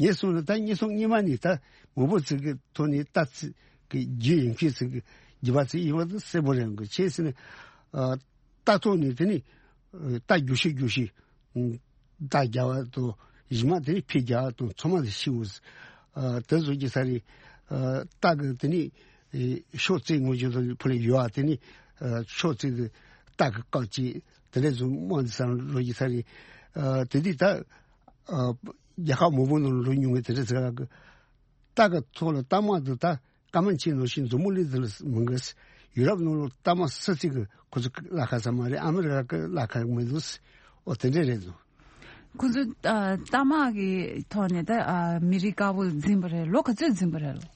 ངས་སོང་ནས་ད་ངས་སོང་ཉི་མ་ནས་ད་མང་པོ་ཚིག་གི་ཐོག་ནས་རྟ་ཚེ་གི་རྒྱུ་ཡིན་ཁྱོད་ཚིག་གི་རྒྱུ་བ་ཚིག་ཡིན་བ་དེ་གསལ་པོ་རེད་གི་ཆེ་ཟེར་ནས། ཨ་རྟ་ཐོག་ནས་དེ་ནི་ཨ་རྟ་རྒྱུ་ཤི་རྒྱུ་ཤི་ཨ་རྟ་རྒྱ་བ་དང་གཞི་མ་དེ་ནི་ཕི་རྒྱ་བ་དང་ཚང་མ་དེ་ཤི་འུ་ཨ་དེ་བཟོ་རྒྱུ་ས་རེད། ཨ་རྟ་གི་དེ་ནི་ཨེ་ཤོག་ཙེ་ངོ་རྒྱུ་དང་ཕུ་ལ་ཡོ་ཨ་དེ་ནི་ཨ་ཤོག་ཙེ་གི་རྟ་གི་བཀག་ཅིག་དེ་འདྲ་བཟོ་མ་འདི་ས་རོ་རྒྱུ་ས་རེད། ཨ་དེ་དུས་ད་ཨ་རྒྱལ་ཁབ་མང་པོ་ནང་ལོ་ཉུང་གི་དེ་འདྲ་ཟེར་གི། རྟ་གི་ཐོག་ལ་རྟ་དམག་འདི་ད་ཀ་མན་ཆེ་ནོ་ཞིག་འཛུབ་མོ་ལི་འདི་ལ་མི་འགས། ཡུ་རོབ་ནང་ལོ་རྟ་དམག་སུ་གཅིག་གི་ཁོ་ཚོ་གི་ལ་ཁ་ས་མ་རེད། ཨ་མི་རི་ཀ་གི་ལ་ཁ་མི་འདུག་ཨོ་དེ་འདྲས་རེད་འདུག་ཁོ་ཚོ་ཨ་རྟ་དམག་གི་ཐོག་ནས་ད་ཨ་མི་རིགས་དཀར་པོ་འཛིན་པ་རེད། ལོ་ག་ཚོད་འཛིན་པ་རེད་ལོ།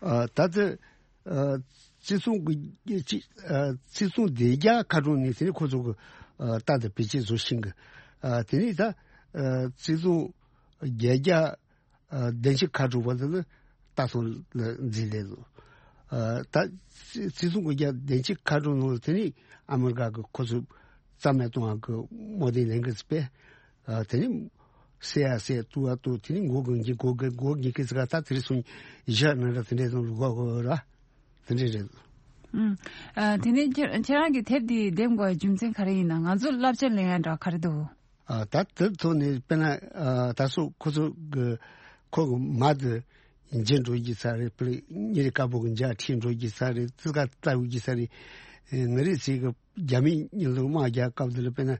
ཨ་ད་ལྟ་ཨ་བརྩི་སྲུང་གི་ཅི་ཨ་བརྩི་སྲུང་སྡེ་རྒྱ་ཁ་གྲོང་ནས་དེ་ནས་ཁོ་ཚོ་གི་ཨ་རྟ་དང་བེད་སྤྱད་བཟོ་ཤིང་གི་ཨ་དེ་ནས་ད་ཨ་བརྩི་སྲུང་རྒྱལ་རྒྱ། ཨ་བདེན་ཆི་ཁ་དྲུག་པ་དེ་ལ་ལྟ་སོང་ལ་འཛིན་ལས་སོ། ཨ་ད་བརྩི་སྲུང་གི་རྒྱ་བདེན་ཆི་ཁ་དྲུག་ནང་ལ་དེ་ནི་ཨ་མི་རི་ཀ་གི་ཁོ་ཚོ་རྩ་མེད་གཏོང་བ་གི་དམག་སྡེ་ལེན་གི་ཚེ་པས། ཨ་དེ་ནི་སེ་ཡ་སེ་ཏུ་བ་ཏུ་དེ་ནི་མགོ་གི་འགྱིག་མགོ་གི་མགོ་འགྱིག་གི་ཚེ་ག་ད་དེ་རི་སོང་བཞི་ནང་ར་དེ་འདྲས་སོང་ལུག་གོ་གོ་ར་དེ་འདྲས་རེད། ཨུམ། ཨ། དེ་ནས་ཁྱེད་ཁྱེད་རང་གིས་དེབ་འདི་འདེམས་དགོས་རྒྱུ་མཚན་ག་རེ་ཡིན་ན། ང་ཚོ་བསླབ་བྱ་ལེན་ཡ་འདྲ་ག་རེ་འདུག་ཨ། ད་དེ་ཐོག་ནས་དཔེར་ན། ཨ། ད་སོ་ཁོ་ཚོ་གི་ཁོ་གི་མ་དེ་འཇིག་འགྲོ་གི་ས་རེད། དཔེར་ན་ཉིན་རེ་དཀར་པོ་གི་འཇའ་ཁྲིད་འགྲོ་གི་ས་རེད། ཙི་ག་ལྟ་བུ་གི་ས་རེད། ཨེ། ང་རེ་ཚེ་གི་རྒྱ་མི་ཉིན་ལུག་དམག་རྒྱག་སྐབས་དེ་ལ་དཔེར་ན།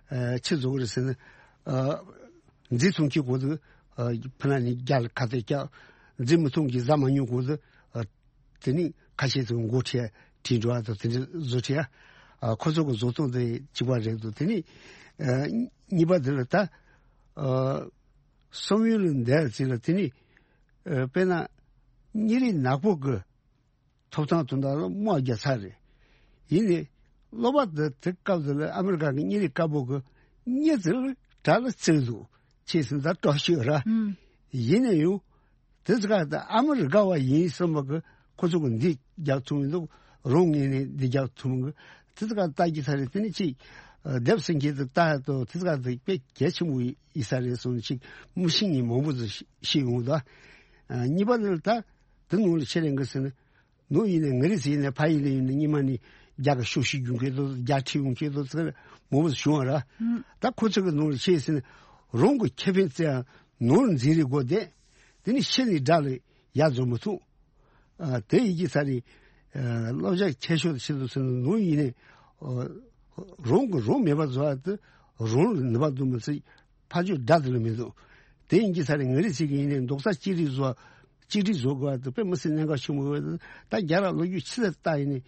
ཨ། ཆི་བཟོ་གི་རེད་ཟེར་ན། ཨ། འཛིང་ཐུབ་ཀྱི་གོ་དུ། ཨ། ཕ་ན་ནི་རྒྱ་ལ་ཁ་གཏད་བཀྱག་འཛིང་མི་ཐུབ་ཀྱི་ཟ་མ་ཉུང་གོ་དུ། ཨ། དེ་ནི་ཁ་ཤས་ཚོ་མགོ་ཁྲེལ་དྲིན་འགྲོ་བ་དང་དེ་འདྲ་བཟོ་ཁྲེལ། ཨ། ཁོ་ཚོ་གི་བཟོ་སྟངས་དེ་གཅིག་པ་རེད་འདུག་དེ་ནི། ཨ། གཉིས་པ་དེ་ལ་ད། ཨ། བསམ་ཡུལ་ལ་འདས་ཚེ་ལ་དེ་ནི། ཨ། དཔེར་ན་གཉིད་རིག་ནག་པོ་གི་ཐོབ་ཐང་དོན་དག་ལ་དམག་རྒྱག་ཚར་རེད། ཡིན་ནའི་སློབ་པ་དེ་དེ་སྐབས་དེ་ལ་ཨ་མི་རི་ཀ་གི་གཉིད་རིག་དཀར་པོ་གི་གཉིད་དེ་ལ་དགྲ་ལ་བརྩེ་འདུག་ཆེས་སུ་ད་སྟོབས་ཤོད་ར། ཨུམ། ཡིན་ནའི་ཡང་དེ་ཚོ་ག་ད་ཨ་མི་རི་ཀ་བ་ཡིན་བསམ་པ་གི་ཁོ་ཚོ་གི་འདི་རྒྱག་ཐུབ་མི་འདུག་རང་ངོས་ནས་འདི་རྒྱག་ཐུབ་མི་གི་དེ་ཚོ་ག་ལྟ་རྒྱུ་ས་རེད། དེ་ནི་ཅིག་ཨ། སྡེབ་སེང་གེ་དེ་ལྟ་དུ་དེ་ཚོ་ག་དེ་དཔེ་གལ་ཆེན་པོ་ཡིན་ས་རེད་སོང་ཅིག་མི་ཤེས་མཁན་མང་པོ་ཚོ་ཤེས་ཡོང་ད། ཨ། གཉིས་པ་ནི་ད་དེ་ནང་ལ་ཆེད་ལས་འགི་ཟེར་ན། ནོར་ཡིན་ནའི་ང་རེ་ཟེར་ནས་ཕ་ཡིན་ལ་ཡིན་ནའི་སྙི་མ་ནི་རྒྱ་གི་ཤོག་ཤིག་རྒྱུན་ཁྱེར་དུ་རྒྱ་ཁྲིད་ཡོང་ཁྱེར་དུ་ཚེ་མོ་བོ་བྱུང་བ་ར། ད་ཁོ་ཚོ་གི་ནོར་ཤེས་ཟེར་ནས་རང་གི་ཁེ་ཕན་བཙལ་ཡང་ནོར་འཛིན་རེ་དགོས་བསྡད། དེ་ནི་ཤེས་ནི་དགྲ་ལ་ཡ་བཟོ་མི་ཐུབ། ཨ། དེ་ཡིན་གྱི་ས་རེད། ཨ། བསླབ་བྱ་ཁྱད་ཤོས་ཆེད་དུ་ཟེར་ནས་ནོར་ཡིན་ནའི། ཨ། རང་གི་རང་མེད་པ་བཟོ་བ་དེ་རང་ལ་ནུས་པ་འདུག་མི་ཚེ། ཕ་ཆོས་དགྲ་དེ་ལ་མི་འདུག་དེ་ཡིན་གྱི་ས་རེད། ང་རེ་ཚིག་གི་ཡིན་ནའི་རྡོག་རྩ་གཅིག་སྒྲིལ་བཟོ། གཅིག་སྒྲིལ་བཟོ་དགོས་པ་དེ་དཔེ་མི་སྲིད་གནད་འགག་ཆེན་པོ་རེད། ད་རྒྱ་ར་ལོ་རྒྱུས་ཕྱི་ལ་ལྟ་ཡིན་ནའི་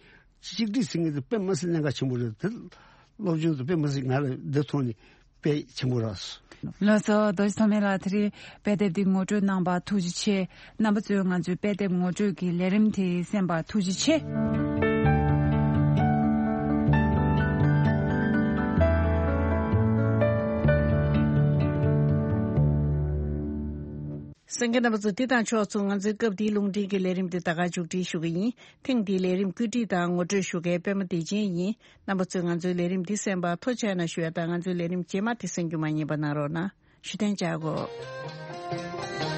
གཅིག་སྒྲིལ་ཟེར་མཁན་དེ་དཔེ་མི་སྲིད་གནད་འགག་ཆེན་པོ་རེད། དེ་སློབ་སྦྱོང་དེ་དཔེ་མི་སྲིད་ང་ལ་འདི་ཐོག་ནས་དཔེ་ཆེན་པོ་རག་སོང་། ལགས་སོ། རྡོ་རྗེ་ཐོགས་མེད་ལགས། དེ་རིང་དཔེ་དེབ་འདི་ངོ་སྤྲོད་གནང་བར་ཐུགས་རྗེ་ཆེ། རྣམ་པ་ཚོས་ང་ཚོའི་དཔེ་དེབ་ངོ་སྤྲོད་ཀྱི་ལས་རིམ་དེ་གསན་པར་ཐུགས་རྗེ་ཆེ། གསན་མཁན་རྣམ་པ་ཚོ། འདི་དང་ཕྱོགས་མཚུངས་ང་ཚོའི་སྐབས་འདིའི་རླུང་འཕྲིན་གྱི་ལས་རིམ་འདི་ད་ག་མཇུག་སྒྲིལ་ཞུ་གི་ཡིན། ཐེངས་འདིའི་ལས་རིམ་བཀོད་སྒྲིག་དང་ངོ་སྤྲོད་ཞུ་མཁན་པད་མ་བདེ་ཆེན་ཡིན། རྣམ་པ་ཚོས་ང་ཚོའི་ལས་རིམ་འདི་གསན་པར་ཐུགས་རྗེ་ཆེ་ཞུ་ཡ་དང་། ང་ཚོའི་ལས་རིམ་རྗེས་མ་དེ་གསན་རྒྱུ་མ་བསྙེལ་བ་གནང་རོགས་གནང་། ཞུ་རྟེན་བཅའ་དགོས།